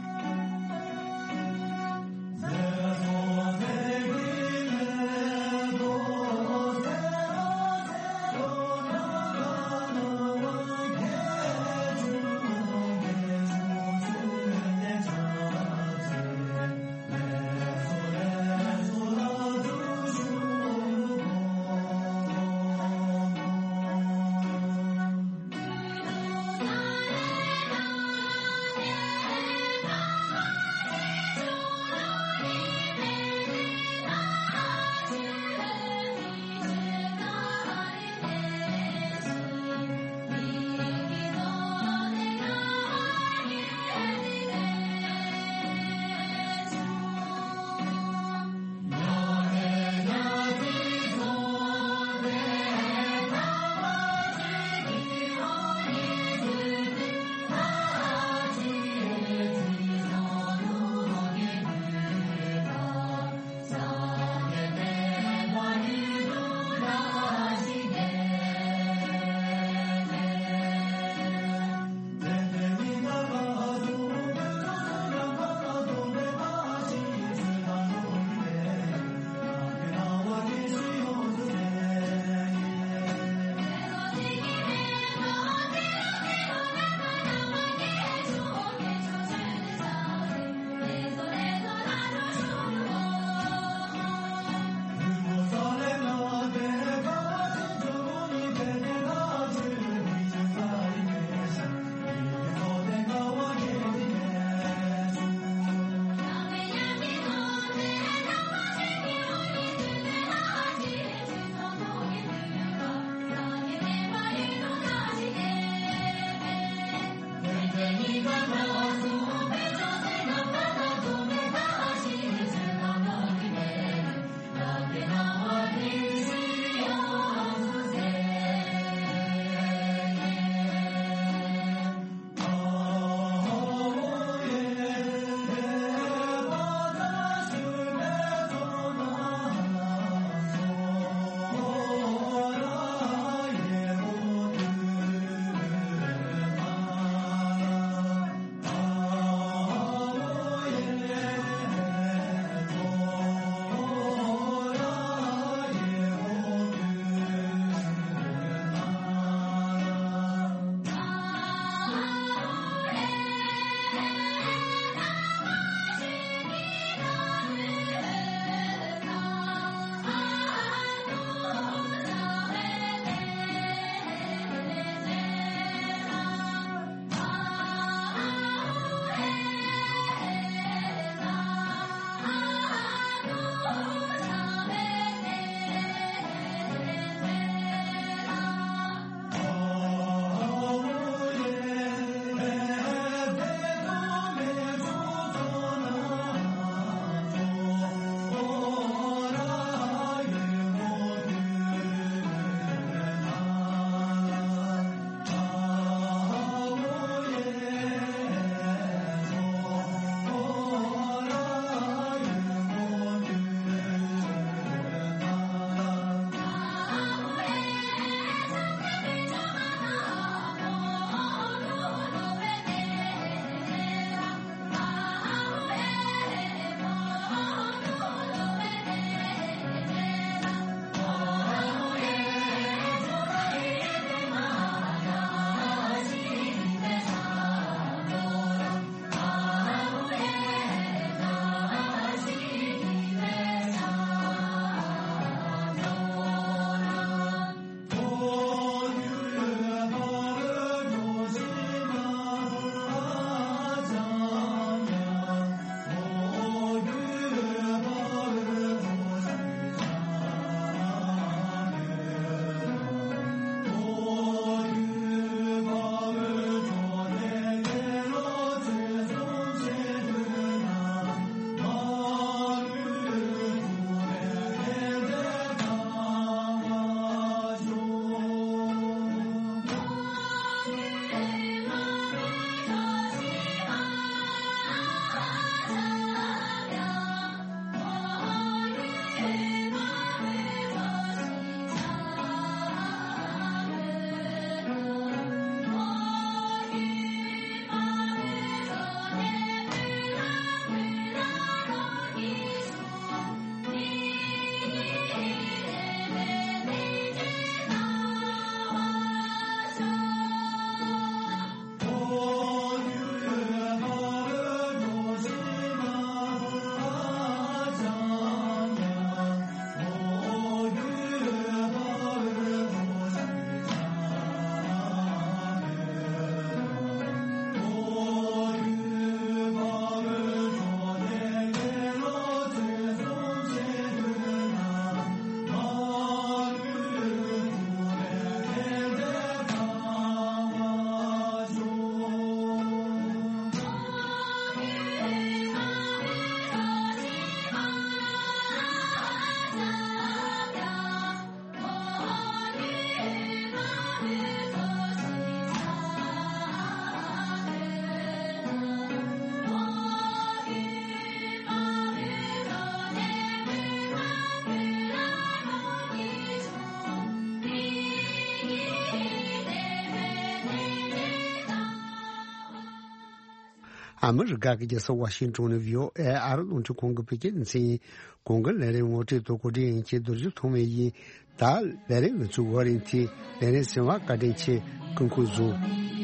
ཨ་མི་རི་ཀ་གི་རྒྱལ་ས་ཝ་ཤིང་ཊོན་ནས་བྷི་ཨོ་ཨེ་ཨ་རི་རླུང་འཕྲིན་ཁང་གི་བོད་སྐད་སྡེ་ཚན་ཡིན། གོང་གི་ལས་རིམ་ངོ་སྤྲོད་དང་གོ་སྒྲིག་ཡིན་གྱི་རྡོ་རྗེ་ཐོགས་མེད་ཡིན། ད་ལས་རིམ་ང་ཚོའི་འགོ་རིམ་དེ་ལས་རིམ་གསན་པར་བཀའ་དྲིན་ཆེ། སྐུ་ཁམས་བཟང་།